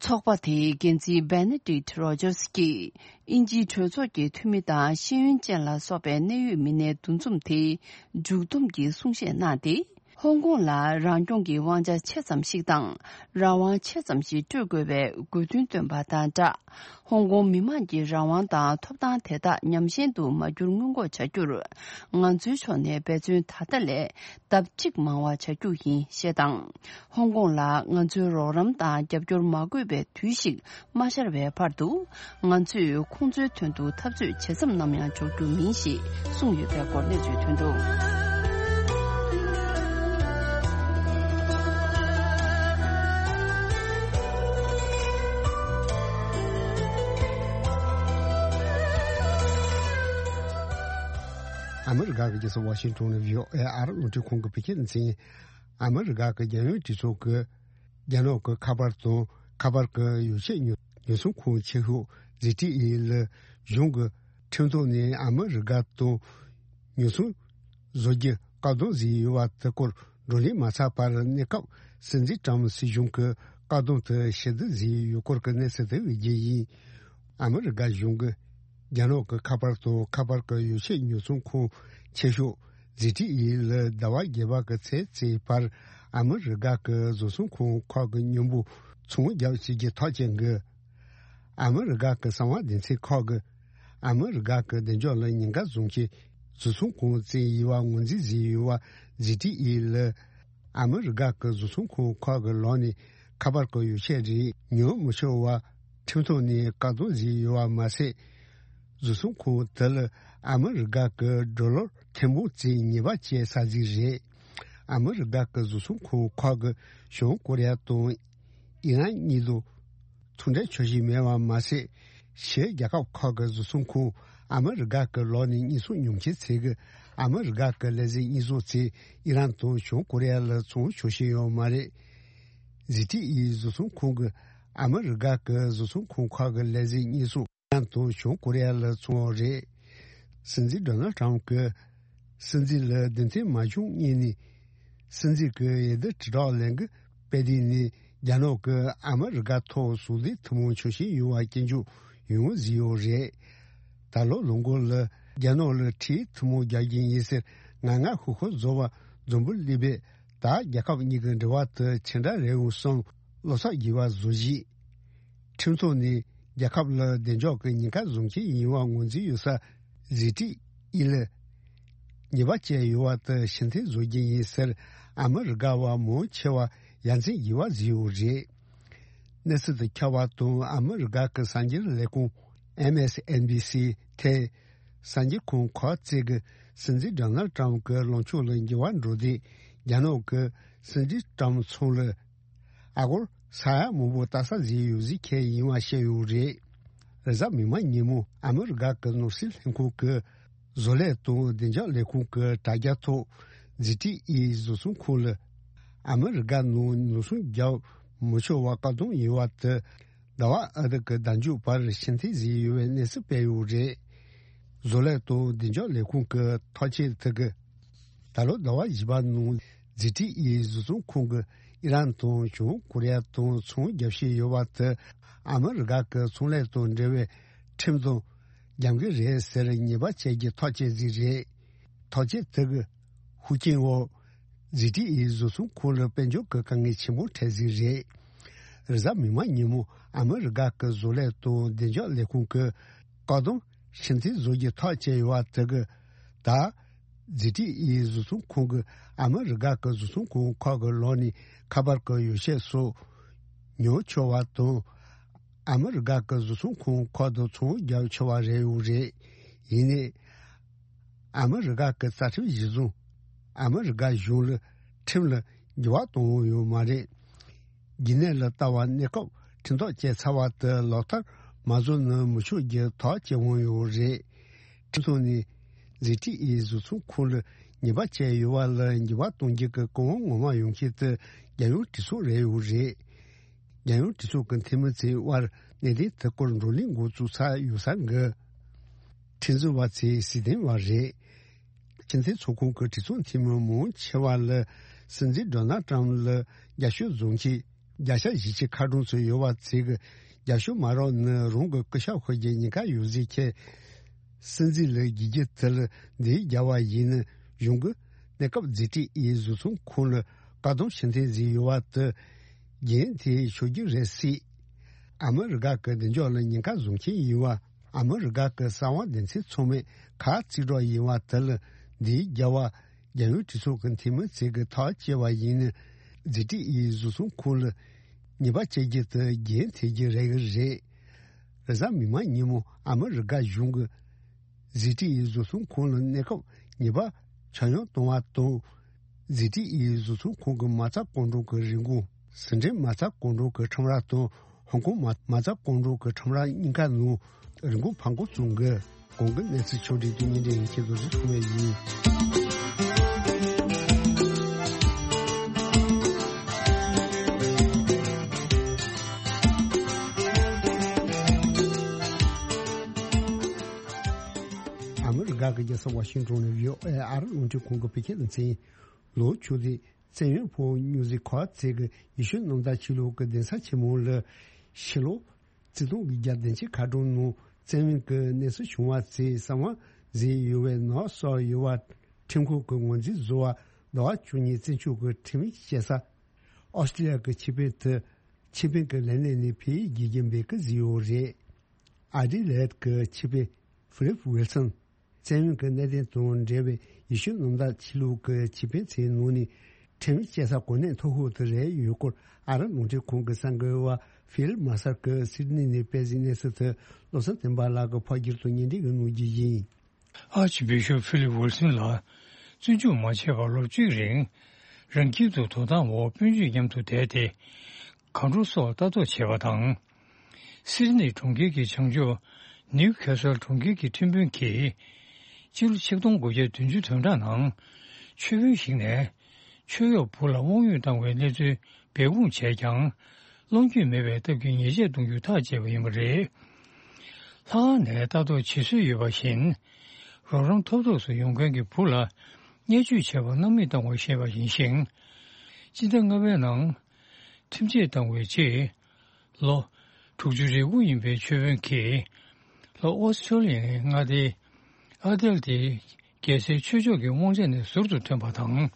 ཚོགས་པ་དེའི་འགན་འཛིན་Benedict Rogers གྱིས་དབྱིན་ཇིའི་གྲོས་ཚོགས་ཀྱི་འཐུས་མི་དང་ཤེས་ཡོན་ཅན་ལ་སོགས་པའི་གནད་ཡོད་མི་སྣའི་འདུ་འཛོམས་དེའི་མཇུག་བསྡོམས་ཀྱི་གསུང་བཤད་གནང་སྟེ། ཧོང་ཀོང་ལ་རང་སྐྱོང་གི་དབང་ཆ་ཆེ་ཙམ་ཞིག་དང་རང་དབང་ཆེ་ཙམ་ཞིག་སྤྲོད་དགོས་པའི་དགོས་འདུན་བཏོན་པ་དང་སྦྲགས། ཧོང་ཀོང་མི་དམངས་ཀྱི་རང་དབང་དང་ཐོབ་ཐང་དེ་དག་ཉམས་ཞན་དུ་མ་གྱུར་སྔོན་འགོག་བྱ་རྒྱུར། ང་ཚོའི་ཕྱོགས་ནས་འབད་བརྩོན་ད་ལྟ་ལས་ལྡབ་གཅིག་མང་བ་བྱ་རྒྱུ་ཡིན་ཞེས་དང་། ཧོང་ཀོང་ལ་ང་ཚོའི་རོགས་རམ་དང་རྒྱབ་སྐྱོར་མ་དགོས་པའི་དུས་ཤིག་མ་ཤར་བའི་བར་དུ། ང་ཚོས་ཁོང་ཚོའི་དོན་དུ་འཐབ་རྩོད་ཇི་ཙམ་ནམ་ཡང་འཇོག་རྒྱུ་མིན་ཞེས་གསུངས་ཡོད་པའི་སྐོར་གནས་ཚུལ་ཐོན་འདུག། ཨ་མི་རི་ཀ་གི་རྒྱལ་ས་ཝ་ཤིང་ཊོན་ནས་བྷི་ཨོ་ཨེ་ཨ་རི་རླུང་འཕྲིན་ཁང་གི་བོད་སྐད་སྡེ་ཚན། ཨ་མི་རི་ཀ་གི་རྒྱལ་ཡོངས་གྲོས་ཚོགས་ཀྱི་རྒྱ་ནག་གི་ཁ་པར་དང་ཁ་པར་གྱི་ཡོ་བྱད་ཉོ་ཉོ་ཚོང་ཁང་ཆེ་ཤོས་ཟི་ཊི་ཨི་ལ་གཞུང་གིས་ཁྲིམས་ཐོག་ནས་ཨ་མི་རི་ཀ་དང་ཉོ་ཚོང་བཟོ་རྒྱུ་བཀག་སྡོམ་བཟོས་ཡོད་པ་དེ་སྐོར་བགྲོ་གླེང་མ་ཚར་བར་གནས་སྐབས་སྲིད་འཛིན་ཀྲམ་སྲིད་གཞུང་གིས་བཀག་སྡོམ་དེ་ཕྱིར་བསྡུ་བཟོས་ཡོད་སྐོར་གྱི་གནས་ཚུལ་དེ་བརྒྱུད་ཡིན། ཨ་མི་རི་ཀ་གཞུང་གིས་རྒྱ་ནག་གི་ཁ་པར་དང་ཁ་པར་གྱི་ཡོ་བྱད་ཉོ་ཚོང་ཁང་ཆེ་ཤོས་ཟི་ཊི་ཨི་ལ་ཟླ་བ་བརྒྱད་པ་གི་ཚེས་གཅིག་བར་ཨ་མི་རི་ཀ་གི་བཟོ་ཚོང་ཁང་ཁག་གི་མཉམ་པོ་ཚོང་རྒྱག་བྱེད་རྒྱུ་ཐག་བཅད་འགོད། ཨ་མི་རི་ཀ་གི་གསང་བ་སྡེ་ཚན་ཁག་གིས་ཨ་མི་རི་ཀ་གི་བདེ་འཇགས་ལ་ཉེན་ཁ་བཟོ་མཁན་བཟོ་ཚོང་ཁང་བཙན་ཡིན་པ་ངོས་འཛིན་བཟོས་ཡོད་པ་ཟི་ཊི་ཨི་ལ་ཨ་མི་རི་ཀ་གི་བཟོ་ཚོང་ཁང་ཁག་གི་ལག་ནས་ཁ་པར་གྱི་ཡོ་བྱད་རིགས་ཉོ་མི་ཆོག་པ་ཁྲིམས་ཐོག་ནས་བཀག་སྡོམ་བཟོས་ཡོད་པ་མ་ཟད། བཟོ་ཚོང་ཁང་དེ་ལ་ཨ་མི་རི་ཀ་གི་ཌོ་ལར་ཐེར་འབུམ་གཅིག་ཉེས་པ་བཅད་ས་ཟིག་རེད། ཨ་མི་རི་ཀ་གི་བཟོ་ཚོང་ཁང་ཁག་གིས་བྱང་ཀོ་རི་ཡ་དང་ཨི་རན་གཉིས་དང་ཚོང་འབྲེལ་ཆོག་ཤེས་མེད་པ་མ་ཟད། ཕྱིའི་རྒྱལ་ཁབ་ཁག་གི་བཟོ་ཚོང་ཁང་ཨ་མི་རི་ཀ་གི་ལག་ནས་གཉེར་སྐྱོང་མྱོང་མཁན་ཚོས་ཀྱིས་ཨ་མི་རི་ཀ་གི་ལས་འཛིན་གཉེར་སྐྱོང་ཚོས་ཨི་རན་དང་བྱང་ཀོ་རི་ཡ་ལ་ཚོང་ཆོག་ཤེས་ཡོད་མ་རེད། ཟི་ཊི་ཨི་བཟོ་ཚོང་ཁང་གིས་ཨ་མི་རི་ཀ་གི་བཟོ་ཚོང་ཁང་ཁག་གི་ལས་འཛིན་གཉེར་སྐྱོང་ཨི་རན་དང་བྱང་ཀོ་རི་ཡ་ལ་བཙོང་བ་རེད། སྲིད་འཛིན་ཌོ་ནལ་ཊམ་གྱིས་སྲིད་འཛིན་ལ་བདེན་དོན་མ་བྱུང་སྔོན་ནས་སྲིད་འཛིན་གྱི་འོས་བསྡུ་དྲིལ་བསྒྲགས་ལས་འགུལ་སྤེལ་དུས་ནས་རྒྱ་ནག་གིས་ཨ་མི་རི་ཀ་ཐོག་ཟུང་འབྲེལ་ཐུན་མོང་ཆོག་ཤེས་ཡོད་པ་སྐྱོན་བརྗོད་ཡོང་ཡོང་བཟོས་ཡོད་རེད། ད་ལོ་ལོ་འགོ་ལ་རྒྱ་ནག་ལ་ཁྲིམས་ཐུན་མོང་རྒྱག་རྒྱུ་ཡིན་ཟེར་ངར་ངར་ཤུགས་ཤུགས་བཟོ་བ་འཛོམས་པོ་སླེབས་པས། ད་རྒྱལ་ཁབ་གཉིས་ཀྱི་འབྲེལ་བ་དེ་ཇི་འདྲ་རེད་འོང་བསམ་བློ་འཚབ་རྒྱས་པ་བཟོ་བཞིན། ཁྲིམས་ཐོག་ནས་རྒྱལ་ཁབ་ལ་བདེ་འཇགས་ཀྱི་ཉེན་ཁ་བཟོ་མཁན་ཡིན་པ་ངོས་འཛིན་ཡོད་ས་ཟི་ཊི་ཨི་ལ་ཉེས་པ་བཅད་ཡོད་པ་དེ་ཕྱིར་འཐེན་བཟོ་རྒྱུ་ཡིན་ཟེར་ཨ་མི་རི་ཀ་བ་མང་ཆེ་བ་ཡ་མཚན་རྒྱས་པ་བཟོས་ཡོད་རེད། གནས་ཚུལ་དུ་འཁྱོལ་བ་དང་། ཨ་མི་རི་ཀ་གི་གསར་འགྱུར་ལས་ཁུངས་ཨེམ་ཨེས་ཨེན་བི་སི་ཐད་གསར་འགྱུར་ཁང་ཁག་ཅིག་གིས་སྲིད་འཛིན་ཌོ་ནལ་ཊམ་གྱི་ལངས་ཕྱོགས་ལ་འགྱུར་བ་འགྲོ་དུས། རྒྱ་ནག་གི་སྲིད་འཛིན་ཊམ་ཚང་ལ་ཨ་སྒོར་ས་ཡ་མང་པོ་ལྟ་ས་ཟིག་ཡོད་ཟེར་མཁན་ཡིན་པ་བཤད་ཡོད་རེད། རེས་གཟའ་མིག་དམར་ཉིན་མོ་ཨ་མི་རི་ཀ་གི་ནོར་སྲིད་ལྷན་ཁང་གི་བཟོ་ལས་དང་བདེ་འཇགས་ལས་ཁུངས་ཀྱི་དྲ་རྒྱ་ཐོག་ཛི་ཊི་ཨི་བཟོ་ཚོང་ཁང་ལ་ཨ་མི་རི་ཀ་ནང་ནོར་སྲུང་བརྒྱབ་མི་ཆོག་པ་བཀག་སྡོམ་ཡོད་པ་དེ། ཟླ་བ་ཨ་ཐི་གི་ཟླ་མཇུག་བར་ཕྱིར་འཐེན་ཟིན་ཡོད་པའི་གནས་ཚུལ་སྤེལ་ཡོད་རེད། བཟོ་ལས་དང་བདེ་འཇགས་ལས་ཁུངས་ཀྱི་ཐག་གཅོད་དེ་གིས། ད་ལོ་ཟླ་བ་བཞི་པ་ནང་ཛི་ཊི་ཨི་བཟོ་ཚོང་ཁང་གིས་ཨི་རན་དང་བྱང་ཀོ་རི་ཡ་དང་ཚོང་རྒྱག་བཞིན་ཡོད་པ་དེ། ཨ་མི་རི་ཀ་གི་ཚོང་ལས་དང་འབྲེལ་བའི་ཁྲིམས་དང་འགལ་གྱི་རེད་ཟེར་ཉེས་པ་བཅད་རྒྱུའི་ཐག་བཅད་ཟིག་རེད། ཐག་གཅོད་དེ་གི་ཤུགས་རྐྱེན་འོག་ཛི་ཊི་ཨི་བཟོ་ཚོང་ཁང་ལ་དཔལ་འབྱོར་གྱི་དཀའ་ངལ་ཆེན་པོ་འཕྲད་ཟིག་རེད། རེས་གཟའ་མིག་དམར་ཉིན་མོ་ཨ་མི་རི་ཀ་གི་བཟོ་ལས་དང་བདེ་འཇགས་ལས་ཁུངས་ཀྱིས་བཀག་སྡོམ་ཕྱིར་འཐེན་བཟོ་རྒྱུའི་ཐག་བཅད་ཡོད་པ་དེ་གིས། ད་ཛི་ཊི་ཨི་བཟོ་ཚོང་ཁང་གིས་ཨ་མི་རི་ཀ་གི་བཟོ་ཚོང་ཁང་ཁག་གི་ལག་ནས་ཁ་པར་གྱི་ཡོ་བྱད་སོགས་ཉོ་ཆོག་པ་དང་། ཨ་མི་རི་ཀ་གི་བཟོ་ཚོང་ཁང་ཁག་ཏུ་ཚོང་རྒྱག་ཆོག་པ་རེད་ཡོད་རེད། ཡིན་ནའི། ཨ་མི་རི་ཀ་གི་རྩ་ཁྲིམས་གཞིར་བཟུང་། ཨ་མི་རི་ཀ་གཞུང་ལ་ཁྲིམས་ལ་འགྱུར་བ་གཏོང་འོས་ཡོད་མ་རེད། རྒྱུན་གནས་ལ་ལྟ་བ། གནས་སྐབས་ཁྲིམས་ཐག་བཅད་ཚར་བ་དེ་ལག་བསྟར་མ་བཟོ་ན་མི་ཆོག་རྒྱུའི་ཐག་བཅད་འོས་ཡོད་རེད། ཁྲིམས་ཐོག་ནས་ཛི་ཊི་ཨི་བཟོ་ཚོང་ཁང་ལ་ཉེས་པ་བཅད་ཡོད་པ་ལ་འགྱུར་བ་གཏོང་རྒྱུ་གི་གོ་སྐབས་ངོ་མ་ཡོང་མཁན་དེ་རྒྱལ་ཡོངས་གྲོས་ཚོགས་རེད་ཡོད་རེད། རྒྱལ་ཡོངས་གྲོས་ཚོགས་ཀྱི་འཐུས་མི་ཚོའི་དབར་གནད་དོན་དེ་སྐོར་བགྲོ་གླེང་འགོ་བཙུགས་ཚར་ཡོད་ས་གི་ཁྲིམས་བཟོ་བ་ཚོས་གཟིགས་མཐོང་བ་རེད། སྤྱི་མཐུན་ཚོགས་ཁོངས་ཀྱི་གྲོས་ཚོགས་འཐུས་མི་མང་ཆེ་བ་ལ་སྲིད་འཛིན་ཌོ་ནལ་ཊམ་ལ་རྒྱབ་སྐྱོར་བཟོ་མཁན་བརྒྱ་ཆ་བཞི་བཅུ་ཁ་གྲངས་ཚོད་ཡོད་པ་ཚོས་ཀྱི་རྒྱབ་སྐྱོར་མ་རག་ན་རང་གི་སྐུ་ཞབས་ཤོར་རྒྱུའི་ཉེན་ཁ་ཡོད་ཟེར་མཁན་སྲིད་འཛིན་ལ་དགོངས་རྒྱུ་དེ་ལ་འདི་རྒྱལ་བ་ཡིན་ན་གཞུང་གི་གནས་སྐབས་ཛི་ཊི་ཨི་བཟོ་ཚོང་ཁང་ལ་བཀག་སྡོམ་ཕྱིར་འཐེན་བཟོས་ཡོད་པ་དེ་འགན་དེ་ཤོར་རྒྱུ་རེད་སྲིད། ཨ་མི་རི་ཀ་གི་བདེ་འཇགས་ལ་ཉེན་ཁ་བཟོ་མཁན་ཡིན་པ། ཨ་མི་རི་ཀ་གི་གསང་བ་སྡེ་ཚན་ཚང་མས་ཁ་གཅིག་གྲོགས་ཡིན་པ་དེ་ལ་འདིའི་རྒྱལ་བ་རྒྱལ་ཡོངས་གྲོས་ཚོགས་ཀྱི་འཐུས་མི་ཚོས་ཀྱི་ཐག་བཅད་པ་ཡིན་ན་ཛི་ཊི་ཨི་བཟོ་ཚོང་ཁང་ལ་ཉེས་པ་བཅད་རྒྱུ་དེ་འགན་འཁྱེར་རྒྱུ་རེད་ཀྱི་རེད། རེས་གཟའ་མིག་དམར་ཉིན་མོ་ཨ་མི་རི་ཀ་གཞུང་གིས་ཛི་ཊི་ཨི་བཟོ་ཚོང་ཁང་ལ་གནས་སྐབས་ཉེས་པ་ཆ་སྙོམས་གཏོང་བ་དང་། ཛི་ཊི་ཨི་བཟོ་ཚོང་ཁང་གི་མ་རྩ་ཀོང་ཀྲོང་གི་རིན་གོང་། ཟི་ཁྲོན་མ་རྩ་ཀོང་ཀྲོང་གི་ཁྲོམ་ར་དང་ཧོང་ཀོང་མ་མ་རྩ་ཀོང་ཀྲོང་གི་ཁྲོམ་ར་གཉིས་ཀ་ནང་རིན་གོང་འཕར་འགྲོ་བྱུང་གི། གོང་གི་གནས་ཚུལ་ཕྱོགས་སྒྲིག་དེ་ཉིན་རེ་ཡིན་ཁྱེད་ཚོ་རིག་ཐུབ་མེད་ཡིན། ཨ་མི་རི་ཀ་གི་རྒྱལ་ས་ཝ་ཤིང་ཏོན་ནས་བྷི་ཨོ་ཨེ་ཨ་རི་རླུང་འཕྲིན་ཁང་གི་བོད་སྐད་སྡེ་ཚན། ལོ་ཆུ་ཚོད་བཙན་གཡེམ་ཕོག་མྱུར་ཟིག་ཁོ་ཚེ་གི་ཡེ་ཤུ་གནམ་བདག་ཆོས་ལུགས་ཀྱི་གདན་ས་ཆེན་མོ་ལ་ཕྱི་ལོ་ཆིག་སྟོང་དགུ་བརྒྱ་བདུན་ཅུ་ཁ་གྲངས་ནང་བཙན་གཡེམ་གྱི་གནས་ཚུལ་བྱུང་བ་ཚེ་གསང་བ་ཟིན་ཡོད་པའི་ནག་སོགས་ཡོད་པ་ཁྲིམས་ཁང་གི་ངོས་འཛིན་བཟོ་བ་ཟླ་བ་བཅུ་གཉིས་བཙན་བྱོལ་གྱི་ཁྲིམས་ཡིག་བཤད་ས་ཨོ་སི་ཀྲི་ལི་ཡ་གི་ཆེད་ཕེབས་དུ་ཆེད་ཕེབས་ཀྱི་ལས་གནས་ནས་ཕེབས་ཡིག་བརྒྱུད་འབེབས་ཀྱི་བཟོས་ཡོད་རེད། ཨ་ཌི་ལེ་ཌི་གི་ཆེད་ཕེབས་ཧྥི་ལིབ་ཝིལ་སོན། བཙན་གཡེམ་གྱི་གནད་དོན་དང་འབྲེལ་བའི་ཡེ་ཤུ་གནམ་བདག་ཆོས་ལུགས་ཀྱི་ཆེད་ཕན་ཚོའི་ནང་ནས་ཁྲིམས་བཅད་ས་གོ་གནས་མཐོ་ཤོས་དེ་རེད་ཡོད་སྐོར་ཨ་རབ་རླུང་འཕྲིན་ཁང་གི་གསར་འགོད་པ་ཧྥིལ་མ་སར་གྱིས་སིད་ནི་ནས་སྤེལ་གཟིགས་གནས་ཚུལ་དེ་བློ་བཟང་བསྟན་པ་ལགས་ཀྱིས་ཕབ་བསྒྱུར་དང་སྙན་སྒྲོན་གྱིས་གནང་རྒྱུ་ཡིན། ཨར་ཅི་བི་ཤོབ་ཧྥི་ལིབ་ཝིལ་སོན་ལགས་བཙོན་འཇུག་མ་བྱས་པར་ལོ་གཅིག་རིང་རང་ཁྱིམ་དུ་དོ་དམ་འོག་སྤུན་མཆེད་མཉམ་དུ་བསྡད་དེ། གང་དྲོ་སོགས་ལྟ་རྟོག་བྱས་པ་དང་། སིད་ནི་གྲོང་ཁྱེར་གྱི་བྱང་ཕྱོགས་ནིའུ་ཁེ་སལ་གྲོང་ཁྱེར་གྱི་ཁྲིམས་དཔོན་གྱིས། སྤྱི་ལོ་ཆིག་སྟོང་དགུ་བརྒྱ་བདུན་ཅུ་དོན་གྲངས་ནང་ཆོས་དཔོན་ཞིག་ནས་ཆོས་གཡོག་བུ་ལ་དབང་ཡོད་བཏང་བའི་གནས་ཚུལ་སྦས་སྐུང་བྱས་ཀྱང་། བློ་འགྱོད་མེད་པའི་སྟབས་ཀྱིས་ཉེས་ཆད་གཏོང་རྒྱུ་ཐག་བཅད་པ་ཡིན་པ་རེད། ལྷག་དཀར་ནས་ལྟ་རྟོག་བྱེད་སྲོལ་ཡོད་པ་བཞིན། རོགས་རམ་ཐོབ་ཐོབ་སུ་ཡོང་མཁན་གྱི་བུ་ལ་བརྙས་བཅོས་བྱས་པར་སྣང་མེད་བཏང་བ་ཞེས་པ་ཡིན་ཞིང་། སྤྱི་ཟླ་ལྔ་པའི་ནང་ཁྲིམས་ཆད་བཏང་བའི་རྗེས། ལོ་དྲུག་ཅུ་རེ་དགུ་ཡིན་པའི་ཆོས་དཔོན་གྱིས། ལྷོ་ཨོ་སི་ཀྲོ་ལི་ཡའི་མངའ་སྡེ་ཨ་དེལ་ཏེ་རྒྱལ་སའི་ཆོས་ཕྱོགས་ཀྱི་དབང་ཆ་ནས་ཟུར་དུ་ཐོན་པ་དང་།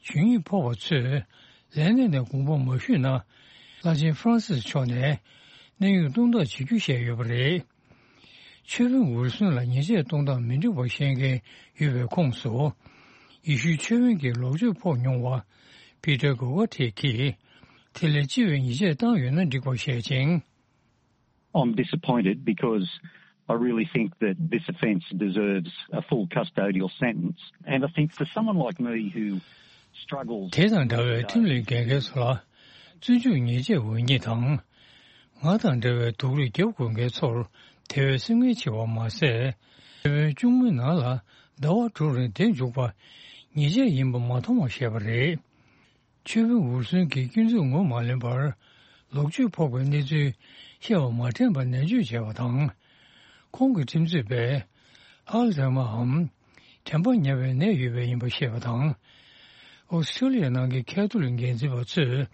ཇུས་ཉེས་ཕོག་པ་ཚོས་ལས་གནས་ནས་དགོངས་པ་མ་ཞུས་ན། བླ་ཆེན་ཧྥ་རན་སིས་མཆོག་ནས་གནས་དབྱུང་གཏོང་ཐབས་བྱེད་རྒྱུ་བཤད་ཡོད་པ་རེད། ཆོས་དཔོན་ཝིལ་སོན་ལ་ཉེས་ཆད་གཏོང་སྟངས་མི་འགྲིག་པ་བཤད་མཁན་ཡོད་པའི་ཁོངས་སུ། ཡེ་ཤུའི་ཆོས་དཔོན་གྱི་ལོག་སྤྱོད་ཕོག་མྱོང་བ། པི་ཏར་གོ་ཝ་ཐེ་གིས། དེ་ལས་ལྕི་བའི་ཉེས་ཆད་བཏང་ཡོད་ན་འགྲིག་པ་བཤད་ཅིང་། I'm disappointed because I really think that this offence deserves a full custodial sentence, and I think for someone like me who struggles དེ་དང་འདྲ་བའི་ཁྲིམས་ལས་འགལ་མཁན་ཚོ་ལ་བཙོན་འཇུག་ཉེས་ཆད་འོས་ཉེས་དང་། ང་དང་འདྲ་བའི་སྡུག་རུས་རྒྱབ་དགོས་མཁན་ཚོར་དེ་བས་སེམས་ངལ་ཆེ་བ་མ་ཟད། ཆོས་དཔོན་གཅུང་མོའི་ནང་ལ་ཟླ་བ་དྲུག་རིང་བསྡད་འཇུག་པ་ཉེས་ཆད་ཡིན་པ་མ་མཐོང་བ་བཤད་པ་རེད། ཆོས་དཔོན་ཝུར་སོན་གྱིས་སྐྱོན་འཛུགས་ངོ་མ་ལོན་པར་ལོག་སྤྱོད་ཕོག་པའི་གནས་ཚུལ་བཤད་པ་མ་དྲན་པར་ནད་བཅོས་བྱས་པ་དང་། ཁོང་གི་ཁྲིམས་རྩོད་པས་ཨལ་ཛའི་མ་འམ་དྲན་པ་ཉམས་པའི་ནད་ཡོད་པ་ཡིན་པ་བཤད་པ་དང་། ཨོ་སི་ཁྲུ་ལི་ཡ་ནང་གི་ཁ་ཐོ་ལིག་འགན་འཛིན་པ་ཚོས་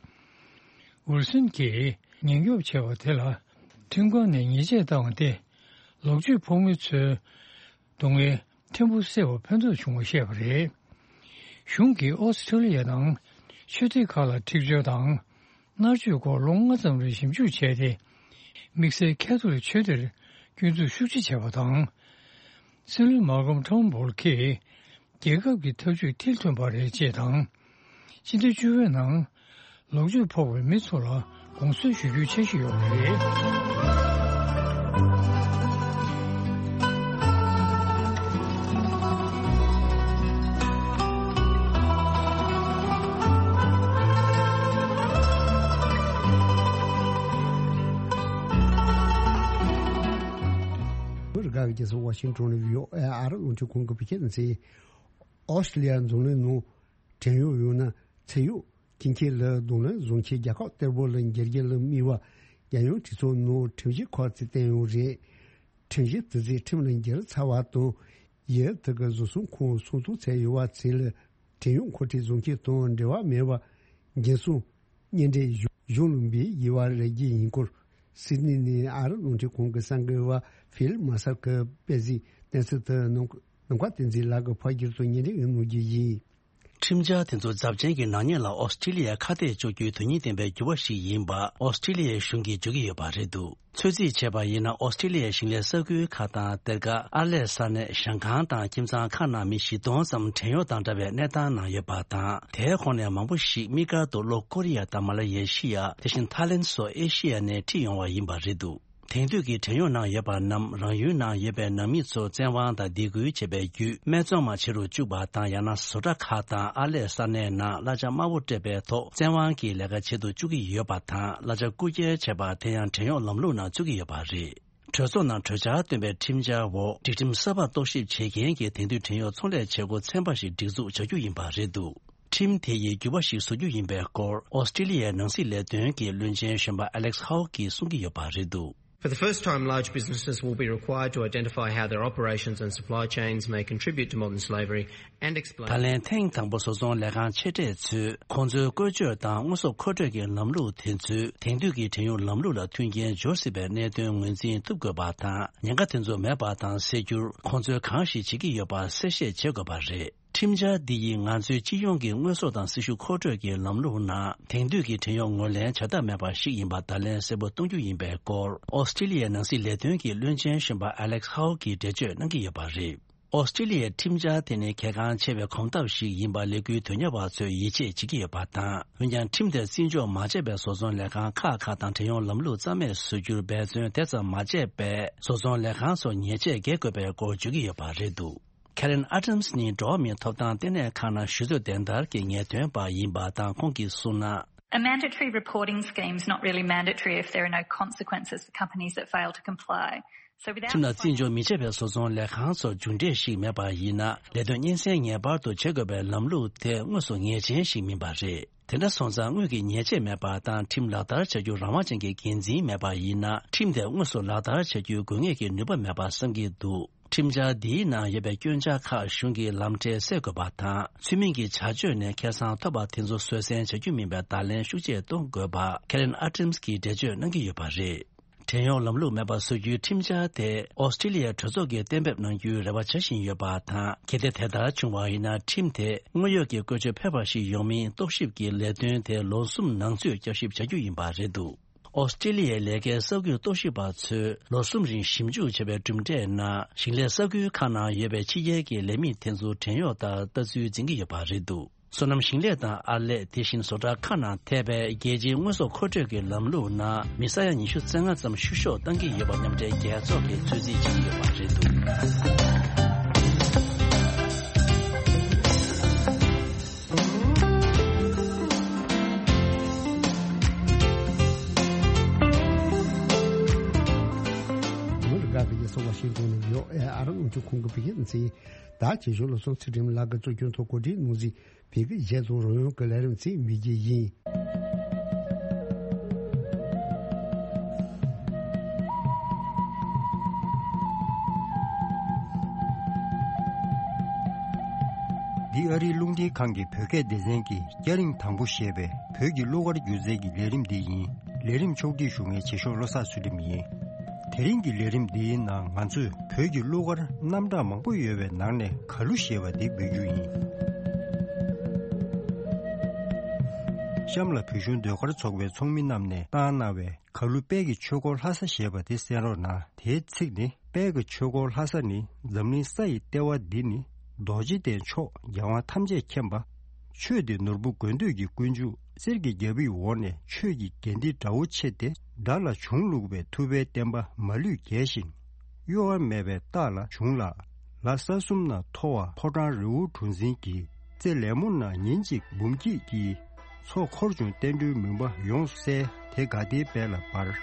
ཝུར་སོན་གྱིས་ཉེན་སྐྱོབ་བྱས་པ་དེ་ལ་ཁྲིམས་ཁང་ནས་ཉེས་ཆད་བཏང་བ་སྟེ། ལོག་སྤྱོད་ཕོག་མི་ཚོའི་སྡུག་བསྔལ་ཕྲན་བུ་སེལ་བར་ཕན་ཐོགས་བྱུང་བ་བཤད་པ་རེད། གཞུང་གིས་ཨོ་སི་ཁྲུ་ལི་ཡ་དང་ཆོས་སྡེ་ཁག་ལ་འཁྲིག་སྦྱོར་དང་མནར་གཅོད་སྐོར་ལོ་ལྔ་ཙམ་རིང་ཞིབ་འཇུག་བྱས་ཏེ། དམིགས་བསལ་ཁ་ཐོ་ལིག་ཆོས་སྡེར་སྐྱོན་འཛུགས་ཤུགས་ཆེ་བྱས་པ་དང་། སྲིད་བློན་མཱ་ཀོམ་ཁྲོན་བོལ་གྱིས་རྒྱལ་ཁབ་ཀྱི་ཐབས་ཇུས་མཐིལ་ཐོན་པ་རེད་ཅེས་དང་། སྤྱི་ཟླ་བཅུ་པའི་ནང་ལོག་སྤྱོད་ཕོག་པའི་མི་ཚོ་ལ་དགོངས་སེལ་ཞུ་རྒྱུའི་འཆར་གཞི་ཡོད་པ་རེད། ཨ་མི་རི་ཀ་གི་རྒྱལ་ས་ཝ་ཤིང་ཊོན་ནས་བྷི་ཨོ་ཨེ་ཨ་རི་རླུང་འཕྲིན་ཁང་གི་བོད་སྐད་སྡེ་ཚན། ཨོ་སི་ཀྲི་ལི་ཡ་འཛམ་གླིང་ནང་བྲན་གཡོག་ཡོད་ན་ཚེ་གཡོག་སྐྱིན་ཁེ་ལ་གདོང་ལེན་བཟོ་མཁན་རྒྱལ་ཁབ་གཏེར་སྦོམ་ལ་འགྱུར་རྒྱུ་ལ་དམིགས་པ་རྒྱལ་ཡོངས་གྲོས་ཚོགས་ནང་ཁྲིམས་གཞི་ཁག་ཅིག་བཏོན་ཡོད་རེད། ཁྲིམས་གཞི་དེ་ཚོས་ཁྲིམས་ལ་འགྱུར་ཚར་བ་དང་། ཡུལ་དེ་གི་བཟོ་ཚོང་ཁང་སྲུང་སྐྱོང་བྱས་ཡོད་པ་ཚོ་ལ་བྲན་གཡོག་མཁོ་སྤྲོད་བཟོ་མཁན་དང་འབྲེལ་བ་མེད་པ་འགན་སྲུང་གཉེན་འབྲེལ་གཞུང་ལ་འབུལ་དགོས་པ་རེད་ཀྱི་ཡིན་སྐོར། སིད་ནི་ནས་ཨ་རི་རླུང་འཕྲིན་ཁང་གི་གསར་འགོད་པ་ཕིལ་མ་སར་གྱིས་སྤེལ་གཟིགས་གནས་ཚུལ་དེ་ནམ་མཁའ་བསྟན་འཛིན་ལགས་ཀྱིས་ཕབ་སྒྱུར་དང་སྙན་སྒྲོན་གནང་རྒྱུ་ཡིན། ཁྲིམས་འཆར་དེ་ཚོ་ཚབས་ཆེན་གྱི་ནག་ཉེས་ལ་ཨོ་སི་ཀྲི་ལི་ཡ་ཁ་གཏད་གཅོག་རྒྱུའི་དོན་སྙིང་ལྡན་པའི་འགྱུར་བ་ཞིག་ཡིན་པ་ཨོ་སི་ཀྲི་ལི་ཡའི་གཞུང་གིས་བརྗོད་ཀྱི་ཡོད་པ་རེད་འདུག་ཚོད་རྩིས་བྱས་པ་ཡིན་ན་ཨོ་སི་ཀྲི་ལི་ཡའི་ཞིང་ལས་ས་ཁུལ་ཁག་དང་སྡེར་ཁ་ཨར་ལས་ས་གནས་ཞང་ཁང་དང་ཁྱིམ་ཚང་ཁག་ནང་མི་བཞི་སྟོང་ཙམ་བྲན་གཡོག་དང་འདྲ་བའི་གནས་སྟངས་ནང་ཡོད་པ་དང་། དེའི་ཁོངས་ནས་མང་པོ་ཞིག་དམིགས་བཀར་དུ་ལྷོ་ཀོ་རི་ཡ་དང་མ་ལེ་ཤི་ཡ། དེ་བཞིན་ཐའི་ལེན་སོགས་ཨེ་ཤི་ཡ་ནས་ཁྲིད་ཡོང་བ་ཡིན་པ་རེད་འདུག་དེང་དུས་ཀྱི་བྲན་གཡོག་ནང་ཡོད་པ་རྣམས་རང་ཡུལ་ནང་ཡོད་པའི་ནང་མི་ཚོ་བཙན་དབང་དང་སྡིགས་སྐུལ་བྱེད་པའི་བརྒྱུད་སྨད་འཚོང་མ་བྱེད་རུ་བཅུག་པ་དང་། ཡང་ན་བཟོ་གྲྭ་ཁག་དང་ཨར་ལས་ས་གནས་ནང་གླ་ཆ་དམའ་པོ་སྤྲད་པའི་ཐོག་བཙན་དབང་གིས་ལས་ཀ་བྱེད་དུ་བཅུག་གི་ཡོད་པ་དང་། གླ་ཆ་རྐུ་འཁྱེར་བྱས་པ་དེ་ཡང་བྲན་གཡོག་ལམ་ལུགས་ནང་ཚུད་ཀྱི་ཡོད་པ་རེད། གྲོས་ཚོགས་ནང་གྲོས་འཆར་བཏོན་པའི་ཁྲིམས་འཆར་འོག་སྒྲིག་ཁྲིམས་གསར་པ་རྟོག་ཞིབ་བྱེད་མཁན་གྱི་དེང་དུས་བྲན་གཡོག་ཚོང་ལས་བྱེད་སྒོ་ཚན་པ་ཞིག་སྒྲིག་འཛུགས་བྱ་རྒྱུ་ཡིན་པ་རེད་འདུག་ཁྲིམས་དེ་ཡིས་འགྱུར་བ་ཞིག་བཟོ་རྒྱུ་ཡིན་པའི་སྐོར་ཨོ་སི་ཀྲི་ལི་ཡའི་ནང་སྲིད་ལས་དོན་གྱི་བློན་ཆེན་གཞོན་པ་Alex Hawke གིས་གསུང་གི་ཡོད་པ་རེད་འདུག For the first time, large businesses will be required to identify how their operations and supply chains may contribute to modern slavery and explain. ད་ལན་ཐེངས་དང་པོ་བཟོ་ཚོང་ལས་ཁང་ཆེ་གྲས་ཚོས་ཁོང་ཚོའི་བཀོལ་སྤྱོད་དང་དངོས་ཟོག་མཁོ་སྤྲོད་ཀྱི་ལམ་ལུགས་དེ་ཚོས་དེང་དུས་ཀྱི་བྲན་གཡོག་ལམ་ལུགས་ལ་མཐུན་རྐྱེན་སྦྱོར་སྲིད་པའི་གནད་དོན་ངོས་འཛིན་ཐུབ་དགོས་པ་དང་། ཉེན་ཁ་དེ་ཚོ་མེད་པ་དང་སེལ་རྒྱུར་ཁོང་ཚོས་གང་ཞིག་བྱེད་ཀྱི་ཡོད་པ་གསལ་བཤད་བྱེད་དགོས་པ་རེད། ཁྲིམས་འཆར་འདི་ཡིས་ང་ཚོའི་སྤྱི་ཡོངས་ཀྱི་དངོས་ཟོག་དང་སྲི་ཞུ་མཁོ་སྤྲོད་ཀྱི་ལམ་ལུགས་ནང་དེང་དུས་ཀྱི་བྲན་གཡོག་ངོས་ལེན་བྱ་ཐབས་མེད་པ་ཞིག་ཡིན་པ་བརྡ་ལན་གསལ་པོ་གཏོང་རྒྱུ་ཡིན་པའི་སྐོར་ཨོ་སི་ཀྲི་ལི་ཡའི་ནང་སྲིད་ལས་དོན་གྱི་བློན་ཆེན་གཞོན་པ་Alex Hawke གིས་འགྲེལ་བརྗོད་གནང་གི་ཡོད་པ་རེད། ཨོ་སི་ཀྲི་ལི་ཡའི་ཁྲིམས་འཆར་དེ་ནི་གལ་འགངས་ཆེ་བའི་གོམ་སྟབས་ཤིག་ཡིན་པ་ལས་འགུལ་དོན་གཉེར་བ་ཚོས་ཡིད་ཆེས་བྱེད་ཀྱི་ཡོད་པ་དང་། འོན་ཀྱང་ཁྲིམས་དེར་བརྩི་འཇོག་མ་བྱས་པའི་བཟོ་ཚོང་ལས་ཁང་ཁག་ཁག་དང་བྲན་གཡོག་ལམ་ལུགས་རྩ་མེད་བཟོ་རྒྱུར་འབད་བརྩོན་དེ་ཙམ་མ་བྱས་པས། བཟོ་ཚོང་ལས་ཁང་ཚོར་ཉེས་ཆད་འགེལ་དགོས་པའི་སྐོར་བརྗོད་ཀྱི་ཡོད་པ་རེད་འདུག Karen Adams ནི་འགྲོ་བ་མིའི་ཐོབ་ཐང་ལྟེ་གནས་ཁང་ནང་ཞུ་གཏུག་འདེམས་བསྐོ་གི་ངེས་སྟོན་པ་ཡིན་པ་དང་། ཁོང་གིས་གསུངས་ན། A mandatory reporting scheme is not really mandatory if there are no consequences for companies that fail to comply. So without ཁྲིམས་ལ་བརྩི་འཇོག་མི་བྱེད་པའི་བཟོ་ཚོང་ལས་ཁང་ཚོར་རྒྱུ་འབྲས་ཤིག་མེད་པ་ཡིན་ན། ལས་དོན་སྙན་སེང་ངེས་པར་དུ་བྱེད་དགོས་པའི་ལམ་ལུགས་དེ་དངོས་སུ་ངེས་ཅན་ཞིག་མིན་པ་རེད། དེ་འདྲ་སོང་ཙང་དངུལ་གྱི་ཉེས་ཆད་མེད་པ་དང་། ཁྲིམས་ལག་བསྟར་བྱ་རྒྱུ་རང་དབང་ཅན་གྱི་འགན་འཛིན་མེད་པ་ཡིན་ན། ཁྲིམས་དེ་དངོས་སུ་ལག་བསྟར་བྱ་རྒྱུའི་དགོས་ངེས་ཀྱི་ནུས་པ་མེད་པ་བསམ་གྱི་འདུག་ཁྲིམས་འཆར་འདིའི་ནང་ཡོད་པའི་སྐྱོན་ཆ་ཁག་གཞུང་གིས་ལམ་ཁྲལ་སེལ་དགོས་པ་དང་། ཚུལ་མིན་གྱི་བྱ་སྤྱོད་ནས་ཁེ་བཟང་ཐོབ་པ་དེ་ཚོ་བཟོད་བསྲན་བྱ་རྒྱུ་མིན་པའི་བརྡ་ལན་ཤུགས་ཆེ་གཏོང་དགོས་པ་Karen Adams གིས་འགྲེལ་བརྗོད་གནང་གི་ཡོད་པ་རེད། བྲན་གཡོག་ལམ་ལུགས་མེད་པ་བཟོ་རྒྱུའི་ཁྲིམས་འཆར་དེ་ཨོ་སི་ཀྲི་ལི་ཡའི་གྲོས་ཚོགས་ཀྱིས་གཏན་འབེབས་གནང་རྒྱུའི་རེ་བ་བྱ་བཞིན་ཡོད་པ་དང་། གལ་ཏེ་དེ་ལྟར་བྱུང་བ་ཡིན་ན། ཁྲིམས་དེ་དངོས་ཡོད་ཀྱི་བཀོལ་སྤྱོད་ཕལ་པ་ཞིག་ཡོང་མིན་རྟོག་ཞིབ་ཀྱི་ལས་དོན་དེ་ལོ་གསུམ་ནང་ཚུད་བསྐྱར་ཞིབ་བྱ་རྒྱུ་ཡིན་པ་རེད་འདུག་ཨོ་སི་ཀྲི་ལི་ཡའི་ལས་ཀའི་གསར་འགོད་རྟོག་ཞིབ་པ་ཚོས་ལོ་གསུམ་རིང་ཞིབ་འཇུག་བྱས་པའི་གྲུབ་འབྲས་ནང་། ཞིང་ལས་ས་ཁུལ་ཁག་ནང་ཡོད་པའི་ཕྱི་རྒྱལ་གྱི་ལས་མི་དེ་ཚོ་བྲན་གཡོག་ལྟར་ལྟ་ཚུལ་འཛིན་གྱི་ཡོད་པ་རེད་འདུག་སོ་ནམ་ཞིང་ལས་དང་ཨར་ལས། དེ་བཞིན་བཟོ་གྲྭ་ཁག་ནང་ཐེ་བའི་རྒྱལ་སྤྱིའི་དངོས་ཟོག་མཁོ་སྤྲོད་ཀྱི་ལམ་ལུགས་ནང་མི་ས་ཡ་ཉི་ཤུ་རྩ་ལྔ་ཙམ་བཤུ་གཞོག་བཏང་གི་ཡོད་པ་མཉམ་འབྲེལ་རྒྱལ་ཚོགས་ཀྱིས་ཚོད་རྩིས་བྱེད་ཀྱི་ཡོད་པ་རེད་འདུག་མི་རིགས་ཁག་གི་རྒྱལ་ས་ཝ་ཤིང་ཏོན་ནང་ཡོད་ཨེ་ཨ་རི་རླུང་འཕྲིན་ཁང་གི་བོད་སྐད་སྡེ་ཚན། ད་ཆེ་ཤོས་ལ་སོང་ཚེ་སྒྲིམ་ལགས་ཀྱིས་གཙོ་སྐྱོང་ཐོག་གོ་སྒྲིག་གནང་ཟིན། བོད་ཀྱི་གཞས་དང་རོལ་དབྱངས་ཀྱི་ལས་རིམ་ཚིག་མི་རྒྱས་ཡིན། འདི་ཨ་རིའི་རླུང་འཕྲིན་ཁང་གི་བོད་སྐད་སྡེ་ཚན་གྱི་སྐྱ་རེངས་དང་པོ་ཞེས་པའི་བོད་ཀྱི་གླུ་གར་སྒྱུ་རྩལ་གྱི་ལས་རིམ་འདི་ཡིན། ལས་རིམ་ཕྱོགས་སྒྲིག་ཞུ་མཁན་བྱེད་ཤོག་བློ་བཟང་ཚུལ་ཁྲིམས་ཡིན། དེ་རིང་གི་ལས་རིམ་འདིའི་ནང་ང་ཚོས་བོད་ཀྱི་གླུ་གར་རྣམ་གྲངས་མང་པོ་ཡོད་པའི་ནང་ནས་གར་གླུ་ཞེས་པ་འདི་འབུལ་རྒྱུ་ཡིན། གཤམ་ལ་བོད་གཞུང་ཟློས་གར་ཚོགས་པའི་ཚོགས་མི་རྣམས་ནས་བཏང་གནང་བའི་གར་གླུ་དཔལ་གྱི་ཆོས་འཁོར་ལྷ་ས་ཞེས་པ་དེ་གསན་རོགས་གནང་། དེའི་ཚིག་ནི། དཔལ་གྱི་ཆོས་འཁོར་ལྷ་ས་ནི་འཛམ་གླིང་ས་ཡི་ལྟེ་བ་འདི་ནི། རྡོ་རྗེ་གདན་མཆོག་རྒྱལ་དབང་ཐམས་ཅད་མཁྱེན་པ། ཆོས་འདི་ནོར་བུ་དགོས་འདོད་ཀྱི་ཀུན་འབྱུང་གསེར་གྱི་རྒྱལ་པོའི་འོག་ནས་ཆོས་ཀྱི་དགེ་འདུན་དགྲ་བོ་ཆེ་སྟེ་དགྲ་ལ་བྱུང་བླུགས་པའི་ཐུབ་པའི་བསྟན་པ་མ་ལུས་རྒྱས་ཤིང་། གཡོ་བ་མེད་པའི་རྟགས་ལ་བྱུང་ལ། ལ་ས་གསུམ་ན་མཐོ་བ་ཕོ་བྲང་རི་བོ་གྲུ་འཛིན་གྱི་རྩེ་ལེ་མོ་ན་ཉིན་གཅིག་འབུམ་སྐྱིད་ཀྱི། མཚོ་འཁོར་བྱུང་བསྟན་འགྲོའི་མུན་པ་ཡོངས་བསལ། དེ་དགའ་བདེའི་དཔལ་ལ་འབར།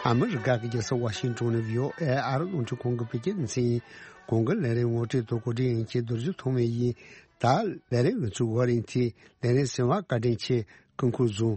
ཨ་མི་རི་ཀ་གི་རྒྱལ་ས་ཝ་ཤིང་ཏོན་ནས་བྷི་ཨོ་ཨེ་ཨ་རི་རླུང་འཕྲིན་ཁང་གི་བོད་སྐད་སྡེ་ཚན་ཡིན། གོང་གི་ལས་རིམ་ངོ་སྤྲོད་དང་གོ་སྒྲིག་ཡིན་གྱི་རྡོ་རྗེ་ཐོགས་མེད་ཡིན། ད་ལས་རིམ་ཡོངས་ཚུགས་བར་ཡིན་ཏེ་ལས་རིམ་གསན་པར་བཀའ་དྲིན་ཆེ། སྐུ་ཁམས་བཟང་།